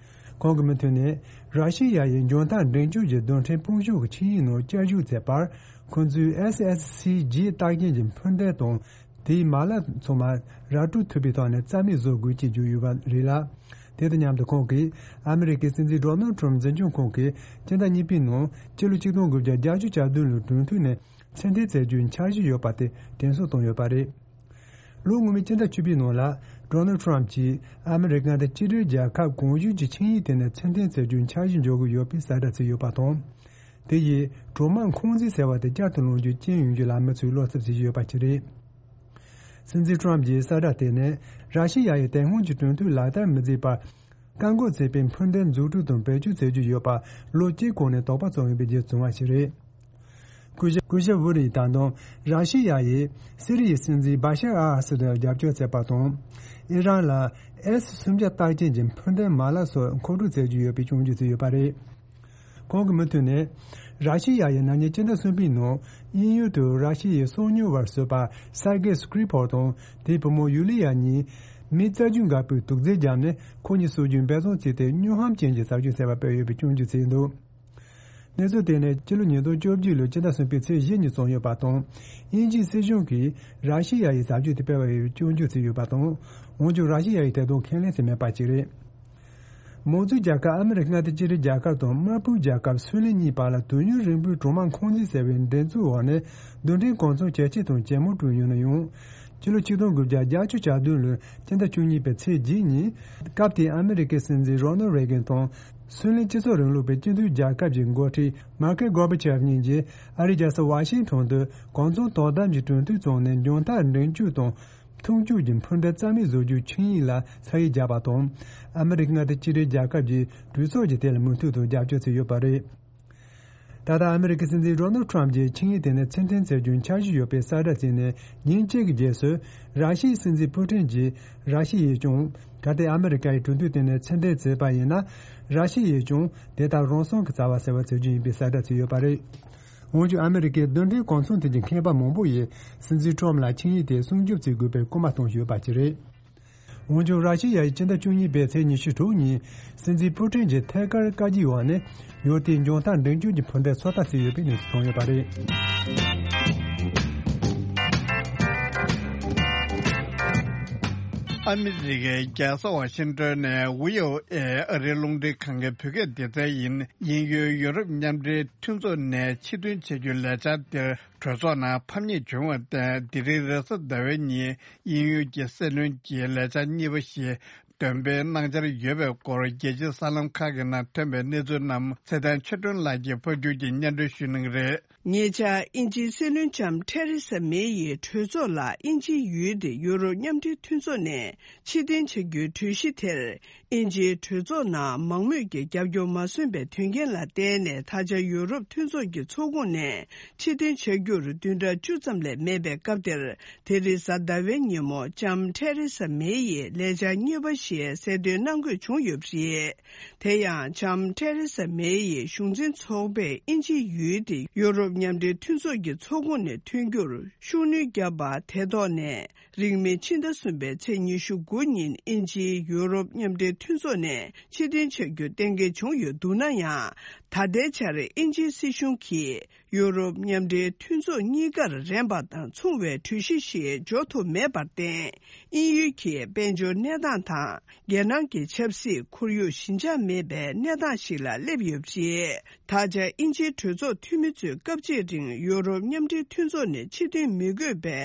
ཁོང་གི་མུ་མཐུད་ནས། ར་ཤི་ཡ་ཡིས་འཇོན་ཐང་འབྲིང་བཅུད་ཀྱི་རྡུལ་ཕྲན་དཔུང་ཤུགས་ཀྱི་ཆིངས་ཡིག་ནང་བསྐྱར་ཞུགས་བྱས་པར། ཁོང་ཚོས་S S C G རྟགས་ཅན་གྱི་འཕུར་མདེལ་དང་། དེའི་མ་ལག་ཚང་མ་ར་སྤྲོད་ཐུབ་པའི་ཐོག་ནས་རྩ་མེད་བཟོ་དགོས་ཅེས་བརྗོད་ཡོད་པ་རེད་ལ། དེ་དང་མཉམ་དུ་ཁོང་གིས་ཨ་མི་རི་ཀའི་སྲིད་འཛིན་ཌོ་ནལ་ཊམ་འཛིན་སྐྱོང་ཁང་གིས་སྤྱི་ཟླ་གཉིས་པའི་ནང་སྤྱི་ལོ་ཆིག་སྟོང་དགུ་བརྒྱ་བརྒྱད་ཅུ་གྱ་བདུན་ལོའི་གྲོས་མཐུན་ནས་ཕྱིར་འཐེན་བྱེད་རྒྱུའི་འཆར་གཞི་ཡོད་པ་དེ་དྲན་གསོ་བཏང་ཡོད་པ་རེད། ལོ་སྔོན་མའི་སྤྱི་ཟླ་བཅུ་པའི་ནང་ལ། ཌོ་ནལ་ཊམ་གྱིས་ཨ་མི་རི་ཀ་དང་གཅིག་སྒྲིལ་རྒྱལ་ཁབ་གང་བྱུང་གི་ཆིངས་ཡིག་དེ་ནས་ཕྱིར་འཐེན་བྱེད་རྒྱུའི་འཆར་གཞི་འཇོག་གི་ཡོད་པའི་གསལ་བསྒྲགས་བྱས་ཡོད་པ་དང་། དེ་ཡིས་གྲོག་དམག་ཁང་འཛིན་ཟེར་བ་དེ་བསྐྱར་དུ་ལེན་རྒྱུ་རྐྱེན་ཡོང་རྒྱུ་ལ་མི་ཚོས་བློ་འཚབ་བྱེད་ཀྱི་ཡོད་པ་ཞིག་རེད། སྲིད་འཛིན་ཊམ་གྱི་གསལ་བསྒྲགས་དེ་ནི། ར་ཤི་ཡ་ཡིས་དེ་སྔོན་གྱི་གྲོས་མཐུན་ལག་བསྟར་མི་མཛད་པར། བཀག་འགོག་བྱས་པའི་འཕུར་མདེལ་འཛུགས་སྐྲུན་དང་བེད་སྤྱོད་བྱེད་རྒྱུ་ཡོད་པ་ལོ་གཅིག་གོང་ནས་དོགས་པ་བྱུང་ཡོད་པའི་རྗེས་བྱུང་བ་ཞིག་རེད། སྐུ་ཞབས་སྐུ་ཞབས་ཝུ་ཌི་ཡིས་ད་དུང་ར་ཤི་ཡ་ཡིས་སི་རི་ཡའི་སྲིད་འཛིན་བྷ་ཤར་ཨལ་ཨ་སད་ལ་རྒྱབ་སྐྱོར་བྱས་པ་དང་། ཨི་རན་ལ་ཨེས་སུམ་བརྒྱ་རྟགས་ཅན་གྱི་འཕུར་མདེལ་མ་ལག་སོགས་མཁོ་སྤྲོད་བྱེད་རྒྱུ་ཡོད་པའི་སྐྱོན་བརྗོད་བྱས་ཡོད་པ་རེད། ཁོང་གི་མུ་མཐུད་ནས། ར་ཤི་ཡ་ཡིས་ན་ནིང་སྤྱི་ཟླ་གསུམ་པའི་ནང་དབྱིན་ཡུལ་དུ་ར་ཤི་ཡའི་སོ་ཉུལ་བར་བཟོས་པ་སར་གེ་སྐྲི་པོ་དང་དེའི་བུ་མོ་ཡུ་ལི་ཡ་གཉིས་མི་རྩ་རྒྱུས་འགག་པོས་དུག་རྫས་བརྒྱབ་ནས་ཁོ་གཉིས་གསོད་རྒྱུའི་འབད་བརྩོན་བྱས་ཏེ་སྨྱོ་ཧམ་ཅན་གྱི་ཟབ་སྦྱོང་བྱས་པ་སྤེལ་ཡོད་པའི་སྐྱོན་བརྗོད་བྱས་འདུག་གནས་ཚུལ་དེ་ནི་སྤྱི་ལོ་ཉིས་སྟོང་བཅོ་བརྒྱད་ལོའི་སྤྱི་ཟླ་གསུམ་པའི་ཚེས་བཞི་ཉིན་བྱུང་ཡོད་པ་དང་། དབྱིན་ཇིའི་སྲིད་གཞུང་གིས་ར་ཤི་ཡ་ཡི་ཟབ་སྦྱོང་དེ་སྤེལ་བ་ཡིན་པའི་སྐྱོན་བརྗོད་བྱས་ཡོད་པ་དང་། འོན་ཀྱང་ར་ཤི་ཡ་ཡིས་དེ་དག་ཁས་ལེན་བྱས་མེད་པ་ཞིག་རེད། མང་གཙོའི་རྒྱལ་ཁབ་ཨ་མི་རི་ཀ་མངའ་སྡེ་གཅིག་སྒྲིལ་རྒྱལ་ཁབ་དང་དམར་པོའི་རྒྱལ་ཁབ་སུའུ་ལེན་གཉིས་བར་ལ་དུས་ཡུན་རིང་པོའི་གྲོག་དམག་ཁང་འཛིན་ཟེར་བའི་འགྲན་རྩོད་འོག་ནས་རྡུལ་ཕྲན་གོ་མཚོན་ཇེ་ཆེ་དང་ཇེ་མང་དུ་ཡོང་ནས་ཡང་། སྤྱི་ལོ་ཆིག་སྟོང་དགུ་བརྒྱ་བརྒྱད་ཅུ་གྱ་བདུན་ལོའི་སྤྱི་ཟླ་བཅུ་གཉིས་པའི་ཚེས་བརྒྱད་ཉིན། སྐབས་དེའི་ཨ་མི་རི་ཀའི་སྲིད་འཛིན་རོ་ནལ་རེ་གན་དང་། སུའུ་ལེན་སྤྱི་ཚོགས་རིང་ལུགས་པའི་སྤྱི་མཐུན་རྒྱལ་ཁབ་ཀྱི་འགོ་ཁྲིད་མར་ཁེལ་གོར་བྷ་ཆེབ་གཉིས་ཀྱིས་ཨ་རིའི་རྒྱལ་ས་ཝ་ཤིང་ཊོན་དུ་གོ་མཚོན་དོ་དམ་གྱི་གྲོས་མཐུན་བཙུགས་ནས་འཇོན་ཐང་འབྲིང་བཅུད་དང་། མཐུན་སྤྱོད་ཀྱི་འཕུར་མདེལ་རྩ་མེད་བཟོ་རྒྱུའི་ཆིངས་ཡིག་ལ་ས་ཡིག་བརྒྱབ་པ་དང་། ཨ་མི་རི་ཀ་མངའ་སྡེ་གཅིག་སྒྲིལ་རྒྱལ་ཁབ་ཀྱི་གྲོས་ཚོགས་ཀྱིས་དེ་ལ་མོས་མཐུན་དང་རྒྱབ་སྐྱོར་བྱས་ཡོད་པ་རེད། ད་ལྟ་ཨ་མི་རི་ཀའི་སྲིད་འཛིན་རོ་ནལ་ཊམ་གྱིས་ཆིངས་ཡིག་དེ་ནས་ཕྱིར་འཐེན་བྱ་རྒྱུའི་འཆར་གཞི་ཡོད་པའི་གསལ་བསྒྲགས་བྱས་ནས་ཉིན་གཅིག་གི་རྗེས་སུ། ར་ཤི་ཡའི་སྲིད་འཛིན་པུ་ཊིན་གྱིས་ར་ཤི་ཡས་ཀྱང་གལ་ཏེ་ཨ་མི་རི་ཀ་ཡིས་གྲོས་མཐུན་དེ་ནས་ཕྱིར་འཐེན་བྱས་པ་ཡིན་ན། ར་ཤི་ཡས་ཀྱང་དེ་ལྟར་རང་སྲུང་གི་བྱ་བ་ཟེར་བ་བྱ་རྒྱུ་ཡིན་པའི་གསལ་བསྒྲགས་བྱས་ཡོད་པ་རེད། འོན་ཀྱང་ཨ་མི་རི་ཀའི་རྡུལ་ཕྲན་གོ་མཚོན་ཐོན་གྱི་མཁས་པ་མང་པོ་ཡིས་སྲིད་འཛིན་ཊམ་ལ་ཆིངས་ཡིག་དེ་སྲུང་སྐྱོབ་བྱེད་དགོས་པའི་སྐུལ་མ་གཏོང་བཞིན་ཡོད་པ་ཞིག་རེད། འོན་ཀྱང་ར་ཤི་ཡ་ཡིས་སྤྱི་ཟླ་བཅུ་གཉིས་པའི་ཚེས་ཉི་ཤུ་དྲུག་ཉིན་སྲིད་འཛིན་པུ་ཊིན་གྱི་ཐད་ཀར་བཀའ་བཀྱོན་འོག་ནས་ཡུལ་དེའི་འཇོན་ཐང་འབྲིང་བཅུད་ཀྱི་འཕུར་མདེལ་ཚོད་ལྟ་བྱས་ཡོད་པའི་གནས་ཚུལ་བྱུང་ཡོད་པ་རེད། ཨ་མི་རི་ཀའི་རྒྱལ་ས་ཝ་ཤིང་ཏོན་ནས་བྷི་ཨོ་ཨེ་ཨ་རིའི་རླུང་འཕྲིན་ཁང་གི་བོད་སྐད་སྡེ་ཚན་ཡིན། དབྱིན་ཡུལ་ཡོ་རོབ་མཉམ་འབྲེལ་མཐུན་ཚོགས་ནས་ཕྱིར་ཐོན་བྱ་རྒྱུའི་ལས་འཆར་དེར་གྲོས་ཚོགས་ནང་ཕམ་ཉེས་བྱུང་བར་བརྟེན། དེ་རིང་རེས་གཟའ་ཟླ་བའི་ཉིན་དབྱིན་ཡུལ་གྱི་སྲིད་བློན་གྱིས་ལས་འཆར་གཉིས་པ་ཞིག་འདོན་སྤེལ་གནང་འཆར་ཡོད་པའི་སྐོར་རྒྱལ་སྤྱིའི་གསར་ལམ་ཁག་གི་ནང་ཐོན་པའི་གནས་ཚུལ་རྣམས་ཚེ་བརྟན་ཆོས་སྒྲོན་ལགས་ཀྱིས་ཕབ་སྒྱུར་གྱིས་སྙན་སྒྲོན་ཞུ་གནང་གི་རེད། ཉེ་ཆར་དབྱིན་ཇིའི་སྲིད་བློན་ལྕམ་ཐེ་རེ་ས་མེ་ཡིས་གྲོས་ཚོགས་ལ་དབྱིན་ཇིའི་ཡུལ་དེ་ཡུ་རོབ་མཉམ་འབྲེལ་མཐུན་ཚོགས་ནས་ཕྱིར་འཐེན་བྱ་རྒྱུའི་གྲོས་གཞི་དེར། དབྱིན་ཇིའི་གྲོས་ཚོགས་ནང་མང་མོས་ཀྱི་རྒྱབ་སྐྱོར་མ་སོན་པའི་དོན་རྐྱེན་ལ་བརྟེན་ནས། ད་ཆ་ཡུ་རོབ་མཐུན་ཚོགས་ཀྱི་ཚོགས་ཁོངས་ནས་ཕྱིར་འཐེན་བྱ་རྒྱུར་བདུན་ཕྲག་བཅུ་ཙམ་ལས་མེད་པའི་སྐབས་དེར། དེ་རིང་གཟའ་ཟླ་བའི་ཉིན་མོ་ལྕམ་ཐེ་རེ་ས་མེ་ཡིས་ལས་འཆར་གཉིས་པ་ཞིག་གསལ་སྟོན་གནང་དགོས་བྱུང་ཡོད་པ་རེད། དེ་ཡང་ལྕམ་ཐེ་རེ་ས་མེ་ཡི་གཞུང་འཛིན་ཚོགས་པས་དབྱིན་ཇིའི་ཡུལ་དེ་ཡུ་རོབ་མཉམ་འབྲེལ་མཐུན་ཚོགས་ཀྱི་ཚོགས་ཁོངས་ནས་ཐོན་རྒྱུར་ཤུགས་སྣོན་བརྒྱབ་པ་དེ་ཐོག་ནས། རིང་མིན་ཕྱི་ཟླ་གསུམ་པའི་ཚེས་ཉི་ཤུ་དགུ་ཉིན་དབྱིན་ཇིའི་ཡུ་རོབ་མཉམ་འབྲེལ་མཐུན་ཚོགས་ནས་ཕྱིར་འཐེན་བྱ་རྒྱུ་གཏན་འཁེལ་བྱུང་ཡོད་འདུག་ན་ཡང་། ད་ལྟའི་ཆར་དབྱིན་ཇིའི་སྲིད་གཞུང་གིས། ཡུ་རོབ་མཉམ་འབྲེལ་མཐུན་ཚོགས་གཉིས་ཀར་རན་པ་དང་མཚུངས་པའི་གྲོས་གཞི་ཞིག་འཇོག་ཐུབ་མེད་པར་བརྟེན། དབྱིན་ཡུལ་གྱི་དཔལ་འབྱོར་གནས་སྟངས་དང་། རྒྱལ་ནང་གི་ཆབ་སྲིད་ཁོར་ཡུག་ཞི་འཇགས་མེད་པའི་གནས་སྟངས་ཤིག་ལ་སླེབས་ཡོད་པ་རེད། ད་ཆ་དབྱིན་ཇིའི་གྲོས་ཚོགས་འཐུས་མི་ཚོས་སྐབས་གཅིག་རིང་ཡུ་རོབ་མཉམ་འབྲེལ་མཐུན་ཚོགས་ནས་ཕྱིར་འཐེན་མི་དགོས་པའི་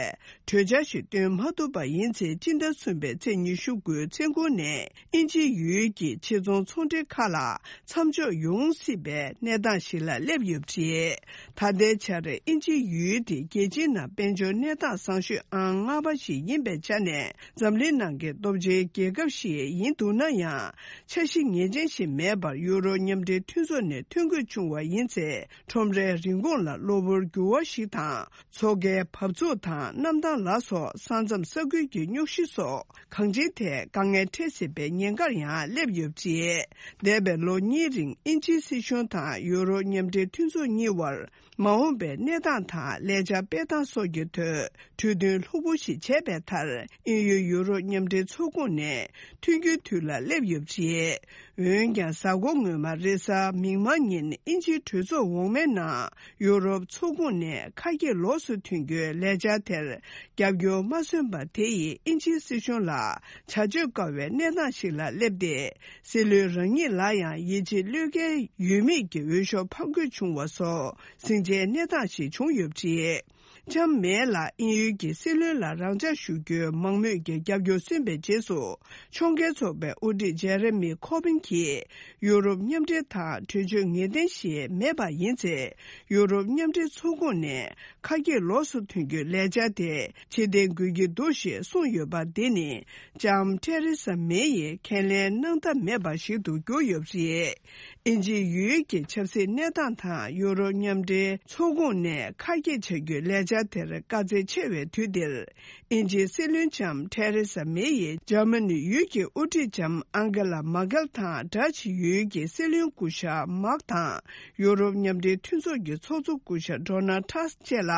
གྲོས་འཆར་ཞིག་བཏོན་མ་ཐུབ་པ་ཡིན་ཚེ། སྤྱི་ཟླ་གསུམ་པའི་ཚེས་ཉི་ཤུ་དགུའི་མཚན་གུང་ནས། དབྱིན་ཇིའི་ཡུལ་གྱི་ཕྱིར་ཚོང་ཚོང་འབྲེལ་ཁག་ལ་མཚམས་འཇོག་ཡོང་སྲིད་པའི་གནས་སྟངས་ཤིག་ལ་སླེབས་ཡོད་པ་རེད། ད་ལྟའི་ཆར་དབྱིན་ཇིའི་ཡུལ་དེ་རྒྱལ་སྤྱིའི་ནང་དཔལ་འབྱོར་གནས་སྟངས་བཟང་ཤོས་ཨང་ལྔ་པ་ཞིག་ཡིན་པའི་ཆ་ནས། འཛམ་གླིང་ནང་གི་སྟོབས་ཆེའི་རྒྱལ་ཁབ་ཞིག་ཡིན་འདུག་ན་ཡང་། འཆར་གཞི་ངེས་ཅན་ཞིག་མེད་པར་ཡུ་རོ་མཉམ་འབྲེལ་མཐུན་ཚོགས་ནས་ཐོན་དགོས་བྱུང་བ་ཡིན་ཚེ། ཁྲོམ་རའི་རིན་གོང་ལ་གློ་བུར་འགྱུར་བ་ཞིག་དང་། མཚོ་ཁའི་བབས་ཚུགས་དང་གནམ་ཐང་ལ་སོགས་ས་མཚམས་ས་ཁུལ་གྱི་རྙོག་གཞི་སོགས། གང་ཅིའི་ཐད་དཀའ་ངལ་འཕྲད་སྲིད་པའི་ཉེན་ཁར་ཡང་སླེབས་ཡོད་པ་རེད། འདས་པའི་ལོ་གཉིས་རིང་དབྱིན་ཇིའི་སྲིད་གཞུང་དང་ཡུ་རོབ་མཉམ་འབྲེལ་མཐུན་ཚོགས་གཉིས་བར། མ་འོངས་པའི་གནས་སྟངས་དང་ལས་འཆར་སྤེལ་སྟངས་སོགས་ཀྱི་ཐོག་གྲོས་མཐུན་ལྷུག་པོ་ཞིག་བྱས་པའི་མཐར། དབྱིན་ཡུལ་ཡུ་རོབ་མཉམ་འབྲེལ་ཚོགས་ཁོངས་ནས་ཐོན་རྒྱུའི་དུས་ལ་སླེབས་ཡོད་པ་རེད། འོན་ཀྱང་། གཟའ་འཁོར་སྔོན་མ་རེས་གཟའ་མིག་དམར་ཉིན་དབྱིན་ཇིའི་གྲོས་ཚོགས་འོག་མའི་ནང་ཡུ་རོབ་ཚོགས་ཁོངས་ནས་ཁ་གྱེས་ལོགས་སུ་ཐོན་རྒྱུའི་ལས་འཆར་དེར་རྒྱབ་སྐྱོར་མ་སོན་པ་དེ་ཡིས་དབྱིན་ཇིའི་སྲིད་གཞུང་ལ་བྱ་སྤྱོད་དཀའ་བའི་གནས་སྟངས་ཤིག་ལ་སླེབས་ཏེ། སྲིད་བློན་རང་ཉིད་ལ་ཡང་ཡིད་ཆེས་བློས་འགེལ་ཡོད་མེད་ཀྱི་འོས་ཤོག་འཕང་དགོས་བྱུང་བ་སོགས་ཟིང་ཆའི་གནས་སྟངས་ཤིག་བྱུང་ཡོད་པ་རེད། ལྕམ་མེ་ལ་དབྱིན་ཡུལ་གྱི་སྲིད་བློན་ལ་རང་འཇགས་ཞུ་རྒྱུའི་མང་མོས་ཀྱི་རྒྱབ་སྐྱོར་སོན་པའི་རྗེས་སུ། ཕྱོགས་འགལ་ཚོགས་པའི་དབུ་ཁྲིད་ཇེ་རེ་མི་ཁོ་བིན་གྱིས་ཡུ་རོབ་མཉམ་འབྲེལ་དང་གྲོས་ཆོད་ངེས་གཏན་ཞིག་མེད་པ་ཡིན་ཚེ། ཡུ་རོབ་མཉམ་འབྲེལ་ཚོགས་ཁོངས་ནས་ཁ་གྱེས་ལོགས་སུ་ཐོན་རྒྱུའི་ལས་འཆར་དེ་ཕྱིར་འཐེན་དགོས་ཀྱི་འདུག་ཞེས་གསུངས་ཡོད་པ་འདི་ནི། ལྕམ་ཐེ་རེ་ས་མེ་ཡིས་ཁས་ལེན་གནང་ཐབས་མེད་པ་ཞིག་ཏུ་གྱུར་ཡོད་པ་རེད། དབྱིན་ཇིའི་ཡུལ་གྱི་ཆབ་སྲིད་གནས་སྟངས་དང་ཡུ་རོབ་མཉམ་འབྲེལ་ཚོགས་ཁོངས་ནས་ཁ་གྱེས་བྱ་རྒྱུའི་ལས་འཆར་དེར་དཀའ་ཚེགས་ཆེ་བའི་དུས་འདིར། དབྱིན་ཇིའི་སྲིད་བློན་ལྕམ་ཐེ་རེ་ས་མེ་ཡིས་འཇར་མ་ནི་ཡུལ་གྱི་དབུ་ཁྲིད་ལྕམ་ཨང་གེ་ལ་མར་ཀེལ་དང་། ཌ་ཅི་ཡུལ་གྱི་སྲིད་བློན་སྐུ་ཞབས་མཱག་དང་། ཡུ་རོབ་མཉམ་འབྲེལ་མཐུན་ཚོགས་ཀྱི་ཚོགས་གཙོ་སྐུ་ཞབས་ཌོ་ནལ་ཊྲམ་བཅས་ལ་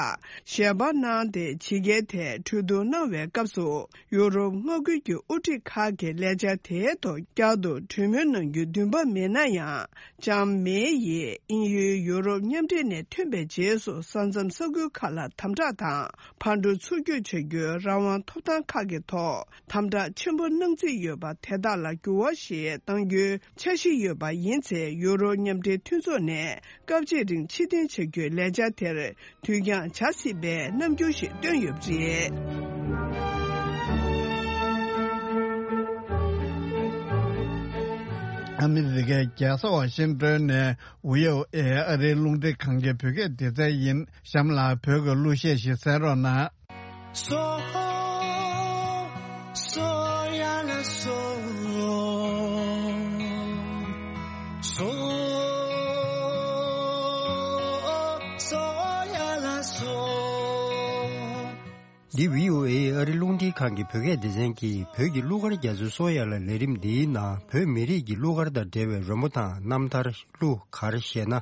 ཞལ་པར་གནང་སྟེ། ཕྱི་རྒྱལ་ཐད་གྲོས་བསྡུར་གནང་བའི་སྐབས་སུ། ཡུ་རོབ་མངའ་ཁུལ་གྱི་དབུ་ཁྲིད་ཁག་གིས་ལས་འཆར་དེའི་ཐོག་བསྐྱར་དུ་གྲོས་མོལ་གནང་རྒྱུའི་འདུན་པ་མེད་ན་ཡང་། ལྕམ་མེ་ཡིས་དབྱིན་ཡུལ་ཡུ་རོབ་མཉམ་འབྲེལ་ནས་ཐོན་པའི་རྗེས་སུ། ས་མཚམས་ས་ཁུལ་ཁག་ལ་དམ་དྲག་དང་ཕར་འགྲོ་ཚུར་སྐྱོད་བྱ་རྒྱུའི་རང་དབང་ཐོབ་ཐང་ཁག་གི་ཐོག་དམ་དྲག་ཆེན་པོ་གནང་རྩིས་ཡོད་པ་དེ་དག་ལ་འགྱུར་བ་ཞིག་གཏང་རྒྱུའི་འཆར་གཞི་ཡོད་པ་ཡིན་ཚེ། ཡུ་རོབ་མཉམ་འབྲེལ་མཐུན་ཚོགས་ནས་སྐབས་གཅིག་རིང་ཕྱིར་འཐེན་བྱ་རྒྱུའི་ལས་འཆར་དེར། དུས་འགྱངས་བྱ་སྲིད་པའི་རྣམ་འགྱུར་ཞིག་བཏོན་ཡོད་པ་རེད། ཨ་མི་རི་ཀའི་རྒྱལ་ས་ཝ་ཤིང་ཏོན་ནས་ཝི་ཨོ་ཨེ་ཨ་རིའི་རླུང་འཕྲིན་ཁང་གི་བོད་སྐད་སྡེ་ཚན་ཡིན། གཤམ་ལ་བོད་ཀྱི་གླུ་གཞས་ཤིག་གསན་རོགས་གནང་། སོ། སོ་ཡ་ལ་སོ། སོ། སོ་ཡ་ལ་སོ། འདི་བྷི་ཨོ་ཨེ་ཨ་རི་རླུང་འཕྲིན་ཁང་གི་བོད་སྐད་སྡེ་ཚན་གྱིས་བོད་ཀྱི་གླུ་གར་རྒྱ་མཚོའི་སོ་ཡ་ལ་ལས་རིམ་འདིའི་ནང་བོད་མི་རིགས་ཀྱི་གླུ་གར་དང་འབྲེལ་བའི་རོལ་མོ་དང་རྣམ་ཐར། གླུ་གར་གཞས་སྣ།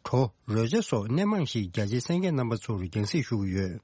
བྲོ། རོལ་ཆ་སོགས་སྣེ་མང་ཞིག་རྒྱ་ཆེའི་གསན་མཁན་རྣམ་པ་ཚོར་རྒྱང་སྲིང་ཞུ་གི་ཡོད།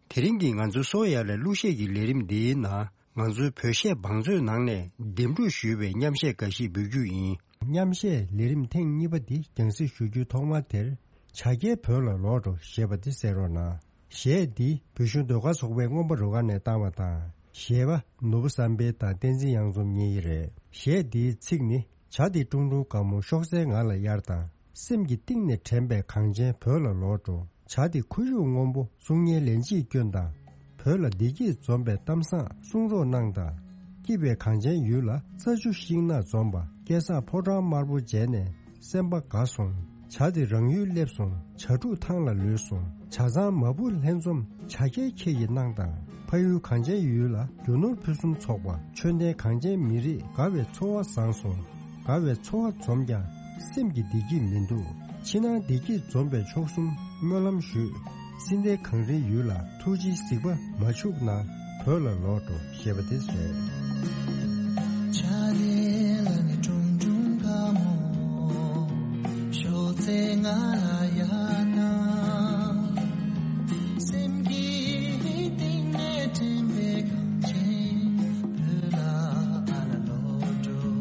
དེ་རིང་གི་ང་ཚོའི་སོ་ཡ་ལ་གླུ་གཞས་ཀྱི་ལས་རིམ་འདིའི་ནང་ང་ཚོའི་བོད་གཞས་བང་མཛོད་ནང་ནས་འདེམས་སྒྲུག་ཞུས་པའི་མཉམ་གཞས་འགའ་ཞིག་འབུལ་རྒྱུ་ཡིན། མཉམ་གཞས་ལས་རིམ་ཐེངས་གཉིས་པ་འདི་རྒྱང་སྲིང་ཞུ་རྒྱུའི་ཐོག་མ་དེར། བྱ་རྒྱལ་བོད་ལ་ལོག་འགྲོ་ཞེས་པ་འདི་གསན་རོགས་གནང་། གཞས་འདི་བོད་གཞུང་ཟློས་གར་ཚོགས་པའི་རྔོན་པ་རུ་ཁག་ནས་བཏང་བ་དང་། གཞས་པ་ནོར་བུ་བསམ་འཕེལ་དང་བསྟན་འཛིན་གཡང་འཛོམས་གཉིས་རེད། གཞས་འདིའི་ཚིག་ནི། བྱ་དེ་ཀྲུང་ཀྲུང་དགའ་མོ་ཤོག་སེར་ངང་ལ་གཡར་དང་། སེམས་ཀྱི་གཏིང་ནས་དྲན་པའི་གངས་ཅན་བོད་ལ་ལོག་འགྲོ། བྱ་དེ་ཁོར་ཡུག་སྔོན་པོ་གསུང་སྙན་ལན་གཅིག་སྐྱོན་དང་། བོད་ལ་བདེ་སྐྱིད་འཛོམས་པའི་གཏམ་བཟང་གསུང་རོགས་གནང་དང་། སྐྱིད་པའི་གངས་ཅན་ཡུལ་ལ་རྩྭ་ཆུ་ཤིང་ནགས་འཛོམས་པ། སྐལ་བཟང་ཕོ་བྲང་དམར་པོ་མཇལ་ནས་སེམས་པ་དགའ་སོང་། བྱ་དེ་རང་ཡུལ་སླེབས་སོང་། བྱ་ཕྲུག་ཐང་ལ་ལུས་སོང་། བྱ་ཚང་མ་བུ་ལྷན་འཛོམས། བྱ་རྒྱལ་ཁྱེད་ཀྱིས་གནང་དང་། ཕ་ཡུལ་གངས་ཅན་ཡུལ་ལ། རྒྱུ་ནོར་ཕུན་སུམ་ཚོགས་པ། ཆོས་ལྡན་གངས་ཅན་མི་རིགས། དགའ་བའི་འཚོ་བ་བཟང་སོང་། དགའ་བའི་འཚོ་བ་འཛོམས་ཀྱང་། སེམས་ཀྱི་བདེ་སྐྱིད་མི་འདུག་ཕྱི་ནང་བདེ་སྐྱིད་འཛོམས་པའི་མཆོག་གསུམ་སྨོན་ལམ་ཞུས། སྲིད་མཐའི་གངས་རིའི་ཡུལ་ལ་ཐུགས་རྗེའི་གཟིགས་པ་མ་འཆུག་ན། བོད་ལ་ལོག་འགྲོ་ཞེས་པ་དེ་རེད། ཆ་ལེ་ལ་ནི་ཀྲུང་ཀྲུང་དགའ་མོ། ཤོག་ཚེ་ང་ལ་ཡ་ན། སེམས་ཀྱི་གཏིང་ནས་དྲན་པའི་གངས་ཅན་བོད་ལ་ཨ་ལ་ལོག་འགྲོ།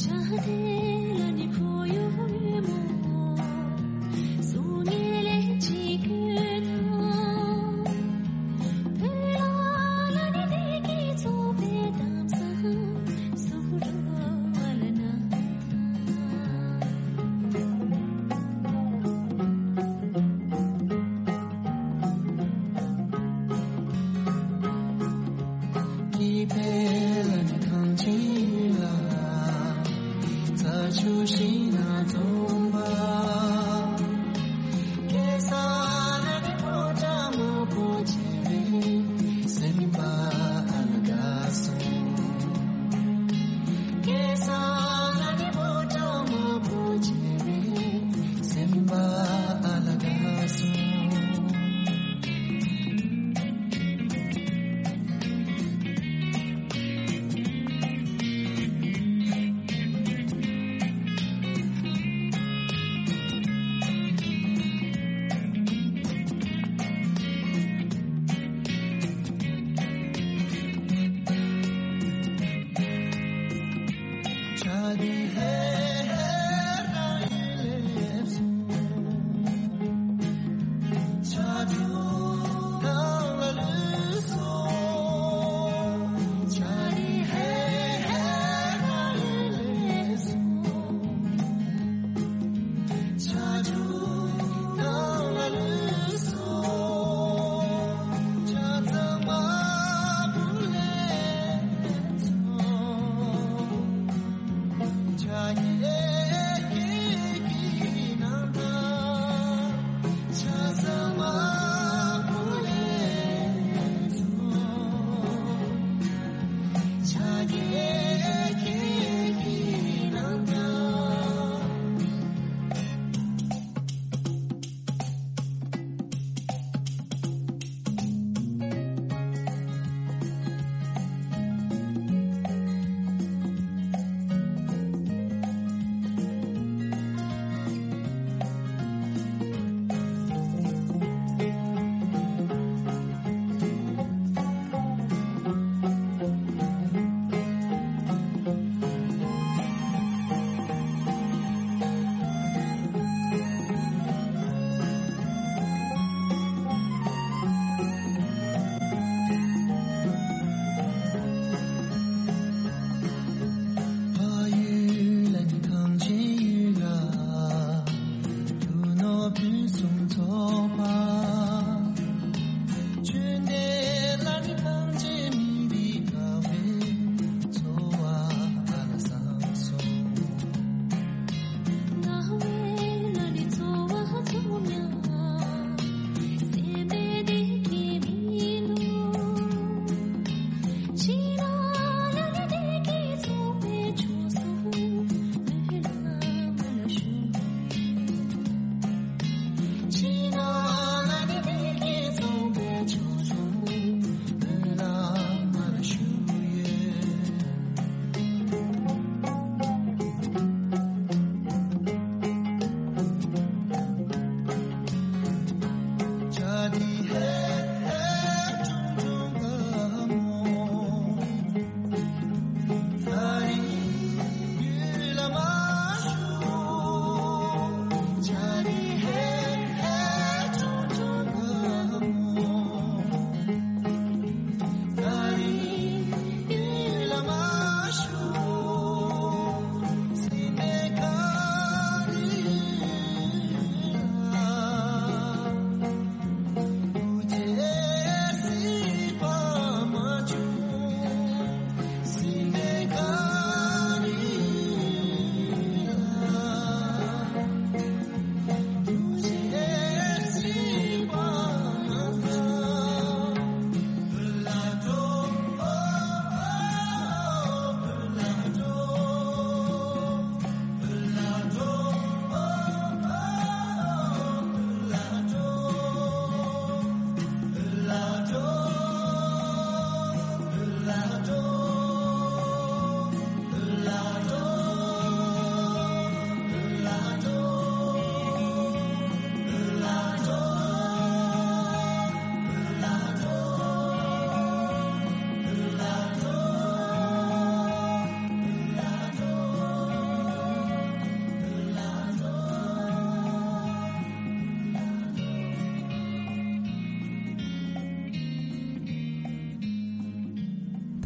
ཆ་ལེ་ལ་ནི་ཁོ་ཡོད་མོ། སུ་ངེ་ལེ་ཅི་གུ་ཐང་། བོད་ལ་ལ་ནི་བདེ་སྐྱིད་ཚོགས་པའི་གཏམ་བཟང་སུ་རོ་བ་ལ་ན་ཐང་།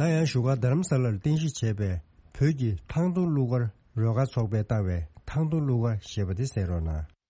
ད་ཡང་བཞུགས་སྒར་རྡ་རམ་ས་ལར་རྟེན་གཞི་བྱས་པའི་བོད་ཀྱི་ཐང་སྟོང་གླུ་གར་རོལ་ཁ་ཚོགས་པས་བཏང་བའི་ཐང་སྟོང་གླུ་གར་ཞེས་པ་དེ་གསན་རོགས་གནང་།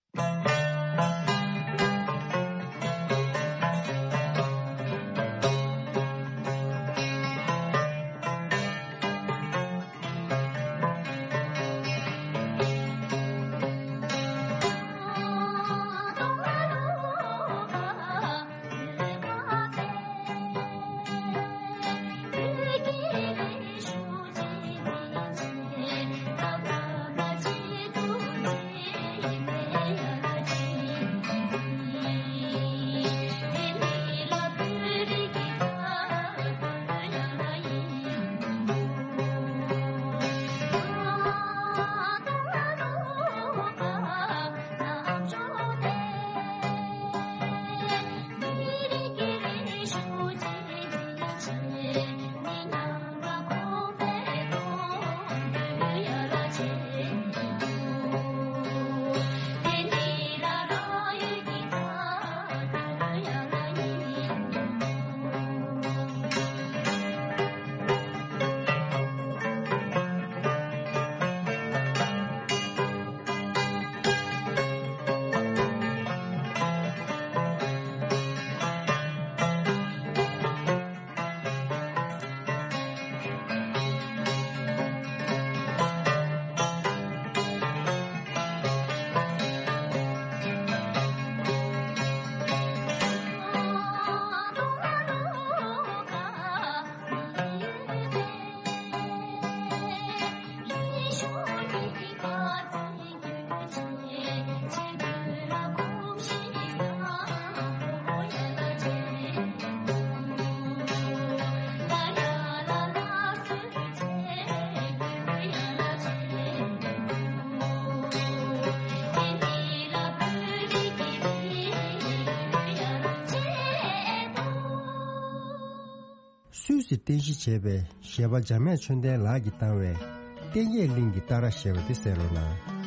སུད་སི་རྟེན་གཞི་བྱས་པའི་གཞས་པ་འཇམ་དབྱངས་ཆོས་ལྡན་ལགས་ཀྱིས་བཏང་བའི་ལྟེ་བརྒྱད་གླིང་གི་རྟ་ར་ཞེས་པ་དེ་གསན་རོགས་གནང་།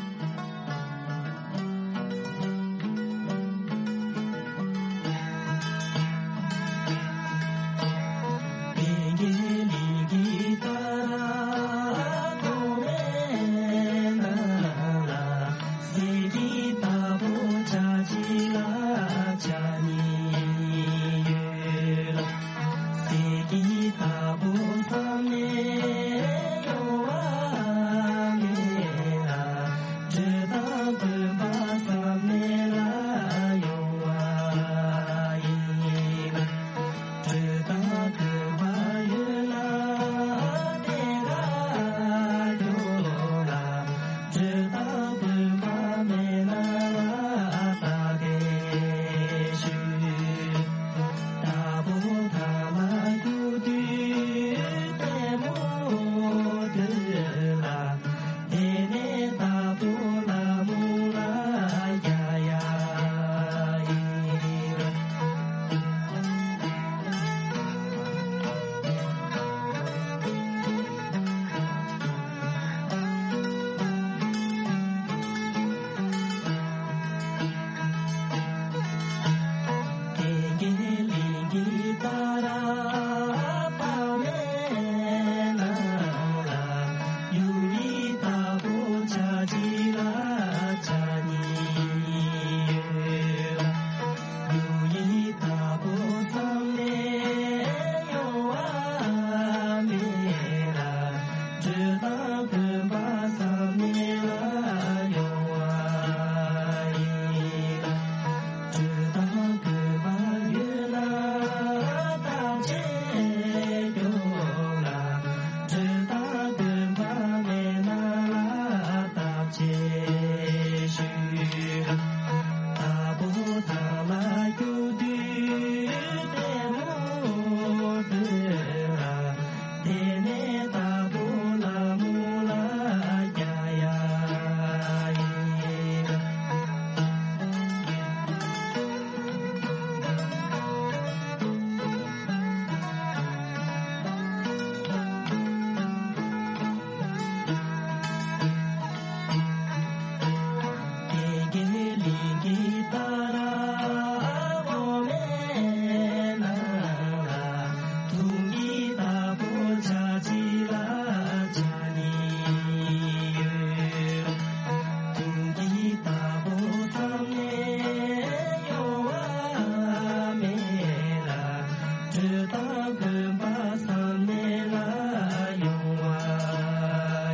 དྲི་དང་ལྡན་པ་བསམ་གནས་ལ་ཡོང་བ་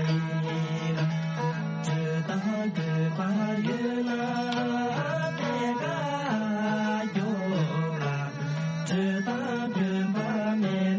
ཡིན། དྲི་དང་ལྡན་པ་ཡོད་ན་དེ་ཀ་སྐྱོ་བ། དྲི་དང་ལྡན་པ་མེད་